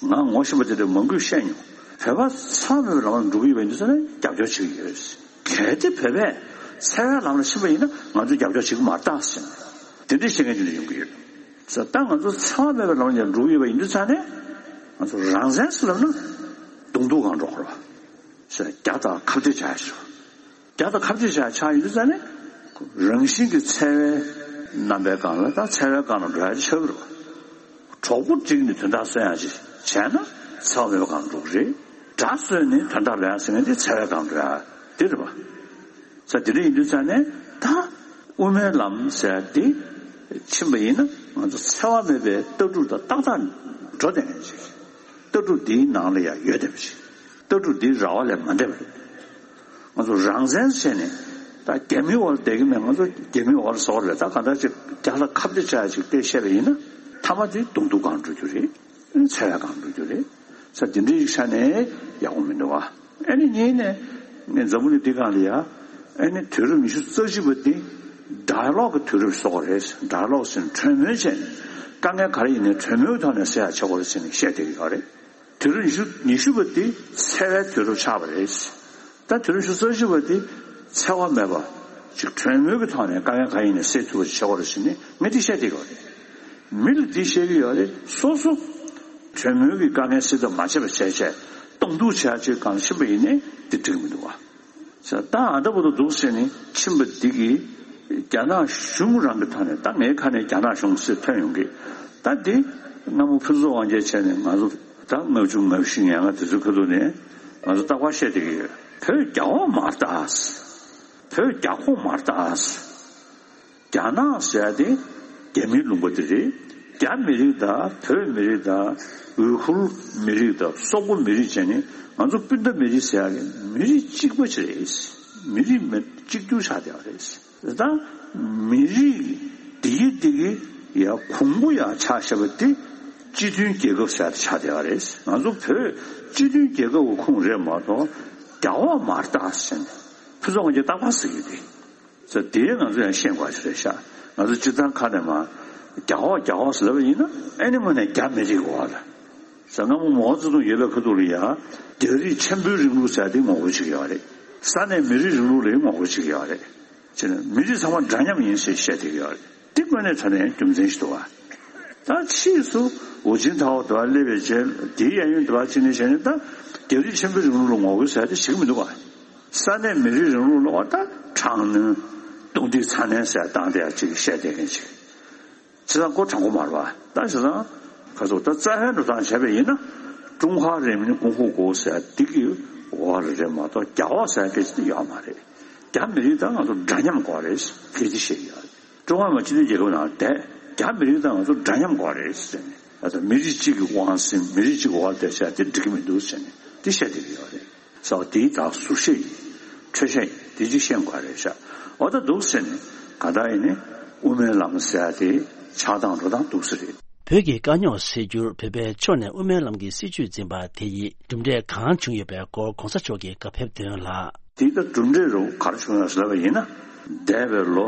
བ། ང་ངོ་ཤེས་པ་དེ་འདྲས་མང་པོས་བཤད་མྱོང་། བོད་པ་འཚེ་བ་མེད་པའི་ལམ་ལ་འགྲོ་གི་ཡོད་པ་ཡིན་དུས་ཙང་ནས་རྒྱབ་སྐྱོར་བྱེད་ཀྱི་ཡོད་རེད། གལ་ཏེ་བོད་པས་འཚེ་བའི་ལམ་ལ་ཕྱིན་པ་ཡིན་ན་ང་ཚོས་རྒྱབ་སྐྱོར་བྱེད་ཀྱི་མ་རེད་ད་ཟེར་ནས་དེ་འདྲའི་བཤད་མཁན་ཅིག་ཡོང་གི་ཡོད། ས་ད་ང་ཚོ་འཚེ་བ་མེད་པའི་ལམ་ལ་འགྲོ་གི་ཡོད་པ་ཡིན་དུས་ཙང་ནས་ང་ཚོ་རང་བཙན་ཟེར་ལབ་ན་གདོང་ཐུག་སྒང་འགྲོ་དགོས་རེད་བ། ས་རྒྱ་དང་ཁ་གཏད་བྱ་ཡ་ཞིག་རྒྱ་དང་ཁ་གཏད་བྱ་ཡ་ཆགས་ཡོད་དུས་ཙང་ནས་རང་བཞིན་གྱི་འཚེ་བའི་རྣམ་པའི་སྒང་ལ་ད་འཚེ་བའི་སྒང་ལ་འགྲོ་ཡ་ཆགས་ཀྱི་རེད་བ། གྲོགས་པོ་བསྒྲིགས་ནས་དོན་དག་སོན་ཡ་ཅིག་བྱས་ན་འཚེ་བ་མེད་པའི་སྒང་འགྲོ་གི་རེད། དགྲ་སོན་ནས་དོན་དག་ལེན་ཡ་ཟེར་མཁན་དེ་འཚེ་བའི་སྒང་འགྲོ་ཡ་དེ་རེད་བ། ས་དེ་འདྲ་ཡིན་དུས་ཙང་ནས་ད་དབུ་མའི་ལམ་ཟེར་ཡ་དེ་ཕྱིན་པ་ཡིན་ན་ང་ཚོ་འཚེ་བ་མེད་པའི་ལྟ་གྲུབ་དང་ཏག་ཏག་འགྲོ་བསྡད་མཁན་ཅིག་ལྟ་གྲུབ་འདིའི་ནང་ལ་ཡང་ཡོད་བསྡད་པ་ཅིག་ལྟ་གྲུབ་འདིའི་ར་བ་ལས་མ་འདས་པ་རེད། ང་ཚོ་རང་བཙན་བྱས་ནས་ད་རྒྱ་མིའི་འོག་ལ་བསྡད་ཀྱི་མེད། ང་ཚོ་རྒྱ་མིའི་འོག་ལ་བཟོ་བ་རེད། ད་གང་ལྟར་ཅིག་རྒྱ་ལ་ཁ་གཏད་བྱ་ཡ་ཅིག་དེ་བཤད་པ་ཡིན་ན་མཐའ་མ་དེ་གདོང་ཐུག་སྒང་འགྲོ་རྒྱུ་རེད། འཚེ་བའི་སྒང་འགྲོ་རྒྱུ་རེད། ས་དེ་འདྲའི་ཡིག་ཆ་ནས་ཡག་པོ་མི་འདུག་བ། ཨ་ནི་གཉིས་ནས་ངས་འཛམ་བུ་གླིང་འདི་སྒང་ལ་ཡ་ཨ་ནི་དུས་རབས་ཉི་ཤུ་རྩ་གཅིག་པ་འདི་ཌའི་ལོག་གི་དུས་རབས་སུ་གཏོགས་པ་རེད། ཌའི་ལོག་ཟེར་ན་གྲོས་མོལ་བྱས་ནས་དཀའ་ངལ་ག་རེ་ཡིན་ནའི་གྲོས་མོལ་ཐོག་ནས་སེལ་ཡ་བྱེད་དགོས་རེད་ཟེར་ནས་བཤད་བསྡད་ཀྱི་ཡོད་རེད། དུས་རབས་ཉི་ཤུ་ཉི་ཤུ་པ་འདི་འཚེ་བའི་དུས་རབས་ཆགས་པ་རེད། ད་དུས་རབས་ཉི་ཤུ་རྩ་གཅིག་པ་འདི་འཚེ་བ་མེད་པ་ཅིག་གྲོས་མོལ་གྱི་ཐོག་ནས་དཀའ་ངལ་ག་ཡིན་ནའི་སེལ་ཐུབ་པ་ཅིག་བྱེད་དགོས་རེད་ཟེར་ནས་ངས་འདི་བཤད་བསྡད་ཀྱི་ཡོད་རེད། མི་ལ་འདི་བཤད་ཀྱི་ཡོད་རེད། སོ་སོ་གྲོས་མོལ་གྱི་དཀའ་ངལ་སེལ་ཐབས་མ་བྱས་པ་བྱས་བྱས་གདོང་ཐུག་བྱས་ཅིག་སྒང་ཕྱིན་པ་ཡིན་ནའི་འདི་འགྲིག་མི་འདུག་བ། ས་ད་ཨ་ད་བར་དུ་འདུག་ཟེར་ནས་ཕྱིན་པ་འདི་གིས་རྒྱ་ནག་གཞུང་རང་གི་ཐོག་ནས་ད་ངའི་ཁ་ནས་རྒྱ་ནག་གཞུང་ཟེར་ཐོན་ཡོང་གི་ད་འདི་སྔ་མོ་ཕུན་ཚོགས་དབང་རྒྱལ་བྱས་ནས་ང་ཚོ་ད་ལྔ་བཅུ་ང་བཞི་ང་ལྔ་དེ་ཚོའི་ཁ་ཐུག་ནས་ང་ཚོ་རྟག་པར་བཤད་བསྡད་ཀྱི་ཡོད། བོད་རྒྱ་འོག་མ་རེད་ད། བོད་རྒྱ་ཁོངས་མ་རེད་ད། རྒྱ་ནག་ཟེར་ཡ་དེ་རྒྱ་མིའི་ལུང་པ་དེ་རེད། རྒྱ་མི་རིགས་དང་བོད་མི་རིགས་དང་ཝུའི་ཁུར་མི་རིགས་དང་སོག་པོ་མི་རིགས་བྱས་ནས་ང་ཚོ་སྤུན་ཟླ་མི་རིགས་ཟེར་ཡ་གི་མི་རིགས་གཅིག་པ་ཅིག་རེད། མི་རིགས་མི་གཅིག་གྱུར་ཆགས་བསྡད་པ་རེད། ད་མི་རིགས་དེ་གི་དེ་གི་ཡ་གོང་བུ་ཡ་ཆགས་བཞག་པ་དེ་སྤྱི་མཐུན་རྒྱལ་ཁབ་ཟེར་ཡ་དེ་ཆགས་བསྡད་པ་རེད། ང་ཚོ་བོད་སྤྱི་མཐུན་རྒྱལ་ཁབ་ཀྱི་ཁོངས་རེད་མ་གཏོགས་རྒྱ་འོག་མ་རེད་ད་ཟེར་ནས་ཕུན་ཚོགས་དབང་རྒྱལ་རྟག་པར་ཟེར་གྱི་རེད། ས་དེ་ང་ཚོ་ཡང་ཤེས་དགོས་ཞིག་རེད་ཤག་ང་ཚོ་སྤྱིར་བཏང་ཁ་ནས་མ་རྒྱ་འོག་རྒྱ་འོག་ཟེར་ལབ་པ་ཡིན་ན་ཨ་ནི་དངོས་གནས་རྒྱ་མི་རིགས་འོག་ལ། ས་སྔ་མོ་མའོ་ཙེ་ཏུང་ཡོད་པའི་ཁ་ཐུག་ལ་ཡ་རྒྱ་རིགས་ཆེན་པོའི་རིང་ལུགས་ཟེར་དེ་ངོ་རྒོལ་བྱེད་ཀྱི་ཡོད་རེད། ས་གནས་མི་རིགས་རིང་ལུགས་ལ་ཡང་ངོ་རྒོལ་བྱེད་ཀྱི་ཡོད་རེད། བྱས་ན་མི་རིགས་ཚང་མ་འདྲ་མཉམ་ཡིན་ཞེས་བཤད་བསྡད་ཀྱི་ཡོད་རེད། དེ་དངོས་གནས་དྲང་གནས་རྒྱུ་མཚན་ཞིག་འདུག་བ། ད་ཕྱིས་སུ་ཧུའུ་ཅིན་ཐའོ་དེ་བ་སླེབས་པའི་རྗེས་དེའི་གཡས་གཡོན་དེ་བ་ཅིག་ནས་བྱས་ནས་ད་རྒྱ་རིགས་ཆེན་པོའི་རིང་ལུགས་ལ་ངོ་རྒོལ་ཟེར་དེ་ཞིག་མི་འདུག་བ། ས་གནས་མི་རིགས་རིང་ལུགས་ལ་བ་ད་དྲག་གནོན་རྡུང་རྡེག་ཚ་ནན་ཟེར་བཏང་བསྡད་ཡ་ཅིག་བཤད་བསྡད་མཁན་ཅིག་བྱས་ཙང་ཁོ་དྲང་པོ་མ་རེད་བ། ད་བྱས་ཙང་ཁ་སོ་ད་རྩ་བའི་འགྲོ་སྟངས་བྱས་པ་ཡིན་ན་ཀྲུང་ཧྭ་རིན་མིན་ཀུང་ཧྥུ་གོ་ཟེར་འདི་གི་འོག་ལ་རེད་མ་གཏོགས་རྒྱ་འོག་ཟེར་སྐད་ཆ་དེ་ཡོད་མ་རེད། རྒྱ་མི་རིགས་དང་ང་ཚོ་འདྲ་མཉམ་དགོས་རེད་ཕལ་ཆེར་བཤད་ཀྱི་ཡོད་རེད། ཀྲུང་ཧྭ་མི་དམངས་སྤྱི་མཐུན་རྒྱལ་ཁབ་ནང་བསྡད་རྒྱ་མི་རིགས་དང་ང་ཚོ་འདྲ་མཉམ་དགོས་རེད་ཟེར་ནས་ད་ལྟ་མི་རིགས་གཅིག་གི་དབང་ཟིན་མི་རིགས་གཅིག་གི་འོག་ལ་བསྡད་བྱས་དེ་འགྲིག་གི་མི་འདུག་ཟེར་ནས་དེ་བཤད་བསྡད་ཀྱི་ཡོད་རེད། ས་བ་དེའི་དག་ཟུར་བཤད་ཡིན། འཕྲོས་བཤད་ཡིན། དེ་ཅིག་ཤེས་དགོས་རེད་ཤག་འོ་ད་འདུག་ཟེར་ནས་ག་ད་ཡིན་ནས་དབུ་མའི་ལམ་ཟེར་ཡ་དེ་ཆགས་སྟངས་འགྲོ་སྟངས་འདུག་ས་རེད། བོད་ཀྱི་དཀའ་རྙོག་སེལ་རྒྱུར་བོད་པའི་ཕྱོགས་ནས་དབུ་མའི་ལམ་གྱི་སྲིད་བྱུས་འཛིན་པ་དེ་ཡིས་གྲུབ་འབྲས་གང་བྱུང་ཡོད་པའི་སྐོར་གོང་ས་མཆོག་གིས་བཀའ་ཕེབས་དོན་ལ། དེ་ལྟར་གྲུབ་འབྲས་རུ་ག་རེ་བྱུང་ཡོད་ཟེར་བ་ཡིན་ན། འདས་པའི་ལོ་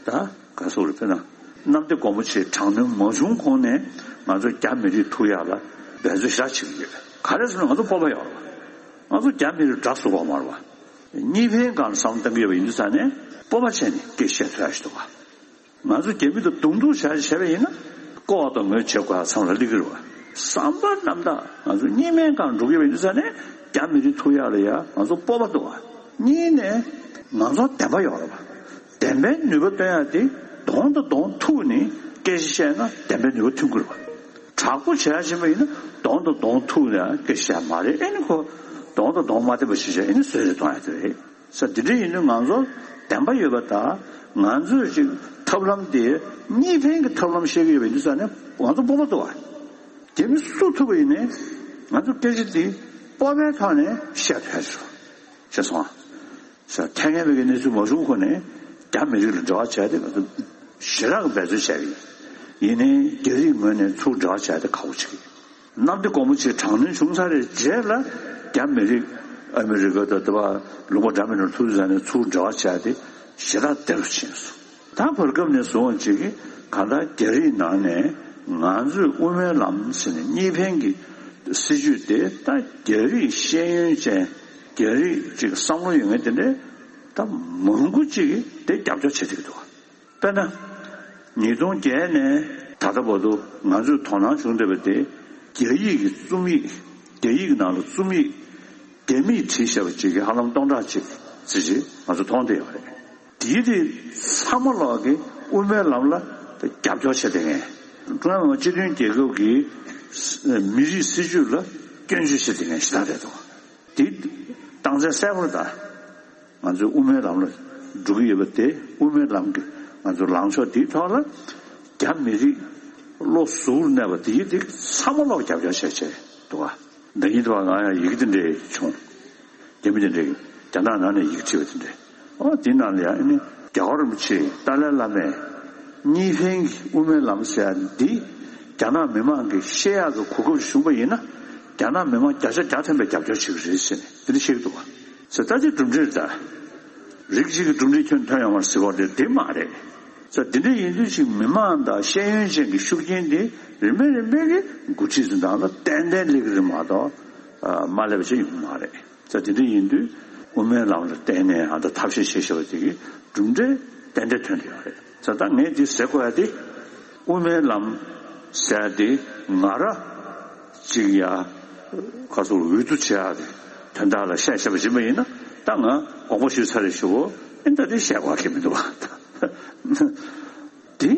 ད་ག་ཚོད་རེད་ཕེབས་ན། གནམ་བདེ་སྒོ་མོ་ཆེའི་དྲག་གནོན་མ་བྱུང་གོང་ནས་ང་ཚོ་རྒྱ་མི་རིགས་ཐུག་ཡག་ལ་འབད་རྩོལ་ཞེ་དྲག་བྱེད་ཀྱི་ཡོད། ག་རེ་ཟེར་ན་ང་ཚོ་སྤོབས་པ་ཡོད་རེད་བ། ང་ཚོ་རྒྱ་མི་རིགས་དགྲ་བཟོ་དགོས་མ་རེད་བ། གཉིས་ཕན་སྒང་ལ་བསམ་བློ་གཏང་གི་ཡོད་པ་ཡིན་དུས་ཙང་ནས་སྤོབས་པ་བྱས་ནས་སྐད་བཤད་ཐུབ་ཡག་ཞིག་འདུག་བ། ང་ཚོ་རྒྱ་མི་དང་གདོང་ཐུག་བྱ་བྱས་པ་ཡིན་ན་ལྐོག་དང་ངོས་བྱེད་དགོས་ཡག་མཚམས་ལ་སླེབས་ཀྱི་རེད་བ། བསམ་པ་རྣམ་དག་ང་ཚོ་གཉིས་ཕན་སྒང་འགྲོ་གི་ཡོད་པ་ཡིན་དུས་ཙང་ནས་ རྒྱ་མི་རིགས་ཐུག་ཡག་ལ་ཡ་ང་ཚོ་སྤོབས་པ་འདུག་བ། གཉིས་ནས་ང་ཚོ་བདེན་པ་ཡོད་རེད་བ། བདེན་པའི་ནུས་པ་སྟོན་ཡག་དེ་གདོང་དང་གདོང་ཐུག་ནས་སྐད་ཆ་བཤད་ན་བདེན་པའི་ནུས་པ་ཐོན་གྱི་རེད་བ། དྲག་པོ་བྱེད་ཡག་བྱེད་པ་ཡིན་ན་གདོང་དང་གདོང་ཐུག་ནས་སྐད་ཆ་བཤད་མ་རེད། ཨེ་ནི་ཁོ་གདོང་དང་གདོང་མ་བསྟན་པ་ཞིག་བྱས་ཨེ་ནི་བཟོད་རེ་གཏོང་ཡག་དེ་རེད། ས་འདི་འདྲ་ཡིན་དུས་ང་ཚོ་བདེན་པ་ཡོད་པ་དང་ང་ཚོས་ཅིག་ཐབས་ལམ་དེ་གཉིས་ཕན་གྱི་ཐབས་ལམ་བཤད་ཀྱི་ཡོད་པ་ཡིན་དུས་ས་ནས་ང་ཚོ་སྤོབས་པ་འདུག་བ། རྒྱ་མི་སུ་ཐུག་པ་ཡིན་ནའི་ང་ཚོ་སྐད་ཆ་འདི་སྤོབས་པའི་ཐོག་ནས་བཤད་ཐུབ་ཡ་ཞིག་རེད། ཤེས་སོང་ཨ། ས་ཐད་ངན་པའི་གནས་ཚུལ་མ་བྱུང་གོང་ནས་རྒྱ་མི་རིགས་ལ་འབྲེལ་བ་བྱས་ཏེ་ང་ཚོ་ཞེ་དྲག་གི་འབད་རྩོལ་བྱས་པ་ཡིན། ཡིན་ནའི་རྒྱ་རིགས་ངོས་ནས་ཚུར་འབྲེལ་བ་བྱས་ཏེ་ཁག་པོ་ཆེ་གི། གནམ་བདེ་སྒོ་མོ་ཆེའི་དྲག་གནོན་བྱུང་ཚར་རེད་རྗེས་ལ་རྒྱ་མི་རིགས་ཨ་མི་རི་ཀ་དང་དེ་བ་ལུང་པ་འདྲ་མིན་ནང་ཐུག་དུས་ཙང་ནས་ཚུར་འབྲེལ་བ་བྱས་ཏེ་ཞེ་དྲག་བདེ་རུ་ཕྱིན་སོང་། ད་བར་སྐབས་ནས་བཟུང་བ་ཅིག་གིས་གང་ལྟར་རྒྱ་རིགས་ནང་ནས་ང་ཚོས་དབུ་མའི་ལམ་ཟེར་ནས་གཉིས་ཕན་གྱི་སྲིད་བྱུས་དེ་ད་རྒྱ་རིགས་ཤེས་ཡོན་ཅན་རྒྱ་རིགས་ཅིག་བསམ་བློ་ཡོད་མཁན་དེ་འདྲའི་ད་མང་པོ་ཅིག་གིས་དེ་རྒྱབ་སྐྱོར་བྱེད་ཐུབ་ཀྱི་འདུག་དཔེར་ན། ཉིས་སྟོང་བརྒྱད་ནས་ད་ལྟ་བར་དུ་ང་ཚོས་དོ་སྣང་བྱུང་བསྡད་པ་དེ་རྒྱ་ཡིག་གི་རྩོམ་ཡིག་རྒྱ་ཡིག་ནང་ལ་རྩོམ་ཡིག་རྒྱ་མིས་བྲིས་བཞག་པ་ཅིག་གི་ཧ་ལམ་སྟོང་ཕྲག་གཅིག་ཙམ་ཅིག་ང་ཚོ་མཐོང་བསྡད་ཡོད་རེད། དེའི་རིགས་ཚང་མ་ལོག་གི་དབུ་མའི་ལམ་ལ་རྒྱབ་སྐྱོར་བྱེད་བསྡད་མཁན། ཀྲུང་དབྱང་མི་དམངས་སྤྱི་མཐུན་རྒྱལ་ཁབ་ཀྱི་མི་རིགས་སྲིད་བྱུས་ལ་སྐྱོན་བརྗོད་བྱེད་བསྡད་མཁན་ཞེ་དྲག་རེད་འདུག་དེ་རྟགས་མཚན་གསལ་པོ་རེད་ད། ང་ཚོས་དབུ་མའི་ལམ་ལ་འགྲོ་གི་ཡོད་པ་དེ་དབུ་མའི་ལམ་གྱི་ང་ཚོའི་ལངས་ཕྱོགས་དེའི་ཐོག་ལ་རྒྱ་མི་རིགས་བློ་གཟུ་བོར་གནས་པ་དེ་ཡིན་དེ་ཚང་མ་ལོག་རྒྱབ་སྐྱོར་བྱས་བྱས་འདུག་ག་ད་ཡིན་དུས་ང་ཡང་ཡི་གེ་དེ་འདྲས་བྱུང་། རྒྱ་མི་དེ་འདྲས་རྒྱ་ནག་ནང་ནས་ཡི་གེ་བྲིས་པ་དེ་འདྲས། ཨོ་དེ་ནང་ལ་ཡང་ཨ་ནི་རྒྱལ་བ་རིན་པོ་ཆེ་ཏཱ་ལའི་བླ་མས་གཉིས་ཕན་གྱི་དབུ་མའི་ལམ་ཟེར་ཡ་འདི་རྒྱ་ནག་མི་མང་གིས་ཤེས་ཡག་གི་གོ་སྐབས་བྱུང་པ་ཡིན་ན་རྒྱ་ནག་མི་མང་བརྒྱ་ཆ་བརྒྱ་ཐམ་པས་རྒྱབ་སྐྱོར་བྱེད་ཀྱི་རེད་ཟེར་ནས་དེ་འདྲ་བཤད་ཀྱི་འདུག་བ། ཟེར་ད་ཅི་གྲུབ་འབྲས་ད། རིགས་གཅིག་གི་གྲུབ་འབྲས་ཁྱོན་ཐོན་ཡོང་བར་ཟེར་བ་དེ་དེ་མ་རེད། ཟེར་དེ་འདྲ་ཡིན་དུས་ཅིག་མི་མང་དང་ཤེས་ཡོན་ཅན་གྱི་ཤུགས་རྐྱེན་དེ་རིམ་པས་རིམ་པས་ཀྱིས་འགོ་ཁྲིད་ཚོའི་ནང་ལ་ཏན་ཏན་སླེབས་ཀྱི་རེད་མ་གཏོགས་མ་སླེབས་པ་ཅིག་ཡོང་གི་མ་རེད། ཟེར་དེ་འདྲ་ཡིན་དུས་དབུ་མའི་ལམ་ལ་བརྟེན་ནས་ཨ་ད་ཐབས་ཤེས་བྱེད་བཞག་པ་དེ་གིས་གྲུབ་འབྲས་ཏན་ཏན་ཐོན་བསྡད་ཡོད་རེད། ཟེར་ད་ངས་འདི་ཟེར་དགོས་ཡ་དེ་དབུ་མའི་ལམ་ཟེར་ཡ་དེ་ང་ར་ཅིག་ཡ་ཁ་སོར་འོས་བསྡུ་བྱེད་ཡ་དེ་དོན་དག་ལ་བཤད་བཤད་པ་ཡིན་པ་ཡིན་ན་ད་ང་དགོངས་པ་ཞུས་ཚར་རེད་ཞུ་བོ་ཨེ་ད་དེ་བཤད་དགོས་ཀྱི་མི་འདུག་བ། དེ་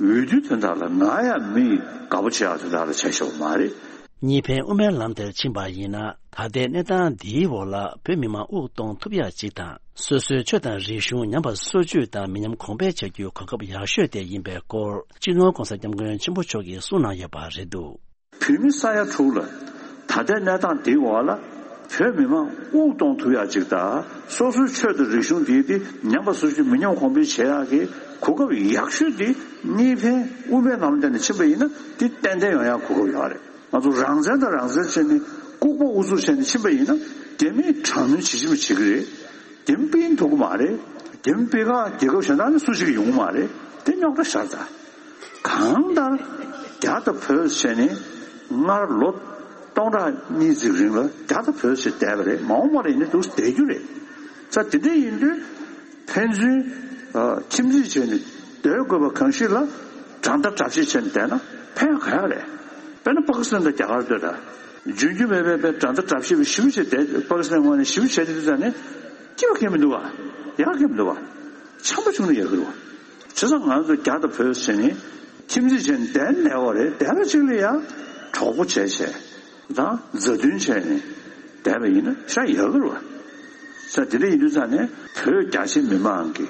འོས་བསྡུའི་དོན་དག་ལ་ང་ཡ་མི་དགའ་པོ་བྱེད་ཡ་དོན་དག་ལ་བྱས་བཞག་པ་མ་རེད། གཉིས་ཕན་དབུ་མའི་ལམ་དེར་ཕྱིན་པ་ཡིན་ན་ད་ལྟའི་གནས་སྟངས་འདིའི་འོག་ལ་བོད་མི་མང་དབུགས་གཏོང་ཐུབ་ཡག་ཅིག་དང་སོ་སོའི་ཆོས་དང་རིག་གཞུང་ཉམས་པ་སོར་ཆུད་དང་མི་ཉམས་གོང་འཕེལ་བྱ་རྒྱུའི་གོ་སྐབས་ཡག་ཤོས་དེ་ཡིན་པའི་སྐོར་སྤྱི་ནོར་༸གོང་ས་༸སྐྱབས་མགོན་ཆེན་པོ་མཆོག་གིས་གསུངས་གནང་ཡོད་པ་རེད་འདུག་བོད་མི་ས་ཡ་དྲུག་ལ་ད་ལྟའི་གནས་སྟངས་འདིའི་འོག་ལ་བོད་མི་མང་དབུགས་གཏོང་ཐུབ་ཡག་ཅིག་དང་སོ་སོའི་ཆོས་དང་རིག་གཞུང་འདིའི་དེ་ཉམས་པ་སོར་ཆུད་མི་ཉམས་གོང་འཕེལ་བྱེད་ཡག་གི་གོ་སྐབས་ཡག་ཤོས་དེ་གཉིས་ཕན་དབུ་མའི་ལམ་བསྟན་ནས་ཕྱིན་པ་ཡིན་ན་དེ་ཏན་ཏན་ཡོང་ཡག་གོ་སྐབས་ཡོད་རེད། ང་ཚོ་རང་བཙན་དང་རང་བཙན་བྱས་ནས་ལྐུགས་པ་ཨུ་ཚུགས་བྱས་ནས་ཕྱིན་པ་ཡིན་ན་རྒྱ་མིས་དྲག་གནོན་ཇི་བྱེད་མི་བྱེད་ཀྱི་རེད། རྒྱ་མི་སྤེལ་ཐུབ་ཀྱི་མ་རེད། རྒྱ་མི་སྤེལ་ཁག་རྒྱལ་ཁབ་གཞན་དག་ནས་སུ་ཞིག་ཡོང་གི་མ་རེད། དེ་རྙོག་དྲ་ཤར་ཚར། གང་ལྟར་རྒྱ་དང་བོད་བྱས་ནས་སྔར་ལོ་སྟོང་ཕྲག་གཉིས་ཙམ་རིང་ལ་རྒྱ་དང་བོད་ཟེར་བསྡད་པ་རེད། མ་འོངས་པ་ལ་ཡིན་ན་འདུག་བསྡད་རྒྱུ་རེད། ས་དེ་འདྲ་ཡིན་དུས་ཕན་ཚུན་ཨ་ཁྱིམ་མཚེས་བྱས་ནས་སྡོད་དགོས་པ་གང་ཞིག་ལ་དགྲ་ཟླ་དགྲ་བཤེས་བྱས་ནས་བསྡད་ན་ཕན་ག་ཡག་རེད། དཔེར་ན་པ་ཀི་སི་ཐན་དང་རྒྱ་གར་ལྟོས་དང་། རྒྱུན་རྒྱུ་མེད་པའི་དཔེ་དགྲ་ཟླ་དགྲ་བཤེས་པའི་ཞི་བ་བྱས་བསྡད་པ་ཀི་སི་ཐན་ངོས་ནས་ཞི་བ་བྱས་བསྡད་དུས་ཙང་ནས་སྐྱིད་པ་གང་ཡང་མི་འདུག་བ། ཡག་གང་ཡང་མི་འདུག་བ། འཆམ་པོ་བྱུང་ན་ཡག་གི་རེད་བ། བྱས་ཙང་ང་ཚོ་རྒྱ་དང་བོད་ཟེར་ནས་ཁྱིམ་མཚེས་བྱས་ནས་བསྡད་ནས་བ་རེད། བསྡད་པ་གཅིག་ལ་ཡང་གྲོགས་པོ་བྱས་བྱས་དང་མཛའ་མཐུན་བྱས་ནས་བསྡད་པ་ཡིན་ན་ཤ་ཡག་གི་རེད་བ། ས་དེ་འདྲ་ཡིན་དུས་ཙང་ནས་བོད་རྒྱ་ཆེ་མི་མང་གི་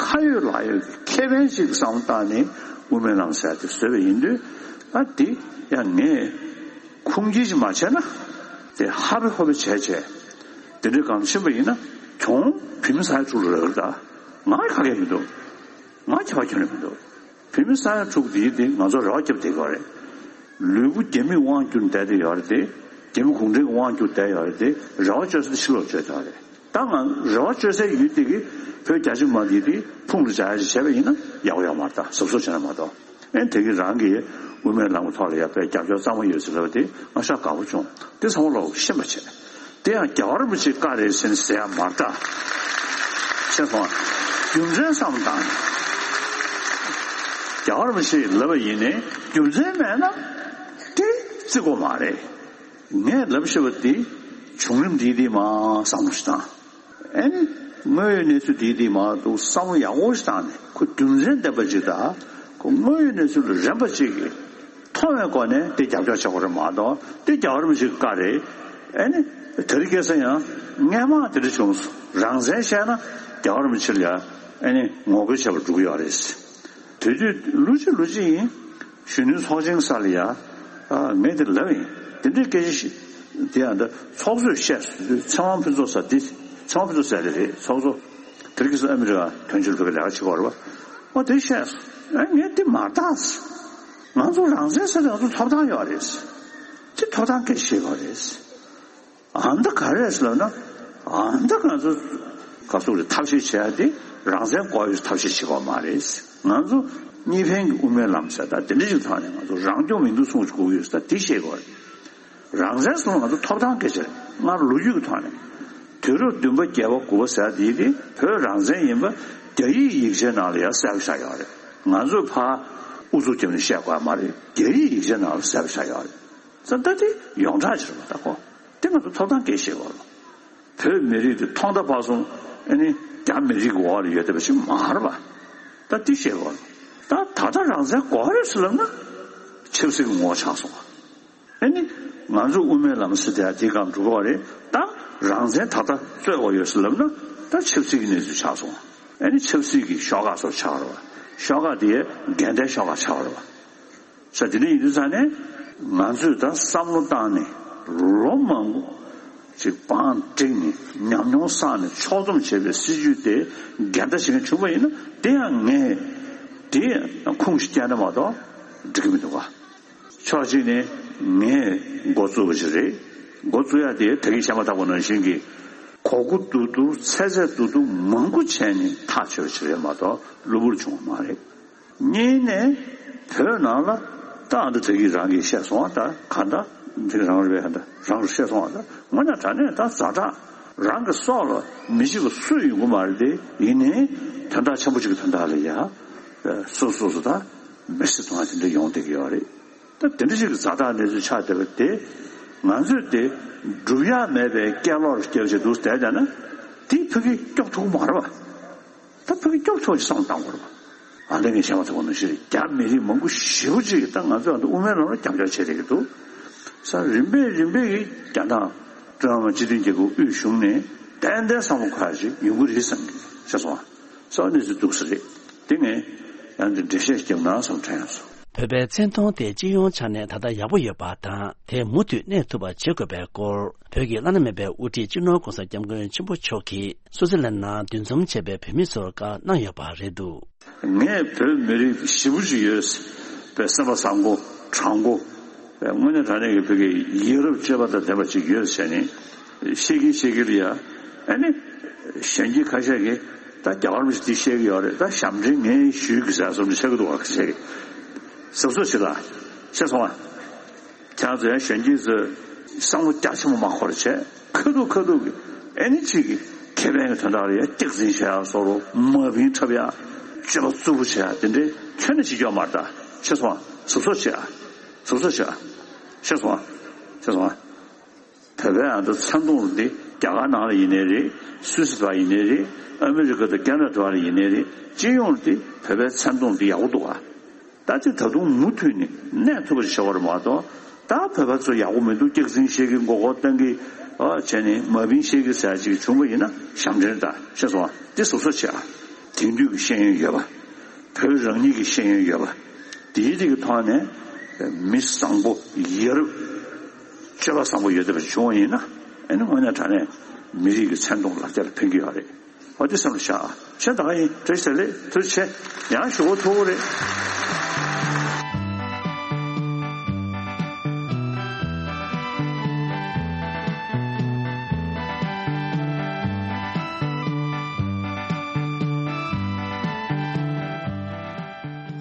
ཁ་ཡོད་ལག་ཡོད་ཀྱི་ཁེ་ཕན་ཞིག་བསམ་བློ་བཏང་ནས་དབུ་མའི་ལམ་ཟེར་དེ་བཟོས་པ་ཡིན་དུས་ཨ་དེ་ཡང་ངས་ཁུངས་སྐྱེལ་ཞིག་མ་བྱས་ན་དེ་ཧ་བེ་ཧོ་བེ་བྱས་བྱས་དེ་འདྲའི་སྒང་ཕྱིན་པ་ཡིན་ན་གྱོང་བོད་མི་ས་ཡ་དྲུག་ལ་རག་གི། ད་ང་ཁ་སྐད་མི་འདུག་ང་ཁྱད་པར་ཁྱོན་ནས་མི་འདུག་བོད་མི་ས་ཡ་དྲུག་དེ་དེ་ང་ཚོ་རེ་བ་བརྒྱབ་བསྡད་ཀྱི་ཡོད་རེད། ལུས་པོ་རྒྱ་མིས་དབང་བསྒྱུར་བསྡད་དེ་ཡོད་རེད་དེ། རྒྱ་མི་གུང་ཁྲན་གྱིས་དབང་བསྒྱུར་བསྡད་ཡོད་རེད་དེ། རེ་བ་བཅོལ་ས་དེ་ཕྱི་ལོགས་བཅོལ་བསྡད་ཡོད་རེད། ད་ང་རེ་བ་བཅོལ་སའི་ཡུལ་དེ་གི་བོད་རྒྱ་ཆེ་མ་དེ་དེ་ཕུང་ལ་བྱ་ཡ་ཞིག་བྱས་པ་ཡིན་ན་ཡག་པོ་ཡོད་མ་རེད། ད་གཟབ་གཟབ་བྱས་ན་མ་གཏོགས། ཨེ་དེ་གི་རང་གི་དབུ་མའི་ལམ་གྱི་ཐོག་ལ་ཡ་དཔེ་རྒྱབ་སྐྱོར་གཙང་མ་ཡོད་ཟེར་ལབ་པ་དེ་ང་ཤ་དགའ་པོ་བྱུང་། དེ་ཚང་མ་ལོག་ཤེས་པ་བྱས། དེ་ཡང་རྒྱལ་བ་རིན་པོ་ཆེའི་བཀའ་རེད་ཟེར་ནས་ཟེར་ཡ་མ་རེད་ད། ཤེས་སོང་ཨ། རྒྱུ་མཚན་བསམ་བཏང་། རྒྱལ་བ་རིན་པོ་ཆེས་ལབ་པ་ཡིན་ནའི་རྒྱུ་མཚན་མེད་ན་དེ་བརྩི་དགོས་མ་རེད། ངས་ལབ་ཤེས་པ་དེ་ བྱུང་རིམ་འདི་འདི་མ་བསམ་བློ་ཞིག་བཏང་། ཨེ་ནི། དངོས་ཡོད་གནས་ཚུལ་འདི་འདི་མ་གཏོགས་བསམ་བློ་ཡག་པོ་ཞིག་བཏང་ནས་ཁོ་རྒྱུ་མཚན་ལྡན་པ་ཅིག་དང་། ཁོ་དངོས་ཡོད་གནས་ཚུལ་ལ་རན་པ་ཅིག་གིས་མཐོང་བའི་སྒོ་ནས་དེ་རྒྱབ་སྐྱོར་བྱེད་དགོས་རེད་མ་གཏོགས། དེ་རྒྱལ་བ་རིན་པོ་ཆེ་གི་བཀའ་རེད། ཨེ་ནི། དེ་རིང་ཁ་སང་ཡང་སྔས་མ་དེ་འདྲ་བྱུང་སོང་། རང་བཙན་བཤད་ན་རྒྱལ་བ་རིན་པོ་ཆེ་ལ་ཡ། ཨེ་ནི། ངོ་རྒོལ་བྱེད་པར་འགྲོ་གི་ཡོད་རེད། དེ་དུས་ལོ་གཅིག་ལོ་གཅིག་ཡིན། གཞོན་ནུའི་ཚོགས་ཆེན་ས་ལ་ཡ། ཨ། ངས་དེ་ལབ་ཡིན། དེ་འདྲའི་སྐད་ཆ་ཞིག་དེ་ཡང་འདི་ཚོགས་གཙོས་བཤད་སོང་དུས། ཚེ་དབང་ཕུན་ཚོགས་ཟེར། འདི་ཚེ་དབང་ཕུན་ཚོགས་ཟེར་དེ་རེད། ཚོགས་གཙོ། དེ་རིང་ཁ་སང་ཨ་མི་རི་ཀ་དོན་གཅོད་ལྷན་ཁང་ལས་ཀ་བྱེད་ཀྱི་ཡོད་རེད་པ། ཨོ། དེ་བཤད་སོང་། ཨ། ངས་དེ་མ་བརྟགས་སོང་། ང་ཚོ་རང་བཙན་ཟེར་དེ་ང་ཚོ་ཐོབ་ཐང་ཡོད་རེད། དེ་ཐོབ་ཐང་སྐད་ཆ་བཤད་དགོས་རེད། ཨ་མདའ་ག་རེ་རེད་ཟེར་ལབ་ན། ཨ་མདའ་ང་ཚོ་ག་ཟེར་དགོས་རེད། ཐབས་ཤེས་བྱེད་ཡ་དེ་རང་བཙན་དགོས་ཡོད་ཐབས་ཤེས་བྱེད་དགོས་མ་རེད། ང་ཚོ་གཉིས་ཕན་གྱི་དབུ་མའི་ལམ་ཟེར་ད་དེ་འདྲ་ཞིག་ཐོག་ནས་ང་ཚོ་རང་སྐྱོང་མི་འདུག་གསུང་གི་ཡོད་ཟེར། ད་དེ་བཤད་དགོས་རེད། རང་བཙན་ཟེར་ང་ཚོ་ཐོབ་ཐང་སྐད་ཆ་རེད། སྔར་ལོ་རྒྱུས་ཀྱི་ཐོག་ནས་དུས་རབས་བདུན་པ་བརྒྱད་པ་དགུ་པ་ཟེར་དེ་དེ་བོད་རང་བཙན་ཡིན་པ་རྒྱ་ཡིག་ཡིག་ཆའི་ནང་ལ་ཡང་གསལ་པོ་ཆགས་ཡོད་རེད། ང་ཚོས་ཕར་ཨུ་ཚུགས་བརྒྱབ་ནས་བཤད་དགོས་མ་རེད། རྒྱ་ཡིག་ཡིག་ཆའི་ནང་ལ་གསལ་པོ་ཆགས་ཡོད་རེད། ཙང་ད་དེ་ཡོངས་གྲགས་ཅིག་རེད་པ། ད་ཁོ་དེ་ང་ཚོ་ཐོབ་ཐང་སྐད་ཆ་བཤད་དགོས་རེད། བོད་མི་རིགས་དེ་ཐོག་མཐའ་བར་གསུམ་ཨ་ནི་རྒྱ་མི་རིགས་ཀྱི་འོག་ལ་ཡོད་བསྡད་པ་ཞིག་མ་རེད་པ། ད་དེ་བཤད་དགོས་རེད། ད་ད་ལྟ་རང་བཙན་དགོས་རེད་ཟེར་ལབ་ན་ཆབ་སྲིད་ཀྱི་ངོ་བོ་ཆགས་སོང་བ། ཨ་ནི་ང་ཚོ་དབུ་མའི་ལམ་ཟེར་དེ་དེའི་སྒང་འགྲོ་གི་རེད། ད་རང་བཙན་ད་ལྟ་རྩོད་དགོས་ཡོད་ཟེར་ལབ་ན་ད་ཆབ་སྲིད་ཀྱི་གནས་ཚུལ་ཆགས་སོང་བ། ཨ་ནི་ཆབ་སྲིད་ཀྱི་ཤོག་ཁག་སོགས་ཆགས་རེད་པ། ཤོག་ཁག་དེ་འགལ་ཟླའི་ཤོག་ཁག་ཆགས་རེད་པ། ས། དེ་འདྲ་ཡིན་དུས་ཙང་ནས་ང་ཚོས་ད་བསམ་བློ་བཏང་ནས་ལོ་མང་པོ་ཅིག་བང་བསྒྲིགས་ནས་ཉམས་མྱོང་བསགས་ནས་ཕྱོགས་བསྡོམས་བྱས་པའི་སྲིད་ཇུས་དེ་འགལ་ཟླ་བྱེད་མཁན་བྱུང་བ་ཡིན་ན། དེ་ཡང་ངས་དེ་ཁུངས་ཤིག་བསྐྱལ་ན་མ་གཏོགས་འགྲིག་གི་མི་འདུག་ག། ཕྱོགས་གཅིག་ནས་ངས་འགོ་བཙུགས་པ་ཞིག་རེད། འགོ་བཙུགས་ཡ་དེ་ད་གིན་བཤད་མ་ཐག་པ་ནང་བཞིན་གྱི་གོ་དགུ་རྡོག་རྡོག་ཚད་ཚད་རྡོག་རྡོག་མང་པོ་བྱས་ནས་ཐག་ཆོད་པ་ཞིག་རེད་མ་གཏོགས་གློ་བུར་བྱུང་བ་མ་རེད། གཉིས་ནས་བོད་ནང་ལ་ད་ཨ་འདྲ་དེ་གིས་རང་གིས་བཤད་སོང་བ། ད་ག་འདྲ་དེ་རང་རེད་པས། ད་རང་རུ་བཤད་སོང་བ། ད་དངོས་གནས་དྲང་གནས་ད་ཛ་དྲག་རང་གི་སྲོག་ལ་མི་འཇིགས་པ་སུ་ཡོང་གི་མ་རེད། དེ་ཡིན་ནའི་དོན་དག་ཆེན་པོ་གཅིག་གི་དོན་དག་ལ་ཡ་སོ་སོ་སོ་ད་མེར་སྲེག་གཏོང་བ་དེ་འདྲ་ཡོང་བསྡད་ཀྱི་ཡོད་རེད། ད་དེ་འདྲ་ཞིག་གི་ཛ་དྲག་གནས་ཚུལ་ཆགས་བསྡད་པ་དེ་ང་ཚོས་དེ་སྒྲུབ་ཡ་མེད་པའི་སྐད་ལོག་སྐྱེལ་བྱེད་འདུག་བསྡད་བསྡད་ན་དེ་ཕ་གིར་སྐྱོབ་ཐུབ་ཀྱི་མ་རེད་པ། ད་ཕ་གི་སྐྱོབ་ཐུབ་ཅིག་བསམ་བློ་བཏང་དགོས་རེད་པ། ཨ་ལས་ངས་བཤད་མ་ཐུབ་པ་ནང་བཞིན་རེད། རྒྱ་མི་རིགས་མང་པོ་ཞེ་པོ་ཅིག་ད་ང་ཚོའི་ཨ་འདི་དབུ་མའི་ལམ་ལ་རྒྱབ་སྐྱོར་བྱེད་བསྡད་ཀྱི་འདུག་ས། རིམ་པས་རིམ་པས་ཀྱིས་རྒྱ་ནག་ཀྲུང་དབྱང་སྤྱི་མཐུན་རྒྱལ་ཁབ་དབུས་གཞུང་ནས་ཏན་ཏན་བསམ་བློ་འཁོར་ཡ་ཅིག་ཡོང་གི་རེད་བསམ་གྱི་བཤད་སོང་བ། ས་གནས་ཚུལ་འདུག་ས་རེད། དེ་ངས་ཡང་འདི་འགྲེལ་བཤད་བརྒྱབ་ན་བསམ་དྲན་ཡོང་སོང་། བོད་པའི་མཚན་མཐོང་དེ་སྤྱི་ཡོངས་ཆ་ནས་ད་ལྟ་ཡག་པོ་ཡོད་པ་དང་། དེ་མུ་མཐུད་གནས་ཐུབ་པ་བྱེད་དགོས་པའི་སྐོར་བོད་ཀྱི་བླ་ན་མེད་པའི་དབུ་ཁྲིད་སྤྱི་ནོར་༸གོང་ས་༸སྐྱབས་མགོན་ཆེན་པོ་མཆོག་གིས་སུད་སི་ལན་ནང་འདུ་འཛོམས་བྱས་པའི་བོད་མི་ཚོར་བཀའ་གནང་ཡོད་པ་རེད་འདུག། ངས་བོད་མི་རིགས་ཞེ་པོ་ཅིག་ཡོད་པའི་སེམས་པ་བཟང་པོ་དྲང་པོ། དངོས་གནས་དྲང་གནས་ཀྱི་བོད་ཀྱི་ཡ་རབས་སྤྱོད་པ་དང་ལྡན་པ་ཅིག་ཡོད་ཟེར་ནས་བཤད་ཀྱིན་བཤད་ཀྱིན་ལ་ཡ། ཨ་ནི་གཞོན་སྐྱེས་ཁ་ཤས་ཀྱིས་ད་རྒྱ་གར་མི་ཞིག་འདི་བཤད་ཀྱི་ཡོད་རེད། ད་ཞབས་འདྲེན་ངས་ཞུས་ཀྱི་ཟེར་བཟོ་འདྲ་བཤད་ཀྱི་འདུག་བ། ཁ་ཤས་ཀྱིས་གཟབ་གཟབ་བྱེད་ལ་བཤད་སོང་བ། ཁྱེད་ཚོ་ཡང་གཞོན་སྐྱེས་ཚོས་བསམ་བློ་རྒྱ་ཆེན་པོ་མ་འཁོར་བྱས། ཁ་ཐུག་ཁ་ཐུག་གི་ཨེ་ནི་གཅིག་གི་ཁེ་ཕན་གྱི་དོན་དག་ལ་ཡ་སྐྱག་རྫུན་བྱེད་ཡ་བཟོ་འདྲ། མ་བིན་འཁྲབ་ཡ། སྤྱོད་པ་རྩུབ་པོ་བྱེད་ཡ་དེ་འདྲའི་ཁྱོན་ནས་བྱེད་རྒྱུ་མ་རེད། ད་ཤེས་སོང་ང་། གཟབ་གཟབ་བྱེད་ཡ། གཟབ་གཟབ་བྱེད་ཡ། ཤེས་སོང་ང་། ཤེས་སོང་ང་། བོད་པའི་ཨ་ད་མཚན་མཐོང་འདི་རྒྱ་གར་ནང་ལ་ཡིན་ནའི་རེད། སུད་སི་བ་ཡིན་ནའི་རེད། ཨ་མི་རི་ཀ་དང་ཁེ་ན་ཌ་བ་ལ་ཡིན་ནའི་རེད། སྤྱི་ཡོངས་འདི་བོད་པའི་མཚན་མཐོང་འདི་ཡག་པོ་འདུག་ག། ད་ཅི་ད་དུང་མུ་མཐུད་ནས་གནས་ཐུབ་པ་ཞིག་བྱ་བ་རེད་མ་གཏོགས། ད་བོད་པ་ཚོ་ཡག་པོ་མི་འདུག། སྐྱག་རྫུན་བཤད་ཀྱི། མགོ་སྐོར་གཏོང་གི། ཨ་བྱས་ནས་མ་བིན་བཤད་ཀྱི་ཟེར་ཅིག་བྱུང་བ་ཡིན་ན་ཞབས་འདྲེན་ད་ཤེས་སོང་ང་། འདི་གཟབ་གཟབ་བྱེད་ཨ། དེང་དུས་ཀྱི་ཤེས་ཡོན་ཡོད་པ། བོད་རང་ཉིད་ཀྱི་ཤེས་ཡོན་ཡོད་པ། དེའི་རིགས་ཀྱི་ཐོག་ནས་མི་བཟང་པོ་ཡ་རབས་སྤྱོད་པ་བཟང་པོ་ཡོད་བསྡད་པ་བྱུང་བ་ཡིན་ན། ཨ་ནི་དངོས་གནས་དྲང་གནས་མི་རིགས་ཀྱི་མཚན་མཐོང་ལ་རྒྱ་ལ་ཕན་གྱི་ཡོད་རེད། འོ་དེ་བསམ་བློ་བཞག་ཨ། ཤ་ད་ག་ཡིན། བཀྲ་ཤིས་བདེ་ལེགས། ཐུགས་རྗེ་ཆེ། ཡང་ཞུ་གོ་ཐུག་གི་རེད།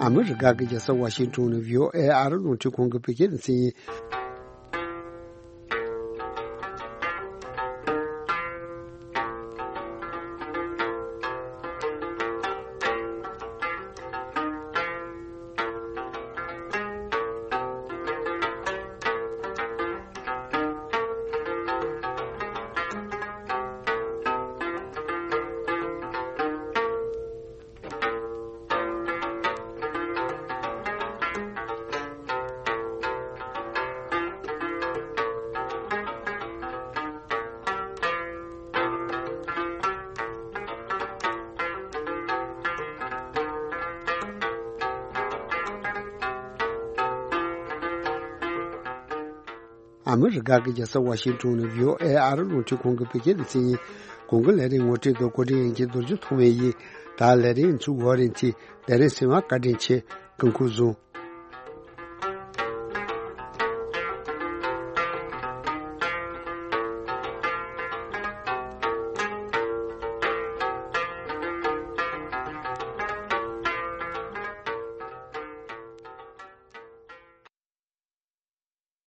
ཨ་མི་རི་ཀ་གི་རྒྱལ་ས་ཝ་ཤིང་ཊོན་ནས་བྷི་ཨོ་ཨེ་ཨ་རི་རླུང་འཕྲིན་ཁང་གི་བོད་སྐད་སྡེ་ཚན་ཡིན། ཨ་མི་རི་ཀ་གི་རྒྱལ་ས་ཝ་ཤིང་ཏོན་ནས་བྷི་ཨོ་ཨེ་ཨ་རི་རླུང་འཕྲིན་ཁང་གི་བོད་སྐད་སྡེ་ཚན་ཡིན། གོང་གི་ལས་རིམ་ངོ་སྤྲོད་དང་གོ་སྒྲིག་ཡིན་གྱི་རྡོ་རྗེ་ཐོགས་མེད་ཡིན། ད་ལས་རིམ་ཚུགས་འོག་རིང་ཚེ་དེ་རིང་སེམས་པ་བཀའ་དྲིན་ཆེ། སྐུ་འཁོར་བཟུང་།